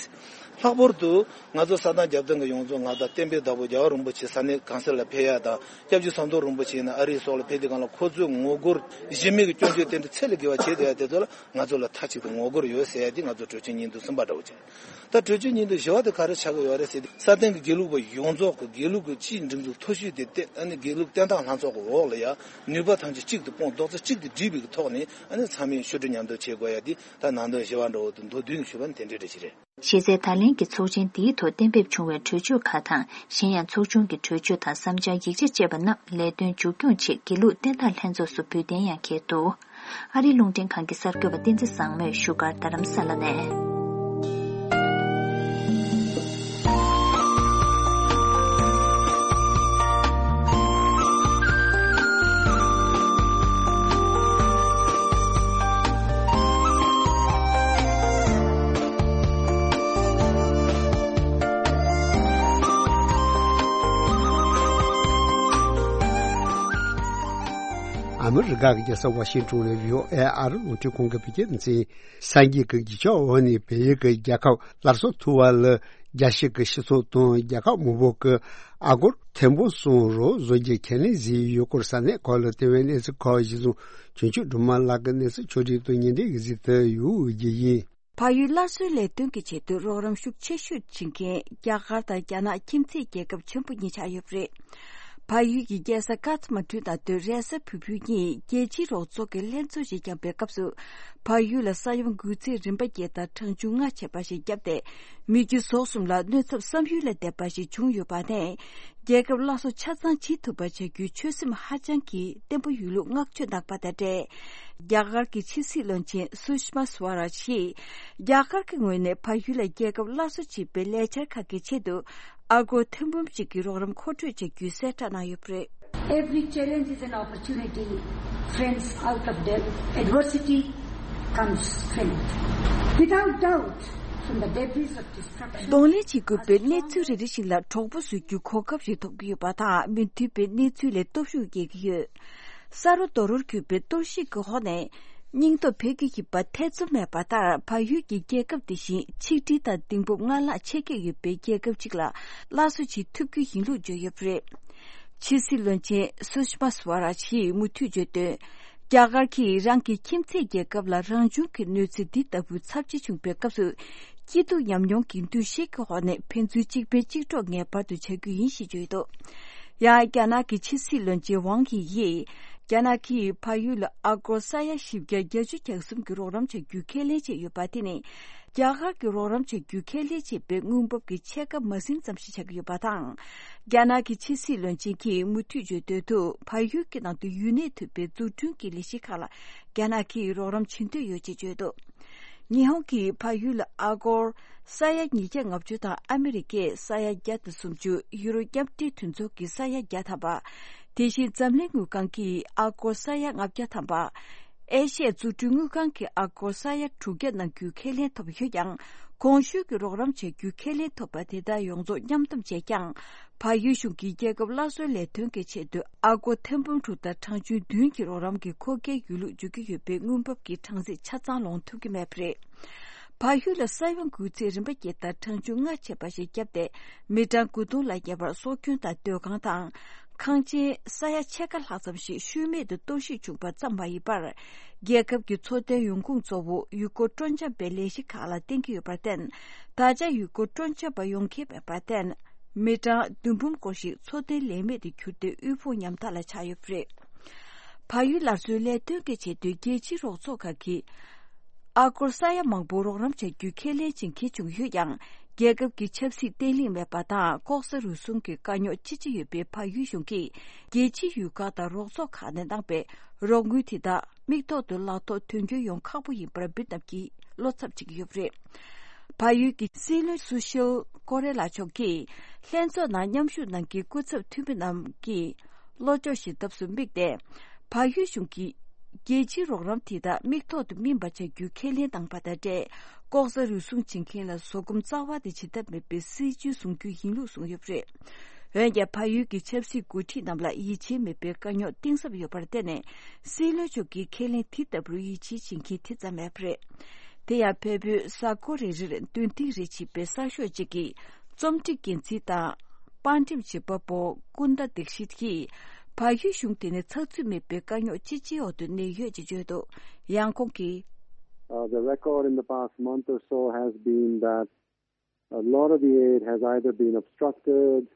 ལྷག་པར་དུ་ང་ཚོ་ས་དང་རྒྱབ་བརྟེན་གྱི་ཡོངས་རྫོགས་ང་དང་བསྟན་པའི་བདག་པོ་རྒྱལ་བ་རིན་པོ་ཆེ་ས་གནས་གང་སར་ལ་ཕེབས་ཡ་དང་། སྐྱབས་རྗེ་ཟམ་གདོང་རིན་པོ་ཆེ་ཡིན་ན་ཨ་རིའི་སོག་ལ་ཕེབས་དུས་སྒང་ལ་ཁོ་ཚོས་ངོ་རྒོལ། གཞི་མེད་ཀྱི་སྐྱོན་བརྗོད་དེ་འདྲ་ཚད་ལས་བརྒལ་བ་བྱས་བསྡད་ཡ་དེ་ཚོ་ལ་ང་ཚོ་ལ་མཐའ་གཅིག་ཏུ་ངོ་རྒོལ་ཡོད་ཟེར་ཡ་དེ་ང་ཚོ་གྲོས་ཆོད་སྙིང་དོན་གསུམ་པ་འདྲ་བོ་བྱས། ད་གྲོས་ཆོད་སྙིང་དོན་བཞི་པ་དེ་ག་རེ་ཆགས་ཀྱི་ཡོད་རེད་ཟེར་ཏེ། ས་སྟེང་གི་དགེ་ལུགས་པ་ཡོངས་རྫོགས་ཀྱི་དགེ་ལུགས་ཀྱི་སྤྱིའི་སྒྲིག་འཛུགས་མཐོ་ཤོས་དེ་བསྟེན། ཨ་ནི་དགེ་ལུགས་བསྟན་བདག་ལྷན་ཚོགས་ཀྱི་འོག་ལ་ཡ་ནུས་པ་ཐམས་ཅད་གཅིག་ཏུ་སྤུངས། རྡོག་རྩ་གཅིག་ཏུ་སྒྲིལ་བའི་གི་ཐོག་ནས། ཨ་ནི་ཚང་མས་ཞུ་སྒྲིག་མཉམ་དུ་བྱེད་དགོས་ཡ་དེ་ད་ནང་དོན་བཞི་པ་འདྲ་བོ་དེ་མདོར་བསྡུས་ནས་ཞུས་པ་ནི་དེ་འདྲ་རེད་ཅི་རེད། གཞི་རྩའི་ད་ལན་གྱི་ཚོགས་ཆེན་འདིའི་ཐོག་གཏན་འབེབས་བྱུང་བའི་གྲོས་ཆོད་ཁག་དང་། གཞན་ཡང་ཚོགས་ཆུང་གི་གྲོས་ཆོད་དང་བསམ་འཆར་ཡིག་ཆ་བཅས་པ་རྣམས་ལས་དོན་མཇུག་སྐྱོང་ཆེད་དགེ་ལུགས་བསྟན་བདག་ལྷན་ཚོགས་སུ་འབུལ་གཏན་ཡང་འཁེལ་འདུག་ཨ་རིའི་རླུང་འཕྲིན་ཁང་གི་གསར་འགོད་པ་བསྟན་འཛིན་བཟང་མོས་བཞུགས་སྒར་རྡ་རམ་ས་ལ་ནས། ཨ་མི་རི་ཀ་གི་རྒྱལ་ས་ཝ་ཤིང་ཊོན་ནས་བྷི་ཨོ་ཨེ་ཨ་རི་རླུང་འཕྲིན་ཁང་གི་བོད་སྐད་སྡེ་ཚན། སངས་རྒྱས་ཀྱི་གདུལ་བྱ་འོ་ནི་བལ་ཡུལ་གྱི་རྒྱལ་ཁབ་སླར་གསོ་ཐུབ་པ་ལ་རྒྱལ་སྤྱི་གི་སྤྱི་ཚོགས་དང་རྒྱལ་ཁབ་མང་པོ་གིས་ཨ་སྒོར་ཐེར་འབུམ་གསུམ་རོགས་བཟོ་རྒྱུའི་ཁས་ལེན་བཟོས་ཡོད་སྐོར་ས་གནས་ཁག་ལ་བལྟས་པའི་གནས་ཚུལ་ཁག་གཞིར་བཟུང་། ཆོས་འབྱུང་སྒྲོལ་མ་ལགས་ཀྱིས་གནས་ཚུལ་ཕྱོགས་སྒྲིག་དང་ཉེ་འབྲེལ་གྱི་གཟིགས་ཏེ་ཡོད་ཀྱི་ཡིན། བལ་ཡུལ་སླར་གསོའི་ལས་དོན་གྱི་ཆེད་དུ་རོགས་རམ་ཤུགས་ཆེ་ཤོས་བྱེད་མཁན་རྒྱ་གར་དང་རྒྱ་ནག་ཁྱིམ་མཚེས་རྒྱལ་ཁབ་ཆེན་པོ་གཉིས་ཆགས་ཡོད་པ་རེད། བལ་ཡུལ་གྱི་རྒྱལ་ས་ཀ་ཐ་མན་གྲུ་དང་དུ་རེས་གཟའ་ཕུར་བུའི་ཉིན་རྒྱལ་སྤྱིའི་རོགས་ཚོགས་ཀྱི་ལྷན་ཚོགས་ཤིག་བསྐྱངས་པའི་སྐབས་སུ། བལ་ཡུལ་ལ་ས་ཡོམ་འགོས་ཚད་རིམ་པ་བརྒྱད་དང་གྲངས་ཆུང་ལྔ་བྱས་པ་ཞིག་བརྒྱབ་སྟེ། མི་རྒྱུ་ཟོག་གསུམ་ལ་གནོད་ཚབས་བསམ་ཡུལ་ལས་འདས་པ་ཞིག་བྱུང་ཡོད་པ་ནས། རྒྱལ་ཁབ་སླར་གསོ་ཆ་ཚང་བྱེད་ཐུབ་པ་བྱ་རྒྱུའི་ཆོད་སེམས་ཧ་ཅང་གི་བརྟན་པོ་ཡོད་ལུགས་བསྔགས་བརྗོད་གནང་པ་དང་འབྲེལ། རྒྱ་གར་གྱི་ཕྱི་སྲིད་བློན་ཆེན་སུ་ཤི་མ་སུ་ཝ་རཱཇ་ཡིས། རྒྱ་གར་གྱི་ངོས་ནས་བལ་ཡུལ་ལ་རྒྱལ་ཁབ་སླར་གསོ་བྱེད་པའི་ལས་འཆར་ཁག་གི་ཆེད་དུ། ཨ་སྒོར་ཐེར་འབུམ་གཅིག་གི་རོགས་རམ་མཁོ་སྤྲོད་བྱ་རྒྱུའི་གསལ་བསྒྲགས་གནང་ཡོད་པ་རེད། Every challenge is an opportunity, friends. Out of the adversity comes strength. Without doubt, from the debris of destruction, གདོང་ལེན་བྱེད་དགོས་པའི་གནས་ཚུལ་རེ་རེ་བཞིན་ལ་གྲོགས་པོ་བཟོ་རྒྱུའི་གོ་སྐབས་ཤིག་ཐོབ་ཀྱི་ཡོད་པ་དང་། མི་མཐུན་པའི་གནས་ཚུལ་ལས་སྟོབས་ཤུགས་རྒྱས་ཀྱི་ཡོད། ས་རུ་རྡོ་རུར་གྱུར་པའི་གཏོར་བཤིག་གི་འོག་ནས། སྙིང་སྟོབས་འཕེལ་གྱི་ཡོད་པ་ཐེ་ཚོམ་མེད་པ་ལྟར། བལ་ཡུལ་གྱི་རྒྱལ་ཁབ་དེ་བཞིན་ཆིག་སྒྲིལ་དང་གདེང་སྤོབས་སྔར་ལྷག་ཆེ་སྐྱེད་ཡོད་པའི་རྒྱལ་ཁབ་ཅིག་ལ་སླར་གསོ་བྱེད་ཐུབ་རྒྱུ་ཡིན་ལུགས་བརྗོད་ཡོད་པ་རེད། ཕྱི་སྲིད་བློན་ཆེན་སུ་ཤི་མ་སུ་ཝ་རཱཇ་ཡིས་མུ་མཐུད་བརྗོད་དོན། རྒྱ་གར་གྱིས་རང་གི་ཁྱིམ་མཚེས་རྒྱལ་ཁབ་ལ་རང་བྱུང་གི་གནོད་འཚེ་འདི་ལྟ་བུ་ཚབས་ཆེ་བྱུང་པའི་སྐབས་སུ། སྐྱིད་སྡུག་ཉམས་མྱོང་གི་འདུ་ཤེས་ཀྱི་འོག་ནས་ཕན་ཚུན་གཅིག་ཕན་གཅིག་གྲོགས་ངེས་པར་དུ་བྱ་རྒྱུ་ཡིན་ཞེས་བརྗོད་འདུག་ཡང་རྒྱ་ནག་གི་ཕྱི་སྲིད་བློན་ཆེན་ཝང་དབྱི་ཡིས། རྒྱ་ནག་གིས་བལ་ཡུལ་ལ་ཨ་སྒོར་ས་ཡ་བཞི་བརྒྱ་བརྒྱད་ཅུ་གྱ་གསུམ་གྱི་རོགས་རམ་བྱ་རྒྱུའི་ཁས་ལེན་བྱས་ཡོད་པ་དེ་ནི། རྒྱ་གར་གྱི་རོགས་རམ་བྱ་རྒྱུའི་ཁས་ལེན་བྱས་པའི་དངུལ་འབབ་ཀྱི་ཕྱེད་ཀ་མ་ཟིན་ཙམ་ཞིག་ཆགས་ཀྱི་ཡོད་པ་དང་། རྒྱ་ནག་གི་ཕྱི་སྲིད་བློན་ཆེན་གྱིས་མུ་མཐུད་བརྗོད་དོན་དུ། བལ་ཡུལ་གྱི་ནང་དུ་ཡུན་གནས་ཐུབ་པའི་འཛུགས་སྐྲུན་གྱི་ལས་གཞི་ཁག་ལ་རྒྱ་ནག་གིས་རོགས་རམ་བྱེད་འདོད་ཡོད་ཅེས་བརྗོད་འདུག་ཉི་ཧོང་གིས་བལ་ཡུལ་ལ་ཨ་སྒོར་ས་ཡ་ཉིས་བརྒྱ་ལྔ་བཅུ་དང་ཨ་མི་རི་ཀས་ས་ཡ་བརྒྱ་དང་སུམ་ཅུ། ཡུ་རོ་མཉམ་འབྲེལ་མཐུན་ཚོགས་ཀྱིས་ས་ཡ་བརྒྱ་ཐམ་པ། དེ་བཞིན་འཛམ་གླིང་དངུལ་ཁང་གིས་ཨ་སྒོར་ས་ཡ་ལྔ་བརྒྱ་ཐམ་པ། ཨེ་ཤི་ཡའི་འཛུགས་སྐྲུན་དངུལ་ཁང་གིས་ཨ་སྒོར་ས་ཡ་དྲུག་བརྒྱ་གནང་རྒྱུའི་ཁས་ལེན་ཐོབ་ཡོད་ཀྱང་། གོང་ཞུས་ཀྱི་རོགས་རམ་བྱ་རྒྱུའི་ཁས་ལེན་ཐོབ་པ་དེ་དག་ཡོངས་རྫོགས་མཉམ་སྡོམ་བྱས་ཀྱང་། བལ་ཡུལ་གཞུང་གིས་རྒྱལ་ཁབ་སླར་གསོའི་ལས་དོན་གྱི་ཆེད་དུ་ཨ་སྒོར་ཐེར་འབུམ་དྲུག་དང་གྲངས་ཆུང་བདུན་གྱི་རོགས་རམ་གྱི་མཁོ་གལ་ཡོད་ལུགས་བརྗོད་ཀྱི་ཡོད་པའི་དངུལ་འབབ་ཀྱི་གྲངས་རྩིས་ཆ་ཚང་ལོངས་ཐུབ་ཀྱི་མེད་པ་རེད། བལ་ཡུལ་ལ་ས་ཡོམ་འགོས་ཚད་རིམ་པ་བརྒྱད་དང་གྲངས་ཆུང་ལྔ་ཆེ་བ་ཞིག་བརྒྱབ་སྟེ། མི་གྲངས་དགུ་སྟོང་ལ་ཉེ་བར་སྲོག་སྐྱོན་དང་སྡོད་ཁང་དང་། ཁང་ཆེན་ས་ཡ་ཕྱེད་ཀ་ལྷག་ཙམ་ཞིག་ཤུལ་མེད་དུ་གཏོར་བཤིག་བྱུང་བ་ཙམ་མ་ཡིན་པར། རྒྱལ་ཁབ་ཀྱི་འཚོ་རྟེན་ཡོང་ཁུངས་གཙོ་བོ་ཡུལ་སྐོར་སྤྲོ་འཆམ་པའི་ལས་གཞི་ཁག་ལ་བརྟེན་གྱི་ཡོད་པར་བརྟེན། ད་ཆ་ཡུལ་སྐོར་སྤྲོ་འཆམ་པ་ཡོང་མཁན་མེད་པར་བརྟེན། མི་གྲངས་བདུན་འབུམ་སྐོར་ཞིག་འཚོ་རྟེན་ལས་མེད་དུ་གྱུར་ཏེ། དབུལ་ཕོངས་ཉམ་ཐག་ལ་ཆགས་ཡོད་པ་རེད། བལ་ཡུལ་སླར་གསོའི་ལས་དོན་གྱི་ཆེད་དུ་རྒྱལ་སྤྱིའི་རོགས་ཚོགས་ཁག་གིས་ཨ་སྒོར་ས་ཡ་མང་པོ་རོགས་རམ་བྱ་རྒྱུའི་ཁས་ལེན་བྱེད་མཁན་བྱུང་ཡོད་ཀྱང་། རྒྱལ་ཁབ་ཀྱི་ཆབ་སྲིད་བརྟན་ལྷིང་མེད་པ་དང་། ལྐོག་ཟ་རུལ་སུངས་ཀྱི་དཀའ་རྙོག་ཅི་ཆེ་ཡོད་པའི་བལ་ཡུལ་གཞུང་གིས། རྒྱལ་སྤྱིའི་ཡུལ་ཁག་དང་རོགས་ཚོགས་ཁག་ནས་གནང་པའི་རོགས་དངུལ་དེ་དག་མིག་ཐོག་ཏུ་ལག་ཐོག་དོན་འཁྱོལ་ཡོང་ཁག་པོ་ཡིན་པར་འབུལ་གནང་གིས་བློ་འཚབ་བྱེད་ཀྱི་ཡོད་པ་རེད། བལ་ཡུལ་གྱི་སྲིད་བློན་སུ་ཤིལ་ཀོ་རེ་ལ་མཆོག་གིས། ལྷན་ཚོགས་ནང་མཉམ་ཞུགས་གནང་མཁན་སྐུ་ཚབ་འཐུས་མི་རྣམས་ཀྱིས། བློ་ཕྱོགས་ཤིག་ལྟ་བུ་དམིགས་ཏེ། བལ་ཡུལ་གཞུང་གིས། རྒྱལ་སྤྱིའི་རོགས་རམ་དེ་དག་མིག་ཐོག་ཏུ་སྨིན་པ་བྱ་རྒྱུའི་ཁས་ལེན་བཏང་པ་དང་འབྲེལ། ལྐོག་ཟ་རུལ་སུངས་བྱེད་མཁན་ལ་བཟོད་སྒོམ་རྩ་བ་ནས་བྱེད་ཐབས་མེད་པའི་སྲིད་ཇུས་བཟུང་རྒྱུ་ཡིན་ལུགས་གསུངས་ཡོད་པ་རེད། འོན་ཀྱང་། བལ་ཡུལ་གྱི་ཆབ་སྲིད་འགོ་ཁྲིད་རྣམས་ལ་ཡིད་ཆེས་མེད་པའི་དཀའ་རྙོག་གཏིང་ཟབ་ཡོད་པར་བརྟེན་ནས། སྲིད་བློན་མཆོག་གིས་ཁས་ལེན་དེ་ལྟ་བུར་ཡིད་ཆེས་བྱེད་མཁན་དེ་ཙམ་མེད་པ་རེད། དེ་ཡང་། བལ་པོའི་གཟའ་འཁོར་རེ་རེར་འདོན་ཐེངས་རེ་བྱེད་པའི་གསར་ཤོག་ཅིག་གིས། རྩོམ་སྒྲིག་འགན་འཛིན་དང་། པར་འགྲེམས་བྱེད་པ་པོ་ཀུན་ད་དིག་ཤིད་ཀྱིས། བལ་ཡུལ་གཞུང་དེ་ནི་ཚགས་ཚུད་མེད་པའི་དཀའ་རྙོག་ཅི་ཆེའི་འོག་ཏུ་གནས་ཡོད་ཅེས་བརྗོད་འདུག་ཡང་ཁོང་གིས། Uh, the record in the past month or so has been that a lot of the aid has either been obstructed,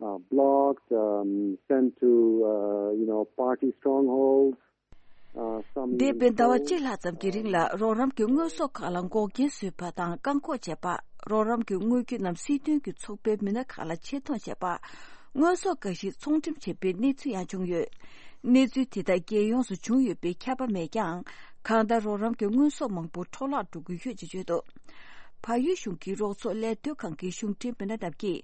uh, blocked, um, sent to, uh, you know, party strongholds. Uh, some འདས་པའི་ཟླ་བ་གཅིག་ལྷག་ཙམ་གྱི་རིང་ལ་རོགས་རམ་གྱི་དངོས་ཟོག་ཁག་ལ་འགོག་རྐྱེན་བཟོས་པ་དང་བཀག་འགོག་བྱས་པ། རོགས་རམ་གྱི་དངོས་རྒྱུ་རྣམས་སྲིད་དོན་གྱི་ཚོགས་པའི་མི་སྣ་ཁག་ལ་ཆེད་གཏོང་བྱས་པ། དངོས་ཟོག་འགའ་ཞིག་ཚོང་འགྲེམས་བྱས་པའི་གནས་ཚུལ་ཡང་བྱུང་ཡོད། གནས་ཚུལ་དེ་དག་རྒྱལ་ཡོངས་སུ་བྱུང་ཡོད་པའི་ཁྱབ་པ་མེད་ཀྱང་། གང་ལྟར་རོགས་རམ་གྱི་དངོས་ཟོག་མང་པོ་འཕྲོ་བརླག་འགྲོ་གི་ཡོད་ཅེས་བརྗོད་འདུག་བལ་ཡུལ་གཞུང་གི་རོགས་ཚོགས་ལས་དོན་ཁང་གི་གཞུང་འབྲེལ་མི་སྣ་རྣམས་ཀྱིས།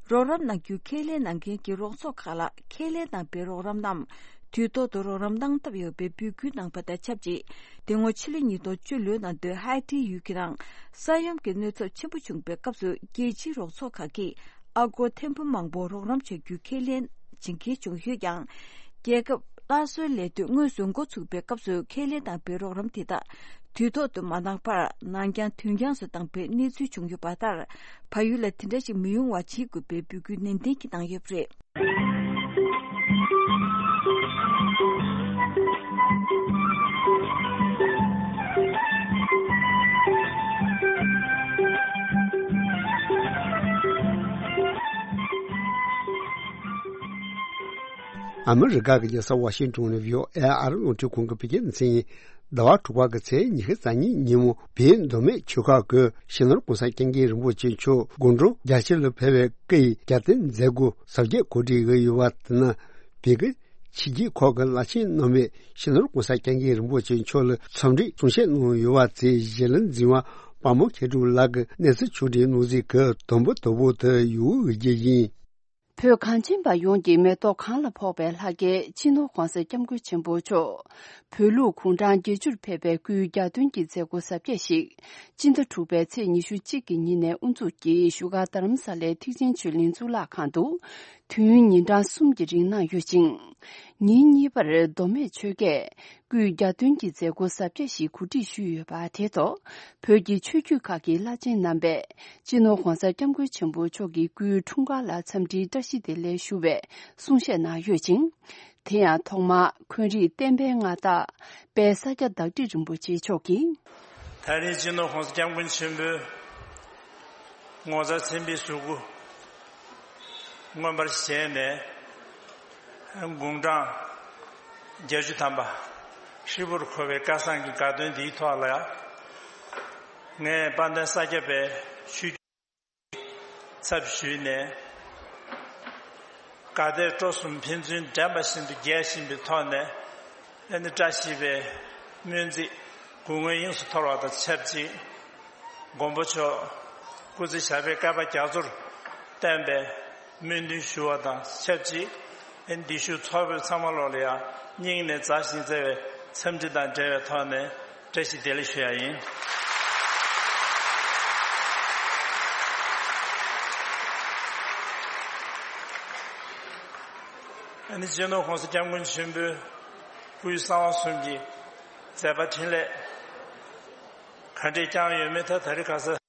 རོགས་རམ་གནང་རྒྱུའི་ཁས་ལེན་གནང་མཁན་གྱི་རོགས་ཚོགས་ཁག་ལ་ཁས་ལེན་གནང་པའི་རོགས་རམ་རྣམས་དུས་ཐོག་ཏུ་རོགས་རམ་གནང་ཐབས་ཡོད་པའི་འབོད་སྐུལ་གནང་པ་དང་ཆབས་ཅིག་དེ་སྔོན་ཕྱི་ལོ་ཉིས་སྟོང་བཅུ་ལོའི་ནང་དུ་ཧའེ་ཏི་ཡུལ་གྱི་ནང་ས་ཡོམ་གྱི་གནོད་ཚབས་ཆེན་པོ་བྱུང་པའི་སྐབས་སུ་རྒྱལ་སྤྱིའི་རོགས་ཚོགས་ཁག་གིས་ཨ་སྒོར་ཐེར་འབུམ་མང་པོ་རོགས་རམ་བྱ་རྒྱུའི་ཁས་ལེན་བྱེད་མཁན་བྱུང་ཡོད་ཀྱང་། རྒྱལ་ཁབ་སླར་གསོའི་ལས་དོན་དངོས་སུ་འགོ་ཚུགས་པའི་སྐབས་སུ་ཁས་ལེན་དང་པའི་རོགས་རམ་དེ་དག་དུས་ཐོག་ཏུ་མ་གནང་བར་ནང་འགྱངས་དུས་འགྱངས་སུ་བཏང་པའི་གནས་ཚུལ་བྱུང་ཡོད་པ་ལྟར། བལ་ཡུལ་ལ་དེ་འདྲ་ཞིག་མི་ཡོང་བ་བྱེད་དགོས་པའི་འབོད་སྐུལ་ནན་ཏན་གྱིས་གནང་ཡོད་པ་རེད། ཨ་མི་རི་ཀ་གི་རྒྱལ་ས་ཝ་ཤིང་ཏོན་ནས་བྷི་ཨོ་ཨེ་ཨ་རི་རླུང་འཕྲིན་ཁང་གི་བོད་སྐད་སྡེ་ཚན་ཡིན། ཟླ་བ་དྲུག་པ་གི་ཚེས་ཉི་ཤུ་རྩ་གཉིས་ཉིན་མོ་བོད་མདོ་སྨད་ཆོལ་ཁ་གི་སྤྱི་ནོར་གོང་ས་སྐྱབས་མགོན་རིན་པོ་ཆེ་མཆོག་སྒོ་འགྲམ་རྒྱ་ཆེ་ལ་ཕེབས་པའི་སྐུའི་རྒྱལ་རྟེན་མཛད་སྒོ་གཟབ་རྒྱས་གོ་སྒྲིག་ཡོད་པ་དེ་ནི་བོད་ཀྱི་ཕྱི་རྒྱལ་ཁག་གི་བླ་ཆེན་རྣམ་པས་སྤྱི་ནོར་གོང་ས་སྐྱབས་མགོན་རིན་པོ་ཆེ་མཆོག་ལ་འཚམས་འདྲི་གསུང་བཤད་གནང་ཡོད་པ་དེ་གཞིས་ལུས་འཛིན་པ་དཔལ་མོ་མཁས་གྲུབ་ལགས་ཀྱིས་གནས་ཚུལ་ཕྱོགས་སྒྲིག་གནང་གཟིགས་ཀྱིས་དུམ་བུ་དུམ་བུ་དུ་ཡོང་ཡོད་ཀྱི་ཡིན། བོད་གངས་ཅན་པ་ཡོངས་ཀྱི་མེ་ཏོག་གང་ལ་ཕོག་པའི་ལྷ་སྐལ་སྤྱི་ནོར་༧གོང་ས་༧སྐྱབས་མགོན་ཆེན་པོ་མཆོག་བོད་ལུགས་གུང་ཐང་བརྒྱད་ཅུར་ཕེབས་པའི་སྐུའི་རྒྱལ་སྟོན་གྱི་མཛད་སྒོ་གཟབ་རྒྱས་ཤིག་སྤྱི་ཟླ་དྲུག་པའི་ཚེས་ཉི་ཤུ་གཅིག་གི་ཉིན་ནས་དབུ་འཛུགས་ཀྱིས་བཞུགས་སྒར་རྡ་རམ་ས་ལའི་ཐེག་ཆེན་ཆོས་གླིང་གཙུག་ལག་ཁང་དུ་དུས་ཡུན་ཉིན་གྲངས་གསུམ་གྱི་རིང་གནང་ཡོད་ཅིང་། ཉིན་གཉིས་པར་མདོ་སྨད་ཆོལ་ཁས་སྐུའི་རྒྱལ་སྟོན་གྱི་མཛད་སྒོ་གཟབ་རྒྱས་ཤིག་གོ་སྒྲིག་ཞུས་ཡོད་པ་དེ་ཐོག་བོད་ཀྱི་ཆོས་བརྒྱུད་ཁག་གི་བླ་ཆེན་རྣམ་པས་སྤྱི་ནོར་༧གོང་ས་༧སྐྱབས་མགོན་ཆེན་པོ་མཆོག་གི་སྐུའི་འཁྲུངས་སྐར་ལ་འཚམས་འདྲིའི་བཀྲ་ཤིས་བདེ་ལེགས་ཞུ་བའི་གསུང་བཤད་གནང་ཡོད་ཅིང་། དེ་ཡང་ཐོག་མར་འཁོན་རིགས་བསྟན་པའི་མངའ་བདག་དཔལ་ས་སྐྱ་བདག་ཁྲི་རིན་པོ་ཆེ་མཆོག་གིས། ད་རེས་སྤྱི་ནོར་༧གོང་ས་༧སྐྱབས་མགོན་ཆེན་པོས་ ངོ་མཚར་ཆེན་པོའི་གཟུགས་སྐུ་མངོན་པར་བཞེངས་ནས། དགུང་གྲངས་བརྒྱད་ཅུ་ཐམ་པ་ཧྲིལ་པོར་འཁོར་བའི་སྐལ་བཟང་གི་དགའ་སྟོན་འདིའི་ཐོག་ལ། ངས་དཔལ་ལྡན་ས་སྐྱ་པའི་ཆོས་བརྒྱུད་ཚབ་ཞུས་ནས། དགའ་དད་སྤྲོ་གསུམ་ཕན་ཚུན་འགྲན་པ་བཞིན་དུ་རྒྱས་བཞིན་པའི་ཐོག་ནས། ཨ་ནི་བཀྲ་ཤིས་པའི་སྨོན་ཚིག་གུང་སྔོན་དབྱིངས་སུ་འཐོར་བ་དང་ཆབས་ཅིག། མགོན་པོ་མཆོག་སྐུ་ཚེ་ཞབས་པད་བསྐལ་པ་རྒྱ་མཚོར་བརྟན་པའི་སྨོན་འདུན་ཞུ་བ་དང་ཆབས་ཅིག། ཨ་ནི་འདི་བཞུགས་ཚོགས་དཔོན་ཚང་མ་ལོག་ལ་ཡང་སྙིང་ནས་མཛའ་ཞིང་བརྩེ་བའི་འཚམས་འདྲི་དང་འབྲེལ་བའི་ཐོག་ནས། བཀྲ་ཤིས་བདེ་ལེགས་ཞུ་ཡ་ཡིན། ཨ་ནི་སྤྱི་ནོར་༸གོང་ས་༸སྐྱབས་མགོན་ཆེན་པོའི་སྐུའི་གསང་བ་གསུམ་གྱི་མཛད་པ་འཕྲིན་ལས་ག་འདྲས་བསྐྱངས་ཡོད་མེད། ད་ད་རེས་ཁ་སང་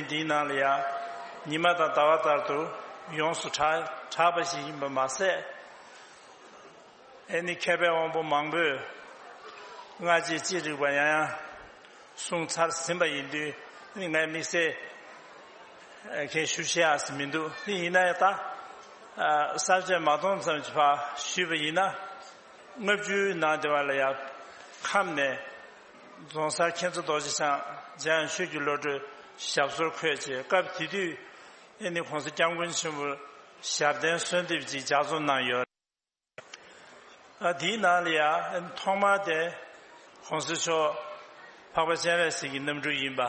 འདིའི་ནང་ལ་ཡང་ཉི་མ་དང་ཟླ་བ་ལྟར་དུ་ཡོངས་སུ་གྲགས་གྲགས་པ་ཞིག་ཡིན་པ་མ་ཟད། ཨེ་ནི་མཁས་པའི་དབང་པོ་མང་པོས་སྔ་རྗེས་ཅི་རིགས་པ་ཡང་ཡང་གསུངས་ཚར་ཟིན་པ་ཡིན་དུས། ཨེ་ནི་ངས་དམིགས་བསལ་གང་ཞུ་བཤད་ཡག་མི་འདུག། དེ་ཡིན་ན་ཡང་ད་གསར་བརྗེ་མ་གཏོང་ཙམ་གྱི་བར་ཞུས་པ་ཡིན་ན། ལྔ་བཅུའི་ནང་དེ་བ་ལ་ཡང་ཁམས་ནས་རྫོང་སར་མཁྱེན་བརྩེ་རྡོ་རྗེ་འཆང་འཇམ་དབྱངས་ཆོས་ཀྱི་བློ་གྲོས་ཞབས་སོར་འཁོད་བྱས། སྐབས་དེ་དུས་ཨེ་ནི་༸གོང་ས་༸སྐྱབས་མགོན་ཆེན་པོར་ཞབས་བརྟན་གསོལ་འདེབས་ཅིག་ལྗགས་རྩོམ་གནང་ཡོད། ཨ་དེའི་ནང་ལ་ཡང་ཐོག་མར་དེ་༸གོང་ས་མཆོག་འཕགས་པ་སྤྱན་རས་གཟིགས་ཀྱི་རྣམ་སྤྲུལ་ཡིན་པ།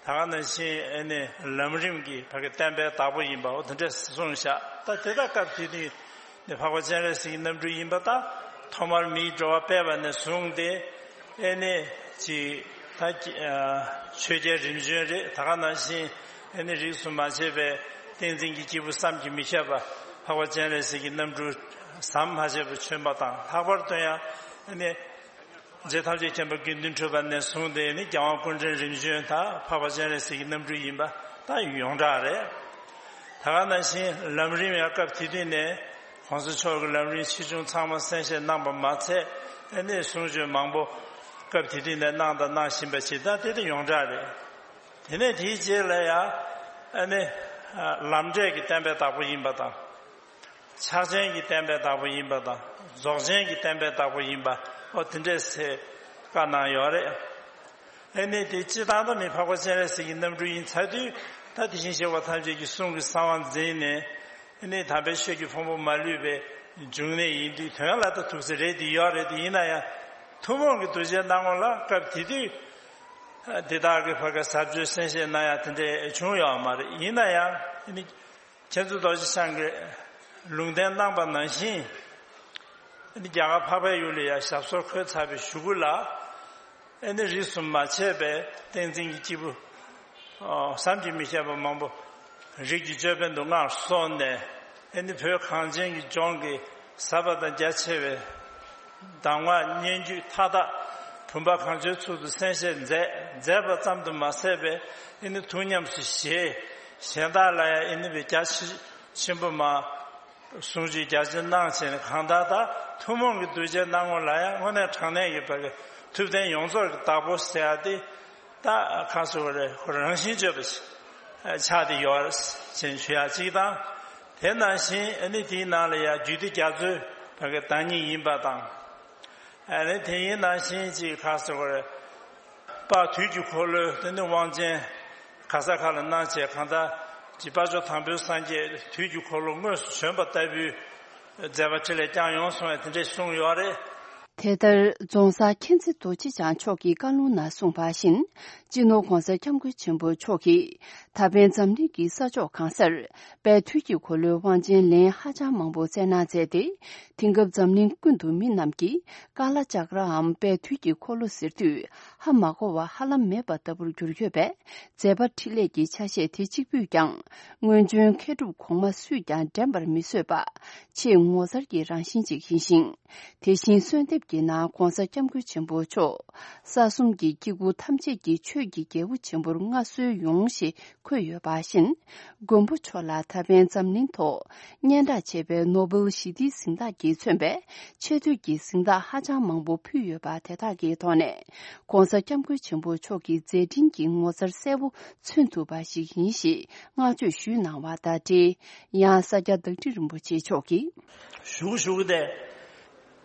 ད་ག་ནང་བཞིན་ཨེ་ནི་ལམ་རིམ་གྱི་ཕ་གི་བསྟན་པའི་བདག་པོ་ཡིན་པ། འོ་དེ་འདྲས་གསུངས་བཞག། ད་དེ་དག་སྐབས་དེ་དུས་ནི་འཕགས་པ་སྤྱན་རས་གཟིགས་ཀྱི་རྣམ་སྤྲུལ་ཡིན་པ་དང་། ཐོག་མར་མིའི་འགྲོ་བ་སྤེལ་བ་ནས་བཟུང་སྟེ་ཨེ་ནི་ཅིག་ད་ཆོས་རྒྱལ་རིམ་བྱོན་རེད། ད་ག་ནང་བཞིན་ཨེ་ནི་རིས་སུ་མ་ཆད་པའི་བསྟན་འཛིན་གྱི་སྐྱེས་བུ་བསམ་གྱིས་མི་ཁྱབ་པ་འཕགས་པ་སྤྱན་རས་གཟིགས་ཀྱི་རྣམ་སྤྲུལ་ཟམ་མ་ཆད་པར་བྱོན་པ་དང་། ལྷག་པར་དུ་ཡང་ཨེ་ནི་རྗེ་ཐམས་ཅད་མཁྱེན་པ་དགེ་འདུན་གྲུབ་པ་ནས་བཟུང་སྟེ་ནི་རྒྱལ་དབང་སྐུ་ཕྲེང་རིམ་བྱོན་དག་འཕགས་པ་སྤྱན་རས་གཟིགས་ཀྱི་རྣམ་སྤྲུལ་ཡིན་པ་ད་ཡོངས་གྲགས་རེད། ད་ག་ནང་བཞིན་ལམ་རིམ་ཡང་སྐབས་དེ་དུས་ནས་༸གོང་ས་མཆོག་གི་ལམ་རིམ་ཆེ་ཆུང་ཚང་མ་གསན་བཞེས་གནང་པ་མ་ཚད། ཨ་ནི་གསུང་ཆོས་མང་པོ་སྐབས་དེ་དུས་ནས་གནང་དང་གནང་བཞིན་པ་ཞིག་ད་དེ་དེ་ཡོངས་གྲགས་རེད། དེ་ནས་དེའི་རྗེས་ལ་ཡང་ཨ་ནི་ལམ་འབྲས་ཀྱི་བསྟན་པའི་བདག་པོ་ཡིན་པ་དང་། ཕྱག་ཆེན་གྱི་བསྟན་པའི་བདག་པོ་ཡིན་པ་དང་། རྫོགས་ཆེན་གྱི་བསྟན་པའི་བདག་པོ་ཡིན་པ། ཨོ་དེ་འདྲས་ཟེར་བཀའ་གནང་ཡོད་རེད། ཨ་ནི་དེ་སྤྱི་བཏང་ད་མི་འཕགས་པ་སྤྱན་རས་གཟིགས་ཀྱི་རྣམ་སྤྲུལ་ཡིན་ཚར་དུས། ད་དེ་བཞིན་གཤེགས་པ་ཐམས་ཅད་ཀྱི་གསུང་གི་གསང་བ་འཛིན་ནས། ཨ་ནི་དམ་པའི་ཆོས་ཀྱི་ཕུང་པོ་མ་ལུས་པའི་འབྱུང་གནས་ཡིན་དུས། དོན་ལ་ད་ཐུགས་སྲས་རེད་དེ་ཡོད་རེད་དེ། ཡིན་ན་ཡང་ཐུན་མོང་གི་གདུལ་བྱའི་སྣང་ངོ་ལ་སྐབས་དེ་དུས་འདི་དག་གི་བར་ག་ཟབ་ཆོས་གསན་བཞེས་གནང་ཡ་དེ་འདྲས་བྱུང་ཡོད་མ་རེད། ཡིན་ན་ཡང་ཨ་ནི་མཁྱེན་བརྩེ་རྡོ་རྗེ་འཆང་གིས་ལུང་བསྟན་གནང་པ་ནང་བཞིན། ཨ་ནི་རྒྱ་གར་འཕགས་པའི་ཡུལ་ལ་ཡང་ཞབས་སོར་འཁོད་ཚར་བའི་གཞུག་གུ་ལ། ཨ་ནི་རིས་སུ་མ་ཆད་པའི་བསྟན་འཛིན་གྱི་སྐྱེས་བུ་ཨོ་བསམ་གྱིས་མི་ཁྱབ་པ་མང་པོ་རིགས་ཀྱི་ཅོད་པན་དུ་མངའ་གསོལ་ནས། ཨ་ནི་བོད་གངས་ཅན་གྱི་ལྗོངས་ཀྱི་ཟབ་པ་དང་རྒྱ་ཆེ་བའི་གདམས་ངག་སྙན་བརྒྱུད་མཐའ་དག་བུམ་པ་གང་བྱོའི་ཚུལ་དུ་གསན་བཞེས་མཛད་མཛད་པ་ཙམ་དུ་མ་ཟད་པའི། ཨ་ནི་ཐུགས་ཉམས་སུ་བཞེས། གཞན་དག་ལ་ཡང་ཨ་ནི་བའི་རྒྱ་ཆེ་ཆེན་པོ་མ། གསུང་ཆོས་རྒྱ་ཆེར་གནང་བྱས་ནས། གང་ལྟར་ད་ཐུན་མོང་གི་གདུལ་བྱའི་སྣང་ངོ་ལ་ཡང་དངོས་གནས་དྲང་གནས་ཀྱི་བར་གྱི་ཐུབ་བསྟན་ཡོངས་རྫོགས་ཀྱི་བདག་པོ་ཟེར་ཡ་དེ། ད་གང་ཟེར་བ་རེད། ཁོ་རང་བཞིན་བརྗོད་པ་ཞིག་ཆགས་ཏེ་ཡོད་ཅེས་ཞུ་ཡ་གཅིག་དང་། དེ་ནང་བཞིན་ཨ་ནི་དེའི་ནང་ལ་ཡང་རྒྱུད་སྡེ་རྒྱ་མཚོའི་བར་གྱི་བདག་ཉིད་ཡིན་པ་དང་། ཨ་ནི་དེ་ཡིན་ནང་བཞིན་གཅིག་གང་ཟེར་བ་རེད། དཔལ་དུས་ཀྱི་འཁོར་ལོའི་དེ་ནི་དབང་ཆེན་ག་ས་ག་ལ་གནང་བྱས། གང་ལྟར་གྱི་དཔལ་མཆོག་དང་པོའི་སངས་རྒྱས་དུས་ཀྱི་འཁོར་ལོ་དངོས་སུ་བྱོན་པ་ལྟ་བུའི་མཛད་པ་འཕྲིན་ལས་བསྐྱངས་ཡོང་གསུང་བས་དེ་འདྲས་གསུངས་ཡོད་རེད། དེ་ལྟར་རྫོང་སར་མཁྱེན་བརྩེ་རྡོ་རྗེ་འཆང་མཆོག་གི་བཀའ་ལུང་ནང་གསུངས་པ་བཞིན། སྤྱི་ནོར་༸གོང་ས་༸སྐྱབས་མགོན་ཆེན་པོ་མཆོག་གིས་ད་ཕན་འཛམ་གླིང་གི་ས་ཕྱོགས་གང་སར་དཔལ་དུས་ཀྱི་འཁོར་ལོའི་དབང་ཆེན་ལན་ཧ་ཅང་མང་པོ་བསྩལ་གནང་མཛད་དེ། དེང་སྐབས་འཛམ་གླིང་ཀུན་ཏུ་མི་རྣམས་ཀྱིས་ཀ་ལ་ཅག་རའམ་དཔལ་དུས་ཀྱི་འཁོར་ལོ་ཟེར་དུས་ཧ་མ་གོ་བ་ཧ་ལམ་མེད་པ་ལྟ་བུར་གྱུར་ཡོད་པས། མཛད་པ་འཕྲིན་ལས་ཀྱི་ཆ་ཤས་དེ་གཅིག་པུས་ཀྱང་སྔོན་བྱོན་མཁས་གྲུབ་གོང་མ་སུས་ཀྱང་འགྲན་པར་མི་བཟོད་པ། ཆེས་ངོ་མཚར་གྱི་རང་བཞིན་ཅིག་ཡིན་ཞིང་། དེ་བཞིན་གསོལ་འདེབས་ ཀྱི་ནང་༧གོང་ས་༧སྐྱབས་མགོན་ཆེན་པོ་མཆོག་ས་གསུམ་གྱི་སྐྱེ་དགུ་ཐམས་ཅད་ཀྱི་ཆོས་ཀྱི་རྒྱལ་པོ་ཆེན་པོར་མངའ་གསོལ་ཡོང་ཞེས་འཁོད་ཡོད་པ་བཞིན། མགོན་པོ་མཆོག་ལ་ད་ཕན་འཛམ་གླིང་ཐོག་སྙན་གྲགས་ཆེ་བའི་ནོ་བེལ་ཞི་བདེའི་གཟེངས་རྟགས་ཀྱིས་མཚོན་པའི་ཆེ་བསྟོད་ཀྱི་གཟེངས་རྟགས་ཧ་ཅང་མང་པོ་ཕུལ་ཡོད་པ་དེ་དག་གི་ཐོག་ནས། ༧གོང་ས་༧སྐྱབས་མགོན་ཆེན་པོ་མཆོག་གི་མཛད་འཕྲིན་གྱི་ངོ་མཚར་གསལ་པོ་མཚོན་ཐུབ་པ་ཞིག་ཡིན་ཞེས་བསྔགས་བརྗོད་ཞུས་གནང་བ་དང་འབྲེལ། ཡང་ས་སྐྱ་བདག་ཁྲི་རིན་པོ་ཆེ་མཆོག་གིས། ཞུ་ཞུ་སྟེ།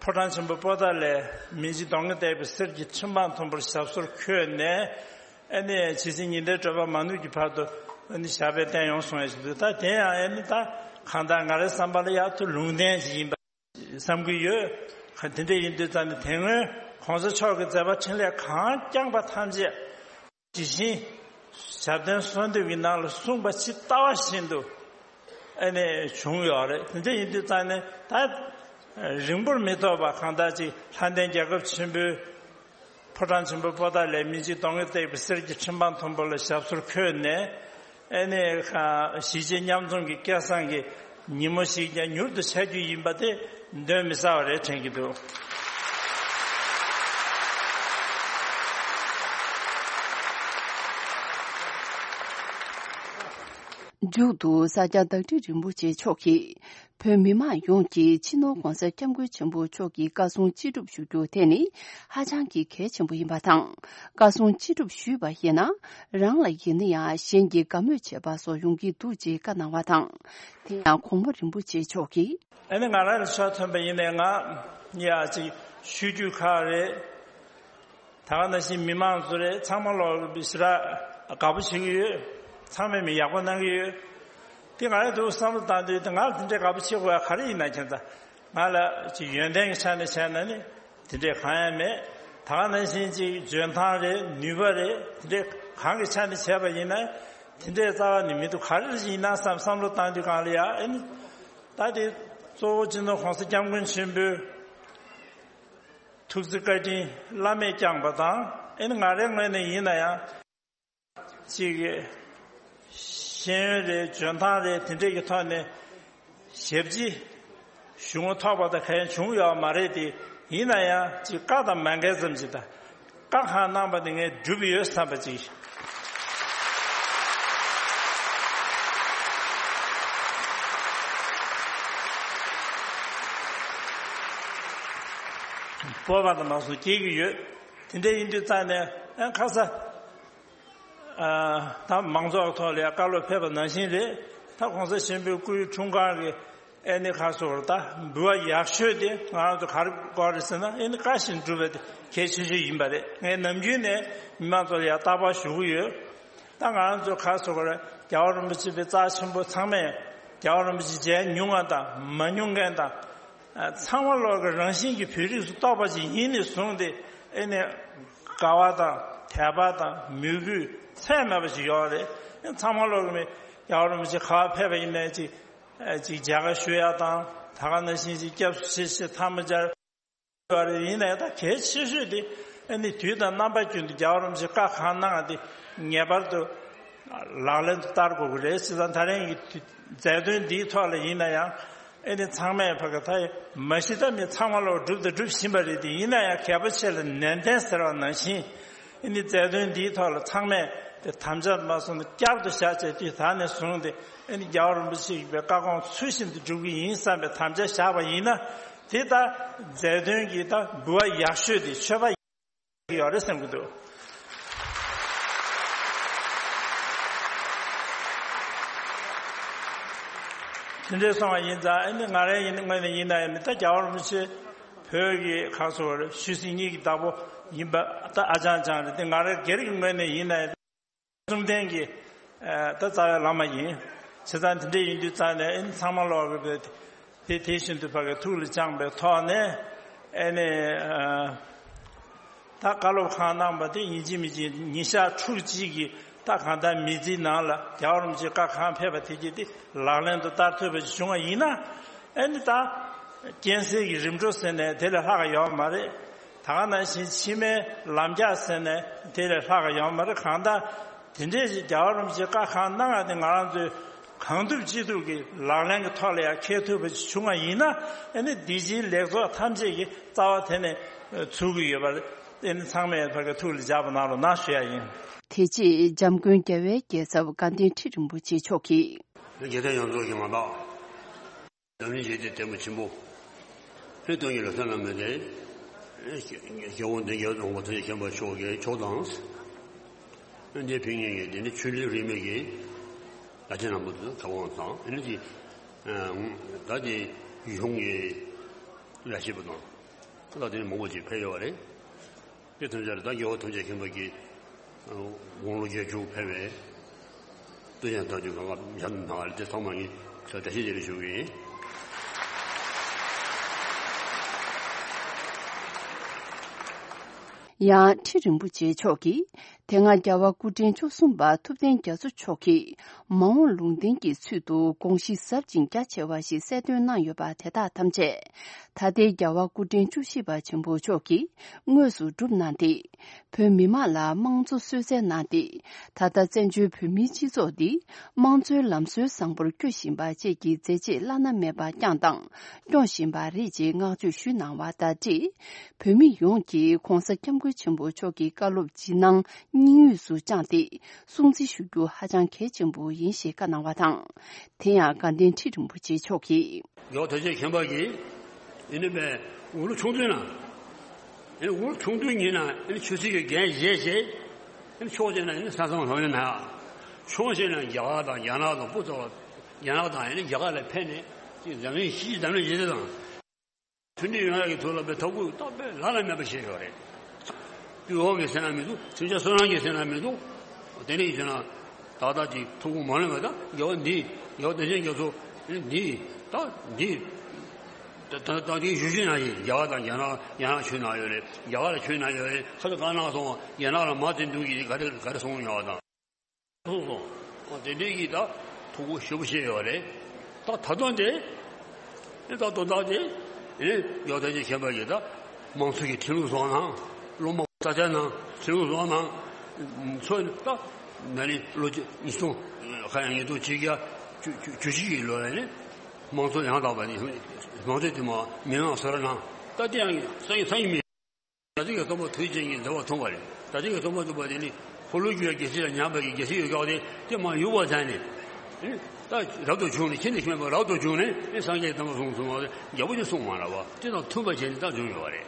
ཕོ་བྲང་ཆེན་པོ་པོ་ཏཱ་ལའི་མི་འཇིགས་གདོང་གིས་བཏེགས་པའི་གསེར་གྱི་ཁྲི་འཕང་མཐོན་པོར་ཞབས་སོར་འཁོད་ནས། ཨ་ནི་ཇི་སྲིད་ཉི་ཟླའི་བགྲོད་པ་མ་ནུབ་ཀྱི་བར་དུ་ཨ་ནི་ཞབས་པད་བརྟན་ཡོང་གསུང་ཡ་ཞིག་འདུག་ད་དེ་ཡང་ཨ་ནི་ད་གང་ལྟར་ང་རའི་བསམ་པ་ལ་ཡག་ཐུ་ལུང་བསྟན་ཞིག་ཡིན་པ་བསམ་གྱི་ཡོད། དེ་འདྲ་ཡིན་དུས་ཙང་ནས་དེ་སྔོན་གོང་ས་མཆོག་གི་མཛད་པ་འཕྲིན་ལས་གང་བསྐྱངས་པ་ཐམས་ཅད། ཇི་བཞིན་ཞབས་བརྟན་གསོལ་འདེབས་ཀྱི་ནང་ལ་གསུངས་པ་ཇི་ལྟ་བ་བཞིན་དུ་ཨ་ནི་བྱུང་ཡོད་རེད། དེ་འདྲ་ཡིན་དུས་ཙང་ནས་ད་རིང་པོར་མི་ཐོགས་པ་གང་ལྟར་ཅིག་ལྷ་ལྡན་རྒྱལ་ཁབ་ཆེན་པོའི་ཕོ་བྲང་ཆེན་པོ་པོ་ཏཱ་ལའི་མི་འཇིགས་གདོང་གིས་བཏེགས་པའི་གསེར་གྱི་ཁྲི་འཕང་མཐོན་པོ་ལ་ཞབས་སོར་འཁོད་ནས་ཨ་ནི་གཞིས་བྱེས་མཉམ་འཛོམས་ཀྱི་སྐལ་བཟང་གི་ཉིན་མོ་ཞིག་ཀྱང་མྱུར་དུ་འཆར་རྒྱུ་ཡིན་པ་དེ་གདོན་མི་ཟ་བ་རེད་དྲན་གྱི་འདུག་མཇུག་ཏུ་ས་སྐྱ་བདག་ཁྲི་རིན་པོ་ཆེ་མཆོག་གིས་བོད་མི་མང་ཡོངས་ཀྱིས་སྤྱི་ནོར་༧གོང་ས་༧སྐྱབས་མགོན་ཆེན་པོ་མཆོག་གི་བཀའ་གསུང་ཅི་སྒྲུབ་ཞུ་རྒྱུ་དེ་ནི་ཧ་ཅང་གི་གལ་ཆེན་པོ་ཡིན་པ་དང་། བཀའ་གསུང་ཅི་སྒྲུབ་ཞུས་པ་ཡིན་ན་རང་ལ་ཡིན་ན་ཡང་གཞན་གྱི་དགའ་མོས་བྱེད་པ་སོགས་ཡོང་གི་འདུག་ཅེས་བཀའ་གནང་བ་དང་། དེ་ཡང་གོང་མ་རིན་པོ་ཆེ་མཆོག་གིས། ཨ་ནི་ང་རང་ལ་ཆ་མཚོན་པ་ཡིན་ནའི་ང་ཡ་ཅིག་ཆོས་བརྒྱུད་ཁག་རེད། ད་ག་ནང་བཞིན་མི་མང་ཚོ་རེད། ཚང་མ་ལོག་ཞེ་དྲག་དགའ་པོ་བྱེད་ཀྱི་ཡོད། ཚང་མས་མི་ཡག་པོ་གནང་གི་ཡོད། དེ་ང་ཡང་དུ་བསམ་བློ་བཏང་དུས་དེ་ང་ལ་དེ་འདྲའི་དགའ་པོ་བྱེད་དགོས་ཡ་ག་རེ་ཡིན་ན་ཁྱེད་ཚ་ང་ལ་ཅིག་ཡོན་ཏན་གྱི་ཆ་ནས་བྱས་ན་ནི་དེ་འདྲའི་གང་ཡང་མེད། ད་ག་ནང་བཞིན་ཅིག་འཇོན་ཐང་རེད། ནུས་པ་རེད། དེ་འདྲའི་གང་གི་ཆ་ནས་བྱས་པ་ཡིན་ན་དེ་འདྲའི་རྩ་བ་ནས་མི་འདུག་ག་རེ་ཡིན་ན་བསམ་བསམ་བློ་བཏང་དུས་གང་ལ་ཡ་ཨེ་ནི་ད་དེ་གཙོ་བོ་སྤྱི་ནོར་༧གོང་ས་༧སྐྱབས་མགོན་ཆེན་པོའི་ཐུགས་བརྩེ་བཀའ་དྲིན་བླ་མས་བསྐྱངས་པ་དང་། ཨེ་ནི་ང་རའི་ངོས་ནས་ཡིན་ན་ཡང་ཅིག་ཤེས་ཡོན་རེད། འཇོན་ཐང་རེད། དེ་འདྲས་ཀྱི་ཐོག་ནས་ཞབས་ཕྱི་ཞུ་ངོ་ཐོག་པ་དང་གང་བྱུང་ཡོད་མ་རེད་དེ། ཡིན་ན་ཡང་ཅིག་བཀའ་དང་མ་འགལ་ཙམ་ཅིག་དང་། བཀའ་གང་གནང་པ་དེ་ངས་བསྒྲུབས་ཡོད་བསམ་པ་ཅིག་སྤོབས་པ་དང་མ་སོང་སྐྱེ་གི་ཡོད། དེ་འདྲ་ཡིན་དུས་ཙང་ནས་ཨ་ཁ་ས་ཨ་ད་མང་ཚོགས་ཐོག་ལ་ཡང་བཀའ་སློབ་ཕེབས་པ་ནང་བཞིན་རེད། ད་གོང་ས་ཆེན་པོའི་སྐུའི་འཁྲུངས་སྐར་གྱི་ཨེ་ནི་ཁ་སོར་ད་འབུལ་བ་ཡག་ཤོས་དེ་ང་རང་ཚོ་ག་རེ་དགོས་རེད་ཟེར་ན། ཨེ་ནི་བཀའ་བཞིན་སྒྲུབ་པ་དེ་གལ་ཆེ་ཤོས་ཡིན་པ་རེད། ངས་ནམ་རྒྱུན་ནས་མི་མང་ཚོ་ལ་ཡང་རྟག་པར་ཞུ་གི་ཡོད། ད་ང་རང་ཚོ་ཁ་སོ་གར་རྒྱལ་བ་རིན་པོ་ཆེ་པའི་རྩ་ཆེན་པོ་ཚང་མས་རྒྱལ་བ་རིན་པོ་ཆེ་མཇལ་མྱོང་བ་དང་མ་མྱོང་མཁན་དང་། ཚང་མ་ལོག་གི་རང་བཞིན་གྱི་བོད་རིགས་སུ་གཏོགས་པ་ཅིག་ཡིན་ནས་བཟུང་སྟེ་ཨེ་ནས་དགའ་བ་དང་དད་པ་དང་མོས་གུས་ཚད་མེད་པ་ཞིག་ཡོད་རེད། ཚང་མ་ལོག་གི་མི་རྒྱལ་བ་རིན་པོ་ཆེ་ག་པར་ཕེབས་པ་ཡིན་ནའི་ཅིག་ཅིག་མཇལ་ཁ་ཞུ་ཡ་དང་། ད་ག་ནང་བཞིན་ཅིག་སྐྱབས་སུ་མཆི་ཞེས་ཐལ་མོ་སྦྱར་ཡོད་རེད། ཡིན་ནའི་ད་གལ་ཆེ་ཤོས་དེ་ཨ་ནི་དུས་དང་རྣམ་པ་ཀུན་ཏུ་རྒྱལ་བ་རིན་པོ་ཆེ་བཀའ་གང་གནང་དེ་ངེས་པར་དུ་ལག་ལེན་དུ་བསྟར་དགོས་ཀྱི་རེད་ཟེར་ཙང་། ད་རིང་གི་མཛད་དོན་འདིའི་ཐོག་ལ་ཡིན་ན་ཡང་ཨེ་ནི་ཚང་མས་ཕ་གི་ད་མ་གཞི་ད་མི་ཚང་མ་ལོག་སྒྲུབ་དང་སྒྲུབ་བཞིན་པ་རེད་དེ། ཡིན་ན་ཡང་གལ་པོ་ཆེ་ལ་ནན་ཏན་ཟེར་བ་ནང་བཞིན་ཨེ་ནི་མཛད་དོན་འདིའི་ཐོག་ལ་ཚང་མས་དེ་དམ་བཅའ་མ་སོང་ན་བསྐྱར་དུ་བཞག་བྱས་དུས་ད་ནས་བཟུང་སྟེ་ཨེ་ནི་རྒྱལ་བ་རིན་པོ་ཆེ་ཡི་བཀའ་དགོངས་ཚུལ་བཞིན་དུ་སྒྲུབ་ཀྱི་ཡིན་བསམ་པའི་དམ་བཅའ་བཞག་པ་ཡིན་ན། དེ་ལྟར་མཛད་དོན་གྱི་ད་འབུལ་བ་ཡག་ཤོས་དེ་མཆོད་པ་ཡག་ཡོད་རེད་བསམ་གྱི་འདུག་དེ་འདྲའི་སོང་བ་ཡིན་ཙང་ཨ་ནི་ང་རའི་ཡིན་ངོས་ནས་ཡིན་ན་ཡང་ད་རྒྱལ་བ་རིན་པོ་ཆེ་བོད་ཀྱི་ཁ་སོ་ཆོས་སྲིད་གཉིས་ཀྱི་བདག་པོ་ཡིན་པ་ད་ཨ་ཅང་ཅང་རེད་དེ། ང་རའི་སྒེར་གྱི་ངོས་ནས་ཡིན་ན་ཡང་གསུམ་ལྡན་གྱི་ད་རྩ་བའི་བླ་མ་ཡིན། བྱས་ཙང་དེ་འདྲ་ཡིན་དུས་ཙང་ནས་ཨེ་ནི་ཚང་མ་ལོག་གི་དེ་དེ་བཞིན་དུ་ཕ་གི་ཐུགས་ལ་བཅངས་པའི་ཐོག་ནས་ཨེ་ནི་ད་བཀའ་སློབ་གང་གནང་པ་དེ་ཡིན་གཅིག་མིན་གཅིག་ཉིན་ཞག་ཕྲུགས་གཅིག་གི་ད་གང་ལྟར་མི་ཚེའི་ནང་ལ་རྒྱལ་བ་རིན་པོ་ཆེ་བཀའ་གང་ཕེབས་པ་དེ་གྱིས་དེ་ལག་ལེན་དུ་བསྟར་ཐུབ་པ་ཞིག་བྱུང་བ་ཡིན་ན། ཨེ་ནི་ད་རྐྱེན་སེལ་གྱི་རིམ་གྲོ་ཟེར་ནས་དེ་ལས་ལྷག་ག་ཡོད་མ་རེད། ད་ག་ནང་བཞིན་ཕྱི་མའི་ལམ་རྒྱགས་ཟེར་ནས་དེ་ལས་ལྷག་ག་ཡོད་མ་རེད། གང་ལྟར་དེ་འདྲས་ཀྱི་རྒྱལ་བ་རིན་པོ་ཆེ་བཀའ་གང་གནང་བ་དེ་ང་རང་ཚོའི་ གང་ཐུབ་ཅི་ཐུབ་ཀྱིས་ལག་ལེན་གྱི་ཐོག་ལ་ཡང་འཁེལ་ཐུབ་པ་ཞིག་བྱུང་བ་ཡིན་ན། ཨ་ནི་འདི་ཕྱིའི་ལེགས་ཚོགས་ཐམས་ཅད་ཀྱི་རྩ་བ་དེ་ནས་ཚུགས་ཀྱི་ཡོད་པ། ཨ་ནི་ཚང་མས་ཕ་གི་ཐུགས་ལ་འཇགས་པ་གནང་རོགས་གནང་ཞུ་ཡ་ཡིན། དེ་རྗེས་འཇམ་མགོན་རྒྱལ་བའི་རྒྱལ་ཚབ་དགའ་ལྡན་ཁྲི་རིན་པོ་ཆེ་མཆོག་གིས། རྒྱལ་བསྟན་ཡོངས་རྫོགས་ཀྱི་ངོ་མ། འཛམ་གླིང་ཞི་བདེའི་ལྟད་མོ་ཆེན་པོ། ཨེ་སྟོན་གྱི་ལོ་གསར་རྣམས་མེད་དེ། སྐྱབས་མགོན་བདེ་རྒྱལ་དབང་པོ་ཐུགས་རྗེ་ཆེན་པོ་མཆོག་གི་མཆོག་དང་། ཨེ་འདས་ཕན་ངེས་ཀྱི་དེ་ནི་ཆོས་འབྲེལ་རིས་མེད་ཀྱི་བླ་ཆེན་རྣམ་པ་ཚོ་ཚེ་དབང་དང་། ཨེ་ནི་དེ་ད་དེ་ཡུལ་ལྗོངས་ཀྱི་བླ་ཆེན་པོ་དང་། ད་དེ་ནི་མང་པོ་ཅིག་ཕེབས་ཡོད་པ་རེད། དེ་ཐམས་ཅད་ལ་ད་རྒྱལ་བ་ཐམས་ཅད་མཁྱེན་པ་གི་དགུང་ལོ་བརྒྱད་ཅུ་ཕེབས་པའི་སྟོན་ཆེན་ཐག་ཆོད་གང་ག་ཡང་ནང་ལ་དེ་ཚང་མ་ངས་བཀྲ་ཤིས་བདེ་ལེགས་ཞུ་གི་ཡིན། ཡང་ཁྲི་རིན་པོ་ཆེ་མཆོག་གིས་དེ་སྔ་རྒྱལ་བ་སྐུ་ཕྲེང་བཅུ་གསུམ་པ་ཐུབ་བསྟན་རྒྱ་མཚོ་མཆོག་གིས་མ་འོངས་ལུང་བསྟན་གྱི་ཚུལ་དུ་དགོངས་གཞི་ཟབ་ཅིང་རྒྱ་ཆེ་བ་ཞིག་གསལ་སྟོན་གནང་ཡོད་པ་དེ་དག་ཐམས་ཅད་ད་ལྟའི་རྒྱལ་བ་སྐུ་ཕྲེང་བཅུ་བཞི་པ་ཆེན་པོ་མཆོག་གིས་དངོས་སུ་བསྒྲུབས་གནང་སྟེ། བོད་མི་དམངས་ལ་དམངས་གཙོ་གསོལ་སྩལ་གནང་སྟེ། ད་ལྟ་བཙན་བྱོལ་བོད་མིའི་སྤྱི་ཚོགས་འདི་དམངས་གཙོའི་ལམ་སྲོལ་བཟང་པོར་བསྐྱོད་བཞིན་པ་བཅས་ཀྱི་མཛད་རྗེས་བླ་ན་མེད་པ་བསྐྱངས་དང་སྐྱོང་བཞིན་པ་རེད་ཅེས་བསྔགས་བརྗོད་ཞུས་གནང་བ་དང་འབྲེལ། བོད་མི་ཡོངས་ཀྱིས་༧གོང་ས་༧སྐྱབས་མགོན་ཆེན་པོ་མཆོག་གི་བཀའ་སློབ་ཇི་སྣང་སྙིང་དབུས་སུ་བཅངས་ཏེ་སྲུང་བརྩི་ཞུ་རྒྱུ་ཧ་ཅང་གལ་ཆེན་པོ་ཡིན་ཞེས་བཀའ་གནང་བ་དང་། དེ་ཡང་དགའ་ལྡན་ཁྲི་རིན་པོ་ཆེ་མཆོག་གིས། རྒྱལ་བ་ཐམས་ཅད་མཁྱེན་པ་གིས་ཨེ་ནི་པའི་འུ་ལོ་ཆུང་དུས་ན། ཨེ་ནི་འུ་ལོ་ཆུང་དུས་ཉིད་ན་ཨེ་ནི་ཆོས་སྲིད་ཀྱི་འགན་བཞེས་བྱས། ཨེ་ནི་ཆུང་བྱས་ན་ཨེ་ནི་ས་མཚམས་ལྷོད་ཡོད་ན། ཆུང་བྱས་ན་རྒྱ་གར་དང་རྒྱ་ནག་དང་སྤུ་ཚོགས་རྒྱ་ནག་དང་ཨེ་ནི་རྒྱ་གར་ལ་ཕེབས་ནས་ཅིག་འཛམ་གླིང་སྤྱི་འཛམ་གླིང་སྤྱི་དང་མཐུན་སྒྲིལ་ཡོང་ཡག་གི་ཐོག་ལ་པའི་ཐབས་བཀོད་ཏག་ཏག་བླ་ན་མེད་པ་བྱས་ཡོད་རེད། སྤྲུལ་བ་གི་སེམས་ན་མི་འདུག་སེམས་ཅན་བསོད་ནམས་ཀྱི་སེམས་ན་མི་འདུག་དེ་འདྲ་ཡིན་ན། ཏག་ཏག་ཅིག་ཐུགས་ཁུར་མ་ལེན་པ་དང་རྒྱལ་བ་འདི་རྒྱལ་བ་དེ་ཅན་རྒྱ་མཚོ་འདི་ད་འདི་ད་ད་ད་འདི་ཞུ་ཞུ་ན་ཡིན། རྒྱ་གར་དང་རྒྱ་ནག་རྒྱ་ནག་ཆོས་ནང་ཡོད་རེད། རྒྱ་གར་ལ་ཆོས་ནང་ཡོད་རེད། ཁ་ཚ་གང་ནང་སོང་རྒྱ་ནག་ལ་མ་བརྩི་འདུག་གི་ག་རེ་ག་རེ་སོང་ཡོད་དང་། སོང་སོང་། དེ་འདྲའི་གི་ད་ཐུགས་ཁུར་ཞེ་པོ་བཞེས་ཡོད་རེད། ད་ད་དུང་དེ་ནི་ད་དོན་དག་དེ་ནི་རྒྱལ་བ་ཐམས་ཅད་མཁྱེན་པ་ཡིས་ད་དམངས་གཙོ་གི་ཁྲིམས་ལུགས་བཟོ་གནང་། སློབ་མ་ས་ཆ་ནང་ཁྲིམས་ལུགས་བཟོ་གནང་། ཚོ་ད་ན་ནིང་ལོ་ཉིས་སྟོང་ཁ་ཡང་ཉིས་སྟོང་ཆིག་བརྒྱ་བཅུ་བཅུ་བཅུ་གཅིག་གི་ལོ་ལ་ནི་དམངས་གཙོ་ཡང་དག་པ་ནི་དམངས་གཙོ་དེ་མ་མི་དམངས་སོ་ར་ནང་ད་དེ་ཡང་སང་ཉིན་སང་ཉིན་མི། ད་ལྟའི་གི་སྟོན་པ་ཐུགས་རྗེ་ཅན་གྱི་མཛད་པ་མཐོང་བ་རེད། ད་ལྟའི་གི་སྟོན་པ་ཐུགས་པ་དེ་ནི་འཁོར་ལོས་སྒྱུར་བའི་རྒྱལ་སྲིད་ལ་ཉམས་པའི་གི་རྒྱལ་སྲིད་ཡོད་ཀྱང་དེ་དེ་མ་ཡུག་པ་ཙམ་ནས། ཨེ་ད་རབ་ཏུ་བྱུང་ནས་ཁྱེད་ནི་ཁྱོད་པ་རབ་ཏུ་བྱུང་ནས་ཨེ་སངས་རྒྱས་དམ་པ་གསུངས་གསུངས་པ་རྒྱལ་པོ་ནི་གསུངས་མ་ར་བ་དེ་དང་མཐུན་པ་བྱས་ནས་ད་བྱུང་ཡོད་པ་རེད།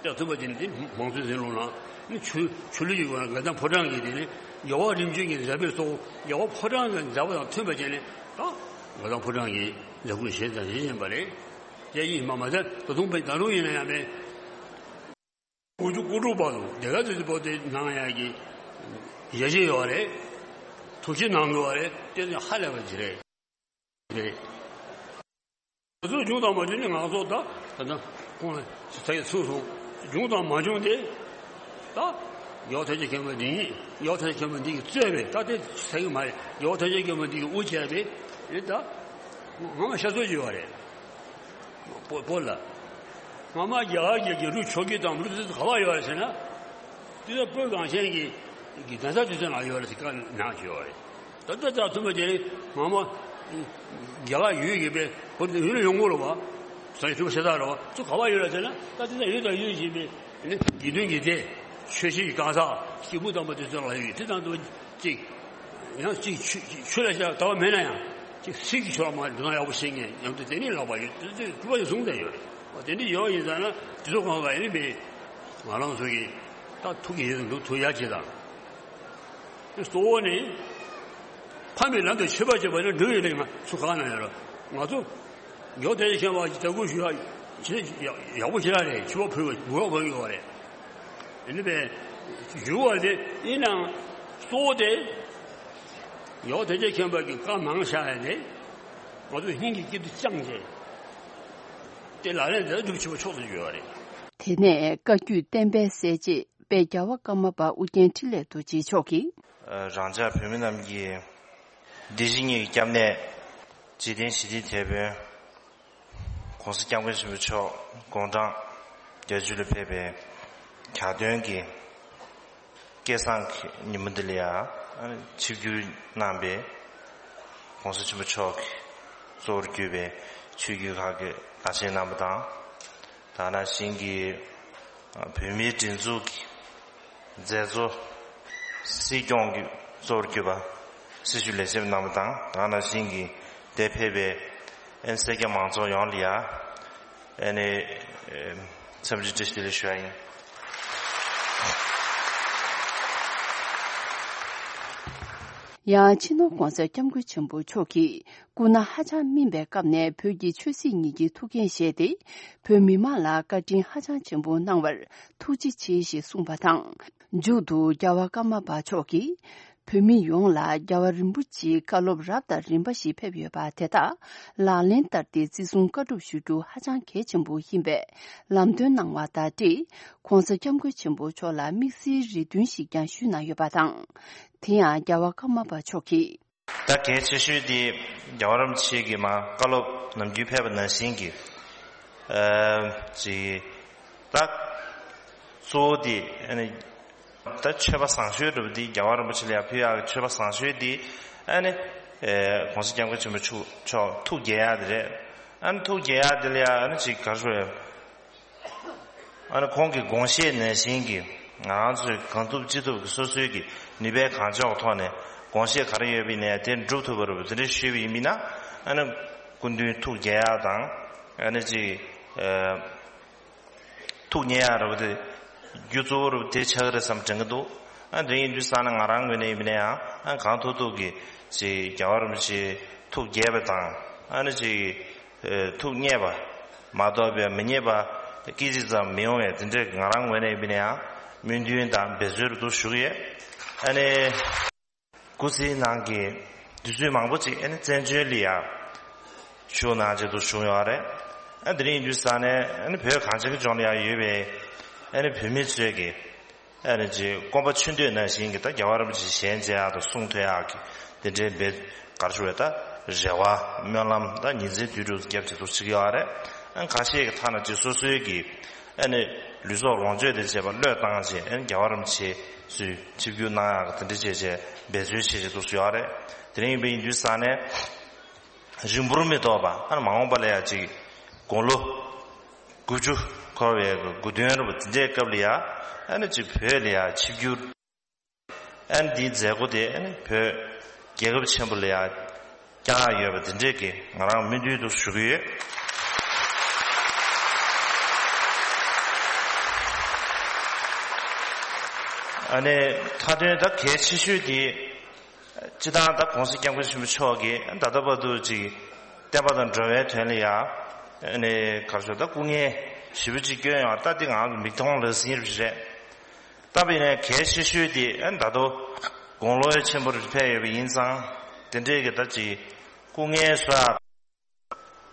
དེ་མཐུན་པ་བྱས་ནས་དེ་མང་གཙོའི་ཟིན་ལུགས་ནང་ནི་ཆོས་ཆོས་ལུགས་ཀྱི་སྒོ་ནས་དགའ་ལྡན་ཕོ་བྲང་གི་དེ་ནི་རྒྱལ་བ་རིམ་བྱོན་གྱི་མཛད་པའི་གཙོ་བོ་རྒྱལ་བ་ཕོ་བྲང་གི་མཛད་པ་དང་མཐུན་པ་བྱས་ནས་ད་དགའ་ལྡན་ཕོ་བྲང་གི་མཛད་ཁུར་བཞེས་དང་བཞེས་བཞིན་པ་རེད། དེ་ཡིན་མ་མ་ཟད་ད་དུང་པའི་ད་རུང་ཡིན་ན་ཡང་པའི། དགུ་བཅུ་གོ་དྲུག་བར་དུ་སྡེ་དགེ་རྩེ་བོད་དེ་གནང་ཡག་གི་ཡ་གཞི་ཡོད་རེད། ཐུགས་རྗེ་གནང་དགོས་པ་རེད། དེ་ནི་ཧ་ལས་པ་ཅིག་རེད། རེད། ང་ཚོ་བྱུང་དང་མ་བྱུང་ནི་ང་ཚོ་ད་ད་ད་ཁོང་ལ་ཚ་ཡི་ཚུགས་སོང་། བྱུང་དང་མ་བྱུང་དེ་ད་རྒྱལ་བ་ཐམས་ཅད་མཁྱེན་པ་འདི་ཡིན། རྒྱལ་བ་ཐམས་ཅད་མཁྱེན་པ་འདི་གི་གཙོས་པའི་ད་དེ་ཚ་ཡི་མ་རེད། རྒྱལ་བ་ཐམས་ཅད་མཁྱེན་པ་འདི་གི་དབུ་བྱས་པའི་རེད། ད་ང་མ་ཤ་ཚོད་ཅིག་ཡོད་རེད། བོད་བོད་ལ། སྔ་མ་རྒྱ་གར་གྱི་རྒྱལ་གྲུབ་ཆོས་ཀྱི་དང་པོ་དེ་ག་པར་ཡོད་རེད་ཟེར་ན། དེ་ལ་བོད་གངས་ཅན་གྱི་གི་གདན་ས་དེ་ཚོ་ནང་ཡོད་རེད་ཟེར་བཀའ་གནང་བྱས་ཡོད་རེད། ད་ལྟ་ད་ཐུབ་པ་དེ་ནི་སྔ་མ་རྒྱ་གར་ཡུལ་གྱི་པའི་བོད་དུ་ཡུལ་ལ་ཡོང་གི་རེད་བ། ས་ཡི་ཐུབ་པ་ཤ་སྟག་རེད་བ། ཚོ་ག་པར་ཡོད་རེད་ཟེར་ན། ད་དེ་ཚོ་ཡུལ་དང་ཡུལ་བཞིན་པའི་ནི་དགེ་འདུན་གྱི་སྡེ། ཆོས་སྲིད་ཀྱི་གང་ཟག་སྐྱེས་བུ་དམ་པ་དེ་ཚོ་ལ་ཡོད་དེ་དང་དུ་གཅིག་ཡང་གཅིག་ཆོས་ཆོས་ལ་བྱ་ལྟ་བ་མེད་ན་ཡང་གཅིག་སྲིད་ཀྱི་ཆོས་ལ་མ་འགྲོ་ན་ཡག་པོ་ཤེས་མཁན་ཡང་དུ་དེ་ནི་ལག་པ་ཡོད་དེ་དེ་གྲུབ་པ་ཡོད་གསུངས་ཏེ་ཡོད་རེད། དེ་འདྲ་ཡོད་ཡིན་ཙང་ན་དེ་ཚོ་གང་ག་ཡིན་མིན་ང་རང་ཚོ་གི་ད་ཐུགས་ཀྱི་ཡིད་དུ་འདུག་ཐུགས་ཡག་ཅིག་དང་། གཙོ་བོ་ནི། ཕ་མའི་ལམ་དུ་ཆོས་པ་བྱེད་པ་ནི་འགྲོ་བའི་རིང་ང་ཚུགས་གང་ན་ཡོད་ར། ང་ཚོ་མགྱོགས་དེ་ཤེས་པ་ཞིག་དགོས་ཞུ་ཡ་ཇི་ཡག་པོ་ཞེ་དྲག་རེད། ཆུ་བ་ཕུལ་བ་འབུལ་བ་ཕུལ་གི་ཡོད་རེད། ཨ་ནི་པས་ཞུ་བ་དེ་ཡིན་ནའང་གཙོ་བོ་དེ་མགྱོགས་དེ་ཤེས་པ་གི་བཀའ་མང་ཤ་ཡ་དེ་ང་ཚོ་སྙིང་གི་དཀྱིལ་དུ་བཅངས་ཏེ་དེ་ལག་ལེན་དེ་སྒྲུབ་ཆེ་བ་ཕྱོགས་སུ་བརྗོད་པ་རེད། དེ་ནས་བཀའ་བརྒྱུད་བསྟན་པའི་གསལ་བྱེད། དཔལ་རྒྱལ་བ་ཀརྨ་པ་ཨུ་རྒྱན་འཕྲིན་ལས་རྡོ་རྗེ་མཆོག་གིས། རང་ཅག་བོད་མི་རྣམས་ཀྱི་སྡེ་སྲིད་གཉིས་ཀྱི་སྐྱབས་གནས། འཇིག་རྟེན་ཞི་བདེའི་དེད་དཔོན་༧གོང་ས་༧སྐྱབས་མགོན་ཆེན་པོ་མཆོག་དགུང་གྲངས་བརྒྱད་ཅུ་ལ་ཕེབས་པའི་གྱ་སྟོན་གྱི་སྐལ་བཟང་གི་ཉིན་མོ་འདི་ལ་ཡང་ཆིབས་བསྒྱུར་གནང་པའི་ ༸གོང་ས་ཆེན་པོ་མཆོག་གིས་གཙོ་བོར་གྱུར་པའི་ཆོས་བརྒྱུད་ཁག་གི་བླ་ཆེན་རྣམ་པ་དང་། དེ་ནང་བཞིན་གྱི་བོད་མིའི་སྒྲིག་འཛུགས་ཀྱི་མཛད་གཙོ། སྲིད་སྐྱོང་གི་གཙོ་བོར་གྱུར་པ་སྲི་ཞུ་ལས་བྱེད་རྣམ་པ་དང་། དེ་ནང་བཞིན་གྱི་འདིར་ཕེབས་པའི་ཨན་སེར་སྐྱ་མང་ཚོགས་ཡོངས་ལ་ཡ། ཨ་ནི། ཨེ། འཚམས་འདྲི་བཀྲ་ཤིས་བདེ་ལེགས་ཞུ་ཡ་ཡིན། ཡང་སྤྱི་ནོར་༸གོང་ས་༸སྐྱབས་མགོན་ཆེན་པོ་མཆོག་གིས་སྐུ་ན་ཧ་ཅང་སྨིན་པའི་སྐབས་ནས་བོད་ཀྱི་ཆོས་སྲིད་གཉིས་ཀྱི་ཐུགས་འགན་བཞེས་ཏེ། བོད་མི་མང་ལ་བཀའ་དྲིན་ཧ་ཅང་ཆེན་པོ་གནང་བར་ཐུགས་རྗེ་ཆེ་ཞེས་གསུངས་པ་དང་། མཇུག་ཏུ་རྒྱལ་བ་ཀརྨ་པ་མཆོག་གིས། བོད་མི་ཡོངས་ལ་རྒྱལ་བ་རིན་པོ་ཆེའི་བཀའ་སློབ་རབ་དང་རིམ་པ་ཞིག་ཕེབས་ཡོད་པ་དེ་དག་ལག་ལེན་བསྟར་ཏེ་བརྩི་སྲུང་བཀའ་སྒྲུབ་ཞུ་རྒྱུ་ཧ་ཅང་གལ་ཆེན་པོ་ཡིན་པས་ལམ་སྟོན་གནང་བ་དང་འབྲེལ། ༸གོང་ས་༸སྐྱབས་མགོན་ཆེན་པོ་མཆོག་ལ་དམིགས་བསལ་རེ་འདུན་ཞིག་ཀྱང་ཞུས་གནང་ཡོད་པ་དང་། དེ་ཡང་རྒྱལ་བ་ཀརྨ་པ་མཆོག་གིས། ད་གལ་ཆེ་ཤོས་དེ་རྒྱལ་བ་རིན་པོ་ཆེ་གིས་མར་བཀའ་སློབ་ནམ་རྒྱུན་ཕེབས་པ་ནང་བཞིན་གྱི། ཨ། ཅིག་ད་གཙོ་བོ་དེ་ཨ་ནི། ད་མཆོད་པ་བཟང་ཤོས་འདྲ་པོ་འདི་རྒྱལ་བ་རིན་པོ་ཆེ་ལ་ཡང་ཕུལ་ཡག་གི་མཆོད་པ་བཟང་ཤོས་འདི་ཨ་ནི། ཨེ། ༸གོང་ས་༸སྐྱབས་མགོན་ཆེན་པོ་མཆོག་མཆོག་ཐུགས་དགྱེས་ཡག་དེ་རེད། ཨ་ནི་ཐུགས་དགྱེས་ཡག་དེ་ལ་ཡང་ཨ་ནི་ཅིག་ག་རེ་ཞུ་དགོས་རེད། ཨ་ནི་ཁོང་གི་དགོངས་བཞེད་ནང་བཞིན་གྱི་ང་རང་ཚོས་གང་ཐུབ་ཅི་ཐུབ་ཀྱི་སོ་སོའི་གི་ནུས་པའི་གང་ལྕོགས་ཐོག་ནས་དགོངས་བཞེད་ག་རེ་ཡོད་པ་ཡིན་ནའི་དེ་འགྲུབ་ཐུབ་པ་རེད་པ། དེ་འདྲ་ཞུས་པ་ཡིན་པ་ཡིན་ན་ཨ་ནི་སྐུ་མདུན་ཐུགས་དགྱེས་ཡག་དང་ཨ་ནི་ཅིག་ཨ། ཐུགས་མཉེས་ཡག་རེད་པ། དེ་རྒྱུ་གཙོ་བོ་རེད་པ། དེ་ཆགས་ཀྱི་རེད་བསམ་དྲན་གྱི་འདུག་ཨ། དེ་ཡིན་དུས་ཙང་ན་ང་རང་ངོས་ནས་ཡིན་པ་ན་ཡང་ཨ་གང་ཐུབ་ཐུབ་ཀྱིས་ཅིག་རྒྱལ་བ་རིན་པོ་ཆེ་ཐུགས་དགྱེས་པ་དང་ཨ་ནི་ཅིག་ཨེ། ཐུགས་མཉེས་པ་མ་གཏོགས་པའི་མི་མཉེས་པ་སྐད་ཅིག་ཙམ་མི་ཡོང་བའི་དེ་འདྲའི་ང་རང་ངོས་ནས་ཡིན་པ་ན་ཡང་སྨོན་འདུན་དང་འབད་རྩོལ་རེ་འདུག་ཞུ་གི་ཡོད། ཨ་ནི། སྐུ་ཚེའི་ནང་གི་དུས་ཚོད་མང་པོ་ཅིག་ཨ་ནི་བཙན་བྱོལ་ལ་ཡ་བཞུགས་གནང་བྱས་འདུག་བཞུགས་ཡོད་རེད། ཨ། དེ་རིང་ཡིན་དུས་ཙང་ནས་ཨ་ནི་བོད་གངས་ཅན་གྱི་ལྗོངས་ལ་ཡ་ཡོད་པའི་ཨ་ནི་བོད་མི་ཚོས་ཀྱི་ཨ་ནི་ཅིག་སྐོམ་པ་ཆུ་འདོད་ནང་བཞིན་གྱི་ད་རྒྱལ་བ་རིན་པོ་ཆེ་ཞལ་མཇལ་ཡག་དང་གསུང་ཐོས་ཡག་གི་དེ་འདྲའི་འབད་ག་རེ་ཞུ་དགོས་རེད། ད་རེ་བ་སྨོན་ལམ་ད་ཉིན་མཚན་དུས་དྲུག་བརྒྱབ་བྱས་འདུག་བྱེད་ཀྱི་ཡོད་རེད། ཨ། ཁ་ཤས་ཀྱི་ཐ་ན་ཅིག་སོ་སོའི་གི་ཨ་ནི་ལུས་སྲོག་ལོངས་སྤྱོད་དང་བཅས་པ་བློས་བཏང་བྱས་ཨ་ནི་རྒྱལ་བ་རིན་པོ་ཆེ་ཚུར་ཆིབས་བསྒྱུར་གནང་ཡག་གི་དེ་འདྲ་བྱས་བྱས་འབད་རྩོལ་བྱེད་བྱེད་འདུག་སེ་ཡོད་རེད། དེ་རིང་ཡིན་པ་ཡིན་དུས་ཙང་ནས་རིང་པོར་མི་ཐོགས་པ་ཨ་ནི་མ་འོངས་པ་ལ་ཡ་ཅིག་དགུང་ལོ་དགུ་བཅུ་འཁོར་བའི་དགུང་སྟོན་རེད་པ། དེ་འདྲའི་སྐབས་ལ་ཡ་ཨ་ནི་ཅིག་བོད་ལ་ཡ་ཆིབས་བསྒྱུར། ཨ་ནི་འདིའི་མཛད་སྒོ་དེ་ཨ་ནི་བོད་རྒྱལ་ཁབ་ཆེན་པོ་ལ་ཡང་བསྐྱངས་ཡོད་པ་འདི་འདྲས་ཀྱི་ང་རང་སྨོན་འདུན་དུ་ཞུ་གི་ཡོད། ཨ་ནི་མཐའ་དོན་ད་གལ་ཆེ་ཤོས་དེ་སྤྱིར་བཏང་ད་༸གོང་ས་༸སྐྱབས་མགོན་ཆེན་པོ་མཆོག་གིས་ད་ལྟ་བར་དུ་ཅིག་བསྟན་པ་དང་འགྲོ་བའི་དོན་ལ་ཡང་ཨ་ནི་ག་རེ་ཞུ་ད་སྐུ་ངལ་ཞེ་པོ་ཅིག་བསྐྱོན་ཡོད། ད་འདི་ང་ཚོ་མིག་མཐོང་ལག་ཟིན་རེད། ད་བྱས་ནས་གལ་ཆེ་ཤོས་དེ་ཨ་ནི་ད་དུང་དགུང་ལོ་ཆེན་པོར་ཕེབས་ཡོད་པ་ཡིན་ཙང་དེ་འདྲས་ཀྱི་ད་ཅིག་སྐུ་ངལ་གསོ་ཡག་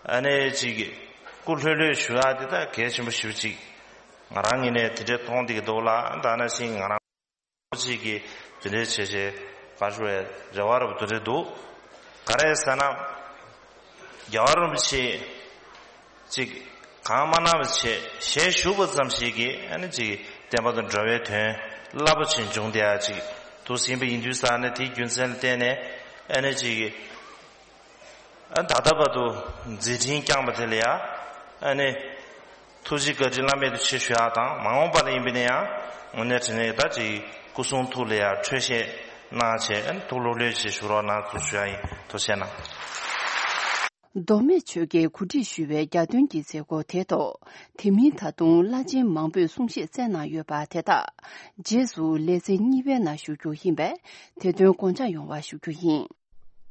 ཨ་ནི་ཅིག་སྐུ་ལྷོད་ལྷོད་བཞུགས་ཡག་དེ་ད་གལ་ཆེན་པོ་ཞེ་པོ་ཅིག་ང་རང་ངོས་ནས་དེ་འདྲས་མཐོང་བསྡད་ཀྱི་འདུག་ལ། ད་ནང་བཞིན་ང་རང་ཅིག་གིས་དེ་འདྲས་བྱས་བྱས་ག་རེ་ཞུ་བའི་རེ་བ་རབ་ཏུ་རེ་འདུག་ག་རེ་ཟེར་ན། རྒྱལ་བ་རིན་པོ་ཆེ་ཅིག་གང་མ་གནང་བ་བྱས་ཞལ་བཞུགས་པ་ཙམ་ཞིག་གིས་ཨ་ནི་ཅིག་བསྟན་པ་དང་འགྲོ་བའི་དོན་རླབས་པོ་ཆེ་འབྱུང་བསྡད་ཡག་ཅིག་འདུག་ཟིན་པ་ཡིན་དུས་ཙང་ནས་དེའི་རྒྱུ་མཚན་ལ་བརྟེན་ནས་ཨ་ནི་ཅིག་ཨ་ད་ལྟ་བར་དུ་མཛད་འཕྲིན་བསྐྱངས་པ་དེ་ལ་ཡ་ཨ་ནི་ཐུགས་རྗེ་བཀའ་དྲིན་བླ་མེད་དུ་ཆེ་ཞུ་ཡག་དང་མ་འོངས་པ་ལ་ཡིན་པ་ན་ཡང་དངོས་གནས་དྲང་གནས་ད་ཅིག་སྐུ་གསུང་ཐུགས་ལ་ཡ་འཕྲོད་བཞེས་གནང་བྱས་ཨ་ནི་ཐུགས་ལྷོད་ལྷོད་བྱས་བཞུགས་རོགས་གནང་ཞུ་ཡག་ཡིན། ཐུགས་རྗེ་གནང་། མདོ་སྨད་ཆོལ་ཁའི་གོ་སྒྲིག་ཞུས་པའི་རྒྱ་སྟོན་གྱི་མཛད་སྒོ་དེ་ཐོག་དེ་མིན་ད་དུང་བླ་ཆེན་མང་པོས་གསུང་བཤད་བསྩལ་གནང་ཡོད་པ་དེ་དག་རྗེས་སུ་ལེ་ཚན་གཉིས་པའི་ནང་ཞུ་རྒྱུ་ཡིན་པས་དེ་དོན་དགོངས་འཇགས་ཡོང་བ་ཞུ་རྒྱུ་ཡིན།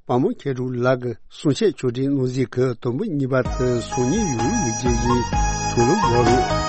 དཔའ་མོ་མཁས་གྲུབ་ལགས་ཀྱི་གསུང་བཤད་ཕྱོགས་སྒྲིག་གནང་གཟིགས་ཀྱིས་དུམ་བུ་གཉིས་པ་དེ་གཟུགས་བརྙན་ཡོད་མི་བརྒྱད་ཀྱི་ཐུགས་ལུང་འོག་རུ།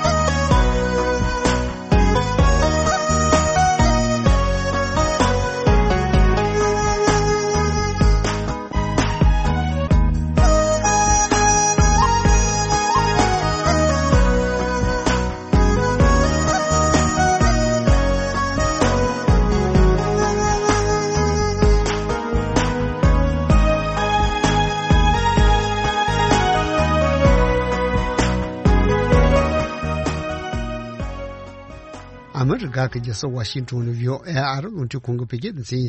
ཨ་མི་རི་ཀ་གི་རྒྱལ་ས་ཝ་ཤིང་ཏོན་ནས་བྷི་ཨོ་ཨེ་ཨ་རི་རླུང་འཕྲིན་ཁང་གི་བོད་སྐད་སྡེ་ཚན།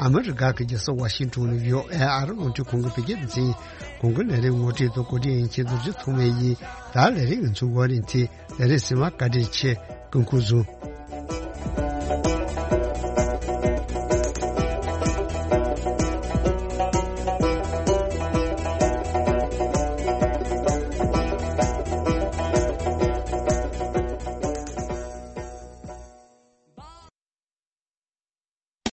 ཨ་མི་རི་ཀ་གི་རྒྱལ་ས་ཝ་ཤིང་ཏོན་ནས་བྷི་ཨོ་ཨེ་ཨ་རི་རླུང་འཕྲིན་ཁང་གི་བོད་སྐད་སྡེ་ཚན་ཡིན། གོང་གི་ལས་རིམ་ངོ་སྤྲོད་དང་གོ་སྒྲིག་འོས་འཚམ་རྡོ་རྗེ་ཐོགས་མེད་ཡིན། ད་ལས་རིམ་ང་ཚོའི་འགོ་རིམ་དེ་ལས་རིམ་ཟིན་པ་བཀའ་དྲིན་ཆེ། སྐུ་ཁམས་བཟང་།